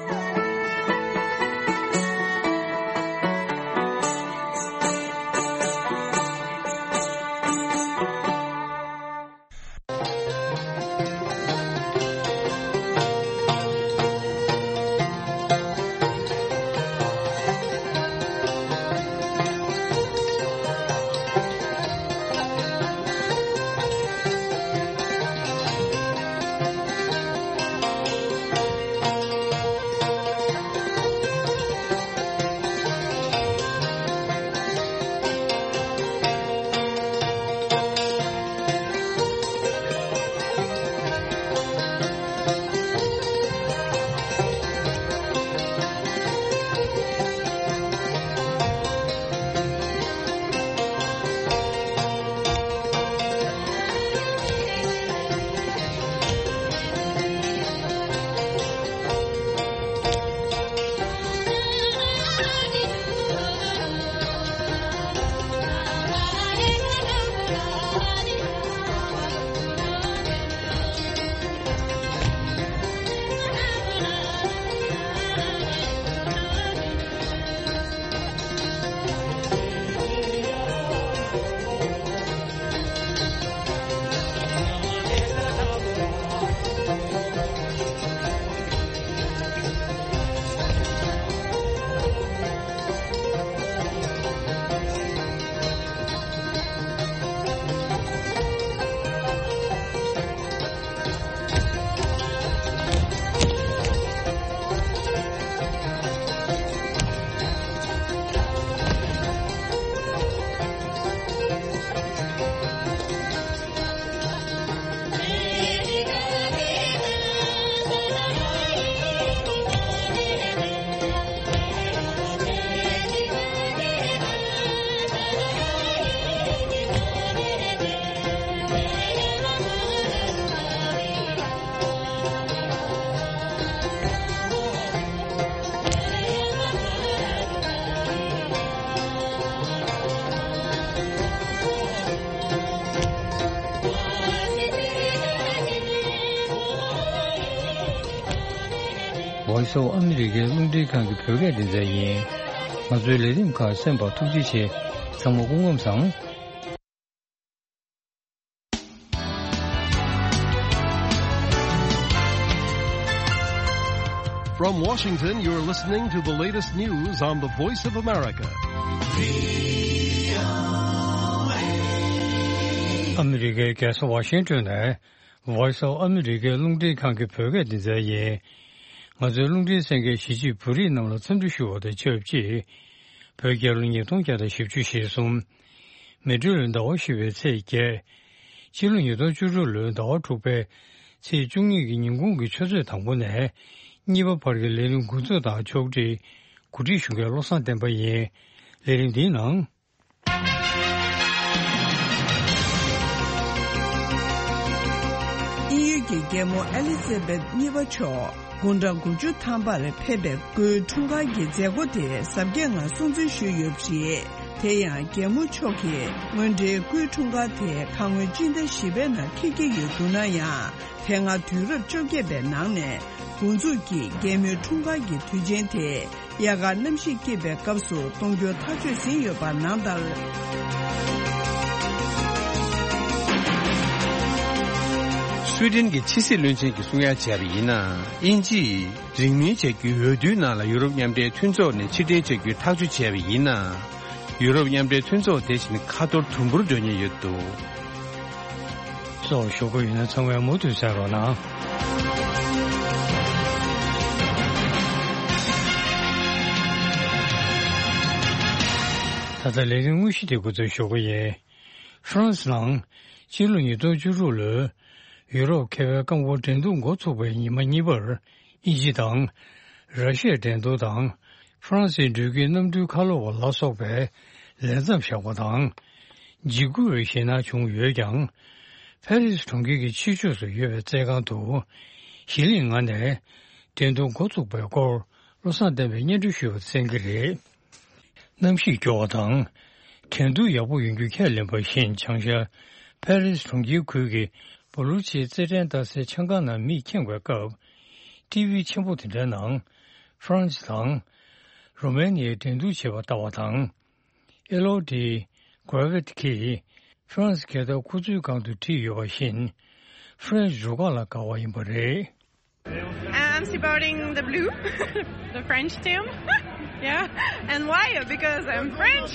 Voice of America རླུང་འཕྲིན་ཁང་གི་བོད་སྐད་སྡེ་ཚན་ཡིན། ང་ཚོའི་ལས་རིམ་ཁག་གསན་པར་ཐུགས་རྗེ་ཆེ། ཚང་མ་སྐུ་ཁམས་བཟང་། From Washington, you're listening to the latest news on the Voice of America. ཨ་མི་རི་ཀའི་རྒྱལ་ས་ཝ་ཤིང་ཏོན་ནས། Voice of America རླུང་འཕྲིན་ཁང་གི་བོད་སྐད་སྡེ་ཚན་ཡིན། ང་ཚོའི་རླུང་འཕྲིན་གསན་མཁན་གཞིས་བྱེས་བོད་རིགས་རྣམས་ལ་འཚམས་འདྲི་ཞུ་བ་དང་ཆབས་ཅིག་བོད་རྒྱལ་ལོ་ཉིས་སྟོང་བརྒྱ་དང་བཞི་བཅུ་ཞེ་གསུམ། མེ་སྤྲེལ་ལོའི་ཟླ་བ་བཞི་པའི་ཚེས་བརྒྱད། ཕྱི་ལོ་ཉིས་སྟོང་བཅུ་དྲུག་ལོའི་ཟླ་བ་དྲུག་པའི་ཚེས་བཅུ་གཉིས་ཀྱི་ཉིན་གུང་གི་ཆུ་ཚོད་དང་པོ་ནས་གཉིས་པ་བར་གྱི་ལས་རིམ་འགོ་འཛུགས་དང་ཕྱོགས་སྒྲིག་གོ་སྒྲིག་ཞུ་མཁན་བློ་བཟང་བསྟན་པ་ཡིན། ལས་རིམ་འདིའི་ནང་། དབྱིན་ཡུལ་གྱི་རྒྱལ་མོ་ཨེ་ལི་ཛ་བེད་གཉིས་པ་མཆོག་དགུང་གྲངས་དགུ་བཅུ་ཐམ་པར་ཕེབས་པའི་སྐུའི་འཁྲུངས་སྐར་གྱི་མཛད་སྒོ་དེ་གཟབ་རྒྱས་ངང་སྲུང་བརྩི་ཞུས་ཡོད་པ་རེད། དེ་ཡང་རྒྱལ་མོ་མཆོག་གིས་དངོས་འབྲེལ་སྐུའི་འཁྲུངས་སྐར་དེ་ཁ་སྔོན་སྤྱི་ཟླ་བཞི་པའི་ནང་འཁེལ་གྱི་ཡོད་འདུག་ན་ཡང་། དེ་སྔ་དུས་རབས་བཅོ་བརྒྱད་པའི་ནང་ནས་འགོ་འཛུགས་ཀྱིས་རྒྱལ་མོའི་འཁྲུངས་སྐར་གྱི་དུས་ཆེན་དེ་དབྱར་ཁར་གནམ་གཤིས་སྐྱིད་པའི་སྐབས་སུ་གཏོང་རྒྱུ་ཐག་གཅོད་ཟིན་ཡོད་པ་ནང་ལྟར། སུའེ་ཏེན་གྱི་ཕྱི་སྲིད་བློན་ཆེན་གྱིས་གསུང་ཡ་བྱས་པ་ཡིན་ན། དབྱིན་ཇིས་རིང་མིན་བྱ་རྒྱུའི་འོས་བསྡུའི་ནང་ལ་ཡུ་རོབ་མཉམ་འབྲེལ་མཐུན་ཚོགས་ནས་ཕྱིར་འཐེན་བྱ་རྒྱུའི་ཐག་གཅོད་བྱས་པ་ཡིན་ན། ཡུ་རོབ་མཉམ་འབྲེལ་མཐུན་ཚོགས་དེ་བཞིན་ཁ་ཐོར་དུམ་བུར་འགྲོ་ཉེན་ཡོད་འདུག་སོགས་ཞུ་གི་ཡོད་ན་ཚང་མས་མུ་མཐུད་གསན་རོགས་གནང་། ད་ལྟ་ལས་རིམ་དངོས་གཞི་དེ་འགོ་འཛུགས་ཞུ་གི་ཡིན། ཧྥ་རན་སི་ནང་སྤྱི་ལོ་ཉིས་སྟོང་བཅུ་དྲུག་ལོའི་ཡུ་རོབ་མཁས་པའི་རྐང་འཁོར་འགྲན་བསྡུར་འགོ་ཚུགས་པའི་ཉི་མ་གཉིས་པར། དབྱིན་ཇི་དང་། ར་ཤི་ཡའི་འགྲན་བསྡུར་དང་། ཧྥ་རན་སིའི་འགྲུལ་སྐྱེལ་གནམ་གྲུའི་ཁ་ལོ་བ་ལ་སོགས་པའི་ལས་མཚམས་བཞག་པ་དང་། འཇིགས་སྐུལ་བའི་ཞེད་སྣང་བྱུང་ཡོད་ཀྱང་། ཕ་རི་སི་གྲོང་ཁྱེར་གྱི་ཕྱི་ཕྱོགས་སུ་ཡོད་པའི་རྩེད་ཁང་དུ། གཞི་གླིང་ལྔ་ནས་འགྲན་བསྡུར་འགོ་ཚུགས་པའི་སྐོར་བློ་བཟང་བསྟན་པས་སྙན་སྒྲོན་ཞུས་པ་གསན་གྱི་རེད། གནམ་གཤིས་སྐྱོ་བ་དང་། འགྲན་བསྡུར་ཡག་པོ་ཡོང་རྒྱུ་ཁས་ལེན་པ་བཞིན། བྱང་ཤར་ཕ་རི་སི་གྲོང་ཁྱེར་ཁུལ་གྱི་བོ་ལུ་ཆིའི་རྩེད་འགྲན་ལྟ་སའི་ཆང་ཁང་ནང་མིས་ཁེངས་པའི་སྐབས། ཊི་ཝི་ཆེན་པོ་དེ་འདྲའི་ནང་། ཧྥ་རན་སི་དང་རུ་མེ་ནི་ཡའི་འགྲན་བསྡུར་བྱེད་པ་ལྟ་བ་དང་། ཨེ་ལོ་ཌི་གྷ་ར་ཝེད་ཀྱིས་ཧྥ་རན་སི་རྒྱལ་དར་ཁོ་ཚོའི་སྒང་དུ་བསྒྲིགས་ཡོད་པ་བཞིན། ཧྥ་རན་སི་རུ་ཁག་ལ་དགའ་བ་ཡིན་པ་རེད། I'm supporting the blue, the French team. Yeah, and why? Because I'm French.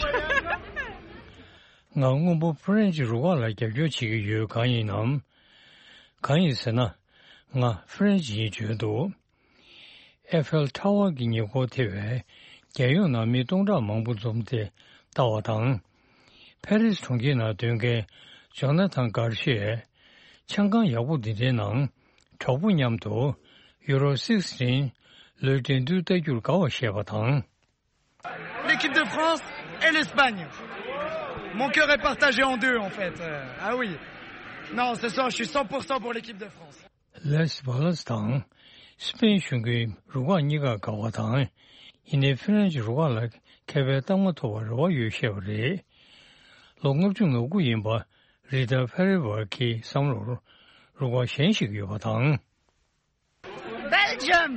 ང་སྔོན་པོ་ཧྥ་རན་སི་རུ་ཁག་ལ་རྒྱབ་སྐྱོར་བྱེད་ཀྱི་ཡོད། གང་ཡིན་ནམ། གང་ཡིན་ཟེར་ན། ང་ཧྥ་རན་སི་ཡིན་བརྗོད་འདུག་ཨེ་ཕེལ་ཊ་ཝར་གྱི་ཉེ་འཁོར་ཐེ་བའི་རྒྱལ་ཡོངས་ནང་མི་སྟོང་ཕྲག་མང་པོ་འཛོམས་ཏེ་ལྟ་བ་དང་། ཕ་རི་སི་གྲོང་ཁྱེར་ནང་སྡོད་མཁན་ཇོ་ན་ཐན་གར་ཤེས། ཆང་ཁང་ཡག་པོ་འདི་འདྲའི་ནང་གྲོགས་པོ་མཉམ་དུ་ཡུ་རོ་སིག་སི་ཊིན་ལོའི་འགྲན་བསྡུར་ལྟ་རྒྱུར་དགའ་བ་བཤད་པ་དང་། L'équipe de France et l'Espagne. Mon cœur est partagé en deux, en fait. Euh, ah oui. Non, ce soir, je suis cent pour cent pour l'équipe de France. ལེས་བྷ་ལ་སི་དང་སི་པེན་གཞོན་སྐྱེས་རུ་ཁག་གཉིས་ཀར་དགའ་བ་དང་། ཡིན་ནའི་ཧྥ་རན་སི་རུ་ཁག་ལ་མཁས་པའི་རྟགས་མ་ཐོབ་པར་རེ་བ་ཡོད་བཤད་པ་རེད། ལོ་ལྔ་བཅུ་ང་དགུ་ཡིན་པ་རི་ཏཱ་ཕེ་རེ་ཝར་ཁིའི་བསམ་བློར་རུ་ཁག་གཞན་ཞིག་ཡོད་པ་དང་། Belgium.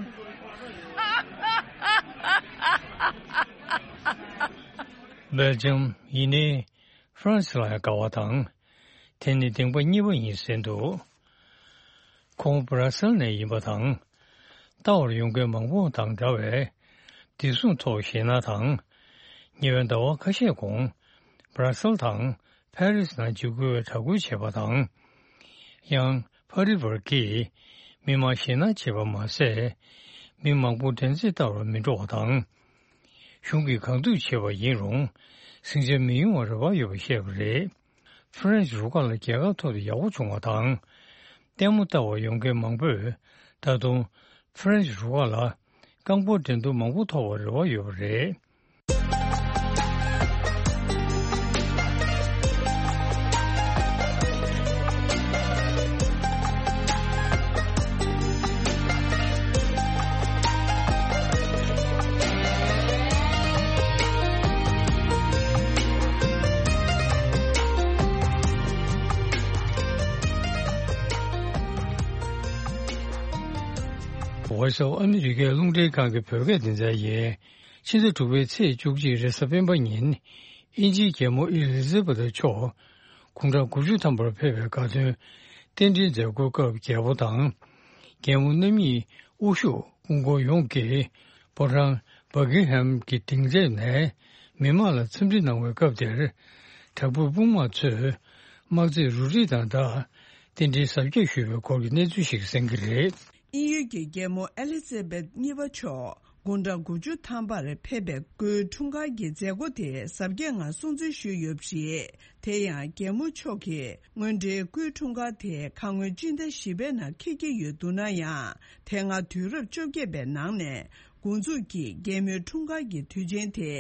སྦེལ་ཇམ་ཡིན་ནའི་ཧྥ་རན་སི་ལ་ཡང་དགའ་བ་དང་། དེ་ནི་གདིང་པ་གཉིས་པ་ཡིན་ཟེར་འདུག་ཁོང་བྷ་ར་སེལ་ནས་ཡིན་པ་དང་། ལྟ་བར་ཡོང་མཁན་མང་པོ་དང་འདྲ་བའི་བདེ་སྲུང་ཐོག་ཞེད་སྣང་དང་། ཉེ་བའི་ཟླ་བ་ཁ་ཤས་གོང་བྷ་ར་སེལ་དང་ཕ་རི་སི་ནང་འཇིགས་སྐུལ་བའི་དྲག་རྒོལ་བྱས་པ་དང་། ཡང་ཕ་རི་ཝར་གྱིས་མི་མང་ཞེད་སྣང་བྱེད་པ་མ་ཟད། མི་མང་པོ་འགྲན་རྩོད་ལྟ་བར་མི་འགྲོ་བ་དང་། གཞུང་གིས་གང་ཐུབ་བྱས་པ་ཡིན་རུང་། ཟིང་ཆ་མི་ཡོང་བར་རེ་བ་ཡོད་པ་བཤད་པ་རེད། ཧྥ་རན་སི་རུ་ཁག་ལ་རྒྱལ་ཁ་ཐོབ་སྟེ་ཡག་པོ་བྱུང་བ་དང་། ལྟད་མོ་ལྟ་བར་ཡོང་མཁན་མང་པོས་ད་དུང་ཧྥ་རན་སི་རུ་ཁག་ལ་རྐང་སྤོལ་འགྲན་བསྡུར་མང་པོ་ཐོབ་པར་རེ་བ་ཡོད་པ་རེད། Voice of America རླུང་འཕྲིན་ཁང་གི་བོད་སྐད་སྡེ་ཚན་ཡིན། ཕྱི་ཟླ་དྲུག་པའི་ཚེས་བཅུ་གཅིག་རེས་གཟའ་སྤེན་པ་ཉིན། དབྱིན་ཇིའི་རྒྱལ་མོ་ཨེ་ལི་ཛེ་བྷ་ཐ་མཆོག་དགུང་གྲངས་དགུ་བཅུ་ཐམ་པར་ཕེབས་པའི་དགའ་སྟོན་རྟེན་འབྲེལ་མཛད་སྒོའི་སྐབས། རྒྱལ་པོ་དང་རྒྱལ་མོ་རྣམ་གཉིས་དབུ་བཞུགས་སྐུ་འཁོར་ཡོངས་ཀྱིས་ཕོ་བྲང་བྷ་ཀིང་ཧམ་གྱི་སྡིངས་ཆ་ནས་མི་མང་ལ་འཚམས་འདྲི་གནང་བའི་སྐབས་དེར། དྲག་པོའི་དཔུང་དམག་ཚོས་དམག་རྩེད་རུ་སྒྲིག་དང་སྦྲགས་རྟེན་འབྲེལ་གཟབ་རྒྱས་ཞུས་པའི་སྐོར་གྱི་གནས་ཚུལ་ཞིག་གསན་གྱི་རེད། དབྱིན་ཡུལ་གྱི་རྒྱལ་མོ་ཨེ་ལི་ཛེ་བྷེད་གཉིས་པ་མཆོག་དགུང་གྲངས་དགུ་བཅུ་ཐམ་པར་ཕེབས་པའི་སྐུའི་འཁྲུངས་སྐར་གྱི་མཛད་སྒོ་དེ་གཟབ་རྒྱས་ངང་སྲུང་བརྩི་ཞུས་ཡོད་པ་རེད། དེ་ཡང་རྒྱལ་མོ་མཆོག་གིས་སྔོན་འགྲོའི་སྐུའི་འཁྲུངས་སྐར་དེ་ཁ་སྔོན་སྤྱི་ཟླ་བཞི་པའི་ནང་འཁེལ་གྱི་ཡོད་འདུག་ན་ཡང་། དེ་སྔ་དུས་རབས་བཅོ་བརྒྱད་པའི་ནང་ནས་འགོ་འཛུགས་ཀྱིས་རྒྱལ་མོའི་འཁྲུངས་སྐར་གྱི་དུས་ཆེན་དེ་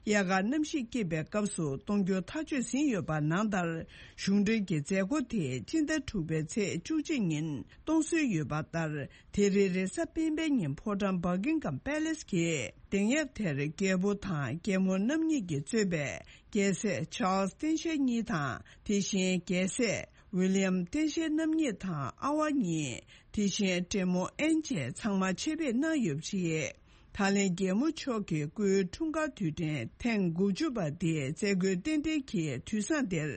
དབྱར་ཁ་གནམ་གཤིས་སྐྱིད་པའི་སྐབས་སུ་གཏོང་རྒྱུ་ཐག་གཅོད་ཟིན་ཡོད་པ་ནང་ལྟར། གཞུང་འབྲེལ་གྱི་མཛད་སྒོ་དེ་སྤྱི་ཟླ་དྲུག་པའི་ཚེས་བཅུ་གཅིག་ཉིན་གཏོང་སྲོལ་ཡོད་པ་ལྟར། དེ་རིང་རེས་གཟའ་སྤེན་པའི་ཉིན་ཕོ་བྲང་Buckingham Palace གྱི་གདན་ཡབ་དེར་རྒྱལ་པོ་དང་རྒྱལ་མོ་རྣམ་གཉིས་ཀྱིས་གཙོས་པའི་རྒྱལ་སྲས་Charles སྟེང་ཤར་གཉིས་དང་། དེ་བཞིན་རྒྱལ་སྲས་William སྟེང་ཤར་རྣམ་གཉིས་དང་ཨ་བ་གཉིས། དེ་བཞིན་བགྲེས་མོ་ཨེན་བཅས་ཚང་མ་ཆེད་ཕེབས་གནང་ཡོད་པ་རེད། ད་ལན་རྒྱལ་མོ་མཆོག་གི་སྐུའི་འཁྲུངས་སྐར་དུས་དྲན་ཐེངས་དགུ་བཅུ་པ་དེ་མཛད་སྒོའི་རྟེན་འབྲེལ་གྱི་དུས་བཟང་དེར།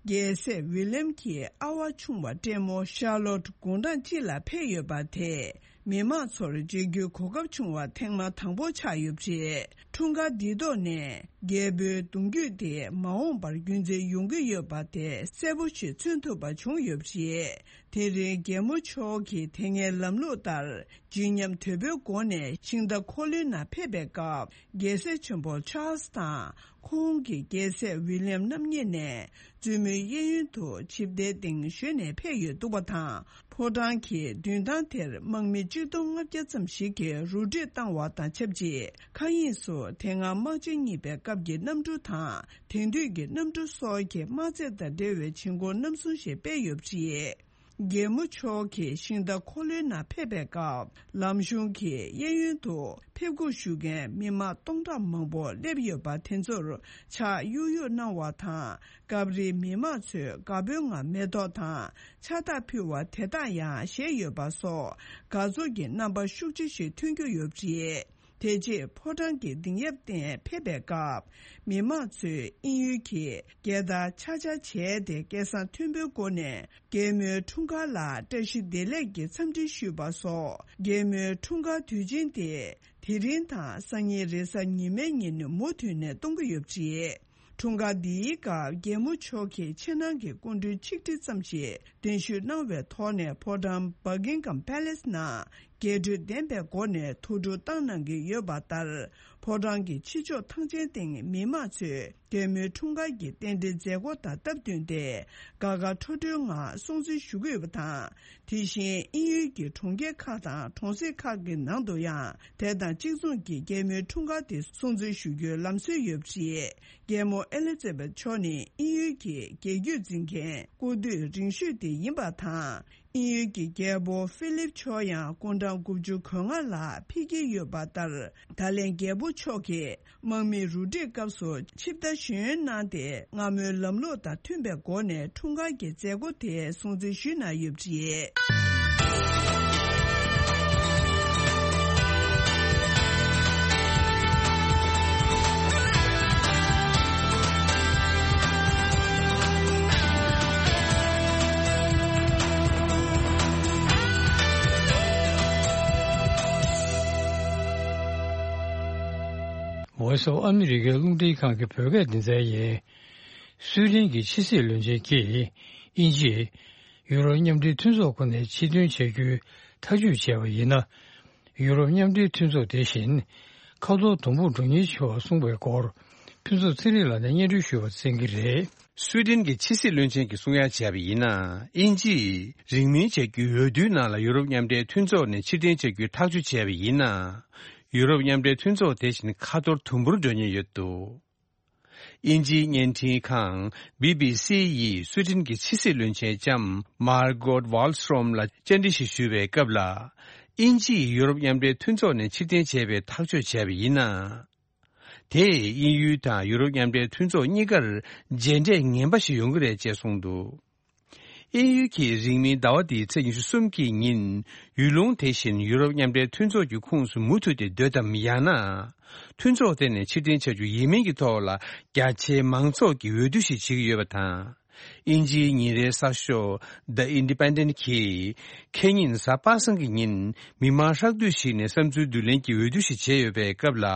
རྒྱལ་སྲས་William གྱི་ཨ་བ་ཆུང་བ་བགྲེས་མོ་Charlotte དགུང་གྲངས་གཅིག་ལ་ཕེབས་ཡོད་པ་དེས། མི་མང་ཚོར་མཇལ་རྒྱུའི་གོ་སྐབས་བྱུང་བ་ཐེངས་མ་དང་པོ་ཆགས་ཡོད་པ་རེད། འཁྲུངས་སྐར་འདིའི་ཐོག་ནས་རྒྱལ་པོའི་གདུང་རྒྱུད་དེ་མ་འོངས་པར་རྒྱུན་འཛིན་ཡོང་གི་ཡོད་པ་དེ་གསལ་པོ་ཞིག་མཚོན་ཐུབ་པ་བྱུང་ཡོད་པ་རེད། དེ་རིང་རྒྱལ་མོ་མཆོག་གིས་དེ་སྔའི་ལམ་ལུགས་ལྟར་བརྗིད་ཉམས་དོད་པོའི་སྒོ་ནས་ཤིང་རྟ་འཁོར་ལོའི་ནང་ཕེབས་པའི་སྐབས། རྒྱལ་སྲས་ཆེན་པོ་Charles དང་ཁོང་གི་རྒྱལ་སྲས་William རྣམ་གཉིས་ནས་བཙུན་མོའི་གཡས་གཡོན་དུ་ཆིབས་རྟའི་སྟེང་བཞོན་ནས་ཕེབས་ཡོད་འདུག་པ་དང་། ཕོ་བྲང་གི་མདུན་ཐང་དེར་དམག་མི་གཅིག་སྟོང་ལྔ་བརྒྱ་ཙམ་ཞིག་གིས་རུ་སྒྲིག་བཏང་བ་དང་ཆབས་ཅིག་མཁའ་དབྱིངས་སུ་དེ་སྔ་དམག་ཆེན་གཉིས་པའི་སྐབས་ཀྱི་གནམ་གྲུ་དང་། དེང་དུས་ཀྱི་གནམ་གྲུ་སོགས་ཀྱི་དམག་རྩེད་དང་འབྲེལ་བའི་བྱེད་སྒོ་རྣམ་གསུམ་ཞིག་སྤེལ་ཡོད་པ་རེད། རྒྱལ་མོ་མཆོག་གིས་ཤིང་རྟ་འཁོར་ལོའི་ནང་ཕེབས་པའི་སྐབས། ལམ་གཞུང་གི་གཡས་གཡོན་དུ་ཕེབས་སྒུག་ཞུ་མཁན་མི་མང་སྟོང་ཕྲག་མང་པོ་སླེབས་ཡོད་པ་དེ་ཚོར་ཕྱག་གཡུག་གཡུག་གནང་བ་དང་། སྐབས་རེ་མི་མང་ཚོས་དགའ་སྤྲོའི་ངང་མེ་ཏོག་དང་ཕྱག་རྟགས་ཕུལ་བ་དེ་དག་ཡང་བཞེས་ཡོད་པ་སོགས་དགའ་ཚོར་གྱི་རྣམ་པ་ཤུགས་ཆེ་ཞིག་ཐོན་རྒྱུ་ཡོད་པ་རེད། དེ་རྗེས་ཕོ་བྲང་གི་སྡིངས་ཡབ་སྟེང་ཕེབས་པའི་སྐབས། མི་མང་ཚོས་དབྱིན་ཡུལ་གྱི་རྒྱལ་དར་ཆག་ཆག་བྱས་ཏེ་སྐད་གསང་མཐོན་པོའི་སྒོ་ནས་རྒྱལ་མོའི་འཁྲུངས་སྐར་ལ་བཀྲ་ཤིས་བདེ་ལེགས་ཀྱི་འཚམས་འདྲི་ཞུས་པ་སོགས། རྒྱལ་མོའི་འཁྲུངས་སྐར་དུས་ཆེན་དེ་དེ་རིང་དང་སང་ཉིན་རེས་གཟའ་ཉི་མའི་ཉིན་མུ་མཐུད་ནས་གཏོང་གི་ཡོད་པ་རེད། འཁྲུངས་སྐར་འདིའི་སྐབས་རྒྱལ་མོ་མཆོག་གིས་ཕྱི་ནང་གི་སྐུ་མགྲོན་ཆིག་ཁྲི་ཙམ་ཞིག་གདན་ཞུ་གནང་བའི་ཐོག་ནས་ཕོ་བྲང་Buckingham Palace ནང་རྒྱས་སྤྲོས་ལྡན་པའི་སྒོ་ནས་ཐུགས་སྤྲོ་བཏང་གནང་གི་ཡོད་པ་ལྟར། ཕོ་བྲང་གི་ཕྱི་ཕྱོགས་ཐང་ཆེན་སྟེང་མི་མང་ཚོས་རྒྱལ་མོའི་འཁྲུངས་སྐར་གྱི་རྟེན་འབྲེལ་མཛད་སྒོ་དང་སྟབས་བསྟུན་ཏེ། དགའ་དགའ་སྤྲོ་སྤྲོའི་ངང་སྲུང་བརྩི་ཞུ་གི་ཡོད་པ་དང་། དེ་བཞིན་དབྱིན་ཡུལ་གྱི་གྲོང་ཁྱེར་ཁག་དང་གྲོང་གསེབ་ཁག་གི་ནང་དུ་ཡང་དེ་དང་གཅིག་མཚུངས་ཀྱིས་རྒྱལ་མོའི་འཁྲུངས་སྐར་དེ་སྲུང་བརྩི་ཞུ་རྒྱུའི་ལམ་སྲོལ་ཡོད་པ་རེད། རྒྱལ་མོ་ཨེ་ལི་ཛེ་བྷེད་མཆོག་ནི་དབྱིན་ཡུལ་གྱི་རྒྱལ་རྒྱུད་འཛིན་མཁན་སྐུ་དུས་རིང་ཤོས་དེ་ཡིན་པ་དང་། དབྱིན་ཡུལ་གྱི་རྒྱལ་པོ་ཧྥི་ལིབ་མཆོག་ཡང་སྐུ་འཕྲང་དགུ་བཅུ་གོ་ལྔ་ལ་ཕེབས་ཀྱི་ཡོད་པ་ལྟར། ད་ལན་རྒྱལ་པོ་མཆོག་གིས་དམག་མིའི་རུ་སྒྲིག་སྐབས་སུ་ཆིབས་རྟ་ཞོན་གནང་སྟེ། སྔ་མོའི་ལམ་ལུགས་དང་མཐུན་པའི་སྒོ་ནས་འཁྲུངས་སྐར་གྱི་མཛད་སྒོ་དེ་སྲུང་བརྩི་ཞུས་གནང་ཡོད་པ་རེད། Voice of America རླུང་འཕྲིན་ཁང་གི་བོད་སྐད་སྡེ་ཚན་ཡིན། སུའེ་ཏེན་གྱི་ཕྱི་སྲིད་བློན་ཆེན་གྱིས་དབྱིན་ཇིས་ཡུ་རོབ་མཉམ་འབྲེལ་མཐུན་ཚོགས་ཁོ་ནས་ཕྱིར་འདོན་བྱ་རྒྱུའི་ཐག་གཅོད་བྱས་པ་ཡིན་ན། ཡུ་རོབ་མཉམ་འབྲེལ་མཐུན་ཚོགས་དེ་བཞིན་ཁ་ཐོར་དུམ་བུར་འགྲོ་ཉེན་ཆེ་བར་གསུངས་པའི་སྐོར། ཕུན་ཚོགས་ཚེ་རིང་ལགས་ནས་སྙན་སྒྲོན་ཞུ་བར་གསན་གྱི་རེད། སུའེ་ཏེན་གྱི་ཕྱི་སྲིད་བློན་ཆེན་གྱིས་གསུང་ཡ་བྱས་པ་ཡིན་ན། དབྱིན་ཇིས་རིང་མིན་བྱ་རྒྱུའི་འོས་བསྡུའི་ནང་ལ་ཡུ་རོབ་མཉམ་འབྲེལ་མཐུན་ཚོགས་ནས་ཕྱིར་འཐེན་བྱ་རྒྱུའི་ཐག་གཅོད་བྱས་པ་ཡིན་ན། ཡུ་རོབ་མཉམ་འབྲེལ་མཐུན་ཚོགས་དེ་བཞིན་ཁ་ཐོར་དུམ་བུར་འགྲོ་ཉེན་ཡོད་འདུག་དབྱིན་ཇིའི་བརྙན་འཕྲིན་ཁང་བྷི་བྷི་སི་ཡིས་སུའེ་ཏེན་གྱི་ཕྱི་སྲིད་བློན་ཆེན་ལྕམ་མར་གོད་ཝཱལ་སི་ཊོམ་ལ་བཅར་འདྲི་ཞིག་ཞུས་པའི་སྐབས་ལ། དབྱིན་ཇིས་ཡུ་རོབ་མཉམ་འབྲེལ་མཐུན་ཚོགས་ནས་ཕྱིར་འཐེན་བྱས་པའི་ཐག་གཅོད་བྱས་པ་ཡིན་ན། དེས་དབྱིན་ཡུལ་དང་ཡུ་རོབ་མཉམ་འབྲེལ་མཐུན་ཚོགས་གཉིས་ཀར་རྗེས་འབྲས་ངན་པ་ཞིག་ཡོང་གི་རེད་ཅེས་གསུངས་འདུག་དབྱིན་ཡུལ་གྱིས་རིང་མིན་ཟླ་བ་འདིའི་ཚེས་ཉི་ཤུ་གསུམ་གྱི་ཉིན། ཡུལ་ལུང་དེ་བཞིན་ཡུ་རོབ་མཉམ་འབྲེལ་མཐུན་ཚོགས་ཀྱི་ཁོངས་སུ་མུ་མཐུད་དེ་སྡོད་དམ། ཡང་ན། མཐུན་ཚོགས་དེ་ནས་ཕྱིར་འཐེན་བྱ་རྒྱུ་ཡིན་མིན་གྱི་ཐོག་ལ། རྒྱ་ཆེའི་མང་ཚོགས་ཀྱིས་འོས་བསྡུ་ཞིག་བྱེད་ཀྱི་ཡོད་པ་དང་། དབྱིན་ཇིའི་ཉིན་རེའི་གསར་ཤོག་The Independent གྱིས། ཁེ་ཉིན་གཟའ་པ་སངས་ཀྱི་ཉིན། མི་མང་ཧྲག་བསྡུས་ཤིག་ནས་བསམ་ཚུལ་བསྡུ་ལེན་གྱི་འོས་བསྡུ་ཞིག་བྱས་ཡོད་པའི་སྐབས་ལ།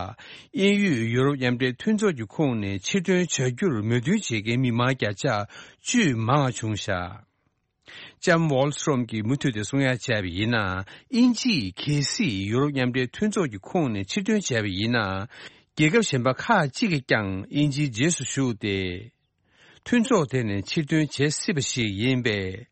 དབྱིན་ཡུལ་ཡུ་རོབ་མཉམ་འབྲེལ་མཐུན་ཚོགས་ཀྱི་ཁོངས་ནས་ཕྱིར་ཐོན་བྱ་རྒྱུར་མོས་མཐུན་བྱེད་མཁན་མི་མང་བརྒྱ་ཆ་བཅུ་མང་བ་བྱུང་བཞག་ལྕམ་ཝོལ་སི་ཊོམ་གྱིས་མུ་མཐུད་དེ་གསུང་ཡ་བྱས་པ་ཡིན་ན། དབྱིན་ཇིས་གལ་སྲིད་ཡུ་རོབ་མཉམ་འབྲེལ་མཐུན་ཚོགས་ཀྱི་ཁོངས་ནས་ཕྱིར་ཐོན་བྱས་པ་ཡིན་ན། རྒྱལ་ཁབ་གཞན་པ་ཁག་ཅིག་གིས་ཀྱང་དབྱིན་ཇིའི་རྗེས་སུ་ཞུགས་ཏེ། མཐུན་ཚོགས་དེ་ནས་ཕྱིར་ཐོན་བྱེད་སྲིད་པ་ཞིག་ཡིན་པས།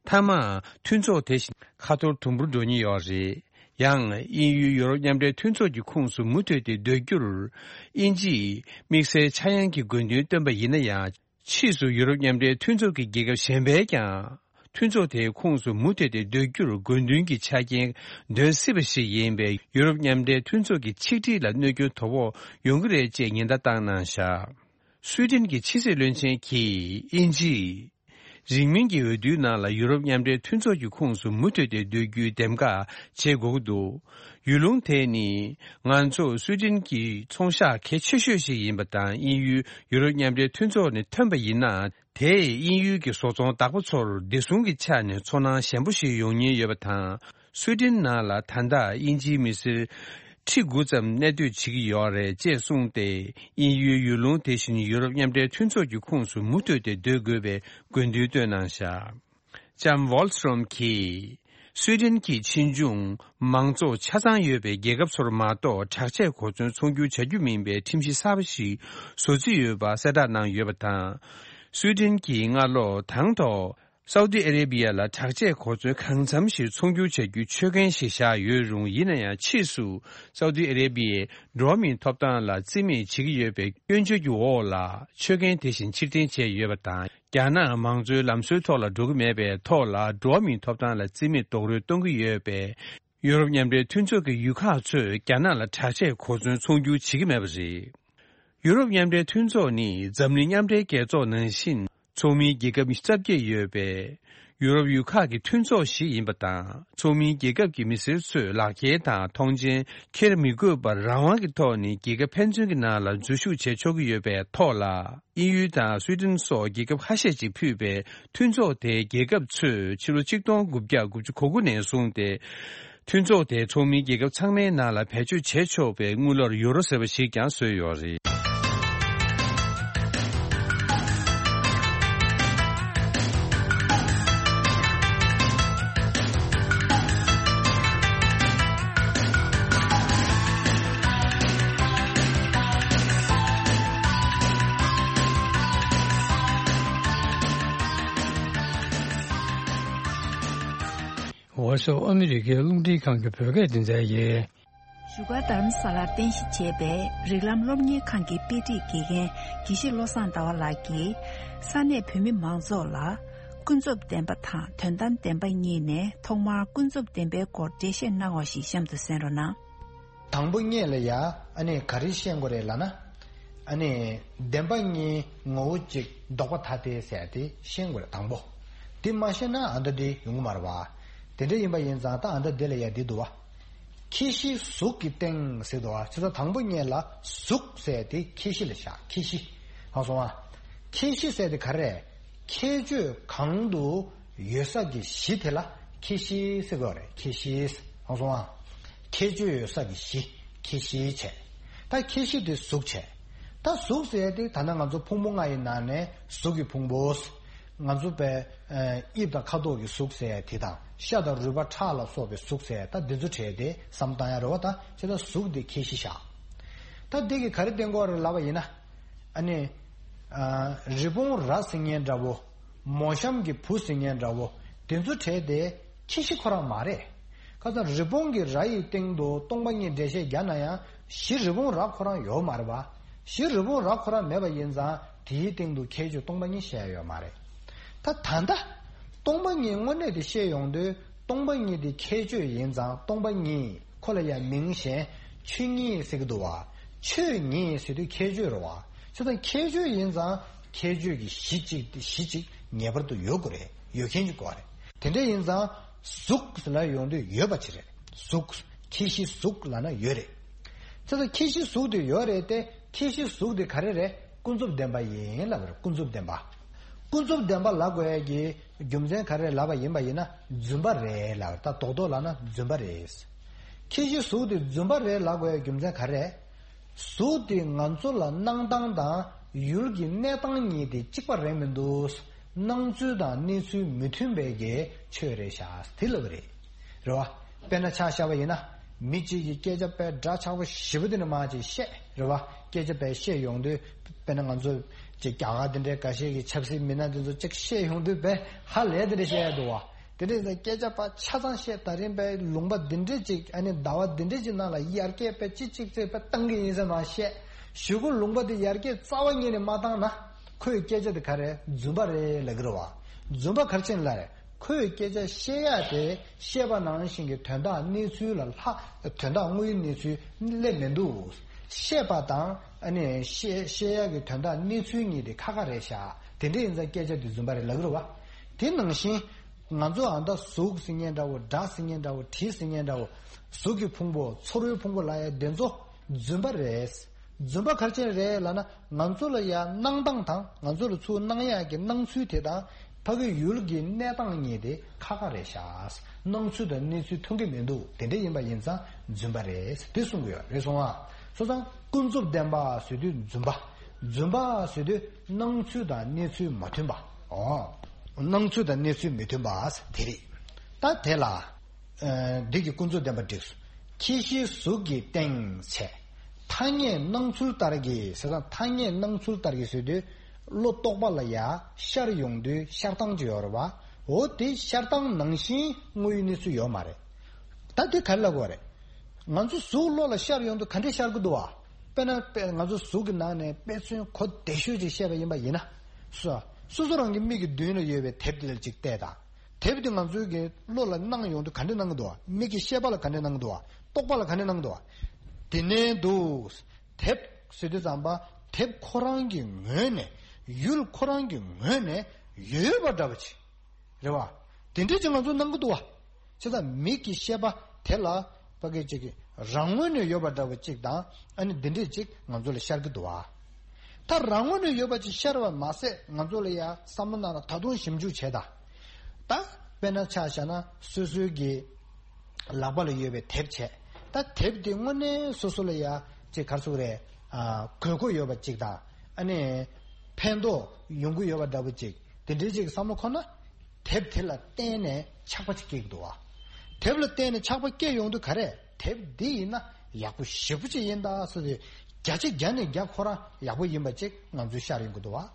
མཐའ་མ་མཐུན་ཚོགས་དེ་བཞིན་ཁ་འཐོར་དུམ་བུར་འགྲོ་ཉེན་ཡོད་རེད། ཡང་དབྱིན་ཡུལ་ཡུ་རོབ་མཉམ་འབྲེལ་མཐུན་ཚོགས་ཀྱི་ཁོངས་སུ་མུ་མཐུད་དེ་སྡོད་རྒྱུར། དབྱིན་ཇིས་དམིགས་བསལ་ཆག་ཡང་གི་དགོས་འདུན་བཏོན་པ་ཡིན་ན་ཡང་། ཕྱིས་སུ་ཡུ་རོབ་མཉམ་འབྲེལ་མཐུན་ཚོགས་ཀྱི་རྒྱལ་ཁབ་གཞན་པས་ཀྱང་། མཐུན་ཚོགས་དེའི་ཁོངས་སུ་མུ་མཐུད་དེ་སྡོད་རྒྱུར་དགོས་འདུན་གྱི་ཆ་རྐྱེན་འདོན་སྲིད་པ་ཞིག་ཡིན་པས། ཡུ་རོབ་མཉམ་འབྲེལ་མཐུན་ཚོགས་ཀྱི་ཆིག་སྒྲིལ་ལ་གནོད་སྐྱོན་དོ་ཕོག་ཡོང་གི་རེད་ཅེས་ཉེན་བརྡ་བཏང་གནང་བཞག་སུའེ་ཏེན་གྱི་ཕྱི་སྲིད་བློན་ཆེན་གྱིས་དབྱིན་ཇིས། རིང་མིན་གྱི་འོས་བསྡུའི་ནང་ལ་ཡུ་རོབ་མཉམ་འབྲེལ་མཐུན་ཚོགས་ཀྱི་ཁོངས་སུ་མུ་མཐུད་དེ་སྡོད་རྒྱུའི་འདེམས་ཀ་བྱེད་དགོས་ཀྱི་འདུག་ཡུལ་ལུང་དེ་ནི། ང་ཚོ་སུའེ་ཏེན་གྱི་ཚོང་ཤག་གལ་ཆེ་ཤོས་ཤིག་ཡིན་པ་དང་། དབྱིན་ཡུལ་ཡུ་རོབ་མཉམ་འབྲེལ་མཐུན་ཚོགས་ནས་ཐོན་པ་ཡིན་ན། དེས་དབྱིན་ཡུལ་གྱི་བཟོ་ཚོང་བདག་པོ་ཚོར་བདེ་སྲུང་གི་ཆ་ནས་ཚོར་སྣང་ཞན་པོ་ཞིག་ཡོང་ཉེན་ཡོད་པ་དང་། སུའེ་ཏེན་ནང་ལ་ད་ལྟ་དབྱིན་ཇིའི་མི་སེར་ཁྲི་དགུ་ཙམ་གནས་སྡོད་བྱེད་ཀྱི་ཡོད་རེད་ཅེས་གསུངས་ཏེ། དབྱིན་ཡུལ་ཡུལ་ལུང་དེ་བཞིན་ཡུ་རོབ་མཉམ་འབྲེལ་མཐུན་ཚོགས་ཀྱི་ཁོངས་སུ་མུ་མཐུད་དེ་སྡོད་དགོས་པའི་དགོས་འདུན་བཏོན་གནང་བཞག་ལྕམ་ཝོལ་སི་ཊོམ་གྱིས། སུའེ་ཏེན་གྱི་ཕྱིས་འབྱུང་མང་གཙོ་ཆ་ཚང་ཡོད་པའི་རྒྱལ་ཁབ་ཚོར་མ་གཏོགས། དྲག་ཆས་གོ་མཚོན་ཚོང་སྒྱུར་བྱ་རྒྱུ་མིན་པའི་ཁྲིམས་གཞི་གསར་པ་ཞིག་བཟོ་རྩིས་ཡོད་པ་གསལ་བསྒྲགས་གནང་ཡོད་པ་དང་། སུའེ་ཏེན་གྱིས་སྔ་ལོ་དང་ཐོག་སའུ་ཏི་ཨ་རེ་བི་ཡ་ལ་དྲག་ཆས་གོ་མཚོན་གང་འཚམ་ཞིག་ཚོང་སྒྱུར་བྱ་རྒྱུའི་ཆོད་གན་ཞིག་བཞག་ཡོད་རུང་། ཡིན་ན་ཡང་ཕྱིས་སུ་སའུ་ཏི་ཨ་རེ་བི་ཡས་འགྲོ་བ་མིའི་ཐོབ་ཐང་ལ་བརྩི་མེད་བྱེད་ཀྱི་ཡོད་པའི་སྐྱོན་བརྗོད་ཀྱི་འོག་ལ་ཆོད་གན་དེ་བཞིན་ཕྱིར་འཐེན་བྱས་ཡོད་པ་དང་། རྒྱ་ནག་མང་གཙོའི་ལམ་སྲོལ་ཐོག་ལ་འགྲོ་གི་མེད་པའི་ཐོག་ལ། འགྲོ་བ་མིའི་ཐོབ་ཐང་ལ་བརྩི་མེད་རྡོག་རོལ་གཏོང་གི་ཡོད་པས། ཡུ་རོབ་མཉམ་འབྲེལ་མཐུན་ཚོགས་ཀྱི་ཡུལ་ཁག་ཚོས་རྒྱ་ནག་ལ་དྲག་ཆས་གོ་མཚོན་ཚོང་སྒྱུར་བྱེད་ཀྱི་མེད་པ་རེད། ཡུ་རོབ་མཉམ་འབྲེལ་མཐུན་ཚོགས་ནི་འཛམ་གླིང་མཉམ་འབྲེལ་རྒྱལ་ཚོགས་ནང་བཞིན་ཚོགས་མིའི་རྒྱལ་ཁབ་རྩ་བརྒྱད་ཡོད་པས། ཡུ་རོབ་ཡུལ་ཁག་གི་མཐུན་ཚོགས་ཤིག་ཡིན་པ་དང་། ཚོགས་མིའི་རྒྱལ་ཁབ་ཀྱི་མི་སེར་ཚོས་ལག་འཁྱེར་དང་མཐོང་མཆན་འཁྱེར་མི་དགོས་པར། རང་དབང་གི་ཐོག་ནས་རྒྱལ་ཁབ་ཕན་ཚུན་གྱི་ནང་ལ་འཛུལ་ཞུགས་བྱེད་ཆོག་གི་ཡོད་པའི་ཐོག་ལ། དབྱིན་ཡུལ་དང་སུའེ་ཏེན་སོགས་རྒྱལ་ཁབ་ཁ་ཤས་ཅིག་ཕུད་པའི་མཐུན་ཚོགས་དེའི་རྒྱལ་ཁབ་ཚོས་ཕྱི་ལོ་ཆིག་སྟོང་དགུ་བརྒྱ་དགུ་བཅུ་གོ་དགུ་ནས་བཟུང་སྟེ། མཐུན་ཚོགས་དེའི་ཚོགས་མིའི་རྒྱལ་ཁབ་ཚང་མའི་ནང་ལ་བེད་སྤྱོད་བྱེད་ཆོག་པའི་དངུལ་ལོར་ཡུ་རོ་ཟེར་བ་ཞིག་ཀྱང་བཟོས་ཡོད་རེད། ཝོ་སི་ཨོ་མི་རི་ཀའི་རླུང་འཕྲིན་ཁང་གི་བོད་སྐད་སྡེ་ཚན་ཡིན། བཞུགས་སྒར་རྡ་རམ་ས་ལར་རྟེན་གཞི་བྱས་པའི་རིགས་ལམ་སློབ་གཉེར་ཁང་གི་དཔེ་ཁྲིད་དགེ་རྒན་དགེ་བཤེས་བློ་བཟང་ཟླ་བ་ལགས་ཀྱིས། ས་གནས་བོད་མི་མང་ཚོགས་ལ་ཀུན་རྫོབ་བདེན་པ་དང་དོན་དམ་བདེན་པ་གཉིས་ནས། ཐོག་མར་ཀུན་རྫོབ་བདེན་པའི་སྐོར་འགྲེལ་བཤད་གནང་བ་ཞིག་གཤམ་དུ་གསན་རོགས་གནང་། དང་པོ་ཉིད་ལ་ཡ་ཨ་ནི་ག་རེ་ཤེས་དགོས་རེད་ལབ་ན། ཨ་ནི་བདེན་པ་གཉིས་ངོ་བོ་གཅིག་ལྡོག་པ་ཐ་དད་ཟེར་དེ་ཤེས་དགོས་རེད། དང་པོ་དེ་མ་ཤེས་ན་ཨ་མདོ་འདི་ཡོང་གི་མ་རེད་བ། དེ་འདྲ་ཡིན་པ་ཡིན་ཙང་ད་ཨ་མདོ་འདི་ལ་ཡ་འདི་འདུག་བ། ཁྱད་གཞི་གཟུགས་ཀྱི་སྟེང་ཟེར་འདུག་བ། བྱས་ཙང་དང་པོ་ཉིད་ལ་གཟུགས་ཟེར་དེ་ཁྱད་གཞི་ལ་བཞག་ཁྱད་གཞི། ཧ་སོང་བ། ཁྱད་གཞི་ཟེར་དེ་ག་རེ་རེད། ཁྱད་ཆོས་གང་དུ་ཡོད་ས་ཀྱི་གཞི་དེ་ལ་ཁྱད་གཞི་ཟེར་དགོས་རེད། ཁྱད་གཞི། ཧ་སོང་བ། ཁྱད་ཆོས་ཡོད་ས་ཀྱི་གཞི། ཁྱད་གཞི་བྱས། ད་ཁྱད་གཞི་དེ་གཟུགས་བྱས། ད་གཟུགས་ཟེར་ཡ་དེ་ད་ནང་ང་ཚོ་ཕུང་པོ་ལྔ་ཡི་ནང་ནས་གཟུགས་ཀྱི་ཕུང་པོ། ང་ཚོ་པའི་ཨ་དབྱིབས་དང་ཁ་དོག་གི་གཟུགས་ཟེར་ཡ་དེ་དང་། ཤ་དང་རུས་པ་ཁྲག་ལ་སོགས་པའི་གཟུགས་ཟེར་ཡ། ད་འདི་ཚོ་བྲལ་ཏེ་བསམ་བཏང་ཡ་རེད་བ། ད་བྱས་ཙང་གཟུགས་དེ་ཁྱད་གཞི་བཞག་ད་འདི་གི་ག་རེ་བསྟན་གྱི་ཡོད་རེད་ལབ་པ་ཡིན་ན། ཨ་ནི། ཨ། རི་བོང་རྭ་ཟེར་མཁན་འདྲ་བོ། མོ་གཤམ་གྱི་བུ་ཟེར་མཁན་འདྲ་བོ། དེ་ཚོ་བྲལ་ཏེ་ཁྱད་གཞི་ཁོ་རང་མ་རེད། ཁ་སང་རི་བོང་གི་རྭ་ཡི་སྟེང་དུ་སྟོང་པ་ཉིད་འགྲེལ་བཤད་རྒྱག་ན་ཡང་གཞི་རི་བོང་རྭ་ཁོ་རང་ཡོད་མ་རེད་པ། གཞི་རི་བོང་རྭ་ཁོ་རང་མེད་པ་ཡིན་ཙང་དེའི་སྟེང་དུ་ཁྱད་ཆོས་སྟོང་པ་ཉིད་བཤད་ཡོད་མ་རེད། ད་ད་ལྟ་སྟོང་པ་ཉིད་དངོས་གནས་དེ་བཤད་ཡོང་དུས་སྟོང་པ་ཉིད་དེ་ཁྱད་ཆོས་ཡིན་ཙང་སྟོང་པ་ཉིད། ཁོ་ལ་ཡང་མིང་གཞན་ཆོས་ཉིད་ཟེར་གྱི་འདུག་བ། ཆོས་ཉིད་ཟེར་དུས་ཁྱད་ཆོས་རེད་བ། བྱས་ཙང་ཁྱད་ཆོས་ཡིན་ཙང་ཁྱད་ཆོས་ཀྱི་གཞི་གཅིག་གཞི་གཅིག་ངེས་པར་དུ་ཡོད་དགོས་རེད། ཡོད་མཁན་གྱི་སྐོར་རེད། དེ་འདྲ་ཡིན་ཙང་གཟུགས་ལ་ཡོང་དུས་ཡོད་པ་ཅིག་རེད། གཟུགས། ཁྱད་གཞི་གཟུགས་ལབ་ན་ཡོད་རེད། དེ་ཚོ་ཁྱད་གཞི་གཟུགས་དེ་ཡོད་རེད་དེ། ཁྱད་གཞི་གཟུགས་དེ་ག་རེ་རེད། ཀུན་རྫོབ་བདེན་པ་ཡིན་ལབ་པ་རེད། ཀུན་རྫོབ་བདེན་པ། ཀུན་རྫོབ་བདེན་པ་ལབ་དགོས་ཡ་གི་རྒྱུ་མཚན་ག་རེ་ལབ་པ་ཡིན་པ་ཡིན་ན། རྫུན་པ་རེད་ལབ་པ་རེད། ད་རྡོག་རྡོག་ལབ་ན་རྫུན་པ་རེད། ཁྱད་གཞི་གཟུགས་དེ་རྫུན་པ་རེད་ལབ་དགོས་ཡ་རྒྱུ་མཚན་ག་རེ། གཟུགས་དེ་ང་ཚོ་ལ་སྣང་སྟངས་དང་ཡུལ་གྱི་གནས་སྟངས་གཉིས་དེ་གཅིག་པ་རེད་མི་འདུག། སྣང་ཚུལ་དང་གནས་ཚུལ་མི་མཐུན་པའི་གི་ཆོས་རེད་ཤག་དེ་ལབ་པ་རེད། རེད་བ། དཔེར་ན་ཆ་བཞག་པ་ཡིན་ན། མི་གཅིག་གིས་སྐད་ཆ་དཔེ་འདྲ་ཆགས་པོ་ཞེ་པོ་དེ་འདྲ་མང་ཅིག་བཤད། རེད་བ། སྐད་ཆ་དཔེ་བཤད་ཡོང་དུས། དཔེར་ན་ང་ཚོ་ཅིག་རྒྱ་གར་དེ་འདྲའི་འགའ་ཤས་ཀྱི་ཆབ་སྲིད་མི་སྣ་དེ་ཚོ་ཅིག་བཤད་ཡོང་དུས་དཔེ་ཧ་ལས་དེ་འདྲ་བཤད་ཡ་འདུག་བ། དེ་འདྲ་ཡིན་ཙང་སྐད་ཆ་ཕར་ཆ་ཚང་བཤད། ད་རིང་དཔེ་ལུང་པ་འདི་འདྲས་ཅིག་ཨ་ནི་ཟླ་བ་འདི་འདྲས་ཅིག་ནང་ལ་ཡར་རྒྱས་དཔེ་ཅིག་ཅིག་ཅིག་དཔེ་བཏང་གི་ཡིན་ཟེར་མ་བཤད། གཞུག་གུ་ལུང་པ་འདི་ཡར་རྒྱས་རྩ་བ་ཉིད་ནས་མ་བཏང་ན། ཁོའི་སྐད་ཆ་འདི་ག་རེ་རྫུན་པ་རེད་ལབ་ཀྱི་རེད་བ། རྫུན་པ་ག་རེ་བྱས་ནས་ལབ་རེད། ཁོས་སྐད་ཆ་བཤད་ཡ་དེ་བཤད་པ་ནང་བཞིན་གྱི་དོན་དག་གནས་ཚུལ་ལ་ལྷག་དོན་དག་དངོས་ཡོད་གནས་ཚུལ་སླེབས་མི་འདུག། བཤད་པ་དང་ཨ་ནི་བཤད་བཤད་ཡ་གི་དོན་དག་གནས་ཚུལ་གཉིས་དེ་ཁ་ཁ་རེད་ཤག། དེ་འདྲ་ཡིན་ཙང་སྐད་ཆ་དེ་རྫུན་པ་རེད་ལབ་ཀྱི་རེད་བ། དེ་ནང་བཞིན། ང་ཚོ་ཨ་ད་གཟུགས་ཟེར་མཁན་འདྲ་བོ། སྒྲ་ཟེར་མཁན་འདྲ་བོ། དྲི་ཟེར་མཁན་འདྲ་བོ། གཟུགས་ཀྱི་ཕུང་པོ། ཚོར་བའི་ཕུང་པོ་ལབ་ཡ་དེ་ཚོ་རྫུན་པ་རེད། རྫུན་པ་ག་རེ་བྱས་རེད་ལབ་ན། ང་ཚོ་ལ་ཡ་སྣང་སྟངས་དང་། ང་ཚོ་ལ་ཚུར་སྣང་ཡ་གི་སྣང་ཚུལ་དེ་དང་། ཕ་གི་ཡུལ་གྱི་གནས་སྟངས་གཉིས་དེ་ཁ་ཁ་རེད་ཤག། སྣང་ཚུལ་དང་གནས་ཚུལ་མཐུན་གྱི་མི་འདུག། དེ་འདྲ་ཡིན་པ་ཡིན་ཙང་རྫུན་པ་རེད། དེ་གསུང་གི་ཡོད་རེད། སོང་ང་། སོང་ཙང་ཀུན་རྫོབ་བདེན་པ་ཟེར་དུས་རྫུན་པ། རྫུན་པ་ཟེར་དུས་སྣང་ཚུལ་དང་གནས་ཚུལ་མ་མཐུན་པ། ཨོ། སྣང་ཚུལ་དང་གནས་ཚུལ་མི་མཐུན་པ་དེ་རེད། ད་དེ་ལ། ཨ། འདི་གི་ཀུན་རྫོབ་བདེན་པ་འགྲིགས་སོ། ཁྱད་གཞི་གཟུགས་ཀྱི་སྟེང་བྱས། ཐ་སྙད་སྣང་ཚུལ་ལྟར་གྱི་ཟེར་ཙང་། ཐ་སྙད་སྣང་ཚུལ་ལྟར་གྱི་ཟེར་དུས། བློ་རྟོག་པ་ལ་ཡ་ཤར་ཡོང་དུས་ཤར་སྟངས་ཅིག་ཡོད་རེད་བ། འོ་དེ་ཤར་སྟངས་ནང་བཞིན་དངོས་ཡོད་གནས་ཚུལ་ཡོད་མ་རེད། ད་དེ་ག་རེ་ལབ་དགོས་རེད། ང་ཚོ་གཟུགས་བློ་ལ་ཤར་ཡོང་དུས་ག་འདྲས་ཤར་གི་འདུག་བ། དཔེར་ན་དཔེ་ང་ཚོ་གཟུགས་ཀྱི་ནང་ནས་དཔེ་མཚོན་གོ་བདེ་ཤོས་ཅིག་བཤད་པ་ཡིན་པ་ཡིན་ན། སོ་སོ་སོ་རང་གི་མིག་གི་མདུན་ལ་ཡོད་པའི་དེབ་དེ་ལ་ཅིག་བལྟས་དང་། དེབ་དེ་ང་ཚོའི་གི་བློ་ལ་སྣང་ཡོང་དུས་ག་འདྲས་སྣང་གི་འདུག་བ། མིག་གི་ཤེས་པ་ལ་ག་འདྲས་སྣང་གི་འདུག་བ། རྟོག་པ་ལ་ག་འདྲས་སྣང་གི་འདུག་བ། དེ་ནས་འདུག། དེབ་ཟེར་དུས་ཙམ་པ། དེབ་ཁོ་རང་གི་ངོས་ནས། ཡུལ་ཁོ་རང་གི་ངོས་ནས་ཡོད་པ་འདྲ་བ་ཅིག། རེད་བ། དེ་འདྲས་ཅིག་ང་ཚོ་སྣང་གི་འདུག་བ། བྱས་ཙང་མིག་གི་ཤེས་པ་དེ་ལ་ཕ་གི་ཅིག་གི་རང་ངོས་ནས་ཡོད་པ་འདྲ་བ་ཅིག་དང་། ཨ་ནི་འདི་འདྲས་ཅིག་ང་ཚོ་ལ་ཤར་གི་འདུག་བ། ད་རང་ངོས་ནས་ཡོད་པ་ཅིག་ཤར་བ་མ་ཟད། ང་ཚོ་ལ་ཡ་བསམ་བློ་ནང་ལ་ད་དུང་ཞིབ་འཇུག་བྱས་དང་། ད་དཔེར་ན་ཆ་བཞག་ན། སོ་སོའི་གི་ལག་པ་ལ་ཡོད་པའི་དེབ་བྱས། ད་དེབ་དེ་དངོས་གནས་སོ་སོ་ལ་ཡ་ཅིག་ག་རེ་ཟེར་དགོས་རེད། ཨ། དགོས་མཁོ་ཡོད་པ་ཅིག་དང་། ཨ་ནི་ཕན་ཐོགས་ཡོང་གི་ཡོད་པ་འདྲ་བོ་ཅིག། དེ་འདྲའི་ཅིག་བསམ་བློ་འཁོར་ན། དེབ་དེ་ལ་བརྟེན་ནས་ཆགས་པ་ཅིག་སྐྱེ་གི་འདུག་བ། དེབ་ལ་བརྟེན་ནས་ཆགས་པ་སྐྱེ་ཡོང་དུས་ག་རེ། དེབ་འདི་ཡིན་ན་ཡག་པོ་ཞེ་པོ་ཅིག་ཡིན་ད་ཟེར་ཏེ། བརྒྱ་ཆ་བརྒྱ་ནས་བརྒྱ་ཁོ་རང་ཡག་པོ་ཡིན་པ་ཅིག་ང་ཚོའི་ཤར་ཡོང་གི་འདུག་བ།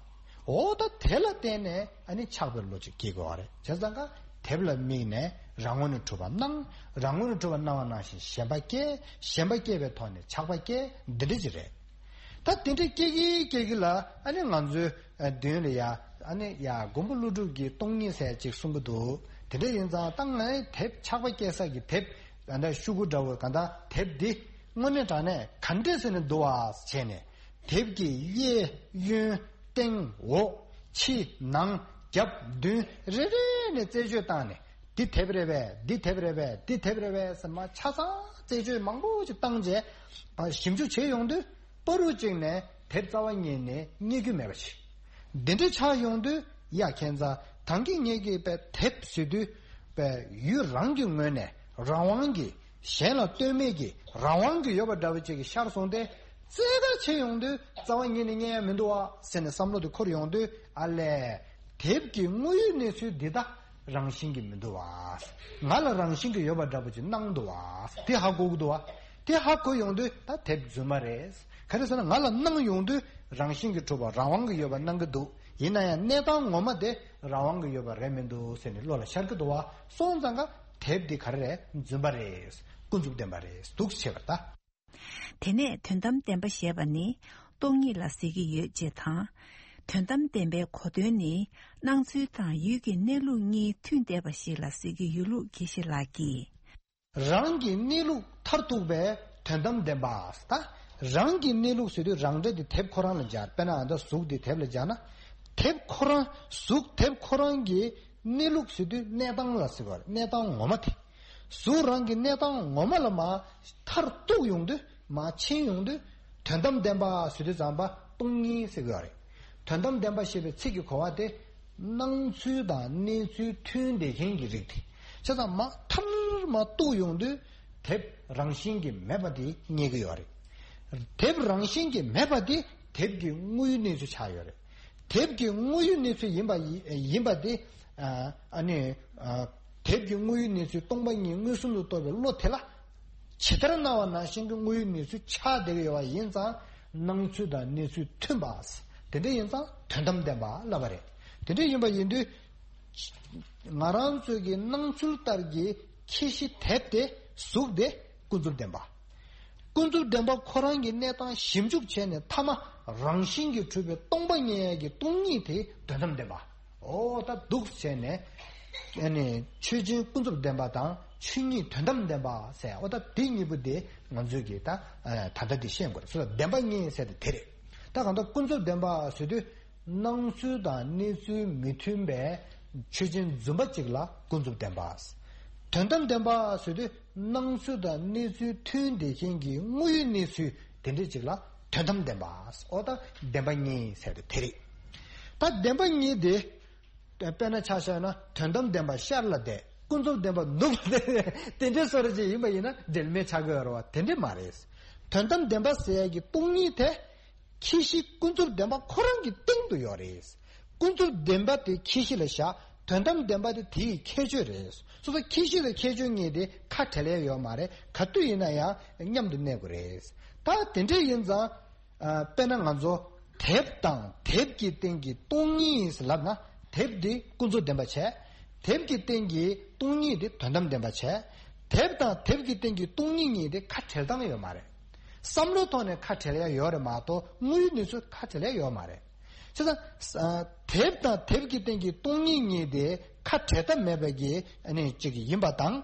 འོ་ད་དེ་ལ་བརྟེན་ནས་ཨ་ནི་ཆགས་པའི་བློ་ཅིག་སྐྱེ་དགོས་བ་རེད། བྱས་ཙང་ཀ་དེབ་ལ་དམིགས་ནས་རང་ངོས་ནས་གྲུབ་པ་སྣང་། རང་ངོས་ནས་གྲུབ་པ་སྣང་བ་ནང་བཞིན་ཞེན་པ་སྐྱེ། ཞེན་པ་སྐྱེ་བའི་ཐོག་ནས་ཆགས་པ་སྐྱེ། འདི་འདྲ་ཅིག་རེད། ད་དེ་འདྲ་སྐྱེ་གི་སྐྱེ་གི་ལ། ཨ་ནི་ང་ཚོའི་མདུན་ལ་ཡ། ཨ་ནི་ཡ་མགོན་པོ་ཀླུ་སྒྲུབ་ཀྱི་སྟོང་ཉིད་ཟེར་ཅིག་གསུང་གི་འདུག། དེ་འདྲ་ཡིན་ཙང་ད་ངས་དེབ་ཆགས་པ་སྐྱེ་ས་གི་དེབ། ད་ལྟ་ཤོག་གུ་འདྲ་བོ་གང་ལྟར་དེབ་འདི་དངོས་གནས་དྲང་གནས་ག་འདྲས་ཟེར་ནས་འདུག་བ་བྱས་ནས། དེབ་ཀྱི་གཡས་གཡོན་སྟེང་འོག་ཕྱི་ནང་རྒྱབ་མདུན་རེ་རེ་ནས་རྩད་གཅོད་བཏང་ནས། འདི་དེབ་རེད་པས། འདི་དེབ་རེད་པས། འདི་དེབ་རེད་པས་ཟེར་མ་ཆ་ཚང་རྩད་གཅོད་མང་པོ་ཅིག་བཏང་རྗེས། ཞིབ་འཇུག་བྱེད་ཡོང་དུས་བར་དུ་གཅིག་ནས་དེབ་རྩ་བ་ཉིད་ནས་རྙེད་རྒྱུ་མེད་པ་ཞིག། འདི་འདྲ་ཆགས་ཡོང་དུས་ཡ་ཁྱེད་ཚ་ད་གིན་ངེད་ཀྱིས་པའི་དེབ་ཟེར་དུས་པའི་ཡུལ་རང་གི་ངོས་ནས་རང་དབང་གིས། གཞན་ལ་ལྟོས་མེད་ཀྱི་རང་དབང་གིས་ཡོད་པ་འདྲ་བོ་ཅིག་གི་ཤར་སོང་སྟེ། རྩད་གར་ཕྱིན་ཡོང་དུས་རྩ་བ་ཉིད་ནས་རྙེད་ཡ་མི་འདུག་བ་ཟེར་ནས་བསམ་བློ་དེ་འཁོར་ཡོང་དུས། ཨ་ལས། དེབ་ཀྱི་དངོས་ཡོད་གནས་ཚུལ་འདི་དག་རང་བཞིན་གྱིས་མི་འདུག་བ། ང་ལ་རང་བཞིན་གྱིས་ཡོད་པ་འདྲ་པོ་ཅིག་སྣང་འདུག་བ། དེ་ཧ་གོ་གི་འདུག་བ། དེ་ཧ་གོ་ཡོང་དུས་ད་དེབ་རྫུན་མ་རེད། ག་རེ་ཟེར་ན་ང་ལ་སྣང་ཡོང་དུས་རང་བཞིན་གྱིས་གྲུབ་པ་རང་དབང་གིས་ཡོད་པ་སྣང་གི་འདུག། ཡིན་ན་ཡང་གནས་སྟངས་ངོ་མ་དེ་རང་དབང་གིས་ཡོད་པ་རེད་མི་འདུག་ཟེར་ནས་བློ་ལ་ཤར་གི་འདུག་བ། སོང་ཙང་ཀ་དེབ་འདི་ག་རེ་རེད། རྫུན་པ་རེད། ཀུན་རྫོབ་བདེན་པ་རེད། འདུག་ཟེར་བ་ད། དེ་ནས་དོན་དམ་བདེན་པ་ཞེས་པ་ནི་སྟོང་ཉིད་ལ་ཟེར་གྱི་ཡོད་ཅེས་དང་། དོན་དམ་བདེན་པའི་གོ་དོན་ནི་སྣང་ཚུལ་དང་ཡུལ་གྱི་གནས་ལུགས་གཉིས་མཐུན་བསྡད་པ་ཞིག་ལ་ཟེར་གྱི་ཡོད་ལུགས་དགེ་བཤེས་ལགས་ཀྱིས། རང་གི་གནས་ལུགས་མཐར་ཐུག་པའི་དོན་དམ་བདེན་པ། ད་རང་གི་གནས་ལུགས་ཟེར་དུས་རང་འདྲ་དེ་དེབ་ཁོ་རང་ལ་སྦྱར། དཔེར་ན་ཨ་ད་གཟུགས་དེ་དེབ་ལ་སྦྱར་ན། དེབ་ཁོ་རང་གཟུགས་དེབ་ཁོ་རང་གི་ གནས་ལུགས་ཟེར་དུས་གནས་སྟངས་ལ་ཟེར་བ་རེད། གནས་སྟངས་ངོ་མ་དེ། གཟུགས་རང་གི་གནས་སྟངས་ངོ་མ་ལ་མར་མཐར་གཏུགས་ཡོང་དུས། མར་ཕྱིན་ཡོང་དུས། དོན་དམ་བདེན་པ་ཟེར་དུས་ཙམ་པ་སྟོང་ཉིད་ཟེར་གྱི་ཡོད་རེད། དོན་དམ་བདེན་པ་ཞེས་པའི་ཚིག་གི་གོ་བ་དེ། སྣང་ཚུལ་དང་གནས་ཚུལ་མཐུན་བསྡད་མཁན་གྱི་རིགས་དེ། བྱས་ཙང་མར་མཐར་མར་གཏུགས་ཡོང་དུས། དེབ་རང་བཞིན་གྱིས་མེད་པ་དེ་རྙེད་ཀྱི་ཡོད་རེད། དེབ་རང་བཞིན་གྱིས་མེད་པ་དེ་དེབ་ཀྱི་དངོས་ཡོད་གནས་ཚུལ་ཆགས་ཡོད་རེད། དེབ་ཀྱི་དངོས་ཡོད་གནས་ཚུལ་ཡིན་པ་ཡི་ཡིན་པ་དེ། ཨ་ཨ་ནི་ཨ་དེབ་ཀྱི་དངོས་ཡོད་གནས་ཚུལ་སྟོང་པ་ཉིད་མངོན་སུམ་དུ་རྟོགས་པའི་བློ་དེ་ལ། ཇི་ལྟར་སྣང་བ་ནང་བཞིན་གྱི་དངོས་ཡོད་གནས་ཚུལ་ཆགས་བསྡད་ཀྱི་ཡོད་པ་ཡིན་ཙང་། སྣང་ཚུལ་དང་གནས་ཚུལ་མཐུན་པ། དེ་འདྲ་ཡིན་ཙང་དོན་དམ་བདེན་པ་ལབ་པ་རེད། དེ་འདྲ་ཡིན་པ་ཡིན་དུས། ང་རང་ཚོའི་གི་སྣང་ཚུལ་ལྟར་གྱི་ཁྱད་གཞི་དེབ་དེ་གཟུགས་དེ་ཀུན་རྫོབ་བདེན་པ། ཀུན་རྫོབ་བདེན་པ་ཁོ་རང་གི་གནས་སྟངས་ཞིབ་འཇུག་བྱས་ནས། མཐའ་མ་རང་བཞིན་གྱིས་གྲུབ་པའི་སྟོང་པ་ཉིད་ཀྱི་སྟོང་ཉིད་དེ་དོན་དམ་བདེན་པ། འོ་ད་འདུག་བྱས་ནས། ཨ་ནི་ཆོས་ཅན་ཀུན་རྫོབ་བདེན་པ་དང་ཆོས་ཉིད་དོན་དམ་བདེན་པ་ཟེར། འོ་ད་དེ་གཉིས་པོ་དེ་ང་ཚོས་ཀྱིས་ད་ད་ལྟ་དེ་ཤེས་དགོས་རེད། སོ་བདེན་པ་གཉིས་ཟེར་དེ་དེ་རེད། ད་གང་ལྟར་ཀུན་རྫོབ་བདེན་པ་ཟེར་དུས། སྣང་ཚུལ་དང་གནས་ཚུལ་མི་མཐུན་པའི་ཆོས་ཅན་རྫུན་པ་གཅིག་ལ་ཀུན་རྫོབ་བདེན་པ། དོན་དམ་བདེན་པ་ཟེར་དུས། སྣང་ཚུལ་དང་གནས་ཚུལ་མཐུན་བསྡད་མཁན་གྱི་དངོས་ཡོད་གནས་ཚུལ་དེ་འདྲ་གཅིག་ལ་དོན་དམ་བདེན་པ། འོ་ད་བདེན་པ་གཉིས་ཟེར་དེ་དེ་རེད། ད་བདེན་པ་གཉིས་དེ། དཔེར་ན་ཆ་བཞག་ན་དོན་དམ་བདེན་པ་ཤར་ལ་བསྡད། ཀུན་རྫོབ་བདེན་པ་ནུབ་ལ་བསྡད། དེ་འདྲའི་བཟོ་འདྲ་ཅིག་ཡིན་པ་ཡིན་ན་འབྲེལ་མེད་ཆགས་ཀྱི་ཡོད་རེད་བ། དེ་འདྲ་མ་རེད། དོན་དམ་བདེན་པ་ཟེར་ཡག་གི་སྟོང་ཉིད་དེ། ཁྱད་གཞི་ཀུན་རྫོབ་བདེན་པ་ཁོ་རང་གི་སྟེང་དུ་ཡོད་རེད། ཀུན་རྫོབ་བདེན་པ་དེ་ཁྱད་གཞི་ལ་བཞག། དོན་དམ་བདེན་པ་དེ་དེའི་ཁྱད་ཆོས་རེད། སོ་སོ་ཁྱད་གཞི་དང་ཁྱད་ཆོས་གཉིས་དེ་ཁ་བྲལ་ཡ་ཡོད་མ་རེད། ག་དུས་ཡིན་ན་ཡང་མཉམ་དུ་གནས་དགོས་རེད། ད་དེ་འདྲ་ཡིན་ཙང་། ཨ། དཔེར་ན་ང་ཚོ་དེབ་དང་དེབ་ཀྱི་སྟེང་གི་སྟོང་ཉིད་ལབ་ན། དེབ་འདི་ཀུན་རྫོབ་བདེན་པ་བྱས། དེབ་ཀྱི་སྟེང་གི་སྟོང་ཉིད་འདི་དོན་དམ་བདེན་པ་བྱས། དེབ་དང་དེབ་ཀྱི་སྟེང་གི་སྟོང་ཉིད་གཉིས་དེ་ཁ་བྲལ་སྟངས་ཡོད་མ་རེད། བསམ་བློའི་ཐོག་ནས་ཁ་བྲལ་ཡ་ཡོད་རེད་མ་གཏོགས་དངོས་ཡོད་གནས་ཚུལ་ཁ་བྲལ་ཡ་ཡོད་མ་རེད། བྱས་ཙང་། ཨ། དེབ་དང་དེབ་ཀྱི་སྟེང་གི་སྟོང་ཉིད་གཉིས་དེ་ཁ་བྲལ་ཐབས་མེད་པའི་གི་ཨ་ནི་གཅིག་ཡིན་པ་དང་།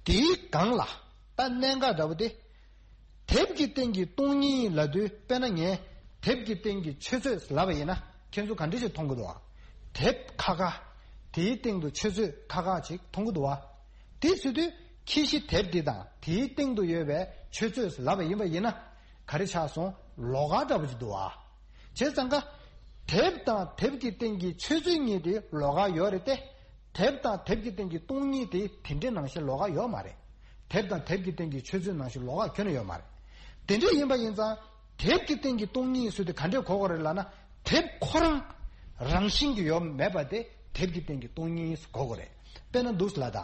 དེའི་སྒང་ལ་ད་གནད་འགག་འདྲ་བོ་དེ། དེབ་ཀྱི་སྟེང་གི་སྟོང་ཉིད་ལབ་དུས། དཔེར་ན་ངས་དེབ་ཀྱི་སྟེང་གི་ཆུ་ཚོད་ལབ་པ་ཡིན་ན། ཁྱེད་ཚོ་ག་འདྲ་ཞིག་མཐོང་གི་འདུག་བ། དེབ་ཁ་ཁ། དེའི་སྟེང་དུ་ཆུ་ཚོད་ཁ་ཁ་ཅིག་མཐོང་གི་འདུག་བ། དེ་ཟེར་དུས་ཁྱད་གཞི་དེབ་འདི་དང་དེའི་སྟེང་དུ་ཡོད་པའི་ཆུ་ཚོད་ལབ་པ་ཡིན་པ་ཡིན་ན། ག་རེ་ཆགས་སོང་། ལོགས་ཀ་འདྲ་བོ་ཅིག་འདུག་བ། བྱས་ཙང་ཀ། དེབ་དང་དེབ་ཀྱི་སྟེང་གི་ཆུ་ཚོད་གཉིས་དེ་ལོགས་ཀ་ཡོད་རེད་དེ། དེབ་དང་དེབ་ཀྱི་སྟེང་གི་སྟོང་ཉིད་དེ་དེ་འདྲའི་ནང་བཞིན་ལོགས་ཀ་ཡོད་མ་རེད། དེབ་དང་དེབ་ཀྱི་སྟེང་གི་ཆུ་ཚོད་ནང་བཞིན་ལོགས་ཀ་ཁྱོན་ནས་ཡོད་མ་རེད། དེ་འདྲ་ཡིན་པ་ཡིན་ཙང་། དེབ་ཀྱི་སྟེང་གི་སྟོང་ཉིད་ཟེར་དེ་ག་འདྲས་གོ་དགོས་རེད་ལབ་ན། དེབ་ཁོ་རང་རང་བཞིན་གྱིས་ཡོད་མེད་པ་དེ་དེབ་ཀྱི་སྟེང་གི་སྟོང་ཉིད་གོ་དགོས་རེད། དཔེར་ན་འདུག་ལ་ད།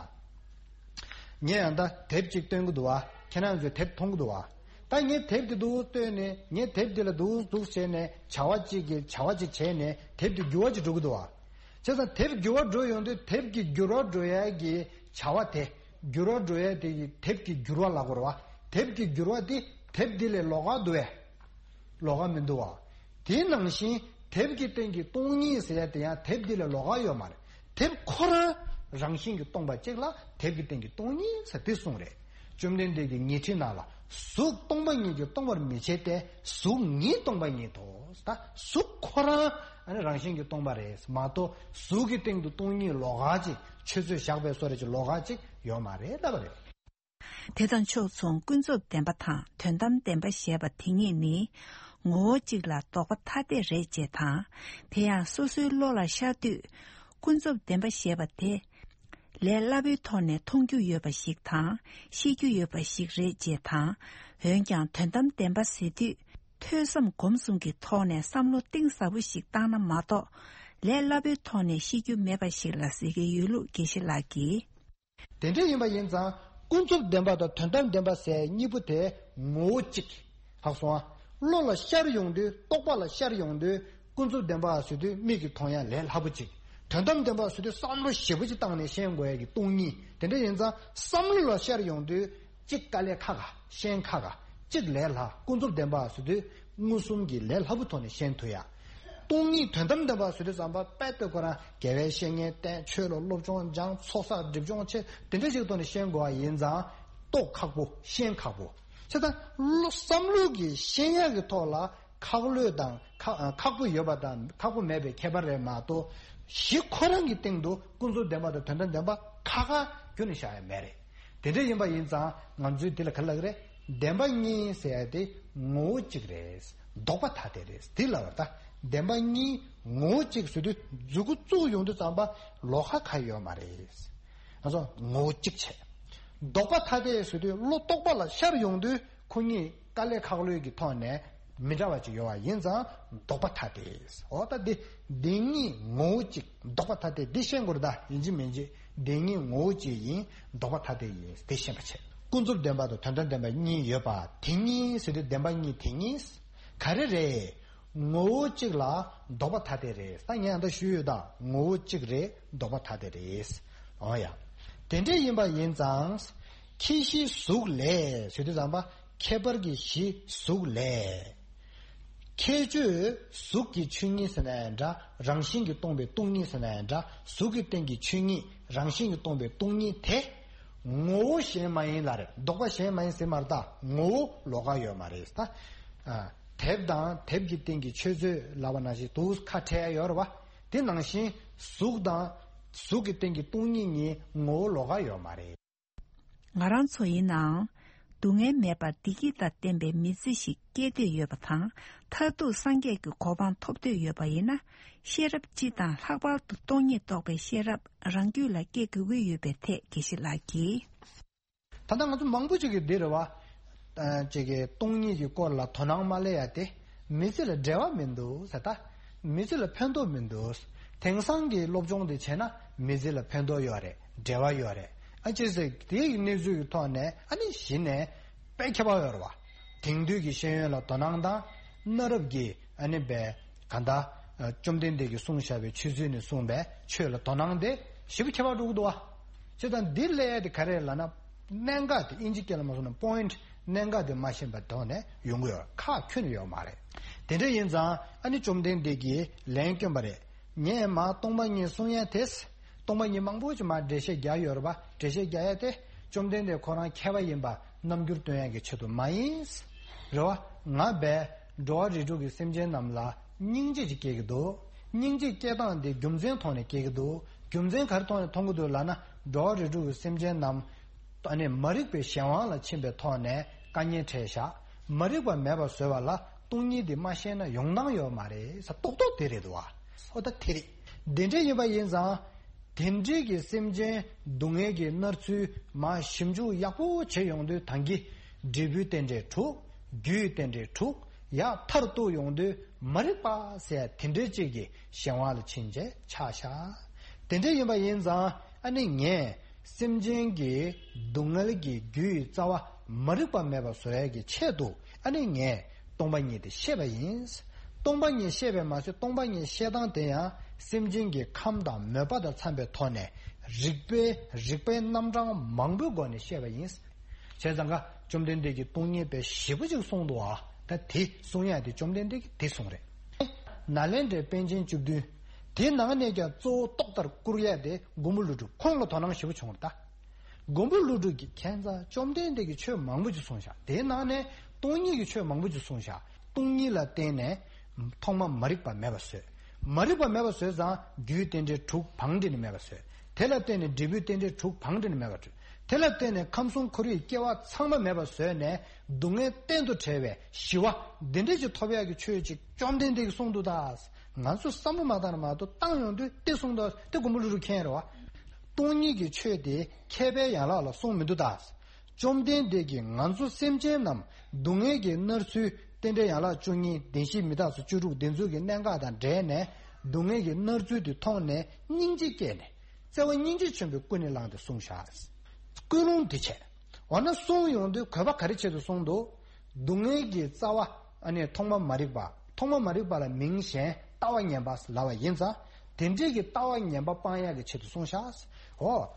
ངས་ཡང་ད་དེབ་ཅིག་སྟོན་གྱི་འདུག་བ། ཁྱེད་རང་ཚོས་དེབ་མཐོང་གི་འདུག་བ། ད་ངས་དེབ་དེ་འདུག་སྟོན་ནས། ངས་དེབ་དེ་ལ་འདུག་འདུག་བྱས་ནས་བྱ་བ་གཅིག་གི་བྱ་བ་གཅིག་བྱས་ནས་དེབ་དེ་འགྱུར་བ་ཅིག་འགྲོ་གི་འདུག་བ། བྱས་ཙང་དེབ་འགྱུར་བ་འགྲོ་ཡོང་དུས་དེབ་ཀྱི་འགྱུར་བ་འགྲོ་ཡས་ཀྱི་བྱ་བ་དེ། འགྱུར་བ་འགྲོ་ཡས་དེ་གི་དེབ་ཀྱི་འགྱུར་བ་ལབ་དགོས་རེད་བ། དེབ་ཀྱི་འགྱུར་བ་དེ་དེབ་འདི་ལས་ལོགས་ཀ་འདུག་བས། ལོགས་ཀ་མི་འདུག་བ། དེ་ནང་བཞིན་དེབ་ཀྱི་སྟེང་གི་སྟོང་ཉིད་ཟེར་ཡ་དེ་ཡང་དེབ་འདི་ལས་ལོགས་ཀ་ཡོད་མ་རེད། དེབ་ཁོ་རང་རང་བཞིན་གྱིས་སྟོང་པ་གཅིག་ལ་དེབ་ཀྱི་སྟེང་གི་སྟོང་ཉིད་ཟེར་དེ་གསུངས་རེད། བཅོམ་ལྡན་འདས་ཀྱིས་ཉི་ཁྲི་ནང་ལ། གཟུགས་སྟོང་པ་ཉིད་ཀྱིས་སྟོང་པར་མི་བྱེད་དེ། གཟུགས་ཉིད་སྟོང་པ་ཉིད་དོ། ད་གཟུགས་ཁོ་རང་ཨ་ནི་རང་བཞིན་གྱིས་སྟོང་པ་རེད་མ་གཏོགས། གཟུགས་ཀྱི་སྟེང་དུ་སྟོང་ཉིད་ལོགས་ཀ་ཅིག་ཆུ་ཚོད་བཞག་པའི་བཟོ་འདྲ་ཅིག་ལོགས་ཀ་ཅིག་ཡོད་མ་རེད་ལབ་པ་རེད། དེ་དང་ཕྱོགས་མཚུངས་ཀུན་རྫོབ་བདེན་པ་དང་དོན་དམ་བདེན་པ་ཞེས་པ་དེ་གཉིས་ནི་ངོ་བོ་གཅིག་ལ་ལྡོག་པ་ཐ་དད་རེད་ཅེས་དང་། དེ་ཡང་སོ་སོའི་བློ་ལ་ཤར་དུས། ཀུན་རྫོབ་བདེན་པ་ཞེས་པ་དེ། ལས་སླ་པོའི་ཐོག་ནས་མཐོང་རྒྱུ་ཡོད་པ་ཞིག་དང་ཤེས་རྒྱུ་ཡོད་པ་ཞིག་རེད་ཅེས་དང་། འོན་ཀྱང་དོན་དམ་བདེན་པ་ཟེར་དུས། ཐོས་བསམ་སྒོམ་གསུམ་གྱི་ཐོག་ནས་བསམ་བློ་གཏིང་ཟབ་པོ་ཞིག་བཏང་ན་མ་གཏོགས། ལས་སླ་པོའི་ཐོག་ནས་ཤེས་རྒྱུ་མེད་པ་ཞིག་ལ་ཟེར་གྱི་ཡོད་ལུགས་དགེ་བཤེས་ལགས་ཀྱིས། དེ་འདྲ་ཡིན་པ་ཡིན་ཙང་། ཀུན་རྫོབ་བདེན་པ་དང་དོན་དམ་བདེན་པ་ཟེར་གཉིས་པོ་དེ་ངོ་བོ་གཅིག་ཧ་གོ་སོང་ཨ། བློ་ལ་ཤར་ཡོང་དུས། རྟོག་པ་ལ་ཤར་ཡོང་དུས། ཀུན་རྫོབ་བདེན་པ་ཟེར་དུས་མིག་གིས་མཐོང་ཡ་ལས་སླ་པོ་གཅིག་དོན་དམ་བདེན་པ་ཟེར་དུས་བསམ་བློ་ཞིབ་པོ་ཅིག་བཏང་ནས་ཤེས་དགོས་ཡ་གི་སྟོང་ཉིད། དེ་འདྲ་ཡིན་ཙང་བསམ་བློ་ལ་ཤར་ཡོང་དུས། གཅིག་དཀའ་ལས་ཁག་ག་ཤེས་ཁག་ག་གཅིག་ལས་སླ། ཀུན་རྫོབ་བདེན་པ་ཟེར་དུས་མངོན་སུམ་གྱི་ལས་སླ་པོའི་ཐོག་ནས་ཤེས་ཐུབ་ཡ། སྟོང་ཉིད་དོན་དམ་བདེན་པ་ཟེར་དུས་ཙམ་པ་དཔེ་ལྟ་ཁོ་རང་དགེ་བའི་བཤེས་གཉེན་བསྟེན། ཆོས་ལ་སློབ་སྦྱོང་སྦྱང་། ཚོགས་བསགས། སྒྲིབ་སྦྱོང་བྱེད། དེ་འདྲ་ཞིག་ཐོག་ནས་ཤེས་དགོས་པ་ཡིན་ཙང་རྟོགས་ཁག་པོ། ཤེས་ཁག་པོ། བྱས་ཙང་བསམ་བློ་གི་ཤེས་ཡ་གི་ཐོག་ལ་ཁག་ལོས་དང་ཁག་ཁག་པོ་ཡོད་པ་དང་ཁག་པོ་མེད་པའི་ཁྱད་པར་རེད་མ་གཏོགས། གཞི་ཁོ་རང་གི་སྟེང་དུ་ཀུན་རྫོབ་བདེན་པ་དང་དོན་དམ་བདེན་པ་ཁ་ཁ་ཁྱོན་ནས་བཞག་ཡ་མེད་རེད། དེ་འདྲ་ཡིན་པ་ཡིན་ཙང་ང་ཚོས་དེ་ལ་ག་རེ་ལབ་ཀྱི་རེད། བདེན་པ་གཉིས་ཟེར་ཡ་དེ་ངོ་བོ་གཅིག་རེད། ལྡོག་པ་ཐ་དད་རེད། དེ་ལབ་པ་ད་བདེན་པ་གཉིས་ངོ་བོ་གཅིག་ཟེར་དུས་མཛུབ་གུ་བཙུགས་ཡོང་དུས་ཙམ་པ་ལོགས་ཀ་གང་ཡོད་མ་རེད། ང་ཚོ་ངོ་བོ་གཅིག་བྱས། ལྡོག་པ་ཐ་དད་ཟེར་དུས་བློ་རྟོག་པ་ལ་ཤར་ཡོང་དུས་ཁོ་གཉིས་དཀའ་ལས་ཁག་ལོས་ཀྱི་ཐོག་ནས་མི་འདྲ་བ་ཅིག་ཡོད་པ་ཡིན་ཙང་ལྡོག་པ་ཐ་དད། འོ་ད་འདི་བདེན་གཉིས་ངོ་བོ་གཅིག་ལྡོག་པ་ཐ་དད་འདི་ཤེས་དགོས་རེད། ད་ཡིན་གཅིག་མིན་གཅིག་བདེན་གཉིས་ངོ་བོ་གཅིག་ཡིན། ལྡོག་པ་ཐ་དད་ཡིན་འདི་ཤེས་པ་བྱས། ཀུན་རྫོབ་བདེན་པ་དང་དོན་དམ་བདེན་པ་གཉིས་ཡོད་པ་དེ་གཉིས་ཟེར་དུས་བདེན་པ་གཉིས་དེ་གཉིས་ག་རེ་རེད། ངོ་བོ་གཅིག་ལ་ལྡོག་པ་ཐ་དད་རེད། ད་ངས་ད་ཞུས་ཡོད། ད་ངོ་བོ་གཅིག་རེད། ལྡོག་པ་ཐ་དད་རེད། འོ་ཡ། དེ་འདྲ་ཡིན་པ་ཡིན་ཙང་། ཁྱད་གཞི་གཟུགས་ལས་ཟེར་དུས་ཙམ་པ་ཁྱད་པར་གྱི་གཞི་གཟུགས་ལས། ཁྱད་ཆོས་གཟུགས་ཀྱི་ཆོས་ཉིད་ཟེར་ན་ཡང་འདྲ། རང་བཞིན་གྱིས་སྟོང་པའི་སྟོང་ཉིད་ཟེར་ན་ཡང་འདྲ། གཟུགས་ཀྱི་སྟེང་གི་ཆོས་ཉིད་རང་བཞིན་གྱིས་སྟོང་པའི་སྟོང་ཉིད་དེ། ངོ་བོ་གཞན་མ་ཡིན་ལ་རེད། ལྡོག་པ་གཞན་མ་ཡིན་ཟེར་མ་རེད། ད་ངོ་བོ་ལོགས་ཀ་ཡོད་མ་རེད། ད་ཨ། དེབ་དང་དེབ་ཀྱི་སྟེང་གི་ཆོས་མཛོད་ལབ་པ་ནང་བཞིན་དུ་ཁ་བྲལ་ཡོད་རེད་བ། དེ་ནང་བཞིན་གཟུགས་དང་གཟུགས་ཀྱི་སྟེང་གི་སྟོང་ཉིད་གཉིས་ངོ་བོ་ལོགས་ཀ་ཡོད་མ་རེད། ང་རང་ཚོ་ཡིན་ནའང་། སྡུག་བསྔལ་མེད་པར་བདེ་སྐྱིད་དང་ལྡན་པའི་མི་ཚེ་ཞིག་སྐྱེལ་འདོད་ཡོད་པ་དང་། མཐར་ཐུག་སངས་རྒྱས་ཀྱི་གོ་འཕང་ཐོབ་འདོད་ཡོད་པ་ཡིན་ན། ཤེས་རབ་སྤྱི་དང་ལྷག་པར་དུ་སྟོང་ཉིད་རྟོགས་པའི་ཤེས་རབ་རང་རྒྱུད་ལ་སྐྱེ་དགོས་ཀྱི་ཡོད་པའི་ཐད་དགེ་བཤེས་ལགས་ཀྱིས། ད་ལྟ་ང་ཚོ་མང་པོ་ཅིག་གིས་འདི་རེད་བ། ཨ། ཅིག་གིས་སྟོང་ཉིད་ཀྱི་སྐོར་ལ་དོ་སྣང་མ་སླེབས་ཡ་དེ་མི་ཚེ་ལ་འབྲེལ་བ་མི་འདུག་ཟེར། ད་མི་ཚེ་ལ་ཕན་ཐོགས་མི་འདུག་དེང་སང་གི་སློབ་སྦྱོང་དེ་བྱས་ན་མི་ཚེ་ལ་ཕན་ཐོགས་ཡོད་རེད། འབྲེལ་བ་ཡོད་རེད། ཨ། ཅི་ཟེར་དེའི་གནས་ཚུལ་གྱི་ཐོག་ནས་ཨ་ནི་གཞི་ནས་དཔེ་ཁྱད་པར་ཡོད་རེད་བ། དེང་དུས་ཀྱི་ཤེས་ཡོན་ལ་དོ་སྣང་དང་། གནའ་རབས་ཀྱི་ཨ་ནི་པའི་གང་ལྟར་བཅོམ་ལྡན་འདས་ཀྱིས་གསུངས་བཞག་པའི་ཆོས་ཚུལ་ནས་གསུངས་པའི་ཆོས་ལ་དོ་སྣང་དེ་ཞེ་པོ་ཁྱད་པར་འགྲོ་གི་འདུག་བ། བྱས་ཙང་འདི་ལས་དེ་ག་རེ་ལབ་ན། གནད་འགག་དེ་ཨིན་ཇི་སྐད་ལ་མ་སོང་ན་པོ་ཡིན་ཊི། གནད་འགག་དེ་མ་ཤེས་པའི་ཐོག་ནས་ཡོང་གི་ཡོད། ཁག་ཁྱོན་ནས་ཡོད་མ་རེད། དེ་འདྲ་ཡིན་ཙང་ཨ་ནི་བཅོམ་ལྡན་འདས་ཀྱིས་ལན་བསྐྱོན་པ་རེད། ངས་མ་སྟོང་པ་ཉིད་གསུང་ཡ་དེ། སྟོང་པ་ཉིད་མང་པོ་ཅིག་མ་འགྲེལ་བཤད་རྒྱག་ཡོད་རེད་པ། འགྲེལ་བཤད་རྒྱག་ཡ་དེ་བཅོམ་ལྡན་འདས་ཁོ་རང་མཁས་པ་ཡིན་པ་རྣམ་འགྱུར་སྟོན་ཡ་གི་ཆེད་དུ་མ་ཡིན། རེད་བ། ང་བས་འགྲོ་བ་རིགས་དྲུག་གི་སེམས་ཅན་རྣམས་ལ་སྙིང་རྗེ་ཅིག་སྐྱེ་གི་འདུག་སྙིང་རྗེ་སྐྱེ་སྟངས་དེ་རྒྱུ་མཚན་ཐོག་ནས་སྐྱེ་གི་འདུག་རྒྱུ་མཚན་ག་རེ་ཐོག་ནས་མཐོང་གི་འདུག་ལབ་ན། འགྲོ་བ་རིགས་དྲུག་གི་སེམས་ཅན་རྣམས་ཨ་ནི་མ་རིག་པའི་གཞན་དབང་ལ་ཕྱིན་པའི་ཐོག་ནས་དཀའ་ངལ་འཕྲད་བཞག་མ་རིག་པ་མེད་པར་བཟོ་བ་ལ་སྟོང་ཉིད་དེ་མ་ཤེས་ན་ཡོང་སྟངས་ཡོད་མ་རེད་ཟེར། རྟོག་རྟོག་དེ་རེད་འདུག་བ། ཨོ་ད་དེ་རེད། དེ་འདྲ་ཡིན་པ་ཡིན་ཙང་། དེ་འདྲའི་གི་སེམས་ཅན་སྡུག་བསྔལ་གྱི་མནར་ཚུལ་མར་ཞིབ་འཇུག་ཡག་པོ་བྱེད་ཡོང་དུས་ད་གིན་འབྲས་བུའི་རྟེན་འབྲེལ་དྲུག་རྒྱུའི་རྟེན་འབྲེལ་དྲུག་ཡར་མཐར་གཏུགས་ཡོང་དུས་མ་རིག་པ་ཟེར་དེ་འདྲའི་ཅིག་གི་གཞན་དབང་ལ་ཕྱིན་བྱས་ཆགས་བཞག་དེ་འདྲ་ཡིན་པ་ཡིན་ཙང་ཨ་ནི་ངས་སེམས་ཅན་གྱི་སྡུག་བསྔལ་གྱི་རྒྱུ་ཡི་རྩ་བ་མ་རིག་པ་མེད་པ་བཟོ་ཡས་ཀྱི་ཆེད་དུ་ཨ་ནི་ངས་སྟོང་པ་ཉིད་དེ་བཤད་པ་ཡིན། སྟོང་པ་ཉིད་བཤད་པས་མ་ཟད་སྟོང་པ་ཉིད་བཤད་སྟངས་དེ་ཡང་སེམས་ཅན་གྱི་ཁམས་དང་མོས་པ་དང་འཚམ་པའི་ཐོག་ནས་རིགས་པའི་རིགས་པའི་རྣམ་གྲངས་མང་པོའི་སྒོ་ནས་བཤད་པ་ཡིན། བྱས་ཙང་ཀ་བཅོམ་ལྡན་འདས་ཀྱིས་སྟོང་ཉིད་པའི་ཞེ་པོ་ཅིག་གསུངས་འདུག་ཨ། ད་དེ་གསུང་ཡ་དེ་བཅོམ་ལྡན་འདས་ཀྱིས་དེ་གསུངས་རེད། ནཱ་ལེནྡྲའི་པཎ་ཆེན་བཅུ་བདུན། དེ་ནང་ནས་ཀྱང་གཙོ་བོ་ཏོག་ལྟར་བཀུར་ཡ་དེ་མགོན་པོ་ཀླུ་སྒྲུབ་ཁོང་ལ་དོ་སྣང་ཞེ་པོ་བྱུང་བ་རེད་ད། མགོན་པོ་ཀླུ་སྒྲུབ་ཀྱིས་ཁྱད་མཚར་བཅོམ་ལྡན་འདས་ཀྱིས་ཆོས་མང་པོ་ཅིག་གསུངས་བཞག་དེའི་ནང་ནས་སྟོང་ཉིད་ཀྱི་ཆོས་མང་པོ་ཅིག་གསུངས་བཞག་སྟོང་ཉིད་ལ་བརྟེན་ནས་ཐོག་མ་མ་རིག་པ་མེད་པ་བཟོས། མ་རིག་པ་མེད་པ་བཟོས་ཙང་རྒྱུའི་རྟེན་འབྲེལ་དྲུག་བང་སྒྲིག་ནས་མེད་པ་བཟོས། དེ་ལ་བརྟེན་ནས་འབྲས་བུའི་རྟེན་འབྲེལ་དྲུག་བང་སྒྲིག་ནས་མེད་པ་བཟོས། དེ་ལ་བརྟེན་ནས་ཁམས་གསུམ་འཁོར་བའི་སྐྱེ་བ་ཚང་མ་མེད་པ་བཟོས་ནས་སྡུག་བསྔལ་གཏན་དུ་བྲལ་བའི་ཞི་བ་འདི་འདྲ་ཅིག་ཐོབ་ཡག་གི་ཆོས་ཅིག་བཅོམ་ལྡན་འདས་ཀྱིས་གསུངས་འདུག་ད། ང་ཚོས་བསམ་བློ་མ་བཏང་ན་མ་གཏོགས་བཏང་ཡོང་དུས་དེ་གསུངས་འདུག་དེ་མགོན་པོ་ཀླུ་སྒྲུབ་མཁྱེན་རེད་བ། སྟོང་ཉིད་ཀྱི་ཆོས་དེ་མཁས་པའི་ཡན་ལག་ལ་གསུངས་མི་འདུག་ད། བཅོམ་ལྡན་འདས་ཀྱིས་ང་ཚོ་སེམས་ཅན་རྣམས་སྡུག་བསྔལ་གྱིས་མནར་ཚུལ་རྟེན་འབྲེལ་ཡན་ལག་བཅུ་གཉིས་བདེན་བཞི་མི་རྟག་སོགས་བཅུ་དྲུག་འདི་ཚོ་གི་གནད་འགག་དང་འབྲེལ་ནས་སྡུག་བསྔལ་གྱི་མནར་ཚུལ་དེ་མཐོང་ནས་སྙིང་རྗེ་སྐྱེས་ནས་བརྩེ་བ་སྙིང་རྗེ་ཆེན་པོས་ཀུན་ནས་བསླངས་ཏེ་གསུངས་བཞག་ཀུན་སློང་དེ་བྱས། འོ་ན་གསུངས་ཡོང་དུས་གོ་བ་ག་རེ་ཆེད་དུ་གསུངས་འདུག་སྡུག་བསྔལ་གྱི་རྩ་བ་ཨ་ནི་ཐོག་མ་མ་རིག་པ། ཐོག་མ་མ་རིག་པ་ལ་མིང་གཞན་ལྟ་བ་ངན་པ་ལབ་པ་ཡིན་ཙང་། དེ་འདྲའི་གི་ལྟ་བ་ངན་པ་སྤང་ཡག་གི་ཆེད་དུ་གསུངས་བཞག་འོ།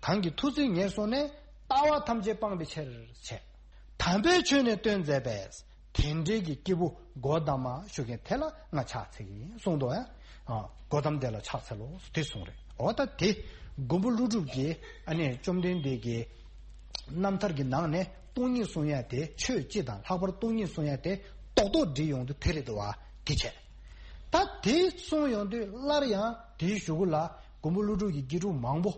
གང་གིས་ཐུགས་བརྩེ་ཉེར་བཟུང་ནས། ལྟ་བ་ཐམས་ཅད་སྤངས་པའི་ཕྱིར་བྱས། དམ་པའི་ཆོས་ནི་སྟོན་མཛད་པས། དེ་འདྲའི་གི་སྐྱེས་བུ་གོ་ཏ་མ་ཞུ་མཁན་དེ་ལ་ང་ཕྱག་འཚལ་གྱི་ཡིན་གསུངས་འདུག་ཡ། གོ་ཏམ་དེ་ལ་ཕྱག་འཚལ་ལོ་དེ་གསུངས་རེད། འོ་ད་དེ་མགོན་པོ་ཀླུ་སྒྲུབ་ཀྱིས་ཨ་ནི་བཅོམ་ལྡན་འདས་ཀྱི་རྣམ་ཐར་གྱི་ནང་ནས་སྟོང་ཉིད་གསུང་ཡ་དེ་ཆོས་སྤྱི་དང་ལྷག་པར་སྟོང་ཉིད་གསུང་ཡ་དེ་རྡོག་རྡོག་བསྒྲིལ་ཡོང་དུས་དེ་རེད་འདུག་བ། དེ་བྱས། ད་དེ་གསུངས་ཡོང་དུས་སླར་ཡང་དེའི་གཞུག་གུ་ལ་མགོན་པོ་ཀླུ་སྒྲུབ་ཀྱི་དགེ་ཕྲུག་མང་པོ།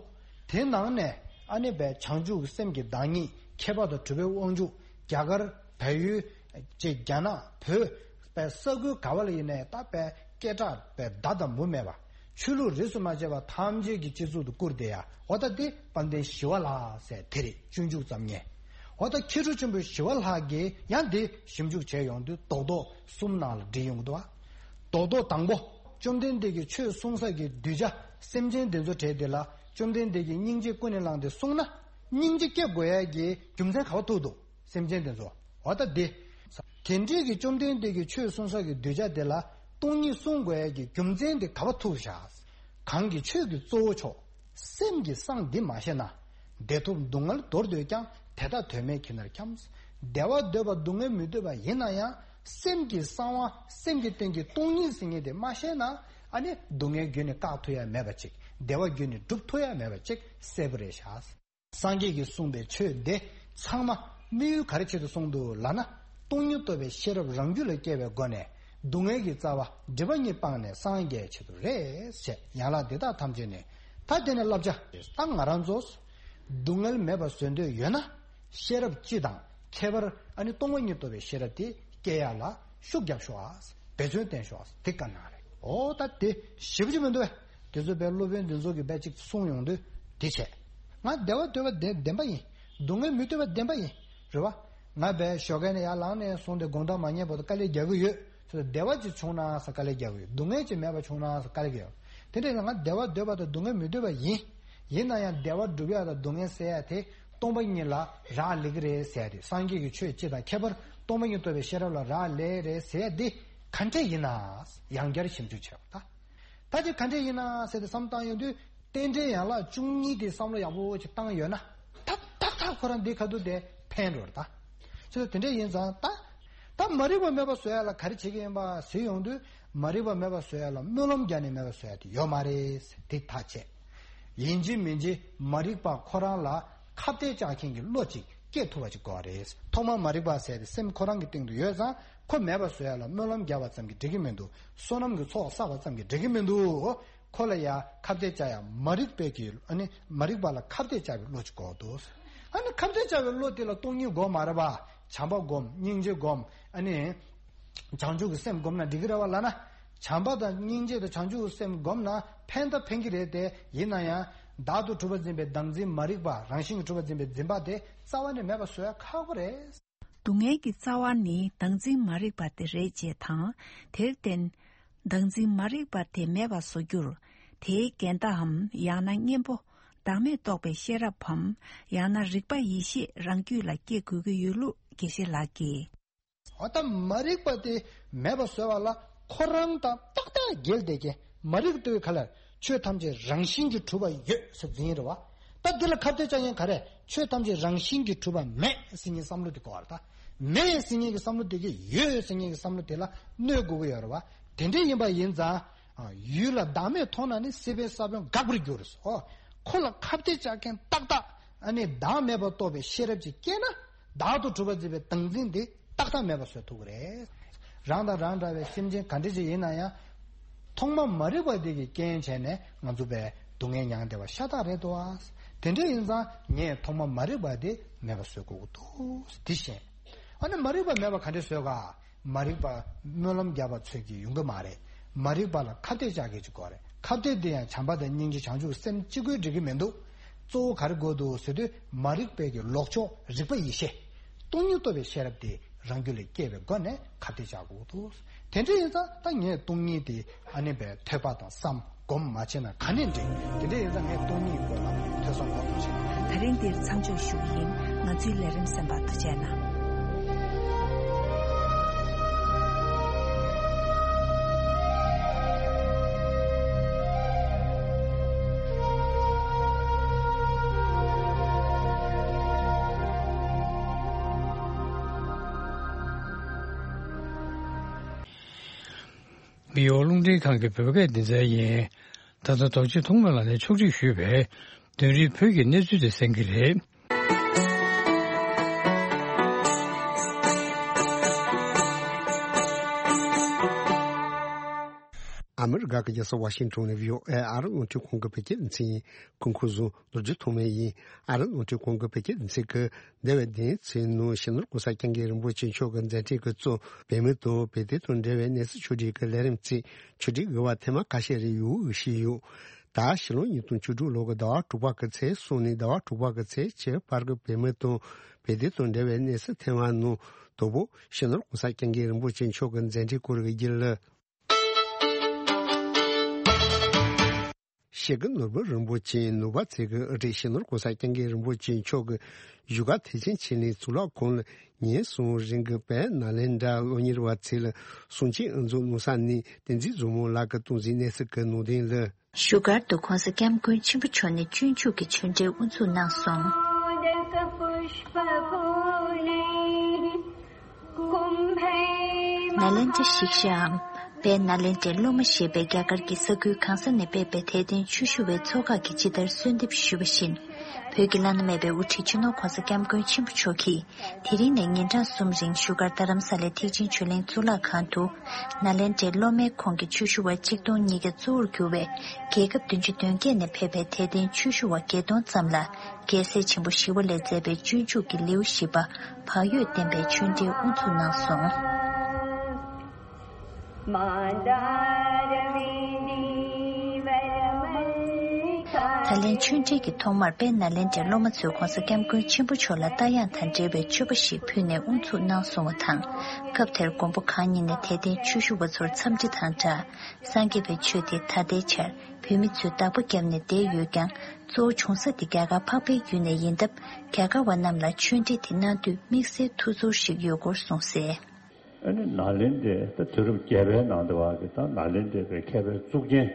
དེ་ནང་ནས་ཨ་ནི་བའི་བྱང་ཆུབ་ཀྱི་སེམས་ཀྱི་བདག་ཉིད་ཁྱད་པར་དུ་གྲུབ་པའི་དབང་ཕྱུག་རྒྱ་གར་བལ་ཡུལ་ཅེས་རྒྱ་ནག་བོད་པའི་ས་ཁུལ་ག་བ་ལ་ཡིན་ནའི་ད་བའི་སྐད་གྲགས་བའི་མདའ་དང་མུ་མེད་པ། ཆོས་ལུགས་རིས་སུ་མ་ཆད་པ་ཐམས་ཅད་ཀྱི་སྤྱི་གཙུག་ཏུ་བཀུར་བསྡད་ཡ། འོ་ད་དེ་དཔལ་ལྡན་ཞི་བ་ལྷ་ཟེར་དེ་རེད། སྤྱོད་འཇུག་ཙམ་ཉན། འོ་ད་མཁས་གྲུབ་ཆེན་པོ་ཞི་བ་ལྷ་གིས་ཡང་དེ་ཞིབ་འཇུག་བྱས་ཡོང་དུས་རྡོག་རྡོག་གསུམ་ནང་ལ་བསྒྲིལ་ཡོང་གི་འདུག་བ། རྡོག་རྡོག་དང་པོ། བཅོམ་ལྡན་འདས་ཀྱིས་ཆོས་གསུང་ས་ཀྱི་གདུལ་བྱ་སེམས་ཅན་དེ་ཚོ་གྲས་དེ་ལ་བཅོམ་ལྡན་འདས་ཀྱིས་སྙིང་རྗེ་ཀུན་ནས་བསླངས་ཏེ་གསུངས་ན། སྙིང་རྗེ་སྐྱེ་དགོས་ཡ་གི་རྒྱུ་མཚན་ག་བ་ཐུག་འདུག་སེམས་ཅན་དེ་ཚོ། འོ་ད་དེ། དེ་འདྲའི་གི་བཅོམ་ལྡན་འདས་ཀྱིས་ཆོས་གསུང་ས་གི་གདུལ་བྱ་དེ་ལ་སྟོང་ཉིད་གསུང་དགོས་ཡ་གི་རྒྱུ་མཚན་དེ་ག་བ་ཐུག་བཞག་གང་གི་ཆོས་ཀྱི་གཙོ་བོ་མཆོག་སེམས་ཀྱི་གསང་འདི་མ་ཤེས་ན། བདེ་ཐོབ་སྡུག་བསྔལ་འདོར་འདོད་ཀྱང་། དེ་དག་དོན་མེད་ཁྱིམ་ནར་འཁྱམས། བདེ་བ་འདོད་པ་སྡུག་བསྔལ་མི་འདོད་པ་ཡིན་ན་ཡང་། སེམས་ཀྱི་གསང་བ་སེམས་ཀྱི་སྟེང་གི་སྟོང་ཉིད་ཟེར་མཁན་དེ་མ་ཤེས་ན། ཨ་ནི་སྡུག་བསྔལ་རྒྱུད་ནས་བཀག་ཐུབ་ཡ་མེད་པ་ཅིག་བདེ་བ་རྒྱུད་ནས་སྒྲུབ་ཐུབ་ཡ་མེད་པ་ཅིག་གསལ་པོ་རེད་ཤག་སངས་རྒྱས་ཀྱིས་གསུངས་པའི་ཆོས་འདི་ཚང་མ་དམིགས་ཡུལ་ག་རེ་ཆེད་དུ་གསུངས་འདུག་ལབ་ན། སྟོང་ཉིད་རྟོགས་པའི་ཤེས་རབ་རང་རྒྱུད་ལ་སྐྱེ་བའི་སྒོ་ནས་སྡུག་བསྔལ་གྱི་རྩ་བ་སྒྲིབ་པ་གཉིས་སྤངས་ནས་སངས་རྒྱས་ཆེད་དུ་རེད་ཞེས། ཡན་ལག་འདི་དག་ཐམས་ཅད་ནི། ད་དེ་ནས་བསླབ་བྱ། ད་ང་རང་ཚོ་སྡུག་བསྔལ་མེད་པ་བཟོ་འདོད་ཡོད་ན། ཤེས་རབ་སྤྱི་དང་ཁྱད་པར་ཨ་ནི་སྟོང་པ་ཉིད་རྟོགས་པའི་ཤེས་རབ་དེ་སྐྱེ་ཡ་ལ་ཤུགས་རྒྱབ་ཤོག་ཨ། འབད་བརྩོན་བསྟེན་ཤོག་ཨ། དེ་ག་ན་རེད། འོ་ད་དེ་ཞེ་པོ་ཅིག་མི་འདུག་བས། དེ་ཚོ་བས་སློབ་དཔོན་འདི་ཚོ་གིས་བས་ཅིག་གསུངས་ཡོང་དུས་དེ་བྱས། ང་བདེ་བ་འདོད་པ་བདེན་བདེན་པ་ཡིན། སྡུག་བསྔལ་མི་འདོད་པ་བདེན་པ་ཡིན། རེད་བ། ང་བས་ཞོགས་ཀས་ནས་ཡར་ལངས་ནས་སོང་སྟེ་དགོང་དག་མ་ཉལ་བར་དུ་དཀའ་ལས་རྒྱག་གི་ཡོད། ཚོ་བདེ་བ་ཅིག་བྱུང་ན་ཟེར་དཀའ་ལས་རྒྱག་གི་ཡོད། སྡུག་བསྔལ་ཅིག་མེད་པ་བྱུང་ན་ཟེར་དཀའ་ལས་རྒྱག་གི་ཡོད། དེ་འདྲ་ཡིན་ན་ང་བདེ་བ་འདོད་པ་དང་སྡུག་བསྔལ་མི་འདོད་པ་ཡིན། ཡིན་ན་ཡང་བདེ་བ་སྒྲུབ་ཡ་དང་སྡུག་བསྔལ་སེལ་ཡ་དེ་སྟོང་པ་ཉིད་ལ་རག་ལས་ཀྱི་རེད་ཟེར་ཡ་དེ། སངས་རྒྱས་ཀྱི་ཆོས་སྤྱི་དང་ཁྱད་པར་སྟོང་པ་ཉིད་རྟོགས་པའི་ཤེས་རབ་ལ་རག་ལས་རེད་ཟེར་ཡ་དེ་ག་འདྲ་ཡིན་ན། ཡང་བསྐྱར་ཞིབ་འཇུག་བྱས་པ་ད། ད་དེ་ག་འདྲ་ཡིན་ན་ཟེར་ཏེ་བསམ་བཏང་ཡོང་དུས། རྟེན་འབྲེལ་ཡན་ལག་བཅུ་གཉིས་དེ་བསམ་བློ་ཡག་པོ་ཅིག་བཏང་ཡོད་ན། ཏག་ཏག་ཏག་ཁོ་རང་འདི་ཁ་ཐུག་དེ་ཕན་འགྲོ་རེད་ད། ཅི་ལ་དེ་འདྲ་ཡིན་ཙང་ད། ད་མ་རིག་པ་མེད་པ་བཟོ་ཡ་ལ་ག་རེ་བྱེད་ཀྱི་ཡིན་པ་ཟེར་ཡོང་དུས། མ་རིག་པ་མེད་པ་བཟོ་ཡ་ལ་སྨོན་ལམ་རྒྱག་ནས་མེད་པ་བཟོ་ཡ་དེ་ཡོད་མ་རེད་ཟེར་དེ་ཐག་བཅད། ཡིན་གཅིག་མིན་གཅིག་མ་རིག་པ་ཁོ་རང་ལ་ཁ་གཏད་བཅག་མཁན་གྱི་བློ་ཅིག་སྐྱེ་ཐུབ་པ་ཅིག་དགོས་པ་རེད། ཐོག་མར་མ་རིག་པ་ཟེར་དེ་སེམས་ཁོ་རང་གི་སྟེང་དུ་ཡོད་ཙང་ཁོ་མེད་པ་བཟོ་ཡ་ལ་སྨོན་ལམ་རྒྱག་པ་ཙམ་གྱིས་འགྲིག་གི་མི་འདུག་བསོད་ནམས་ཀྱི་ཚོགས་བསགས་པ་ཙམ་གྱིས་འགྲིག་གི་མི་འདུག་ཁོ་ལ་ཡ་ཁ་གཏད་བཅག་ཡ་མ་རིག་པའི་གི་ཨ་ནི་མ་རིག་པ་ལ་ཁ་གཏད་བཅག་པའི་བློ་ཅིག་དགོས་འདུག་ཨ་ནི་ཁ་གཏད་བཅག་པའི་བློ་དེ་ལ་སྟོང་ཉིད་སྒོམ་མ་རེད་པ། བྱམས་པ་སྒོམ། སྙིང་རྗེ་སྒོམ། ཨ་ནི་བྱང་ཆུབ་ཀྱི་སེམས་སྒོམ་ན་འགྲིག་གི་རེད་པ་ལབ་ན། བྱམས་པ་དང་སྙིང་རྗེ་དང་བྱང་ཆུབ་ཀྱི་སེམས་སྒོམ་ན་ཕན་ད་ཕན་གྱི་རེད་དེ། ཡིན་ན་ཡང་བདག་ཏུ་གྲུབ་པ་འཛིན་པའི་བདག་འཛིན་མ་རིག་པ། རང་བཞིན་གྱིས་གྲུབ་པ་འཛིན་པའི་འཛིན་པ་དེ་རྩ་བ་ནས་མེད་པ་བཟོ་ཡ་ཁག་པོ་རེད། སྡུག་བསྔལ་གྱི་རྩ་བ་ནི་བདག་འཛིན་མ་རིག་པ་དེ་རེད་ཅེས་དང་། དེར་བརྟེན། བདག་འཛིན་མ་རིག་པ་དེ་མེད་པར་བཟོ་རྒྱུར། དེའི་འགལ་ཟླའམ། ཡང་ན་གཉེན་པོ། བདག་མེད་རྟོགས་པའི་ཤེས་རབ་བམ། ཡང་ན་རིག་པ་ཡེ་ཤེས་རང་རྒྱུད་ལ་སྐྱེ་དགོས་ཀྱི་ཡོད་ལུགས་དགེ་བཤེས་ལགས་ཀྱིས། འོ་ད་མ་རིག་པ་དེ་མེད་པ་བཟོ་བ་ལ་ཁོ་རང་དང་ཏག་ཏག་འགལ་བསྡད་མཁན། མ་རིག་པ་དེ་ག་ལ་ཆོས་ཐམས་ཅད་རང་བཞིན་གྱིས་གྲུབ་པ་ཡོད་ཟེར་འཛིན་རེད་བ། ད་འདི་ལ་ཁ་གཏད་བཅག་མཁན་ག་རེ། ཆོས་ཐམས་ཅད་རང་བཞིན་གྱིས་གྲུབ་པ་མེད་ཟེར་མཁན་བསམ་བློ་དེ་དགོས་པ་རེད་ད། མེད་ཟེར་མཁན་གྱི་བསམ་བློ་དེ་གིས་ཡོད་ཟེར་མཁན་གྱི་བསམ་བློ་དེ་ལ་གནོད་དགོས་ཀྱི་ཡོད་རེད་བ། དེ་འདྲ་ཡིན་པ་ཡིན་ཙང་། ཡུལ་ལ་བདག་མེད་མཐོང་ན་ནི་སྲིད་པའི་ས་བོན་འགག་པར་འགྱུར་ཟེར། ཨོ། ཁོ་ལ་ཁ་གཏད་བཅག་མཁན་ཏག་ཏག་ཨ་ནི་བདག་མེད་པར་རྟོགས་པའི་ཤེས་རབ་ཅིག་སྐྱེས་ན། བདག་ཏུ་གྲུབ་པ་འཛིན་པའི་བདག་འཛིན་དེ་ཏག་ཏག་མེད་པར་བཟོ་ཐུབ་ཀྱི་རེད། རང་དང་རང་འདྲ་བའི་སེམས་ཅན་ག་འདྲ་ཅིག་ཡིན་ན་ཡང་། ཐོག་མ་མ་རིག་པ་དེ་གིས་རྐྱེན་བྱས་ནས་ང་ཚོ་བས་སྡུག་བསྔལ་མྱང་བསྡད་པ་ཤ་སྟག་རེད་དོ། དེ་འདྲ་ཡིན་ཙང་ངས་ཐོག་མ་མ་རིག་པ་དེ་མེད་པ་བཟོ་དགོས་ཀྱི་འདུག་འདི་ཤེས། ཨ་ནི་མ་རིག་པ་མེད་པ་ག་འདྲ་བཟོས་ག་མ་རིག་པ་སྨོན་ལམ་བརྒྱབ་པ་ཚོད་ཀྱིས་ཡོང་གི་མ་རེད། མ་རིག་པ་ལ་ཁ་གཏད་བཅག་མཁན་ཅིག་དགོས་རེད། ཁ་གཏད་དེ་ཡང་བྱམས་པ་དང་སྙིང་རྗེ་བྱང་ཆུབ་སེམས་གཅིག་པུས་འགྲིག་གི་མི་འདུག་གཙོ་བོ་ག་རེ་དགོས་འདུག་ཟེར་དུས་མ་རིག་པའི་གི་ལོག་ཕྱོགས་རིག་པ་ཡེ་ཤེས། སྟོང་ཉིད་རྟོགས་པའི་ཤེས་རབ་དེ་རང་རྒྱུད་ལ་སྐྱེ་བའི་སྒོ་ནས་ཁ་གཏད་བཅག་དགོས་འདུག་དེ་འདྲ་ཡིན་ཙང་ད་ངས་སྟོང་ཉིད་དེ་ཨ་ནི་བའི་ཐོས་པ་དང་བསམ། སྒོམ་མ་བྱས་ན་ག་ནས་འགྲིག་དེ་འདྲ་ཡིན་ཙང་ངས་སྟོང་ཉིད་སྐོར་ལ་ཐོས་བསམ་སྒོམ་བྱེད། ད་རིང་འདིར་མཚམས་འཇོག་ཞུ་གི་ཡིན། ང་ཚོའི་ལས་རིམ་གསན་པར་ཐུགས་རྗེ་གནང་། མི་ཡོང་རླུང་འཕྲིན་ཁང་གི་བོད་སྐད་སྡེ་ཚན་ཡིན། ད་ལྟ་རྡོ་རྗེ་ཐོགས་མེད་ལགས་ནས་ཕྱོགས་སྒྲིག་ཞུས་པའི་དོན་རིག་བོད་ཀྱི་གནས་ཚུལ་དེ་གསན་གྱི་རེད། ཨ་མི་རི་ཀ་གི་རྒྱལ་ས་ཝ་ཤིང་ཊོན་ནས་བྷི་ཨོ་ཨེ་ཨ་རི་རླུང་འཕྲིན་ཁང་གི་བོད་སྐད་སྡེ་ཚན་ཡིན། སྐུ་ཁམས་བཟང་། ལོ་རྒྱུས་ཐོག་མའི་ཡིན། ཨ་རི་རླུང་འཕྲིན་ཁང་གི་བོད་སྐད་སྡེ་ཚན་གྱིས་འདས་པའི་བདུན་ཚེས་ནང་སྤྱི་ནོར་༸གོང་ས་༸སྐྱབས་མགོན་རིན་པོ་ཆེ་མཆོག་གི་མཛད་འཕྲིན་གྱི་གཙོ་བོད་མི་དང་བོད་དོན་དང་འབྲེལ་བའི་གནས་ཚུལ་ཆུང་འདྲིས་ཀྱི་ལས་རིམ་བཅས་ཆུང་འདྲིས་དབུ་མ་ཐེངས་མ་ཁ་ཤས་རེ་ཡོད་ཞུས་ཡོད། ད་ཕྱི་ལོ་ཉིས་སྟོང་བཅུ་དྲུག་ལོ་གི་ཟླ་བ་དྲུག་པ་གི་ཚེས་གསུམ་ནས་ཟླ་བ་དྲུག་པ་གི་ཚེས་བཅུ་བར་གྱི་བོད་མི་དང་བོད་དོན་དང་འབྲེལ་བའི་གནས་ཚུལ་ཐེངས་མ་ནང་དང་པོ་སྤྱི་ནོར་༸གོང་ས་༸སྐྱབས་མགོན་རིན་པོ་ཆེ་མཆོག་གི་མཛད་འཕྲིན་སྐོར་གྱི་རྒྱུན་ལས། སྤྱི་ནོར་བུ་རིན་པོ་ཆེ་ནོར་བ་ཚེ་གི་ཨ་ཏི་ཤ་ནོར་༸གོང་ས་༸སྐྱབས་མགོན་རིན་པོ་ཆེ་མཆོག་གི་བཞུགས་སྒར་ཐེག་ཆེན་ཆོས་གླིང་གཙུག་ལག་ཁང་ལ་ཉིན་གསུམ་རིང་གི་བོད་ནཱ་ལེནྡྲ་སློབ་གཉེར་བ་ཚོ་ལ་གསུང་ཆོས་དབུ་འཛུགས་གནང་ས་ནས་བསྟན་འཛིན་བཟང་མོ་ལགས་ཀྱིས་གཏོང་མཛད་གནས་ཚུལ་གྱི་ནང་དོན་ལ། བཞུགས་སྒར་དུ་༸གོང་ས་༸སྐྱབས་མགོན་ཆེན་པོ་མཆོག་ནས་སྤྱོད་འཇུག་གི་ཆོས་འབྲེལ་དབུ་འཛུགས་གནང་སོང་། ནཱ་ལེནྡྲ་ཤིཀྵའམ། བོད་ནཱ་ལེནྡྲའི་སློབ་མ་ཞེས་པའི་རྒྱ་གར་གྱི་ས་ཁུལ་གང་ས་ནས་ཕེབས་པའི་དད་ལྡན་ཆོས་ཞུ་བའི་ཚོགས་ཁག་གིས་ཇི་ལྟར་གསོལ་འདེབས་ཞུས་པ་བཞིན། བོད་ཀྱི་བླ་ན་མེད་པའི་དབུ་ཁྲིད་སྤྱི་ནོར་༸གོང་ས་༸སྐྱབས་མགོན་ཆེན་པོ་མཆོག་གིས་དེ་རིང་ནས་ཉིན་གྲངས་གསུམ་རིང་བཞུགས་སྒར་རྡ་རམ་ས་ལའི་ཐེག་ཆེན་ཆོས་གླིང་གཙུག་ལག་ཁང་དུ། ནཱ་ལེནྡྲའི་སློབ་མའི་ཁོངས་ཀྱི་ཆོས་ཞུ་བ་གཅིག་སྟོང་ཉིས་བརྒྱ་གཙོ་བོར་གྱུར་བའི་རྒྱལ་ཁབ་བདུན་ཅུ་དོན་བརྒྱད་ནས་ཕེབས་པའི་དད་ལྡན་ཆོས་ཞུ་བ་བརྒྱད་སྟོང་ཙམ་ལ། རྒྱལ་སྲས་ཆེན་པོ་ཞི་བ་ལྷས་མཛད་པའི་སྤྱོད་འཇུག་གི་ལེའུ་བཞི་པ་བག་ཡོད་བསྟན་པའི་ཆོས་འབྲེལ་དབུ་འཛུགས་གནང་སོང་། ད་ལན་ཆོས་འབྲེལ་གྱི་ཐོག་མར་བོད་ནཱ་ལེནྡྲའི་སློབ་མ་ཚོས་༸གོང་ས་༸སྐྱབས་མགོན་ཆེན་པོ་མཆོག་ལ་རྟ་དབྱངས་དང་འབྲེལ་བའི་མཆོད་པ་ཞིག་ཕུལ་ནས་དབུ་འཛུགས་གནང་སོང་བ་དང་། སྐབས་དེར་མགོན་པོ་གང་ཉིད་ནས་དད་ལྡན་ཆོས་ཞུ་བ་ཚོར་འཚམས་འདྲི་དང་སྦྲགས། སངས་རྒྱས་པའི་ཆོས་དེ་ད་ལྟའི་ཆར་བོད་མི་ཚོས་བདག་པོ་བརྒྱབ་ནས་བསྡད་ཡོད་ཀྱང་། གཙོ་བོ་བྱུང་ས་དེ་རྒྱ་གར་འཕགས་པའི་ཡུལ་ནས་ཡིན་སྟབས། རྒྱ་གར་བ་རྣམས་ལ་ཆོས་འབྲེལ་དེ་གནང་དུས་དམིགས་བསལ་ཐུགས་ཚོར་ཞིག་ཡོད་སྐོར་གསུངས་གསལ། ཨ་ནི་ནཱ་ལེནྡྲའི་ད་དུས་རབས་བརྒྱད་པའི་ནང་དུ་བ་གི་ད་ནཱ་ལེནྡྲའི་པའི་མཁས་པའི་གཙུག་རྒྱན།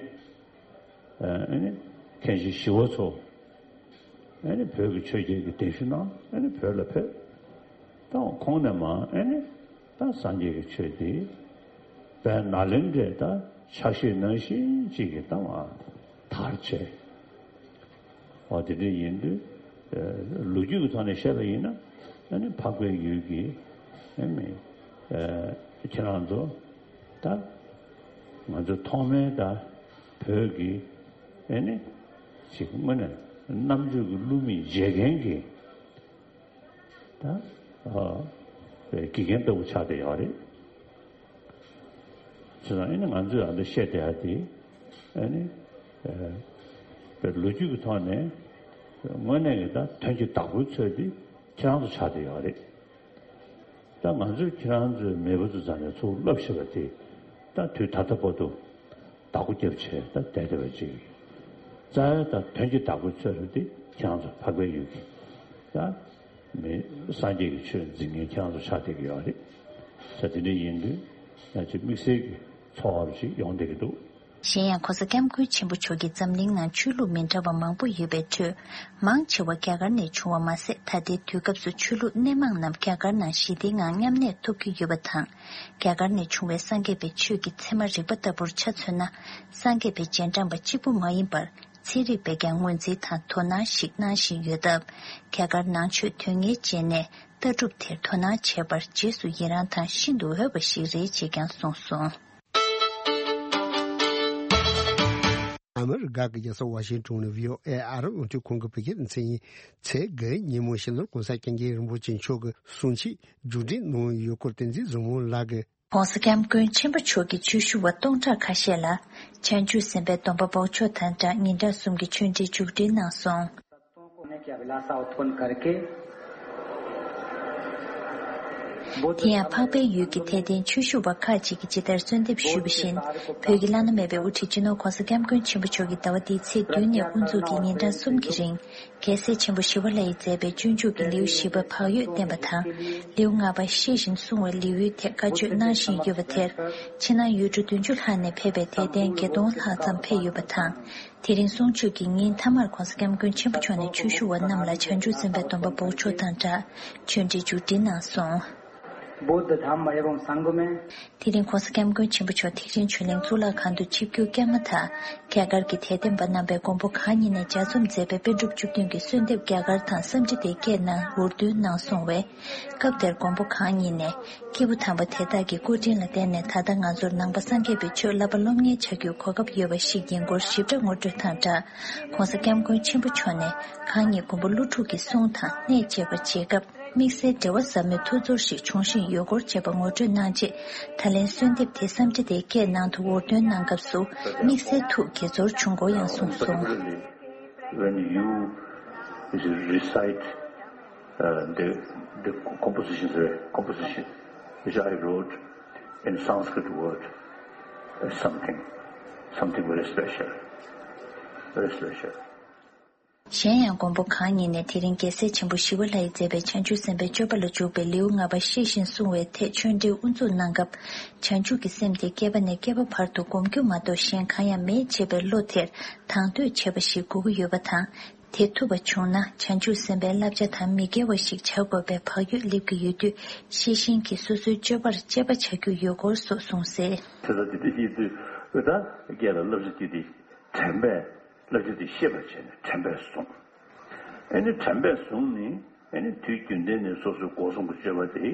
ཨ་ནི་མཁན་ཆེན་ཞི་བ་འཚོ། ཨ་ནི་བོད་ཀྱི་ཆོས་རྒྱལ་གྱི་གདན་ཞུ་གནང་། ཨ་ནི་བོད་ལ་ཕེབས། ད་ཁོང་ནས་མ་ཨ་ནི་ད་སངས་རྒྱས་ཀྱི་ཆོས་འདི་བོད་ནཱ་ལེནྡྲའི་ད་ཕྱག་བཞེས་ནང་བཞིན་ཅིག་གི་ད་མ་དར་བྱས། འོ་དེ་འདྲ་ཡིན་དུས། ཨ་ལོ་རྒྱུས་ཀྱི་ཐོག་ནས་བཤད་པ་ཡིན་ན། ཨ་ནི་འཕགས་པའི་ཡུལ་གྱི་ཨ་ནི་ཨ་ཁྱེད་རང་ཚོ་ད་ང་ཚོ་ཐོག་མའི་ད་བོད་ཀྱི་ཨ་ནི་ཅིག་དངོས་གནས་རྣམ་དཔྱོད་ཀྱི་བསླུ་མེད་བརྗེད་མཁན་གྱི་ད་ཨ་དགེ་རྒན་ལྟ་བུ་ཆགས་བསྡད་ཡོད་རེད། བྱས་ཙང་ཨ་ནི་ང་ཚོས་ཨ་འདི་བཤད་བསྡད་ཡ་དེ་ཨ་ནི་ཨ་ལོ་རྒྱུས་ཀྱི་ཐོག་ནས་དངོས་གནས་ཀྱི་ད་དོན་གྱི་བདག་པོའི་ཚོད་དེ་ཁྱེད་རང་ཚོ་ཆགས་བསྡད་ཡོད་རེད། ད་ང་ཚོས་ཁྱེད་རང་ཚོའི་མེས་པོ་ཚོ་རྩ་ནས་ཚུར་བསླབ་ཤེས་པ་དེ་ད་དུས་ད་ལྟ་བར་དུ་བདག་པོ་རྒྱབ་བྱས་ད་བསྡད་བསྡད་པ་ཅིག་རྩ་བའི་ད་དོན་གྱི་བདག་པོའི་ཚོད་དེ་ཁྱེད་རང་ཚོ་འཕགས་པའི་ཡུལ་གྱི་ད་མི་སངས་རྒྱས་ཀྱི་ཆོས་འཛིན་མཁན་ཁྱེད་རང་ཚོ་ཆགས་བསྡད་ཀྱི་ཡོད་རེད། ད་དེ་འདྲ་ཡིན་དུས་ང་ཚོས་དམིགས་བསལ་གྱི་ཚོར་བ་ཞིག་ཡོང་བསྡད་ཀྱི་འདུག་གཞན་ཡང་༸གོང་ས་༸སྐྱབས་མགོན་ཆེན་པོ་མཆོག་གིས་འཛམ་གླིང་ནང་ཆོས་ལུགས་མི་འདྲ་བ་མང་པོ་ཡོད་པའི་ཁྲོད། མང་ཆེ་བ་རྒྱ་གར་ནས་བྱུང་བ་མ་ཟད། ད་ལྟའི་དུས་སྐབས་སུ་ཆོས་ལུགས་སྣེ་མང་རྣམས་རྒྱ་གར་ནང་ཞི་བདེའི་ངང་མཉམ་གནས་ཐུབ་ཀྱི་ཡོད་པ་དང་། རྒྱ་གར་ནས་བྱུང་བའི་སངས་རྒྱས་པའི་ཆོས་ཀྱི་ཚད་མ་རིག་པ་ལྟ་བུར་ཆ་མཚོན་ན། སངས་རྒྱས་པའི་རྗེས་འབྲང་པ་གཅིག་པུ་མ་ཡིན་པར། ཚན་རིག་པས་ཀྱང་ངོས་འཛིན་དང་དོ་སྣང་ཞིག་གནང་བཞིན་ཡོད་སྟབས། རྒྱ་གར་ནང་ཆོས་དོན་གཉེར་ཅན་ནས་ལྟ་གྲུབ་དེར་དོ་སྣང་བྱེད་པར་རྗེས་སུ་ཡི་རང་དང་ཤིན་ཏུ་འོས་པ་ཞིག་རེད་ཅེས་ཀྱང་གསུངས་སོང་། ཨ་མི་རི་ཀ་གི་རྒྱལ་ས་ཝ་ཤིང་ཊོན་ནས་བྷི་ཨོ་ཨེ་ཨ་རི་རླུང་འཕྲིན་ཁང་གི་བོད་སྐད་སྡེ་ཚན་ཡིན། ཚེས་དགུ་ཉིན་མོ་སྤྱི་ནོར་༸གོང་ས་༸སྐྱབས་མགོན་རིན་པོ་ཆེ་མཆོག་གིས་གསུང་ཆོས་མཇུག་སྒྲིལ་གནང་ཡོད་སྐོར་བསྟན་འཛིན་བཟང་མོ་ལགས་ཀྱིས། ༸གོང་ས་༸སྐྱབས་མགོན་ཆེན་པོ་མཆོག་གིས་ཆོས་ཞུ་བ་སྟོང་ཕྲག་ཁ་ཤས་ལ་བྱང་ཆུབ་སེམས་དཔའི་སྡོམ་པ་འབོགས་ཆོག་དང་སྦྲགས་ཉིན་གྲངས་གསུམ་གྱི་ཆོས་འབྲེལ་མཇུག་སྒྲིལ་གནང་སོང་། དེ་ཡང་འཕགས་པའི་ཡུལ་གྱི་དད་ལྡན་ཆོས་ཞུ་བ་ཁག་ཅིག་གིས་ཇི་ལྟར་གསོལ་འདེབས་ཞུས་པ་བཞིན། བོད་ཀྱི་བླ་ན་མེད་པའི་དབུ་ཁྲིད་སྤྱི་ནོར་༸གོང་ས་༸སྐྱབས་མགོན་ཆེན་པོ་མཆོག་གིས་ཟླ་བ་འདིའི་ཚེས་བདུན་ནས་དབུ་འཛུགས་ཀྱིས་ཉིན་གྲངས་གསུམ་གྱི་རིང་། རྒྱལ་སྲས་ཆེན་པོ་ཞི་བ་ལྷ་ཡིས་མཛད་པའི་སྤྱོད་འཇུག་གི་ལེའུ་བཞི་པ་བག་ཡོད་བསྟན་པ་དང་། ལེའུ་ལྔ་པ་ཤེས་བཞིན་བསྲུང་བའི་ལེའུའི་ཐད་བཀའ་ཆོས་གནང་བཞིན་ཡོད་པ་དེར། ཕྱི་ནང་ཡུལ་གྲུ་བདུན་ཅུ་ལྷག་ནས་ཕེབས་པའི་དད་ལྡན་བརྒྱད་སྟོང་ལྷག་ཙམ་ཕེབས་ཡོད་པ་དང་། དེ་རིང་གསུང་ཆོས་ཀྱི་ཉིན་མཐའ་མར་༸གོང་ས་༸སྐྱབས་མགོན་ཆེན་པོ་མཆོག་ནས་ཆོས་ཞུ་བ་རྣམས་ལ་བྱང་ཆུབ་སེམས་དཔའི་སྡོམ་པ་འབོགས་ཆོག་དང་སྦྲགས་ཆོས་འབྲེལ་མཇུག་སྒྲིལ་གནང་སོང་། बुद्ध धम्म एवं संघ में। དེ་རིང་༸གོང་ས་༸སྐྱབས་མགོན་ཆེན་པོ་མཆོག་ཐེག་ཆེན་ཆོས་གླིང་གཙུག་ལག་ཁང་དུ་ཆིབས་བསྒྱུར་བསྐྱངས་མ་ཐག་རྒྱ་གར་གྱི་དད་ལྡན་པ་རྣམ་པས་མགོན་པོ་གང་ཉིད་ནས་ལྗགས་རྩོམ་མཛད་པའི་པཎ་གྲུབ་བཅུ་བདུན་གྱི་གསོལ་འདེབས་རྒྱ་གར་དང་བསམ་འཆར་དེ་སྐད་ནང་འུར་འདོན་གནང་སོང་བས། སྐབས་དེར་མགོན་པོ་གང་ཉིད་ནས། སྐྱེས་བུ་དམ་པ་དེ་དག་གི་སྐུ་དྲིན་ལ་བརྟེན་ནས་ད་ལྟ་ང་ཚོར་ནང་པ་སངས་རྒྱས་པའི་ཆོས་བསླབ་པ་སློབ་གཉེར་བྱ་རྒྱུའི་གོ་སྐབས་ཡོད་པ་ཞིག་ཡིན་སྐོར་ཞིབ་ཕྲ་ངོ་སྤྲོད་དང་སྦྲགས། ༸གོང་ས་༸སྐྱབས་མགོན་ཆེན་པོ་མཆོག་ནས་གང་ཉིད་མགོན་པོ་ཀླུ་སྒྲུབ་ཀྱི་གསུང་དང་གནས་མཇལ་བར་བྱེད་སྐབས། དམིགས་བསལ་འབྲེལ་བ་ཟབ་མོའི་ཐུགས་ཚོར་ཞིག་འབྱུང་བཞིན་ཡོད་སྐོར་བཅས་པ་ངོ་སྤྲོད་གནང་རྗེས། ད་ལན་གསོལ་འདེབས་དེ་བསམ་འཆར་དེ་སྐད་ནང་དུ་འུར་འདོན་གནང་སྐབས་སུ་དམིགས་བསལ་ཐུགས་དགྱེས་ཚོར་བྱུང་སྐོར་ཡང་གསུངས་སོང་། Particularly when you recite uh, the, the compositions, uh, composition which I wrote in Sanskrit word is something, something very special, very special. གཞན་ཡང་མགོན་པོ་གང་ཉིད་ནས་དེ་རིང་རྒྱལ་སྲས་ཆེན་པོ་ཞི་བ་ལྷ་ཡིས་མཛད་པའི་བྱང་ཆུབ་སེམས་དཔའི་སྤྱོད་པ་ལ་འཇུག་པའི་ལེའུ་ལྔ་པ་ཤེས་བཞིན་བསྲུང་བའི་ཐད་ཆོས་འབྲེལ་དབུ་འཛུགས་གནང་སྐབས། བྱང་ཆུབ་ཀྱི་སེམས་དེ་བསྐལ་པ་ནས་བསྐལ་པ་བར་དུ་སྒོམ་རྒྱུ་མ་གཏོགས་གཞན་གང་ཡང་མེད་ཅེས་པའི་བློ་དེར་དང་དོད་ཆེ་བ་ཞིག་དགོས་ཀྱི་ཡོད་པ་དང་། དེ་ཐུབ་པ་བྱུང་ན་བྱང་ཆུབ་སེམས་དཔའི་བསླབ་བྱ་དང་མི་འགལ་བ་ཞིག་བྱ་དགོས་པའི་བག་ཡོད་སླེབས་ཀྱི་ཡོད་དུས། ཤེས་བཞིན་གྱིས་སོ་སོའི་སྤྱོད་པར་དཔྱད་པ་བྱ་རྒྱུ་ཡོད་སྐོར་སོགས་གསུངས་གསལ། དེ་ལ་དེ་འདྲ་ཡིན་དུས་ད་སྐད་ལ་བསླབ་བྱ་དེ་དེ་དྲན་པས་བསླབ་བྱ་དེ་ཤེས་པར་བྱས་ནས་དྲན་པས་བཟུང་། ཨེ་ནི་དྲན་པས་བཟུང་ནས་ཨེ་ནི་དུས་རྒྱུན་ལྡན་ནས་སོ་སོའི་སྒོ་གསུམ་གྱི་སྤྱོད་པ་དེ་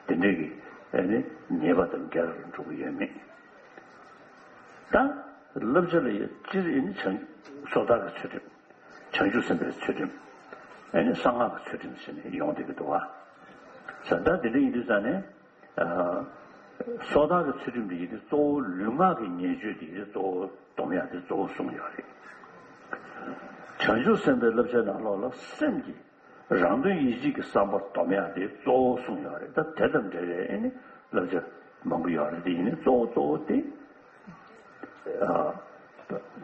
དེ་འདྲའི་གི་ཨེ་ནི་ཉེས་པ་དང་འགལ་བར་འགྲོ་གི་ཡོད་མེད། ད་བསླབ་བྱ་ལ་ཡང་སྤྱིར་ཨེ་ནི་བྱང་སོ་ཐར་གྱི་ཚུལ་ཁྲིམས། བྱང་ཆུབ་སེམས་དཔའི་ཚུལ་ཁྲིམས། ཨེ་ནི་གསང་སྔགས་ཀྱི་ཚུལ་ཁྲིམས་ཟེར་ནས་ཡོང་བསྡད་ཀྱི་འདུག་བ། ས་ད་དེ་འདྲ་ཡིན་དུས་ཙང་ནས། ཨ། སོ་ཐར་གྱི་ཚུལ་ཁྲིམས་དེ་ཡིན་དུས་གཙོ་བོ་ལུས་ངག་གི་ཉེས་སྤྱོད་དེ་ཡིན་དུས་གཙོ་བོ་སྡོམ་ཡག་དེ་གཙོ་བོ་གསུངས་ཡོད་རེད། བྱང་ཆུབ་སེམས་དཔའི་བསླབ་བྱའི་ནང་ལོགས་ལ་སེམས་ཀྱི་རང་དོན་ཡིད་བྱེད་ཀྱི་བསམ་པ་སྡོམ་ཡག་དེ་གཙོ་བོ་གསུངས་ཡོད་རེད། ད་དེ་དང་འབྲེལ་བའི་ཨེ་ནི་བསླབ་བྱ་མང་པོ་ཡོད་རེད། དེ་ཡིན་ནི་གཙོ་བོ་གཙོ་བོ་དེ། ཨ།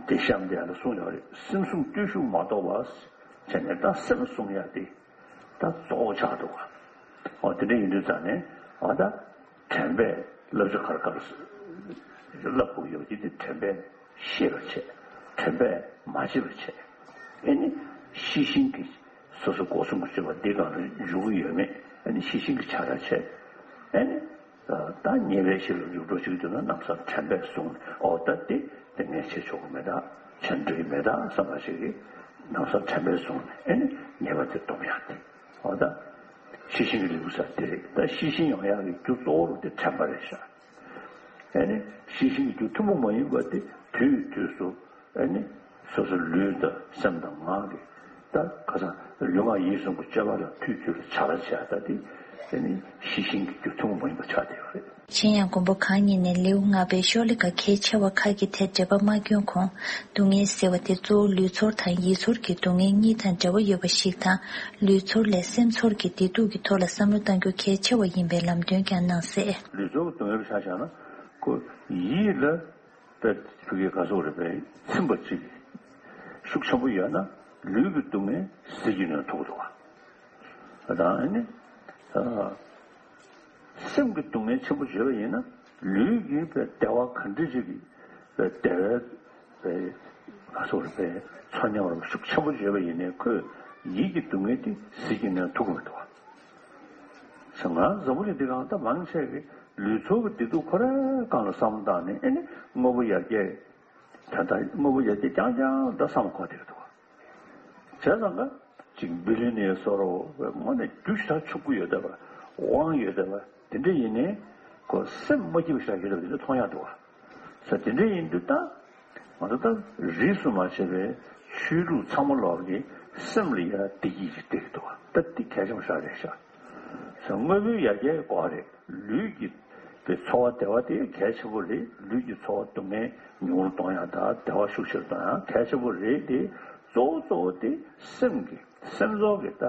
དེ་གཤམ་དེ་ཡང་གསུངས་ཡོད་རེད། སེམས་བཟུང་བརྟུལ་ཞུགས་མ་གཏོགས་པ་བྱས་ནས་ད་སེམས་བཟུང་ཡག་དེ་ད་གཙོ་བོ་ཆགས་འདུག་ག་འོ་དེ་འདྲ་ཡིན་དུས་ཙང་ནས་འོ་ད་དྲན་པས་བསླབ་བྱ་ག་རེ་ག་རེ་བསླབ་དགོས་ཡོད་ཀྱི་དེ་དྲན་པས་ཤེས་པར་བྱས། དྲན་པས་མ་བརྗེད་པར་བྱས། ཨེ་ནི་ཤེས་བཞིན་གྱིས་སོ་སོ་སྒོ་གསུམ་གྱི་སྤྱོད་པ་འདི་སྒང་ལ་འཇུག་གི་ཡོད་མེད་ཨེ་ནི་ཤེས་བཞིན་གྱིས་ཕྱག་ར་བྱས། ཨེ་ནི། ད་ཉེས་པའི་གཞི་ལ་འཇུག་འགྲོ་ཞིག་འདུག་ན་ལམ་སང་དྲན་པས་བཟུང་ནས་ཨོ་ད་དེ་དེ་ངས་བྱེད་ཆོག་གི་མེད་ད། བྱེད་འགྲོ་གི་མེད་ད་བསམ་པ་ཞིག་གིས་ལམ་སང་དྲན་པས་བཟུང་ནས་ཨེ་ནི་ཉེས་པ་དེ་སྡོམ་ཡག་དེ་ཨོ་ད་ཤེས་བཞིན་གྱི་ལེའུ་ས་དེ་རེད། ད་ཤེས་བཞིན་ཡོང་ཡག་གི་རྒྱུ་གཙོ་བོ་རུ་དེ་དྲན་པ་རེད་ཤག་ཨེ་ནི་ཤེས་བཞིན་གྱི་རྒྱུ་ཐུན་མོང་མ་ཡིན་པ་དེ་དུས་དུས་སུ། ཨ་ནི་སོ་སོ་ལུས་དང་སེམས་དང་ངག་གི་ད་ཁ་སང་ལུས་ངག་ཡིད་གསུམ་གྱི་སྤྱོད་པ་ལ་དུས་དུས་ལ་བྱ་བ་བྱས་ད་དེ་ཨ་ནི་ཤེས་བཞིན་གྱི་རྒྱུ་ཐུན་མོང་མ་ཡིན་པ་ཆགས་བསྡད་ཡོད་རེད། གཞན་ཡང་མགོན་པོ་གང་ཉིད་ནས་ལེའུ་ལྔ་པའི་ཤོ་ལོ་ཀ་གལ་ཆེ་བ་ཁག་གི་ཐད་འགྲེལ་པ་མ་བསྐྱོན་གོང་། སྡུག་བསྔལ་ཟེར་བ་དེ་གཙོ་བོ་ལུས་ཚོར་དང་ཡིད་ཚོར་གྱི་སྡུག་བསྔལ་གཉིས་དང་འབྲེལ་བ་ཡོད་པ་ཞིག་དང་། ལུས་ཚོར་ལས་སེམས་ཚོར་གྱི་བདེ་སྡུག་གི་ཐོག་ལ་བསམ་བློ་གཏང་རྒྱུ་གལ་ཆེ་བ་ཡིན་པའི་ལམ་སྟོན་ཀྱང་གནང་གསལ། ལུས་ཚོར་གྱི་སྡུག་བསྔལ་ཆ་བཞག་ན་ཁོ་ཡིད་ལ། དཔེ་ཕ་གི་ག་སོགས་རེད་པས་ཚིམ་པ་གཅིག་ཤུགས་ཆེན་པོ་ཡོད་ན་ལུས་ཀྱི་སྡུག་བསྔལ་ཟིལ་གྱིས་གནོན་ཐུབ་འདུག་བ། དང་ཨ་ནི། སེམས་ཀྱི་སྡུག་བསྔལ་ཆེན་པོ་བརྗོད་པ་ཡིན་ན་ལུས་ཀྱི་དཔེ་བདེ་བ་ག་འདྲ་ཅིག་གི་དཔེ་བདེ་བའི་དཔེ་ག་སོགས་རེད་པས་ཚོར་སྙོམས་རུ་ཤུགས་ཆེན་པོ་བརྗོད་པ་ཡིན་ནའི་ཁོས་ཡིད་ཀྱི་སྡུག་བསྔལ་དེ་ཟིལ་གྱིས་གནོན་ཐུབ་ཀྱི་མི་འདུག་བ། ང་འཛམ་བུ་གླིང་འདི་སྒང་ད་མང་ཆེ་གི་ལུས་ཚོར་གྱི་བདེ་སྡུག་ཁོ་རའི་སྒང་ལ་བསམ་བློ་བཏང་ནས་ཨེ་ནི་དངོས་པོ་ཡར་རྒྱས་ད་ལྟ་དངོས་པོ་ཡར་རྒྱས་རྐྱང་རྐྱང་ད་བསམ་གོ་བསྡད་འདུག་བྱས་ཙང་ཀ་ཅིག་བི་ལི་ནི་ཡ་སོགས་རོ་དངོས་གནས་རྒྱུ་ཞེ་དྲག་ཕྱུག་པོ་ཡོད་བསྡད་པ་དབང་ཡོད་བསྡད་པ་དེ་འདྲ་ཡིན་ནའི་ཁོ་སེམས་མ་སྐྱིད་པ་ཞེ་དྲག་ཡོད་བསྡད་པ་དེ་འདྲ་མཐོང་ཡག་འདུག་བ། ས་དེ་འདྲ་ཡིན་དུས་ད། ང་ཚོ་ད་རིས་སུ་མ་ཆད་པའི་ཆོས་ལུགས་ཚང་མ་ལོག་གི་སེམས་ལ་ཡ་བདེ་སྐྱིད་ཅིག་སྟེར་གི་འདུག་བ། ད་འདི་གལ་ཆེན་པོ་ཞིག་རེད་ཤག་ས་དངོས་པོའི་ཡར་རྒྱས་ཀྱི་སྐོར་རེད། ལུས་ཀྱི་པའི་ཚོར་བ་བདེ་བ་དེ་གལ་ཆེན་པོ་རེད། ལུས་ཀྱི་ཚོར་བ་སྡུག་བསྔལ་ཉུང་རུ་གཏོང་ཡག་དང་བདེ་བ་ཤུགས་ཆེ་རུ་གཏོང་ཡག་གལ་ཆེན་པོ་རེད་དེ། གཙོ་བོ་གཙོ་བོ་དེ་སེམས་ཀྱི་སེམས་ཚོར་གྱི་ད་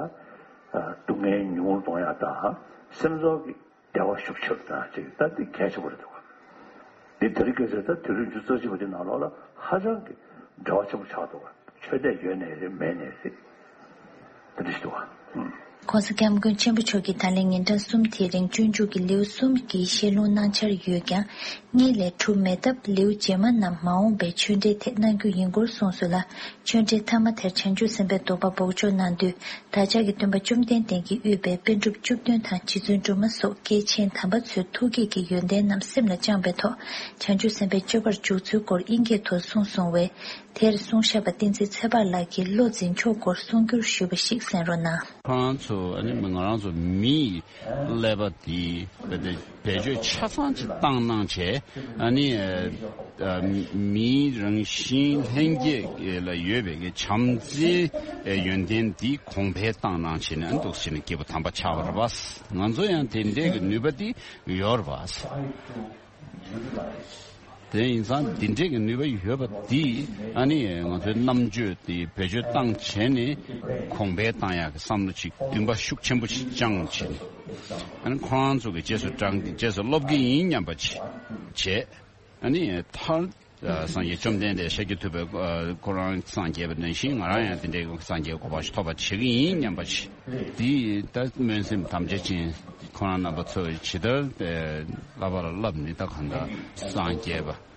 སྡུག་བསྔལ་ཉུང་རུ་གཏོང་ཡག་དང་སེམས་ཚོར་གྱི་བདེ་བ་ཤུགས་ཆེ་རུ་བཏང་ཅིག་ད་འདི་གལ་ཆེན་པོ་རེད་འདུག་ག་འདི་དེ་རིང་ཁ་སང་ད་དུས་རབས་ཉི་ཤུ་རྩ་གཅིག་པ་འདི་ནང་ལོགས་ལ་ཧ་ཅང་གི་འབྲེལ་བ་ཆེན་པོ་ཆགས་འདུག་ག་ཆོས་དད་ཡོད་ནའི་རེད་མེད་ནའི་རེད། དེ་འདྲ་ཞིག་འདུག་ག་ཨུམ། ༸གོང་ས་༸སྐྱབས་མགོན་ཆེན་པོ་མཆོག་གིས་ད་ལན་ཉིན་གྲངས་གསུམ་དེའི་རིང་སྤྱོད་འཇུག་གི་ལེའུ་གསུམ་གྱི་བཤད་ལུང་གནང་འཆར་ཡོད་ཀྱང་། གཉིས་ལས་གྲུབ་མེད་སྟབས། ལེའུ་རྗེས་མ་རྣམས་མ་འོངས་པའི་ཆོས་འབྲེལ་ཐད་གནང་རྒྱུ་ཡིན་སྐོར་གསུངས་སོང་ལ། ཆོས་འབྲེལ་ཐ་མ་དེར་བྱང་ཆུབ་སེམས་དཔའི་སྡོམ་པ་འབོགས་ཆོག་གནང་དུས། བདག་ཅག་གི་སྟོན་པ་བཅོམ་ལྡན་འདས་ཀྱིས་དབུས་པའི་པཎ་གྲུབ་བཅུ་བདུན་དང་རྗེ་བཙུན་སྒྲོལ་མ་སོགས་སྐྱེས་ཆེན་དམ་པ་ཚོའི་ཐུགས་བསྐྱེད་ཀྱི་ཡོན་ཏན་རྣམས་སེམས་ལ་བཅངས་པའི་ཐོག་བྱང་ཆུབ་སེམས་དཔའི་སྤྱོད་པར་འཇུག་ཚུལ་སྐོར་དབྱིན་སྐད་ཐོག་གསུངས་སོང་བས། དེར་གསུང་བཤད་པ་བསྟན་འཛིན་ཚེ་དཔག་ལགས་ཀྱིས་བློ་འཛིན་ཕྱོགས་སྐོར་གསུང་སྒྱུར་ཞུས་པ་ཞིག་གསན་རོགས་གནང་། ཁོ་རང་ཚོ་ཨ་ནི་ང་རང་ཚོ་མིའི་ཀླད་པ་དེ་བེད་སྤྱོད་ཆ་ཚང་ཅིག་བཏང་གནང་བྱས། ཨ་ནི་ཨ་མིའི་རང་བཞིན་ལྷན་སྐྱེས་ལ་ཡོད་པའི་གི་བྱམས་བརྩེའི་ཡོན་ཏན་འདི་གོང་འཕེལ་བཏང་གནང་བྱས་ནས། ཨ་འདུག་བྱས་ནས་སྐྱེས་བུ་དམ་པ་ཆགས་པ་རེད་པ། ང་ཚོ་ཡང་དེ་འདྲའི་གི་ནུས་པ་འདི་ཡོད་རེད་པ། དེ་ཡིན་ཙང་འདི་འདྲའི་གི་ནུས་པ་ཡོད་པ་འདི་ཨ་ནི་ང་ཚོའི་རྣམ་དཔྱོད་དེ་བེད་སྤྱོད་བཏང་བྱས་ནས་གོང་འཕེལ་བཏང་ཡག་གི་བསམ་བློ་ཅིག་འདུན་པ་ཤུགས་ཆེན་པོ་ཞིག་བཅངས་བྱས་ནས། ཨ་ནི་ཁོ་རང་ཚོ་གི་རྗེས་སུ་འབྲང་གི་རྗེས་སུ་སློབ་ཀྱི་ཡིན་སྙམ་པ་ཅིག་བྱས། ཨ་ནི་མཐར་སངས་རྒྱས་བཅོམ་ལྡན་འདས་ཤཱཀྱ་ཐུབ་པའི་ཁོ་རང་སངས་རྒྱས་པ་ནང་བཞིན། ང་རང་ཡང་དེ་འདྲའི་སངས་རྒྱས་གོ་འཕང་ཞིག་ཐོབ་པ་བྱེད་ཀྱི་ཡིན་སྙམ་པ་ཅིག། འདི་ལྟར་སྨོན་སེམས་དམ་བཅའ་ཅན་ཁོ་རང་རྣམ་པ་ཚོ་ཇི་ལྟར་བསླབ་པར་བསླབ་ནི་ད་གང་ལྟར་སངས་རྒྱས་པ།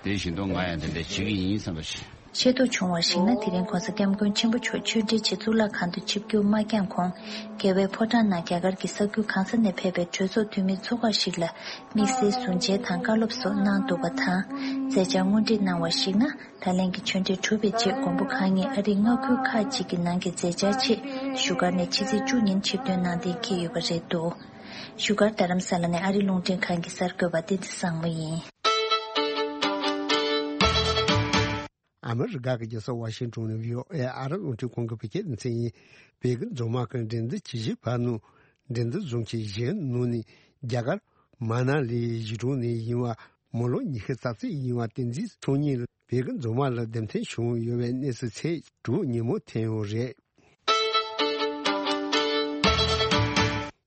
དེ་བཞིན་དུ་ང་ཡང་དེ་འདྲ་བྱེད་ཀྱི་ཡིན་བསམ་པ་ཞིག། ཆེད་དུ་བྱུང་བར་གཞིགས་ན། དེ་རིང་གོང་ས་སྐྱབས་མགོན་ཆེན་པོ་མཆོག་ཆོས་འབྲེལ་ཆེད་གཙུག་ལག་ཁང་དུ་ཆིབས་བསྒྱུར་མ་བསྐྱངས་གོང་། རྒྱལ་བའི་ཕོ་བྲང་ནང་རྒྱ་གར་གྱི་ས་ཁུལ་གང་ས་ནས་ཕེབས་པའི་གྲོས་ཚོགས་འཐུས་མི་ཚོགས་ཁག་ཞིག་ལ་དམིགས་བསལ་གཟུང་བྱའི་དང་བཀའ་སློབ་སོགས་གནང་འདུག་པ་དང་། མཛད་འཆར་དངོས་བྲིས་གནང་བར་གཞིགས་ན། ད་ལན་གྱི་ཆོས་འབྲེལ་གྲུབ་པའི་རྗེས། མགོན་པོ་གང་ཉིད་ཨ་རིའི་མངའ་ཁུལ་ཁག་ཅིག་གི་ནང་གི་མཛད་འཆར་ཆེད་བཞུགས་སྒར་ནས་ཕྱི་ཚེས་བཅུ་ཉིན་ཆིབས་ཐོན་གནང་གཏན་འཁེལ་ཡོད་པ་རེད་འདུག། བཞུགས་སྒར་རྡ་རམ་ས་ལ་ནས་ཨ་རི་རླུང་འཕྲིན་ཁང་གི་གསར་འགོད་པ་བསྟན་འཛིན་བཟང་མོ་ཡིན། ཨ་མི་རི་ཀ་གི་རྒྱལ་ས་ཝ་ཤིང་ཊོན་ནས་བྷི་ཨོ་ཨེ་ཨ་རི་རླུང་འཕྲིན་ཁང་གི་བོད་སྐད་སྡེ་ཚན་ཡིན། བོད་ཀྱི་རྫོང་དམག་གི་འགྲན་བསྡུར་ཇི་ཞིག་བར་ནུ། འགྲན་བསྡུར་རྫོང་ཆེན་བཞིའི་ནང་ནས་རྒྱ་གར་མ་ན་ལི་གཞིས་གྲོང་ནས་ཡིན་པ། མི་ལོ་ཉི་ཤུ་རྩ་གཅིག་ཡིན་པ་བསྟན་འཛིན་ཚོགས་གཉིས་ལ་བོད་ཀྱི་རྫོང་དམག་ལ་རྡུལ་ཕྲན་བྱུང་ཡོད་པའི་གནས་ཚུལ་ཚེས་དྲུག་ཉིན་མོ་ཐོན་ཡོད་རེད།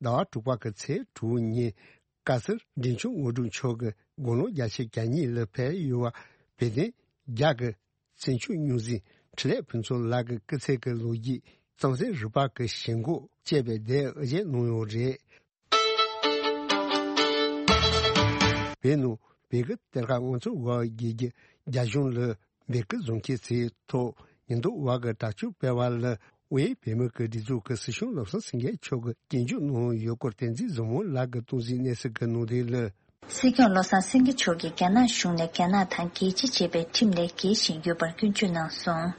ཟླ་བ་དྲུག་པ་གི་ཚེས་དྲུག་ཉིན། བཀའ་ཟུར་འབྲིང་ཆུང་དངོས་གྲུབ་མཆོག་གིས་དགུང་ལོ་བརྒྱད་ཅུ་གྱ་གཉིས་ལ་ཕེབས་ཡོད་པ། བོད་དོན་རྒྱ་གི་བཙན་བྱོལ་རྙོག་འཛིང་འཕྲིན་ལས་ཕུན་ཚོགས་ལགས་ཀྱི་སྐུ་ཚེ་གི་ལོ་རྒྱུས། གཙང་གསུམ་རུ་པ་གི་ཞེན་ཁོག་ཅེས་པའི་དེབ་དབུ་འབྱེད་གནང་ཡོད་རེད། བོད་ནང་བོད་ཀྱི་གཏེར་ཁ་དབང་ཚད་འབར་བའི་རྒྱལ་རྒྱུ་རྒྱ་གཞུང་ལ་བོད་ཀྱི་རྫོང་ཁྱིམ་ཚེས་ཐོག་ཉིན་ཐོ་བ་གི་དྲ་ཕྱོགས་སྤེལ་བ་ལ། དབུས་བོད་མི་གི་སྒྲིག་འཛུགས་ཀྱི་སྲིད་སྐྱོང་བློ་བཟང་སེང་གེ་མཆོག་གིས་སྐྱོན་བརྗོད་གནང་ཡོད་སྐོར་བསྟན་འཛིན་བཟང་མོ་ལགས་ཀྱིས་གཏོང་གཟིགས་གནང་གསལ་གྱི་གནང་དོན་ལ། སྲིད་སྐྱོང་བློ་བཟང་སེང་གེ་མཆོག་གིས་རྒྱ་ནག་གཞུང་ནས་རྒྱ་ནག་དང་རྒྱལ་སྤྱི་ཅེས་པའི་ཁྲིམས་ལས་འགལ་བཞིན་ཡོད་པར་སྐྱོན་བརྗོད་གནང་སོང་།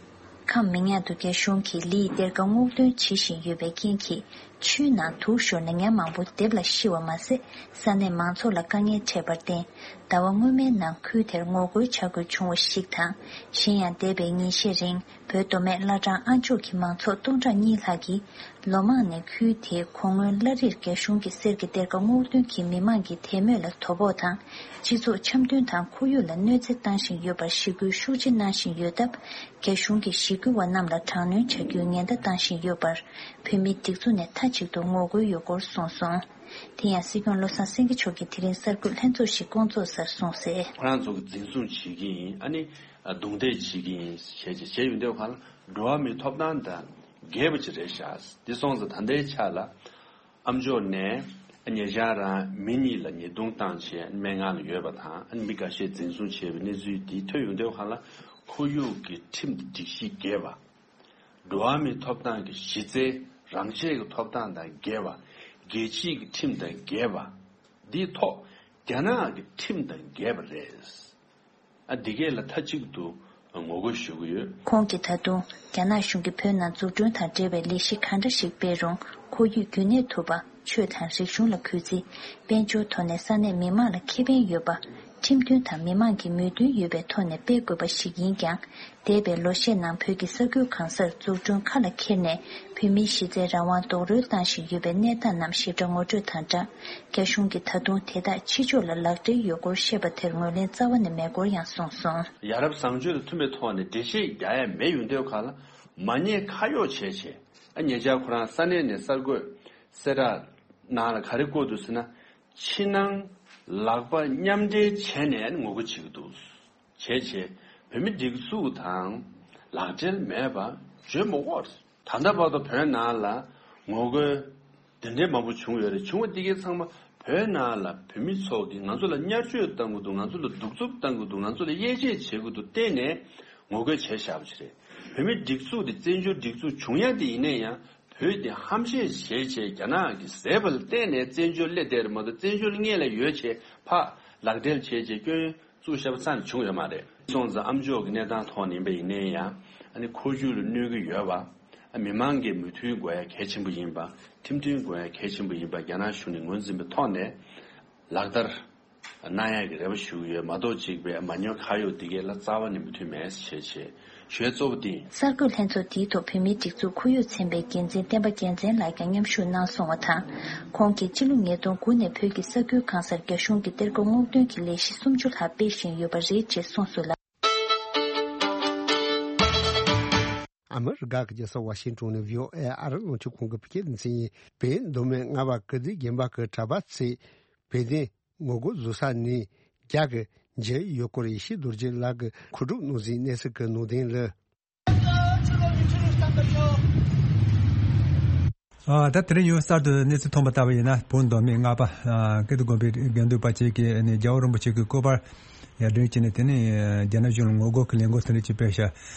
ཁམས་མི་ཉག་ཏུ་རྒྱ་གཞུང་གིས་ལིའི་གཏེར་ཁ་སྔོག་འདོན་བྱེད་བཞིན་ཡོད་པའི་རྐྱེན་གྱིས། ཆུའི་ནང་དུག་ཤོར་ནས་ཉ་མང་པོ་ལྡེབས་ལ་ཤི་བ་མ་ཟད། ས་གནས་མང་ཚོགས་ལ་དཀའ་ངལ་འཕྲད་པར་བརྟེན། ཟླ་བ་སྔོན་མའི་ནང་ཁུལ་དེར་ངོ་རྒོལ་བྱ་དགོས་བྱུང་བ་ཞིག་དང་། གཞན་ཡང་། འདས་པའི་ཉིན་ཤས་རིང་། བོད་མདོ་སྨད་བླ་བྲང་ཨ་མཆོག་གི་མང་ཚོགས་སྟོང་ཕྲག་གཉིས་ལྷག་གིས། ལོ་མང་ནས་ཁུལ་དེའི་གོ་སྔོན་བླ་རིར་རྒྱ་གཞུང་གི་གསེར་གྱི་གཏེར་ཁ་སྔོག་འདོན་གྱིས་མི་མང་གི་དད་མོས་ལ་དོ་ཕོག་དང་། སྤྱི་ཚོགས་འཆམ་མཐུན་དང་ཁོར་ཡུག་ལ་གནོད་འཚེ་བཏང་བཞིན་ཡོད་པར་ཞི་རྒོལ་ཤུགས་ཆེ་གནང་བཞིན་ཡོད་སྟབས། རྒྱ་གཞུང་གིས་ཞི་རྒོལ་བ་རྣམས་ལ་དྲག་གནོན་བྱ་རྒྱུའི་ཉེན་བརྡ་བཏང་བཞིན་ཡོད་པར། བོད་མིའི་སྒྲིག་འཛུགས་ནས་མཐའ་གཅིག་ཏུ་ངོ་རྒོལ་ཡོད་སྐོར་གསུངས་སོང་། དེ་ཡང་། སྲིད་སྐྱོང་བློ་བཟང་སེང་གེ་མཆོག་གིས་དེ་རིང་གསར་འགོད་ལྷན་ཚོགས་ཤིག་བསྐོང་ཚོགས་སར་གསུངས་གསལ། ཁོ་རང་ཚོ་གིས་འཛིན་བཟུང་བྱེད་ཀྱི་ཡིན། ཨ་ནི་རྡུང་རྡེག་བྱེད་ཀྱི་ཡིན་ཞེས་བྱས་བྱས་ཡོང་དུས་སྒང་ལ། འགྲོ་བ་མིའི་ཐོབ་ཐང་དང་འགལ་བ་ཅིག་རེད་ཤག། འདི་སོང་ཙང་ད་ལྟའི་ཆ་ལ། ཨ་མཆོག་ནས་ཉེ་ཆར་རང་མི་གཉིས་ལ་ཉེས་རྡུང་བཏང་བྱས་སྨན་ཁང་ལ་ཡོད་པ་དང་། ཨ་ནི་མི་འགའ་ཤས་འཛིན་བཟུང་བྱས་པའི་གནས་ཚུལ་འདི་ཐོན་ཡོང་དུས་སྒང་ལ། ཁོར་ཡུག་གི་ཁྲིམས་དང་སྒྲིག་གཞི་འགལ་བ། འགྲོ་བ་མིའི་ཐོབ་ཐང་གི་གཞི་རྩའི་རང་ཆས་ཀྱི་ཐོབ་ཐང་དང་འགལ་བ། རྒྱལ་སྤྱིའི་གི་ཁྲིམས་དང་འགལ་བ། འདིའི་ཐོག་རྒྱ་ནག་གི་ཁྲིམས་དང་འགལ་བ་རེད། ཨ། འདི་གས་ལ་མཐའ་གཅིག་ཏུ་ངོ་རྒོལ་ཞུ་གི་ཡོད། ཁོང་གིས་ད་དུང་རྒྱ་ནག་གཞུང་གིས་བོད་ནང་འཛུགས་སྐྲུན་དང་འབྲེལ་བའི་ལས་གཞི་ག་འདྲ་ཞིག་སྤེལ་རུང་། ཁོར་ཡུག་རྒྱུན་གནས་ཐུབ་པ། ཆོས་དང་རིག་གཞུང་ལ་གུས་བརྩི། དཔལ་འབྱོར་ཐོག་ནས་ས་གནས་མི་མང་ལ་ཁེ་ཕན་ཡོད་པ། ཁྲིམས་མཐུན་དང་མི་མང་གི་མོས་མཐུན་ཡོད་པའི་ཐོག་ནས་སྤེལ་དགོས་པ་ཞིག་ཡིན་ཀྱང་། འདས་པའི་ལོ་ཤས་ནང་བོད་ཀྱི་ས་ཁུལ་གང་སར་འཛུགས་སྐྲུན་ཁ་ལ་འཁྱེར་ནས། བོད་མིའི་གཞི་རྩའི་རང་དབང་རྡོག་རོལ་བཏང་བཞིན་ཡོད་པའི་གནས་སྟངས་རྣམས་ཞིབ་ཕྲ་ངོ་སྤྲོད་དང་སྦྲགས། རྒྱ་གཞུང་གིས་ད་དུང་དེ་དག་ཕྱི་ཕྱོགས་ལ་ལག་སྦྲེལ་ཡོད་སྐོར་བཤད་པ་དེར་ངོས་ལེན་རྩ་བ་ནས་མེད་སྐོར་ཡང་གསུངས་སོང་། ཡ་རབས་བཟང་སྤྱོད་དང་མཐུན་པའི་ཐོག་ནས་འགྲེལ་བཤད་རྒྱག་ཡ་མེད་ཡོང་དུས་སྒང་ལ། མ་ཉེས་ཁ་གཡོགས་བྱས་བྱས། ཨ། ཉེ་ཆར་ཁོ་རང་ས་གནས་ནས་གསར་འགོད་གསལ་བསྒྲགས་ནང་ལ་ག་རེ་བཀོད་འདུག་ཟེར་ན། ཕྱི་ནང་ལག་པ་མཉམ་འབྲེལ་བྱས་ནས་ངོ་རྒོལ་བྱེད་ཀྱི་འདུག། བྱས་བྱས་བོད་མི་སྒྲིག་འཛུགས་དང་ལག་འབྲེལ་མེད་པ་བརྗོད་མི་དགོས། ད་ལྟ་བར་དུ་བོད་ནང་ལ་ངོ་རྒོལ་འདི་འདྲའི་མང་པོ་བྱུང་ཡོད་རེད། བྱུང་བ་འདི་གའི་ཚང་མ་ བོད་ནང་ལ་བོད་མི་ཚོ་གིས་ང་ཚོ་ལ་བརྙས་བཅོས་གཏང་གི་འདུག་ང་ཚོ་ལ་གདུག་རྩུབ་གཏང་གི་འདུག་ང་ཚོ་ལ་དབྱེ་འབྱེད་བྱེད་ཀྱི་འདུག་བལྟས་ནས་ངོ་རྒོལ་བྱས་བཞག་པ་ཞིག་རེད། བོད་མིའི་སྒྲིག་འཛུགས་དེ་བཙན་བྱོལ་སྒྲིག་འཛུགས་བྱུང་ཡ་དེ་ཡིན་ན་ཡང་བོད་དེ་ཧམ་བཤད་བྱས་བྱས་རྒྱ་ནག་གིས་བཟས་པ་ལ་བརྟེན་ནས་བཙན་བྱོལ་སླེབས་བསྡད་རེད་མ་གཏོགས་བཙན་བྱོལ་སྔོན་ལ་ཡོད་བྱས་ཕར་ལག་སྦྲེལ་བྱས་བྱས་སྐྱོན་བཙུགས་བཞག་པ་ཙམ་བྱུང་ཡོད་མ་རེད། སོང་ཙང་ཨ་མཆོག་གི་གནས་སྟངས་ཐོག་ནས་ཡིན་པ་ཡིན་ན་ཡང་ཨ་ནི་འཁོར་རྒྱུག་ལ་གནོད་ཀྱི་ཡོད་པ། མི་མང་གི་མོས་མཐུན་དགོས་ཡ་གལ་ཆེན་པོ་ཡིན་པ། ཁྲིམས་མཐུན་དགོས་ཡ་གལ་ཆེན་པོ་ཡིན་པ་རྒྱ་ནག་གཞུང་ནས་ངོས་འཛིན་པའི་ཐོག་ནས་ལག་བསྟར་གནང་ཡ་གི་རེ་བ་ཞུ་གི་ཡོད་མ་གཏོགས་གཅིག་པའི་མ་ཉོ་ཁ་གཡོག་འདི་གའི་ལ་རྩ་བ་ནས་མོས་མཐུན་མེད་ཞེས་བྱས་ཞུ་ཡ་གཙོ་བོ་འདི། གསར་འགོད་ལྷན་ཚོགས་དེའི་ཐོག་བོད་མིའི་སྒྲིག་འཛུགས་ཁོར་ཡུག་ཚན་པའི་འགན་འཛིན་བསྟན་པ་རྒྱལ་མཚན་ལགས་ཀྱང་མཉམ་ཞུགས་གནང་སོང་བ་དང་། ཁོང་གིས་ཕྱི་ལོ་ཉིས་སྟོང་དགུ་ནས་བོད་ཀྱི་ས་ཁུལ་གང་སར་རྒྱ་གཞུང་གིས་གཏེར་སྒོ་སྔོག་འདོན་གྱི་ལས་གཞི་སུམ་ཅུ་ལྷག་སྤེལ་བཞིན་ཡོད་པ་རེད་ཅེས་གསུངས་སོང་ལ། ཨ་མི་རི་ཀ་གི་རྒྱལ་ས་ཝ་ཤིང་ཏོན་ནས་བྷི་ཨོ་ཨེ་ཨ་རི་རླུང་འཕྲིན་ཁང་གི་བོད་སྐད་སྡེ་ཚན་ཡིན། བོད་མདོ་སྨད་རྔ་བ་ཀིརྟི་དགོན་པ་གི་གྲྭ་པ་ཚོས་བོད་དོན་ངོ་རྒོལ་བཟོ་ས་ནས་རྒྱ་གི་འཇལ་ཡོད་སྐོར་ཡེ་ཤེས་རྡོ་རྗེ་ལགས་ཀྱིས་མཁོ་སྒྲུབ་གནང་ཟིན་གནས་ཚུལ་གྱི་ནང་དོན་ལ། ཨ། ད་དེ་རིང་ཡང་གསར་དུ་གནས་ཚུལ་ཐོན་པ་ལྟ་བུ་ཡིན་ན། བོད་མདོ་སྨད་རྔ་བ་ཨ་ཀིརྟི་དགོན་པའི་དགེ་འདུན་པ་བཅས་ཀྱིས་ནི་རྒྱལ་བ་རིན་པོ་ཆེ་གི་སྐུ་པར་ཡར་སྒྲེང་བྱས་ནས། དེ་ནས་རྒྱ་ནག་གཞུང་ལ་ངོ་རྒོལ་གྱི་ལས་འགུལ་དེ་འདྲ་ཅིག་སྤེལ་ཤག་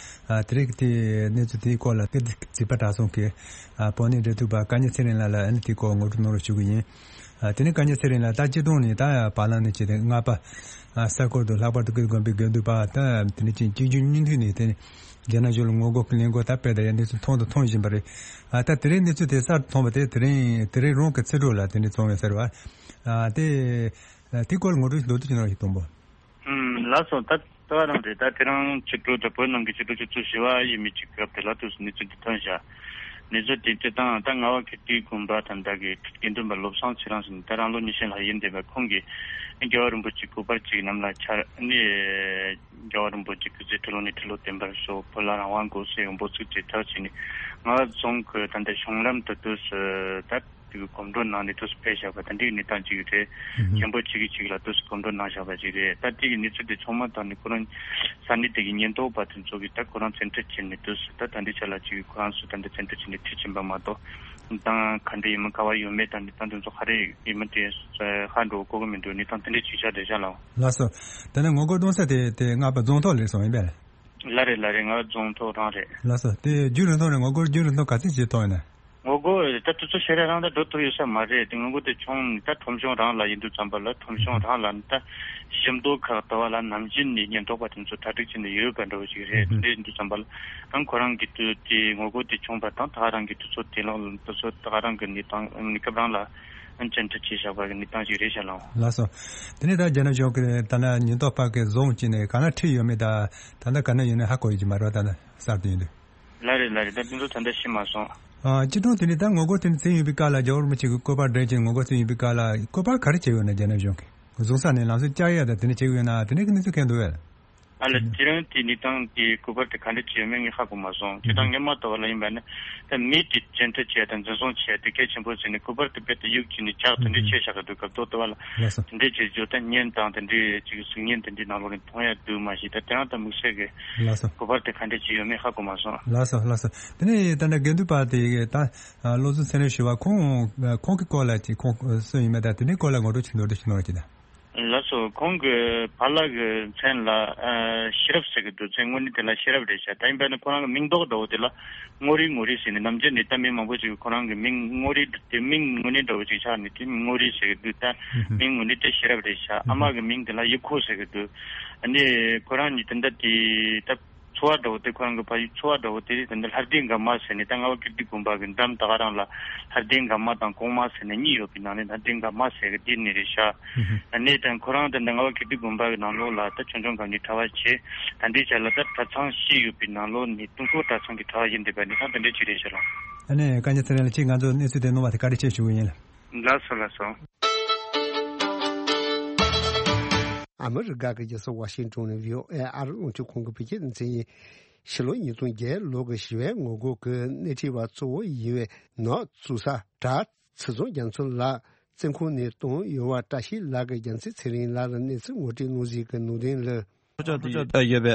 ཨ། དེ་རིང་གི་དེ་གནས་ཚུལ་དེའི་སྐོར་ལ་ཀིརྟི་རྩིས་པ་གྲྭ་ཚང་གི་ཨ་དཔོན་གནས་འབྲེལ་མཐུད་པ་བཀའ་ཉན་ཚེ་རིང་ལགས་ལ་ཨ་ནི་དེའི་སྐོར་ངོ་སྤྲོད་གནང་རོགས་ཞུ་གི་ཡིན། ཨ། དེ་ནས་བཀའ་ཉན་ཚེ་རིང་ལགས་ད་སྤྱིར་བཏང་ནས་ད་བར་ལམ་ནས་བྱས་ཏེ་རྔ་བ་ཨ་ས་ཁུལ་དུ་ལྷག་པར་དུ་ཀིརྟི་དགོན་པའི་དགེ་འདུན་པ་ད་དེ་ནས་ཅིག་གཅིག་མཇུག་གཉིས་མཐུད་ནས་དེ་ནས་རྒྱ་ནག་གཞུང་ལ་ངོ་རྒོལ་གྱི་ལས་འགུལ་ད་སྤེལ་བསྡད་ཡ་གནས་ཚུལ་མཐོང་དང་མཐོང་བཞིན་པ་རེད། ཨ། ད་དེ་རིང་གནས་ཚུལ་དེ་གསར་དུ་ཐོན་པ་དེ་དེ་རིང་དེ་རིང་རང་གི་ཚེ་སྒྲུབ་ལ་དེ་འདྲ་བྱུང་ཡོད་ཟེར་བ། ཨ། དེ་དེའི་སྐོར་ལ་ངོ་སྤྲོད་མདོར་བསྡུས་ཅིག་གནང་རོགས་ཞུ། དང་པོ། ཨུམ། ལགས་སོ། ད་ལྟ་བ་རང་རེད། ད་དེ་རིང་ཕྱི་དྲོ་ད་བོད་ནང་གི་ཕྱི་དྲོ་ཆུ་ཚོད་བཞི་པ་ཡས་མས་ཀྱི་སྐབས་དེ་ལ་དུས་སུ་གནས་ཚུལ་འདི་ཐོན་ཤག་གནས་ཚུལ་དེ་སྤྱིར་བཏང་ད་རྔ་བ་ཀིརྟིའི་དགོན་པ་ད་ལྟ་གི་དགེ་འདུན་པ་བློ་བཟང་ཚེ་རིང་ཟེར་ནས་ད་རང་ལོ་ཉི་ཤུ་ལྷག་ཡིན་བསྡད་པ་ཁོང་གིས་རྒྱལ་བ་རིན་པོ་ཆེའི་སྐུ་པར་ཅིག་གནམ་ལ་འཕྱར་ནས། རྒྱལ་བ་རིན་པོ་ཆེ་སྐུ་ཚེ་ཁྲི་ལོ་ནས་ཁྲི་ལོ་བརྟན་པར་ཤོག་བོད་ལ་རང་དབང་དགོས་ཟེར་འབོད་ཚིག་ཅིག་གྲགས་བྱས་ནས་རྔ་བ་རྫོང་གི་ད་ལྟ་གཞུང་ལམ་དུ་དུས་སུ་ད། དེ་གི་གོམ་བགྲོད་གནང་ནས་དུས་སུ་ཕེབས་བཞག་པ་དེ་འདྲའི་གནས་སྟངས་ཅིག་རེད། ཧུམ་ཧུམ། མཁན་པོ་གཅིག་གིས་གཅིག་ལ་དུས་སུ་གོམ་བགྲོད་གནང་བཞག་པ་ཅིག་རེད། ད་དེ་གི་གནས་ཚུལ་དེ་ཚང་མ་ཐོག་ནས་ཁོ་རང་ས་གནས་དེ་གི་ཉེན་རྟོག་པ་དེ་ཚོ་གིས་ད་ཁོ་རང་བཙན་ཁྲིད་བྱས་ནས་དུས་སུ་ད་ད་འདི་ཆ་ལ་ཅིག་ཁོ་རང་ཚོ་ད་འདི་བཙན་ཁྲིད་བྱས་ནས་ཁྲིད་ཕྱིན་པ་མ་གཏོགས་ད་ག་འདྲ་ཡིན་མིན་ག་བ་ཡོད་མེད་ད་འདི་ད་འདི་ཚོ་ག་རེ་ཡིན་མིན་དེ་ཧ་འགྲོ་གོ་གི་མི་འདུག་གནས་སྟངས་དེ་འདྲའི་ཅིག་ཆགས་བསྡད་ཤག་ལགས། ལགས་སོ། དེ་ནས་ངོ་རྒོལ་གཏོང་ས་དེ་དེ་རྔ་བ་རྫོང་ཐོག་ལ་སོང་ཡིན་པས། ལགས་རེད་ལགས་རེད། རྔ་བ་རྫོང་ཐོག་རང་རེད། ལགས་སོ། དེ་རྒྱུན་རིང་ཐུང་རེད། ངོ་རྒོལ་རྒྱུན་རིང་ཐུང་ག་ཚོད་ཅིག་ཐོག་ཡིན་ན། ངོ་རྒོལ་ད་དུས་ཚོད་ཞེ་དྲག་རིང་ད་འགྲོ་ཐུབ་ཡོད་ས་མ་རེད། དེ་ངོ་རྒོལ་དེ་བྱུང་ནས་ད་ཁྲོམ་གཞུང་རང་ལ་ཡིན་དུས་ཙམ་པ་ལ་ཁྲོམ་གཞུང་རང་ལ་ནི་ད་ཞིབ་འདུག་ཁག་ལྟ་བ་ལ་ནམ་རྒྱུན་ནས་ཉེན་རྟོག་པ་དེ་ཚོ་གྲ་སྒྲིག་བྱས་ནས་ཡོད་པ་འདྲ་བོ་ཞིག་རེད། དེ་འདྲ་ཡིན་དུས་ཙམ་པ་ལ་ཨང་ཁོ་རང་གི་དུས་དེ་ངོ་རྒོལ་དེ་བྱུང་བ་དང་ད་ག་རང་གི་དུས་ཚོད་དེ་ལ་དུས་ཚོད་ད་ག་རང་གི་གནས་སྟངས་གནས་སྐབས་རང་ལ་ཨང་བཅར་འདྲི་བྱས་བཞག་པ་གི་གནས་སྟངས་ཅིག་རེད་ཤག་ལགས། ལགས་སོ། དེ་ནས་ད་རྒྱ་ནག་གཞུང་གི་ད་ལྟ་ཉེན་རྟོག་པ་གི་བཟུང་བྱས་ནས་ག་ན་ཁྲིད་ཡོད་མེད་ད་ད་ལྟ་ག་ན་ཡོད་ན་ཧ་གོ་ཡོད་ཀྱི་མ་རེད་པ། ད་ལྟ་གསར་དུ་ཡིན་དུས། ལགས་རེད་ལགས་རེད། ད་དེ་ཚོ་ད་ལྟ་ཤེས་མ་སོང་། ཨ། སྤྱིར་བཏང་དེ་ནས་ད་ངོ་རྒོལ་དེ་ནས་བྱས་ཡོད་པའི་སྐབས་ལ་རྒྱལ་བ་རིན་པོ་ཆེ་གི་སྐུ་པར་སྒྲོན་བྱས་ངོ་རྒོལ་བྱས་ཡོད་པའི་སྐབས་ལ་སྐུ་པར་ག་རེ་བྱས་ཡོད་ན། རྒྱ་ནག་གཞུང་གིས་བཟུང་ས་ནས་ལམ་སང་བཅར་ཡ་ད་དེ་འདྲ་བྱས་ཡོད་ན་དེ་འདྲའི་གི་གནས་ཚུལ་གང་འདུག་པས། ཨ་ལ་དེ་རིང་དེ་གནས་སྟངས་དེ་སྐུ་པར་དེ་ག་འདྲ་བྱས་ཡོད་མེད་ངས་ཧ་གོ་མ་སོང་། སྤྱིར་བཏང་སྔོན་མ་ལྟ་བུ་ལ་ཡིན་པ་ན་ད་མི་དེ་བཅད་ཁྲ་བྱས་དང་འཛིན་བཟུང་བྱས་དེ་གལ་ཆེན་པོ་བྱས་ནས་སྐུ་པར་དེ་རྦད་དེ་གཡུག་བྱས་ནས་འཇག་དེ་འདྲ་བྱས་བཞག་གི་འདུག་སྐབས་ཐོག་པ་ལ། ལགས་སོ། དེ་འདྲ་བྱས་རྒྱུ་ད་བརྙན་དང་དེ་འདྲའི་ཅིག་གཟིགས་བརྙན་དེ་འདྲའི་ནང་ལོགས་ནས་མཐོང་ཡ་འདུག་མ་གཞི་ད་དེ་རང་ད་དམིགས་བསལ་གི། ལགས་སོ། སྐུ་པར་དེ་ག་འདྲ་བྱས་ཡོད་མེད་ཧ་གོ་མ་སོང་། ལགས་སོ་ལགས་སོ། དེ་ནས་ད་ལྟ་དགེ་འདུན་པ་དེ་ད་བློ་བཟང་ཚེ་རིང་ཞུ་བ་ཁོང་ཁོང་གི་སྐོར་ལ་ཅིག་ཁོང་སུ་ཡིན་མིན་ད་དེ་འདྲའི་སྐོར་ལ་ངོ་སྤྲོད་ཅིག་མདོར་བསྡུས་ཤིག་གནང་རོགས་གྱིས་ད། ལགས་སོ། ཁོང་གི་ཕ་ལགས་ཀྱི་མཚན་ལ་ཨ་ཤེས་རབ་ཟེར་གི་འདུག་མཚན་དངོས་གནས་དེ་ལ་ཤེས་རབ་རེད་ཤག་ད་ཡིན་པ་ནི་ཁོ་རང་གི་མིང་འདོགས་འདྲ་བོ་དེ་ལ་རྔོ་རི་རྔོ་རི་ཟེར་ནས་ནམ་རྒྱུན་ནས་ད་མི་མང་པོ་ཞིག་གིས་ཁོ་རང་གི་མིང་རྔོ་རི་དེ་མིང་དངོས་གནས་འདྲ་བོ་ཅིག་ཆགས་ནས་དེ་རྔོ་རི་ཟེར་གི་འདུག་ད་ཧུམ་ཧུམ། མིང་དངོས་གནས་དེ་ཤེས་རབ་རེད་ཤག་ཨ་མ་གི་མིང་དེ་ལ་ཡེ་ཁོ་ཟེར་གི་འདུག་ཨ་ནི་ཁོ་རང་གཉིས་དེ་འདྲ་དེ་ད། ཚོ་བ་འདྲ་བོ་དེ་ཁོ་རང་གི་ཕ་ཡུལ་ཚོ་བ་འདྲ་བོ་དེ་ད་ལྟ་ལྷ་ལྡན་དགའ་མ་ཟེར་ནས་ད་རྔ་བ་ཀིརྟི་དགོན་པ་གི་འགྲམ་ད་ག་རང་ལ་ལྷ་ལྡན་དགའ་མ་དང་གོང་མ་ཟེར་ནས་གཉིས་ཡོད་པའི་ནང་ནས་ལྷ་ལྡན་དགའ་མ་ཟེར་གི་དེ་ནས་རེད་ཤག་ཨ་ནི་ད་ཁོ་རང་ད་ལྟ་རྔ་བ་ཀིརྟི་དགོན་པ་གི་ནང་ལོགས་ལ་ད་ཆུང་ཆུང་སྒང་ནས་གྲྭ་པ་བྱས་ད་ལྟའི་ཆ་ལ་ད་གྲྭ་ཚང་བཞི་ཡོད་པའི་ནང་ལོགས་ནས་ཀྲུང་གོ་གྲྭ་ཚང་གི་གྲྭ་པ་ཡིན་བསྡད་པ་ནི་ད་དེ་འདྲའི་ཅིག་རེད་ཤག་ལགས། ཨ་ནི་བཀའ་རྙིང་ཚེ་རིང་ལགས་ཁྱེད་ང་ཚོ་གནས་ཚུལ་དེ་གནང་བ་དེ་བཀའ་དྲིན་ཆེ་ཞུ་གི་ཡིན་ལགས། ལགས་སོ་ལགས་སོ། ཨ་མི་རི་ཀ་གི་རྒྱལ་ས་ཝ་ཤིང་ཏོན་ནས་བྷི་ཨོ་ཨེ་ཨ་རི་རླུང་འཕྲིན་ཁང་གི་བོད་སྐད་སྡེ་ཚན་ཡིན། ཕྱི་ལོ་ཉིས་སྟོང་བརྒྱད་ལོ་གི་ཞི་བའི་ངོ་རྒོལ་གྱི་སྣེ་ཁྲིད་པ་གཙོ་བོ་ཡིན་པའི་ནག་བཙུགས་ས་གྲྭ་ཚེ་བཟང་རྒྱ་མཚོ་ལགས་བཙོན་ཁང་ནས་བཏང་ཡོད་པ་བཀྲ་ཤིས་ལགས་ཀྱིས་རྒྱལ་མཚན་ཚེ་རིང་ལགས་ལ་གནས་ཚུལ་ངོ་སྤྲོད་གནང་གཟིགས་ཀྱི་ནང་དོན་ལ། ཕྱོགས་དེ་ཡོད་པའི་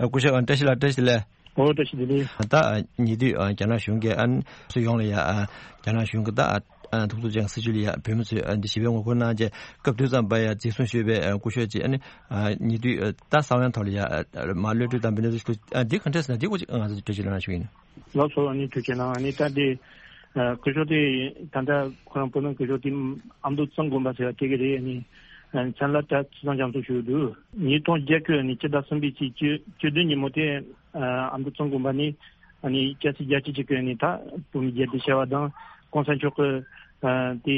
སྐུ་ཞབས་བཀྲ་ཤིས་ལགས། བཀྲ་ཤིས་བདེ་ལེགས། ཨོ་བཀྲ་ཤིས་བདེ་ལེགས། ད་ཉེ་དུས་རྒྱ་ནག་གཞུང་གིས་ཨ་ནི་སུ་ཡོང་ལ་ཡ་རྒྱ་ནག་གཞུང་གིས་ད་ ཨ་ཐུགས་རྗེ་ཅན་སྲིད་བྱུས་ལ་ཡ་བོད་མི་ཚོས་ཨ་འདི་ཞི་བའི་ངོ་རྒོལ་གནང་རྗེས་སྐབས་དུས་ཙམ་པ་ཡ་འཛིན་བཟུང་ཞུས་པའི་ཨ་སྐུ་ཞབས་ཀྱིས་ཨ་ནི་ཨ་ཉེ་དུས་ཨ་ད་གསང་བའི་ཐོག་ལ་ཡ་ཨ་མ་གློད་གྲོལ་དང་འབུལ་གནས་ཚུལ་ཨ་འདི་ག་འདྲས་ཟེར་ན་འདི་སྐོར་ཅིག་ང་ཚོ་འགྲེལ་བརྗོད་གནང་ཞུ་ཡིན། ལགས་སོ། ཨ་ནི་ཐུགས་རྗེ་གནང་། ཨ་ནི་ད་འདི་ཨ་སྐུ་ཞབས་དེ་ད་ལྟ་ཁོ་རང་བོད་ནང་སྐུ་ཞབས་དེ་ཨ་མདོ་གཙང་དགོན་པ་ཟེར་བ་དེ་ག་རེད། ཨ་ནི་ཨ་མཚན་ལ་ད་ཚེས་བཟང་རྒྱ་མཚོ་ཞུ་འདུག་ཉིས་སྟོང་བརྒྱད་ཀྱི་ཨ་ནི་སྤྱི་ཟླ་གསུམ་པའི་ཚེས་བཅུ་བཅུ་བདུན་ཉིན་མོ་དེ་ཨ་མདོ་གཙང་དགོན་པ་ནས་ཨ་ནི་སྐྱ་སེར་རྒྱ་ཆེ་ཆེ་གི་ཨ་ནི་ད་བོད་མི་རྒྱལ་དེ་བྱ་བ་དང་གོང་ས་མཆོག་གི་ཨ་དེ་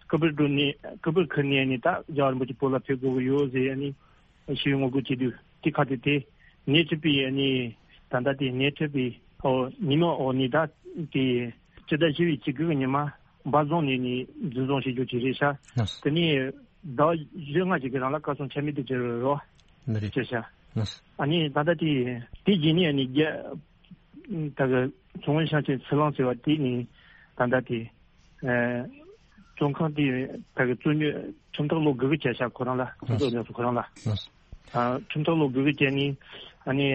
སྐུ་པར་བསྒྲོན་ནས་སྐུ་པར་ཁུར་ནས་ཨ་ནི་ད་རྒྱལ་བ་རིན་པོ་ཆེ་བོད་ལ་ཕེབས་དགོས་ཀྱི་ཡོད་ཟེར་ཨ་ནི་ཞུ་བའི་ངོ་རྒོལ་བྱེད་དུས་དེ་ཁ་དེ་དེ་སྣེ་ཁྲིད་པའི་ཨ་ནི་ད་ལྟ་དེ་སྣེ་ཁྲིད་པའི་ཨོ་ཉིན་མོ་ཨོ་ནི་ད་དེ་སྤྱི་ཟླ་བཞི་པའི་ཚེས་དགུ་གི་ཉི་མ་འབའ་རྫོང་ནས་ནི་འཛིན་བཟུང་བྱེད་རྒྱུ་ཅིག་རེད་ཤག་དེ་ནས་ཟླ་བ་བཞི་ལྔ་ཅིག་གི་རིང་ལ་བཀའ་ཚོམས་ཆ་མེད་དུ་གྱུར་རོ། ནི་རེད། བྱས་ཤག་ཨ་ནི་ད་ལྟ་དེ་དེ་རྗེས་ནས་ཨ་ནི་རྒྱ་ད་གི་ཚོང་དབང་ཤང་ཆེན་ཚུར་ལང་ཟེར་བ་དེ་ནི་ད་ལྟ་དེ་ཨ་བཙོན་ཁང་དེ་ད་གི་བཙོན་འཇུག་ཁྲིམས་ཐག་ལོ་དགུ་གི་བྱས་ཤག་ཁོ་རང་ལ་ཁྲིམས་ཐག་ཉམས་སུ་ཁོ་རང་ལ་ཨ་ཁྲིམས་ཐག་ལོ་དགུ་གི་བྱས་ནི་ཨ་ནི་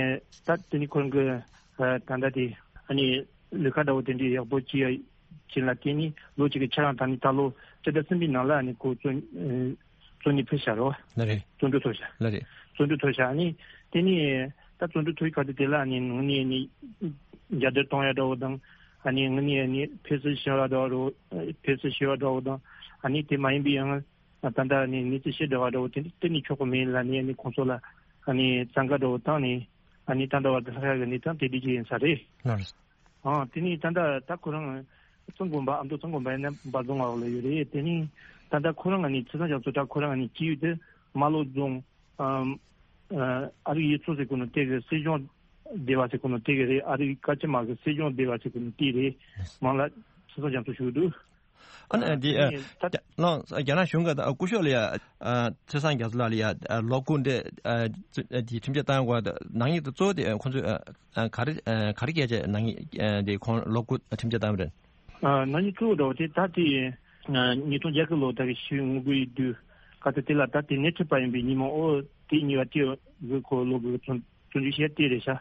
ད་དེ་ནི་ཁོ་རང་གི་ཨ་ད་ལྟ་དེ་ཨ་ནི་ལས་ཀ་འདྲ་བོ་དེ་འདྲའི་ཡག་པོ་ཅི་ཡ་ཅིག་ལ་བརྟེན་ནས་ལོ་གཅིག་གི་ཁྱེད་རང་ད་ནི་ད་ལོ་སྤྱི་ཟླ་གསུམ་པའི་ནང་ལ་ནི་ཁོ་བཙོན་ཨ་བཙོན་ནས་ཕུད་བཞག་རོ། ལ་རེད། བཙོན་གྲོལ་ཐོབ་བཞག་ལ་རེད། བཙོན་གྲོལ་ཐོབ་བཞག་ནི་དེ་ནི་ད་བཙོན་གྲོལ་ཐོབ་ཡི་ག་དེ་དེ་ལ་ནི་ངོ་ནས་ནི་རྒྱ་སྡོད་གཏོང་ཡ་འདྲ་བོ་དང་ཨ་ནི་ངོ་ནས་ནི་ཕེབས་བསུ་ཞུ་བ་འདྲ་བོ་ཕེབས་བསུ་ཞུ་བ་འདྲ་བོ་དང་ཨ་ནི་དེ་མ་ཡིན་པའི་ཡང་ད་ལྟ་ནི་གནས་ཚུལ་ཤེས་འདྲ་བ་འདྲ་བོ་དེ་དེ་ནི་ཆོག་གི་མེད་ལ་ནི་ཨ་ནི་ཁོང་ཚོ་ལ་ཨ་ནི་བཙན་བཀའ་འདྲ་བོ་བཏང་ནི་ཨ་ནི་ད་འདྲ་བ་དེ་ལྷག་ཡ་གི་གནས་སྟངས་དེ་འདྲ་ཅིག་ཡིན་ས་རེད། ལ་རེད། ཨང་དེ་ནས་ད་ལྟ་ད་ཁོ་རང་གཙང་དགོན་པ་ཨ་མདོ་གཙང་དགོན་པ་ཡིན་ན་འབའ་རྫོང་ལ་ཡོད་རེད། དེ་ནས་ད་ལྟ་ཁོ་རང་ནས་ཚེས་བཟང་རྒྱ་མཚོ་ད་ཁོ་རང་ནས་སྐྱེས་ཡུལ་དེ་རྨ་ལྷོ་རྫོང་ཨམ་ཨ་ཨ་རིག་ཡུལ་ཚོ་ཟེར་གོ་ནོ་དེ་གི་སྲིད་སྐྱོང་སྡེ་བ་ཟེར་གོ་ནོ་དེ་གི་རེད། ཨ་རིག་བཀའ་སྤྱི་དམངས་ཀྱི་སྲིད་སྐྱོང་སྡེ་བ་ཟེར་གོ་ནོ་དེ་རེད། མང་ལ་ཚེས་བཟང་རྒྱ་མཚོ་ཞུ་གི་འདུག་ཨ་ནི་འདི་ཨ་ནི་ད་ད་ལོ་རྒྱ་ནག་གཞུང་གི་ད་སྐུ་ཞབས་ལ་ཡ་ཨ་ཚེས་བཟང་རྒྱ་མཚོ་ལགས་ལ་ཡ་ཨ་ལོ་དགུ་འདི་ཨ་ཨ་འདི་ཁྲིམས་ཆད་བཏང་དགོས་ད་ནག་ཉེས་དེ་གཙོ་བོ་དེ་ཁོང་ཚོས་ཨ་ཨ་ག་རེ་ཨ་ག་རེ་སྐད་ཆ་ནག་ཉེས་ཨ་དེ་ཁོང་ལོ་དགུ་ཁྲིམས་ཆད་བཏང་བ་རེད། ཨ་ནག་ཉེས་གཙོ་བོ་འདྲ་བོ་དེ་ད་དེ་ཨ་ཉིས་སྟོང་བརྒྱད་ཀྱི་ལོ་ད་གི་ཞི་བའི་ངོ་རྒོལ་ཡི་དུས་ག་ད་དེ་ལ་ད་དེ་སྣེ་ཁྲིད་པ་ཡིན་པའི་ཉིན་མོ་ཨོ་དེ་གཉིས་པ་དེ་གི་ཁོ་ལོ་དགུ་བཙོན་བཙོན་འཇུག་བྱས་དེ་རེད་ཤག་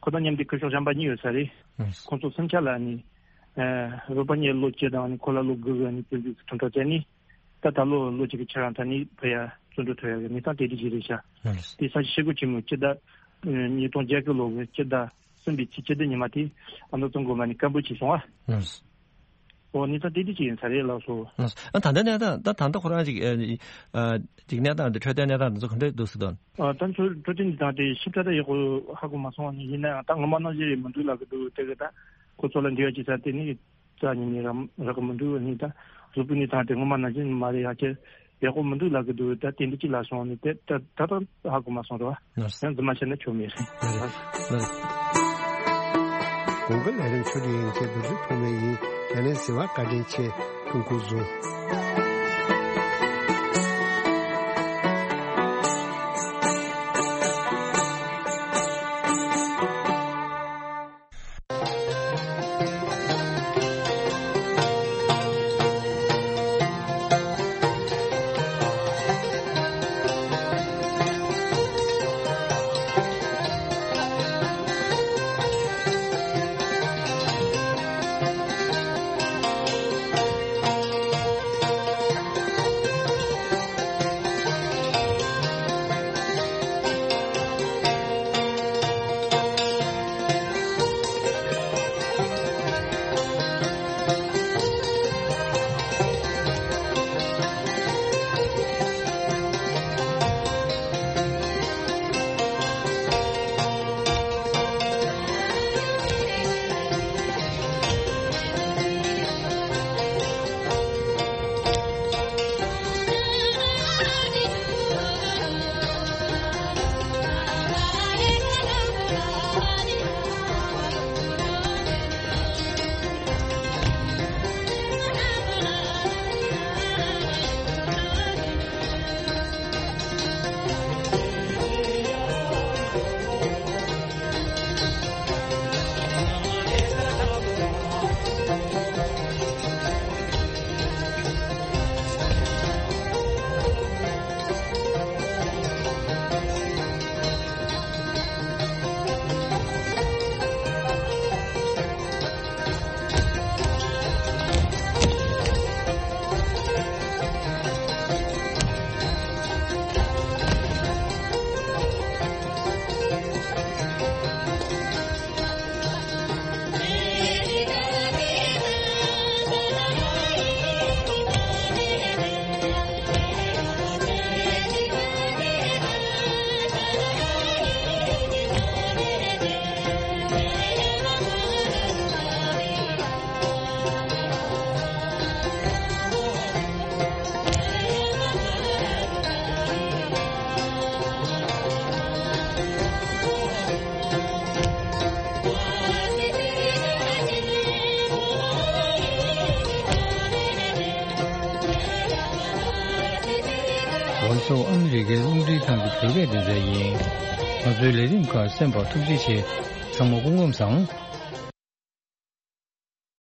ཁོ་དང་མཉམ་དུ་སྐུ་ཞབས་གཞན་པ་གཉིས་ཡོད་ས་རེད། ཁོང་ཚོ་སུམ་ཆ་ལ་ནི་ཨ་རོགས་པ་གཉིས་ལོ་བཅུ་དང་ནི་ཁོ་ལ་ལོ་དགུ་གི་ནི་བཙོན་འཇུག་གི་ཁྲིམས་ཐག་བཅད་ནི་ད་ད་ལོ་ལོ་གཅིག་གི་ཕྱིར་རང་ད་ནི་ཕ་ཡ་བཙོན་གྲོལ་ཐོབ་ཡ་གི་གནས་སྟངས་དེ་འདྲ་ཞིག་རེད་ཤག་དེ་ས་ཆ་ཤེལ་སྒོ་ཆེན་མོའི་སྤྱི་ཟླ་ཨ་ཉིས་སྟོང་བརྒྱད་ཀྱི་ལོ་གི་སྤྱི་ཟླ་གསུམ་པའི་ཚེས་བཅུ་བདུན་ཉི་མ་དེ་ཨ་མདོ་གཙང་དགོན་པ་ནས་སྐད་འབོད་བྱས་སོང་ཨ། ཨོ་གནས་སྟངས་དེ་འདྲ་ཅིག་ཡིན་ས་རེད་ལགས་སོ། ཨ་ད་ལྟ་གནས་སྟངས་ད་ད་ལྟ་ཁོ་རང་ཅིག་ཨ་ཅིག་གནས་སྟངས་འདི་འཕྲོད་བསྟེན་གནས་སྟངས་འདི་ཚོ་ག་འདྲ་འདུག་ཟེར་དོན། ཨ་ད་ཚོ་འཕྲོད་བསྟེན་འདི་དང་དེ་ཞིབ་ཕྲ་ད་ཡག་པོ་ཧ་གོ་མ་སོང་བ་ནི་ཡིན་ན་ཡང་ད་ངོ་མ་ནང་བཞིན་རེད་མི་འདུག་ལབ་གི་འདུག་དེ་གི་ད་ཁོ་ཚོ་ལ་འབྲེལ་བ་བྱེད་ས་དེ་ནི་རྩ་ཉིད་ནས་རག་རག་གི་མི་འདུག་ནི་ད་གཟུགས་པོའི་གནས་སྟངས་དེ་ངོ་མ་ནང་བཞིན་མ་རེད་ཡ་ཁྱེད། ཡག་པོ་མི་འདུག་ལབ་གི་འདུག་ད་དེ་འདྲ་ཅིག་ལབ་སོང་ནི་དེ་ད་ད་ད་ཧ་གོ་མ་སོང་རེད་བ། ཡང་རྫུན་མ་བཤད་ན་ཆོ་མེད་རེད། གོང་གི་ལས་རིམ་ཆོས་སྒྲིག་ཡན་ཆད་བསྡུ་རྩིས་ཐོག་མེད་ཡིན། དེ་ནས་ཟེར་བ་བཀའ་དྲིན་ཆེ། ཕུན་ཁུག་བཟུང་། ང་ཚོ་ཨ་མི་རི་ཀའི་རླུང་འཕྲིན་ཁང་གི་བོད་སྐད་སྡེ་ཚན་ཡིན། ང་ཚོའི་ལས་རིམ་ཁག་གསན་པར་ཐུགས་རྗེ་ཆེ། ཚང་མ་སྐུ་ཁམས་བཟང་།